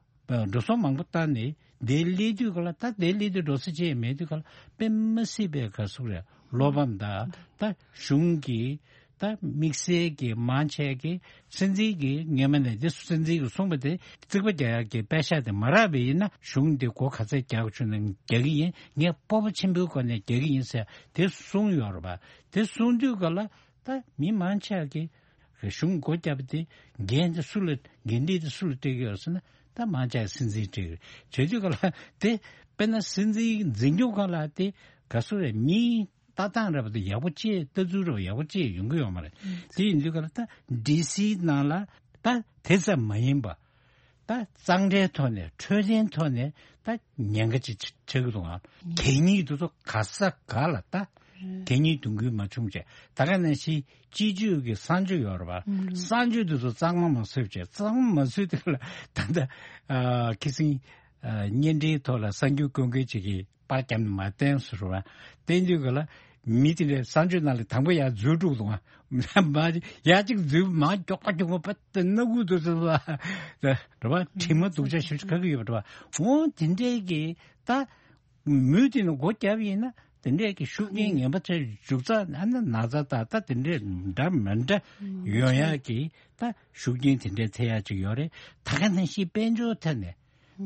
འགྲོ་སོང་མང་པོ་བཏང་ནས་འདིར་སླེབས་དུས་ག་ལ། ད་འདིར་སླེབས་དུས་འགྲོ་ས་ཅི་ཡང་མེད་དུས་ག་ལ། དཔེ་མ་སྲིད་པའི་ག་ཟེར་དགོས་རེད། བློ་ཕམ་དང་། ད་གཞུང་གི་ད་དམིགས་བསལ་གྱི་མང་ཆེ་གི་སྲིད་འཛིན་གྱི་སྔོན་མ་ནས། འདི་སྲིད་འཛིན་གྱིས་གསུངས་པ་དེ་རྩིག་པ་རྒྱག་ཡག་གི་པད་ཤག་དེ་མ་རག་པ་ཡིན་ན། གཞུང་འདི་སྒོ་ག་ཚད་རྒྱག་དགོས་བྱུང་ན་རྒྱག་གི་ཡིན། ངས་སྤོབས་པ་ཆེན་པོའི་སྒོ་ནས་རྒྱག་གི་ཡིན་ཟེར་དེ་གསུངས་ཡོད་རེད་པ། དེ་གསུངས་དུས་ག་ལ། ད་མི་མང་ཆེ་གིས་གཞུང་སྒོ་བརྒྱབ་པ་དེ། འགན་དེ་སུ་ལ། འགན་འཁྲི་དེ་སུ་ལ་སྤྲད་ཀྱི་ཡོད་ཟེར་ན། ད་མང་ཆེ་སྲིད་འཛིན་སྤྲད་ཀྱི་རེད། བྱེད་དུས་ག་ལ། དེ་དཔེར་ན་སྲིད་འཛིན་འཛིན་སྐྱོང་ཁང་ལ་དེ་ག་ཟེར་རེད། མིའི་ལྟ་སྟངས་རེད་པ། དེ་ཡག་པོ་ཅིག་ལྟ་ཚུལ་རེད་པ། ཡག་པོ་ཅིག་ཡོང་གི་ཡོད་མ་རེད། དེ་ཡིན་དུས་ག་ལ། ད་ཌི་སི་ནང་ལ་ད་དེ་ཙམ་མ་ཡིན་པ། ད་གཙང་སྦྲའི་ཐོག་ནས། འཕྲོད་བསྟེན་ཐོག་ནས་ད་ཉེན་ཁ་ཅིག་ཆགས་ཀྱི་འདུག་ཨ། གད་སྙིགས་དེ་ཚོ་ག་ས་ག་ལ། ད་གད་སྙིགས་འདོན་ཁུལ་མ་བྱུང་བྱས། ད་ག་ནང་བཞིན་སྤྱི་སྤྱོད་ཀྱི་གསང་སྤྱོད་ཡོད་རེད་པ། གསང་སྤྱོད་དེ་ཚོ་གཙང་མ་མ་བཟོས་བྱས། གཙང་མ་མ་བཟོས་དུས་ལ། ད་ལྟ་ཨ་ཁི་སིང་ཨ་བརྙན་འཕྲིན་ཐོག་ལ་གསར་འགྱུར་བཀོད་མཁན་ཅིག་གིས་པར་བརྒྱབ་ནས་མར་བསྟན་སོང་རེད་པ། བསྟན་དུས་ག་ལ། མི་དེ་འདྲས་གསང་སྤྱོད་ནང་ལ་དང་པོ་ཡར་འཛུལ་འགྲོ་གི་འདུག་ཨ། མར་ཡར་གཅིག་འཛུལ། མར་མགྱོགས་པ་མགྱོགས་པ་བ། དེ་སྣ་ཁུག་དེ་ཚོ་ལ་རེད་པ། དྲི་མ་སྡུག་ཅག་ཞེ་པོ་ཅིག་ག་གི་ཡོད་པ་རེད་པ། འོ་དེ་འདྲས་ཀྱི་ད་མུས་དེ་ནས་སྒོ་བརྒྱབ་ཡིན་ན། དེ་འདྲས་ཀྱི་ཤུགས་རྐྱེན་ངན་པ་ཚོ་འཇུག་ས། ཨ་ནི་ན་ཚ་དང་ད་དེ་འདྲས་འདྲ་མི་འདྲ་ཡོང་ཡག་གི་ད་ཤུགས་རྐྱེན་དེ་འདྲས་ཐེབས་ཡག་ཅིག་ཡོད་རེད། ད་ག་ནང་བཞིན་དཔལ་འབྱོར་ཐད་ནས།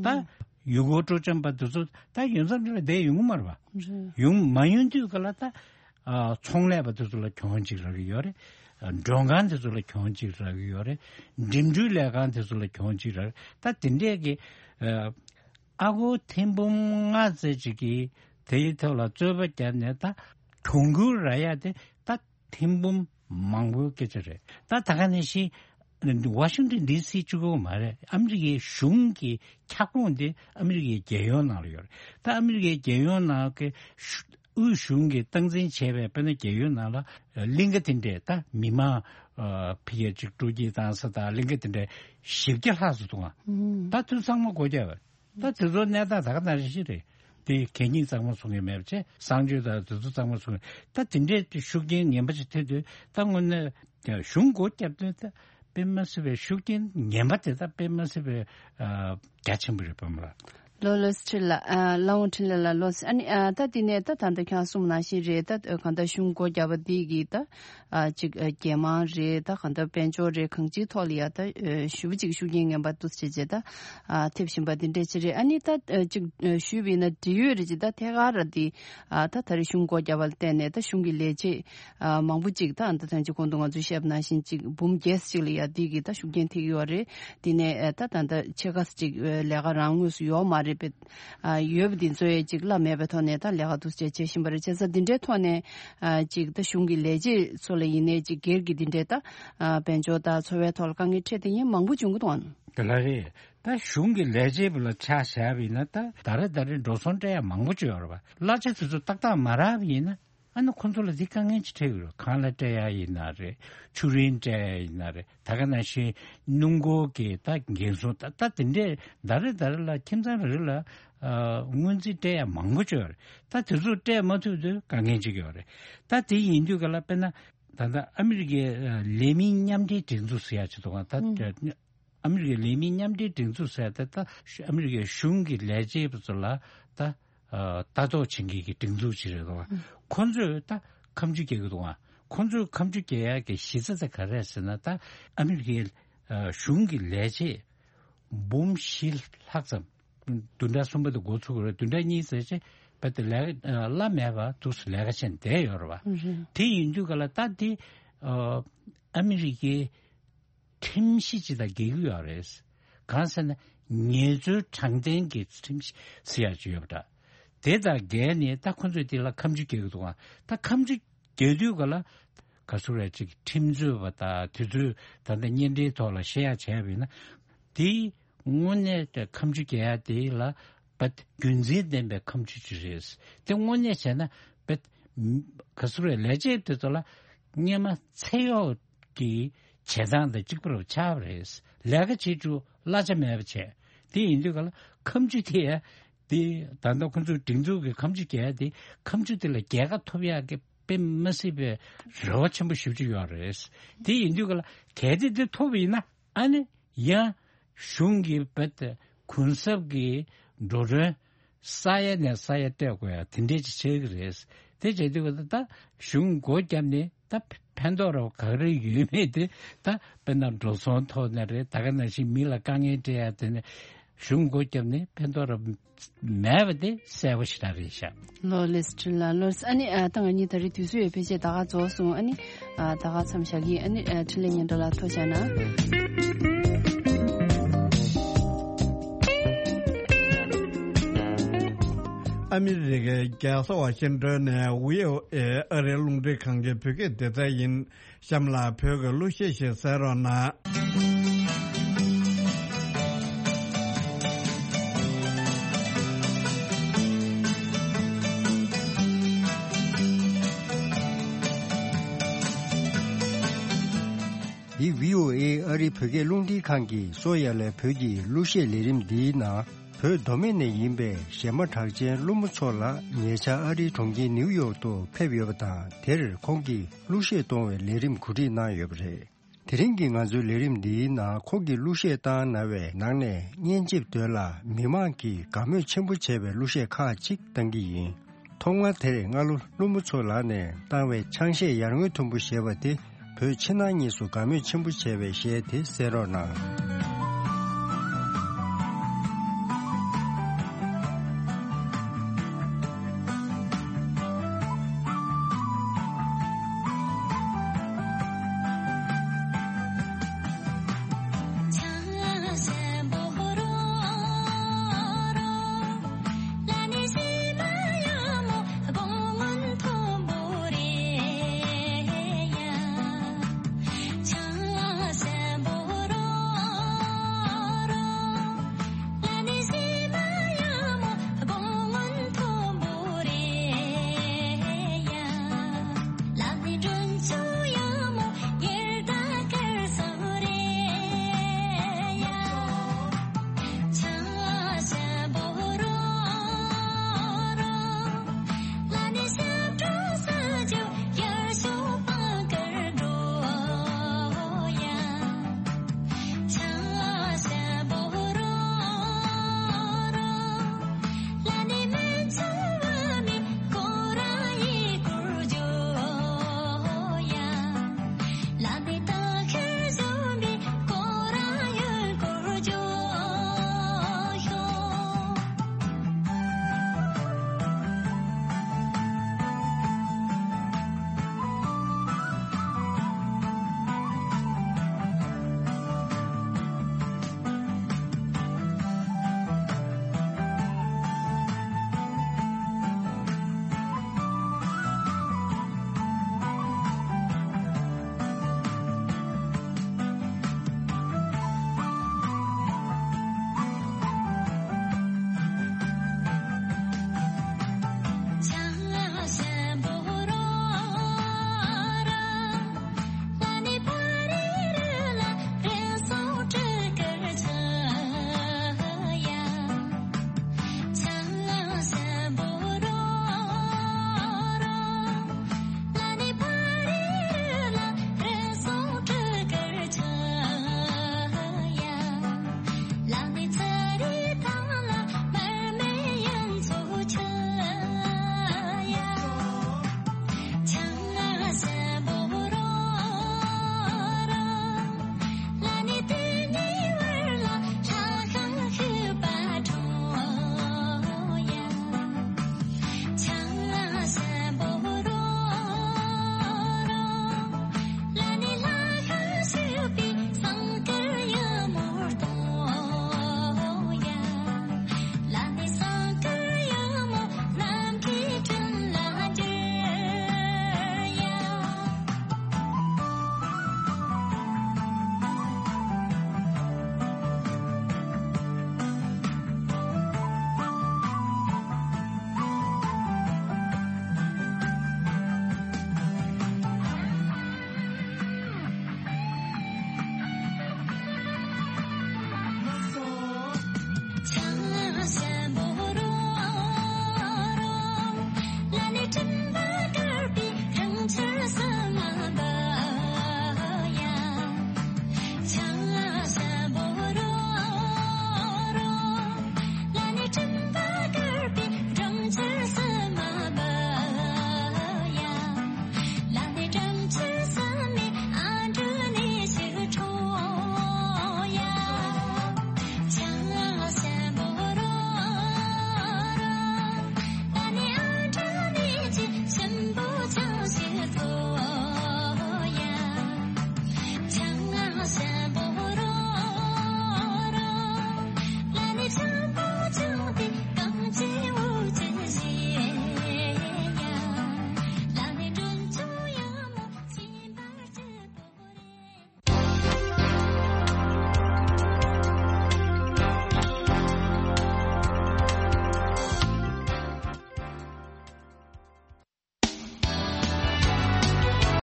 ད་ཡུལ་སྐོར་སྤྲོ་འཆམ་པ་དེ་ཚོ་ད་ཡུན་ཙམ་རིང་ལ་བསྡད་ཡོང་གི་མ་རེད་པ། ཡོང་མ་ཡོང་དུས་ག་ལ། ད་ཨ་ཚོང་ལས་པ་དེ་ཚོ་ལ་གྱོང་ཅིག་རག་གི་ཡོད་རེད། མགྲོན་ཁང་དེ་ཚོ་ལ་གྱོང་ཅིག་རག་གི་ཡོད་རེད། འགྲིམ་འགྲུལ་ལས་ཁང་དེ་ཚོ་ལ་གྱོང་ཅིག་རག་རེད། ད་དེ་འདྲས་ཀྱི་ཨ་ཨ་སྒོར་ཐེར་འབུམ་ལྔ་ཙམ་ཅིག་གིས་དེའི་ཐོག་ལ་རྩོད་པ་བརྒྱབ་ནས། ད་གྱོང་གུན་རག་ཡག་དེ་ད་ཐེར་འབུམ་མང་པོའི་སྐད་ཆ་རེད། ད་ད་ག་ནང་བཞིན་ཝ་ཤིང་ཏོན་ཌི་སི་གཅིག་པོ་མ་རེད། ཨ་མི་རི་ཀའི་གཞུང་གི་ཁྱབ་ཁོངས་དེ་ཨ་མི་རི་ཀའི་རྒྱལ་ཡོངས་ནང་ལ་ཡོད་རེད། ད་ཨ་མི་རི་ཀའི་རྒྱལ་ཡོངས་ནང་གི་ཤུ་དབུས་གཞུང་གིས་སྟངས་འཛིན་བྱས་པའི། དཔེར་ན་རྒྱལ་ཡོངས་ནང་ལ་གླིང་ག་དེ་འདྲས། ད་མི་མང་ཨ་ཕི་ཡ་གཅིག་སྤྲོ་སྐྱིད་བཏང་ས་དང་། གླིང་ག་དེ་འདྲས་བཞི་བརྒྱ་ལྷག་ཙམ་འདུག་ཨ། ད་དུས་ཚང་མ་སྒོ་བརྒྱབ་པ། ད་དེ་ཚོ་གནས་སྟངས་ད་ག་ནང་བཞིན་རེད། དེ་གད་སྙིགས་གཙང་མ་བཟོ་མཁན་མེད་པ་བྱས། གསང་སྤྱོད་དང་དེ་ཚོ་གཙང་མ་བཟོ་མཁན། ད་དེ་འདྲའི་ཤུགས་རྐྱེན་ངན་པ་ཞིག་ཐེབས་དུས། ད་དངོས་གནས་གཞུང་སྒོ་བརྒྱབ་དུས། ད་དཔེ་མ་སྲིད་པའི་ཤུགས་རྐྱེན་ངན་པ་དེ། ད་དཔེ་མ་སྲིད་པའི་ཨ་རྒྱ་ཆེན་པོ་རེད། བུ་མོ་ལགས། ལགས་ལགས་སོ། འཕྲིན་ལ། ཨ་ལགས་འོང་། འཕྲིན་ལས་ལགས། ལགས་སོ། ཨ་ནི་ཨ་ད་དེ་ནས་ད་ད་ལྟ་ཁྱེད་རང་གསུངས་ནང་བཞིན་རེད། ད་གང་ལྟར་གཞུང་སྒོ་བརྒྱབ་པ་འདི་གིས་ད། ཨ་གཅིག་ཨ་རྒྱལ་དམངས་རེད། ད་གང་ལྟར་དཔལ་འབྱོར་རེད། གང་ཅིའི་ཐོག་ལ་ཡ་ད་ཨ་ཞེ་པོ་ཅིག་ཤུགས་རྐྱེན་ངན་པ་འདུག་སེ་བྱས་བྱས་ད་ཨ་ཐེབས་བཞིན་པ་འདི་འདྲས་ཅིག་རེད། ཨ་ནི་ད་ཨ་གཅིག་ཨ་ཞུས་པ་ཡིན་ན། འབྲེལ་ཡོད་རེད་ཅིག་ད་ཐད་ཀར་ར་འདི་ཨ་ད་ད་རེས་གཞུང་སྒོ་བརྒྱབ་པ་ལ་བརྟེན་ནས། ད་གཞུང་གི་ལས་བྱེད་ཨ་མང་པོ་ཅིག་ད་ཨ་ད་ཐེངས་ཅིག་གོང་དུ་ང་ཚོས་བཤད་པ་ནང་བཞིན་ཅིག་འབུམ་བརྒྱད་ཅིག་ལ་ཡ་འདི་གིས་ད་ཤུགས་རྐྱེན་ཐེབས་ཀྱི་ཡོད་རེད། འདི་ནས་ཨ་ད་ད་ད་ཕྱེད་ཀ་ཅིག་ཨ་ལས་ཀ་རང་དངོས་སུ་ཡོད་མ་རེད་པས། ཨ་ཡོད་པ་འདི་ཚོ་ཡང་ཅིག་གླ་མེད་པའི་ཐོག་ནས་ད་ལས་ཀ་འདུག་སེ་བྱེད་བཞིན་པ་རེད། བྱས་ཙང་འདི་འདྲའི་ཐོག་ནས་ཨ་ཅིག་ད་གཞུང་གི་ལས་བྱེད་ཚོ་ལ་ཡིན་ནའི་ཅིག་སྒེར་གྱི་འདི་འདྲའི་ད་ཨ་དཔལ་འབྱོར་དང་འཚོ་བའི་ཐོག་ལ་དཀའ་ངལ་འཕྲད་བསྡད་མཁན་མང་པོ་བྱུང་གི་འདུག་ཨང་། དེ་ལ་རེད། ད་གཞུང་གི་ལས་བྱེད་པ་ལ་ཆ་བཞག་པ་ཡིན་ན། ད་ཟླ་རེ་ཟླ་རེ་འགྲོ་སོང་སྤྲད་ཡ་མང་པོ་ཅིག་ཡོད་རེད་པ། གླ་ཆ་དེ་ཚོ་ཏག་ཏག་མ་རག་པ་ཡིན་ན། ཨ་ནི་ཁོ་ཚོ་ལ་འདི་དཀའ་ངལ་ཅིག་འཕྲད་ཀྱི་རེད། ཁང་གླ་སྤྲད་ཡ་ཡིན་ན་རེད། ཆུ་རིན་སྤྲད་ཡ་ཡིན་ན་རེད། ད་ག་ནང་བཞིན་སྣུམ་འཁོར་གྱི་ད་འགན་སྲུང་། ད་ད་དེ་འདྲས་ཟླ་རེ་ཟླ་རེ་ལ་ཁྱིམ་ཚང་རེ་རེ་ལ་ཨ་སྔོན་རྩིས་སྤྲད་ཡ་མང་པོ་ཅིག་ཡོད་རེད། ད་དེ་ཚོ་སྤྲད་མ་ཐུབ་དུས་དཀའ་ངལ་ཅིག་ཡོད་རེད། ད་དེ་ཡིན་དུས་ག་ལ། དཔེར་ན་ད་ལྟ་ཨ་མི་རི་ཀའི་ཨ་ལས་མི་མཉམ་འབྲེལ་སྒྲིག་འཛུགས་ཟེར་ཡ་ཅིག་འདུག་ག། ད་ཨ་མི་རི་ཀའི་ལས་མི་མཉམ་འབྲེལ་སྒྲིག་འཛུགས་ཟེར་ཡ་དེ། ད་ཨ་མི་རི་ཀའི་གཞུང་གི་ལས་བྱེད་པ་ཚོ་ལ་ད་ཨ་ལྟ་རྟོག་བྱེད་མཁན་གྱི་སྒྲིག་འཛུགས་ཅིག་རེད་འདུག་ག། ཁོ་ཚོས་ད་ཁ་མཆུ་རྒྱག་གི་འདུག་ག། ཁོ་ཚོས་ཁ་མཆུ་རྒྱག་ཡག་གི་གཞི་རྩ་དེ་ག་རེ་རེད་ཟེར་ན། ད་ཨ་མི་རི་ཀའི་ཨ་གཞུང་གི་ལས་བྱེད་འབུམ་བཞི་ལྷག་ཙམ། བདུན་ཕྲག་གསུམ་པ་དེ་འགོ་ཚུགས་ཀྱི་རེད། བདུན་ཕྲག་གཉིས་ཙམ་བྱས་པ་དེ་ལས་ཀ་ཨ་གླ་མེད་པ་འདུག་སེ་ལས་ཀ་བྱས་བསྡད་ཡོད་རེད་པ། རེད། དེ་ཡིན་དུས་ག་ལ། ད་འདི་ཨ་ཨ་མི་རི་ཀའི་ཁྲིམས་གཞི་ཅིག་དང་འགལ་གྱི་ཡོད་རེད། གང་ཟེར་ན། ངལ་རྩོལ་དྲང་བདེན་གྱི་ཁྲིམས་གཞི་ཟེར་ཡག་ཅིག་ཡོད་པ་འདྲ། དེ་དང་འགལ་ནས་ད་ཁོ་ཚོས་དེ་ལ་ཁ་མཆུ་རྒྱག་གི་འདུག་ག། ད་ཁ་མཆུ་རྒྱག་དུས་ག་ལ། ག་ཚོད་རེད། ཅིག་ཁྲིམས་རྩོད་པ་དང་དེ་ཚོས་ད་ལྟ་བརྙན་འཕྲིན་ཐོག་ལ་བཤད་ཡག་བྱས་པ་ཡིན་ན། དེ་དངོས་གནས་ཀྱི་ཁ་མཆུ་རྒྱག་ཡག་དེ་ལ་བད་རྒྱུ་མཚན་ལྡན་པའི་ཁ་མཆུ་ཅིག་རེད། དེ་དངོས་གནས་བྱས་ན་བད་ག་ཚོད་རེད། ལས་བྱེད་དེ་ཚོ་ལ་སྔོན་མ་ཚེ་གཡོག་གི་བྱེད་སྟངས་དང་གཅིག་པ་རུ་ཆགས་པ་རེད། ལས་ཀ་བྱེད་རྒྱུ་གླ་ཆ་མེད་པ་བྱས། དེ་ཡིན་དུས་ག་ལ་ཁ་མཆུ་དེ་ཡང་ དེ་ད་ལྟ་ཁོང་ཚོའི་སྒྲིག་འཛུགས་ཀྱི་ཁ་མཆུ་རྒྱག་ཡ་དེ་ཁ་མཆུ་དེ་ལ་རྒྱལ་ཁ་ཐོབ་ཡག་གི་དཔེ་མ་སྲིད་པའི་རེ་བ་ཆེན་པོ་ཞེ་པོ་ཅིག་ཡོད་རེད། དེ་ཡིན་དུས་ག་ལ་གལ་ཏེ་དེ་ཐོབ་པ་ཡིན་ན་ཨ་ནི་ཡང་གཞུང་གི་བེད་གུན་གསབ་ཀྱི་འགྲོ་གྲོན་ས་ཡ་ནས་ས་ཡ་སྤྲད་དགོས་ཡ་དེ་འདྲས་ཅིག་ཆགས་ཀྱི་རེད། དེ་བྱེད་དུས་ག་ལ་ད་གཞུང་སྒོ་བརྒྱབ་ནས་ད་ཕན་ཐོགས་རོགས་ག་རེ་ཡོད་མེད་དེ་ད་དཔེར་ན་འགྲོ་སོང་ཐོག་ནས་རེད། ད་ག་ནང་བཞིན་མི་ལ་དཀའ་ངལ་སྤྲད་ཡ་དེ་ནས་གཞུང་སྒོ་བརྒྱབ་ནས་ཕན་ཐོགས་རོགས་མེད་པ་དེ་གསལ་པོ་ཞེ་དྲག་རེད་ཤག་ལོ་ལེགས་འཕྲིན་ལགས་ལོ། ཨ་ནི་ཨ་ད་ང་གཉིས་ད་རེས་དུས་ཚོད་ཡོད་ཕལ་ཆེར་ད་ག་རྫོགས་སོང་། ཨ་ནི་ཨ་ད་ག་མཚམས་བཞག་གི། ཨ་ནི་ཨ་འཕྲིན་ལས་ཉན་གྲྭ་ལ་ཐུགས་རྗེ་གནང་། ཨ་མི་རི་ཀའི་རྒྱལ་ས་ཝ་ཤིང་ཏོན་ནས་ཝི་ཨོ་ཨེ་ཨ་རིའི་རླུང་འཕྲིན་ཁང་གི་བོད་སྐད་སྡེ་ཚན་ཡིན། གཤམ་ལ་བོད་ཀྱི་གླུ་གཞས་ཤིག་གསན་རོགས་གནང་། འདི་བྷི་ཨོ་ཨེ་ཨ་རིའི་བོད་སྐད་རླུང་འཕྲིན་ཁང་གིས་གསོ་ཡ་ལས་བོད་ཀྱི་གླུ་གཞས་ལས་རིམ་འདིའི་ནང་། བོད་མདོ་སྨད་ནས་ཡིན་པའི་གཞས་མ་གྲགས་ཅན་ཀླུ་མོ་མཚོ་ལགས་ཉེ་ཆར་ཨ་རིའི་གྲོང་ཁྱེར་ནིའུ་ཡོག་ཏུ་ཕེབས་ཡོད་པ་དང་། དེར་ཁོང་གིས་གླུ་གཞས་གཏོང་བའི་ལས་རིམ་གོ་སྒྲིག་གནང་ཡོད་པ་རེད། དེ་རིང་གི་ང་ཚོའི་ལས་རིམ་འདིའི་ནང་ཁོང་གིས་གླུ་གཞས་བཏང་གནང་བའི་ནང་ནས་སྙན་འཇེབས་དོན་ལ་མི་མང་གིས་དགའ་མོས་ཆེན་པོ་བྱས་པའི་གླུ་གཞས་ཁག་ཅིག་བཏང་གི་ཡིན། ཐོག་མར་དེར་སྔ་ལོ་ཀླུ་མོ་མཚོ་ལགས་ནས་བཏང་བའི་ཆང་གཞས་ཡར་ངོའི་དུམ་བུ་ཞེས་པ་དེ་བོད་ཕྱི་ནང་གཉིས་སུ་དགའ་མོས་ཆེན་པོ་བྱས་པའི་གཞས་དེ་གསན་རོགས་གནང་།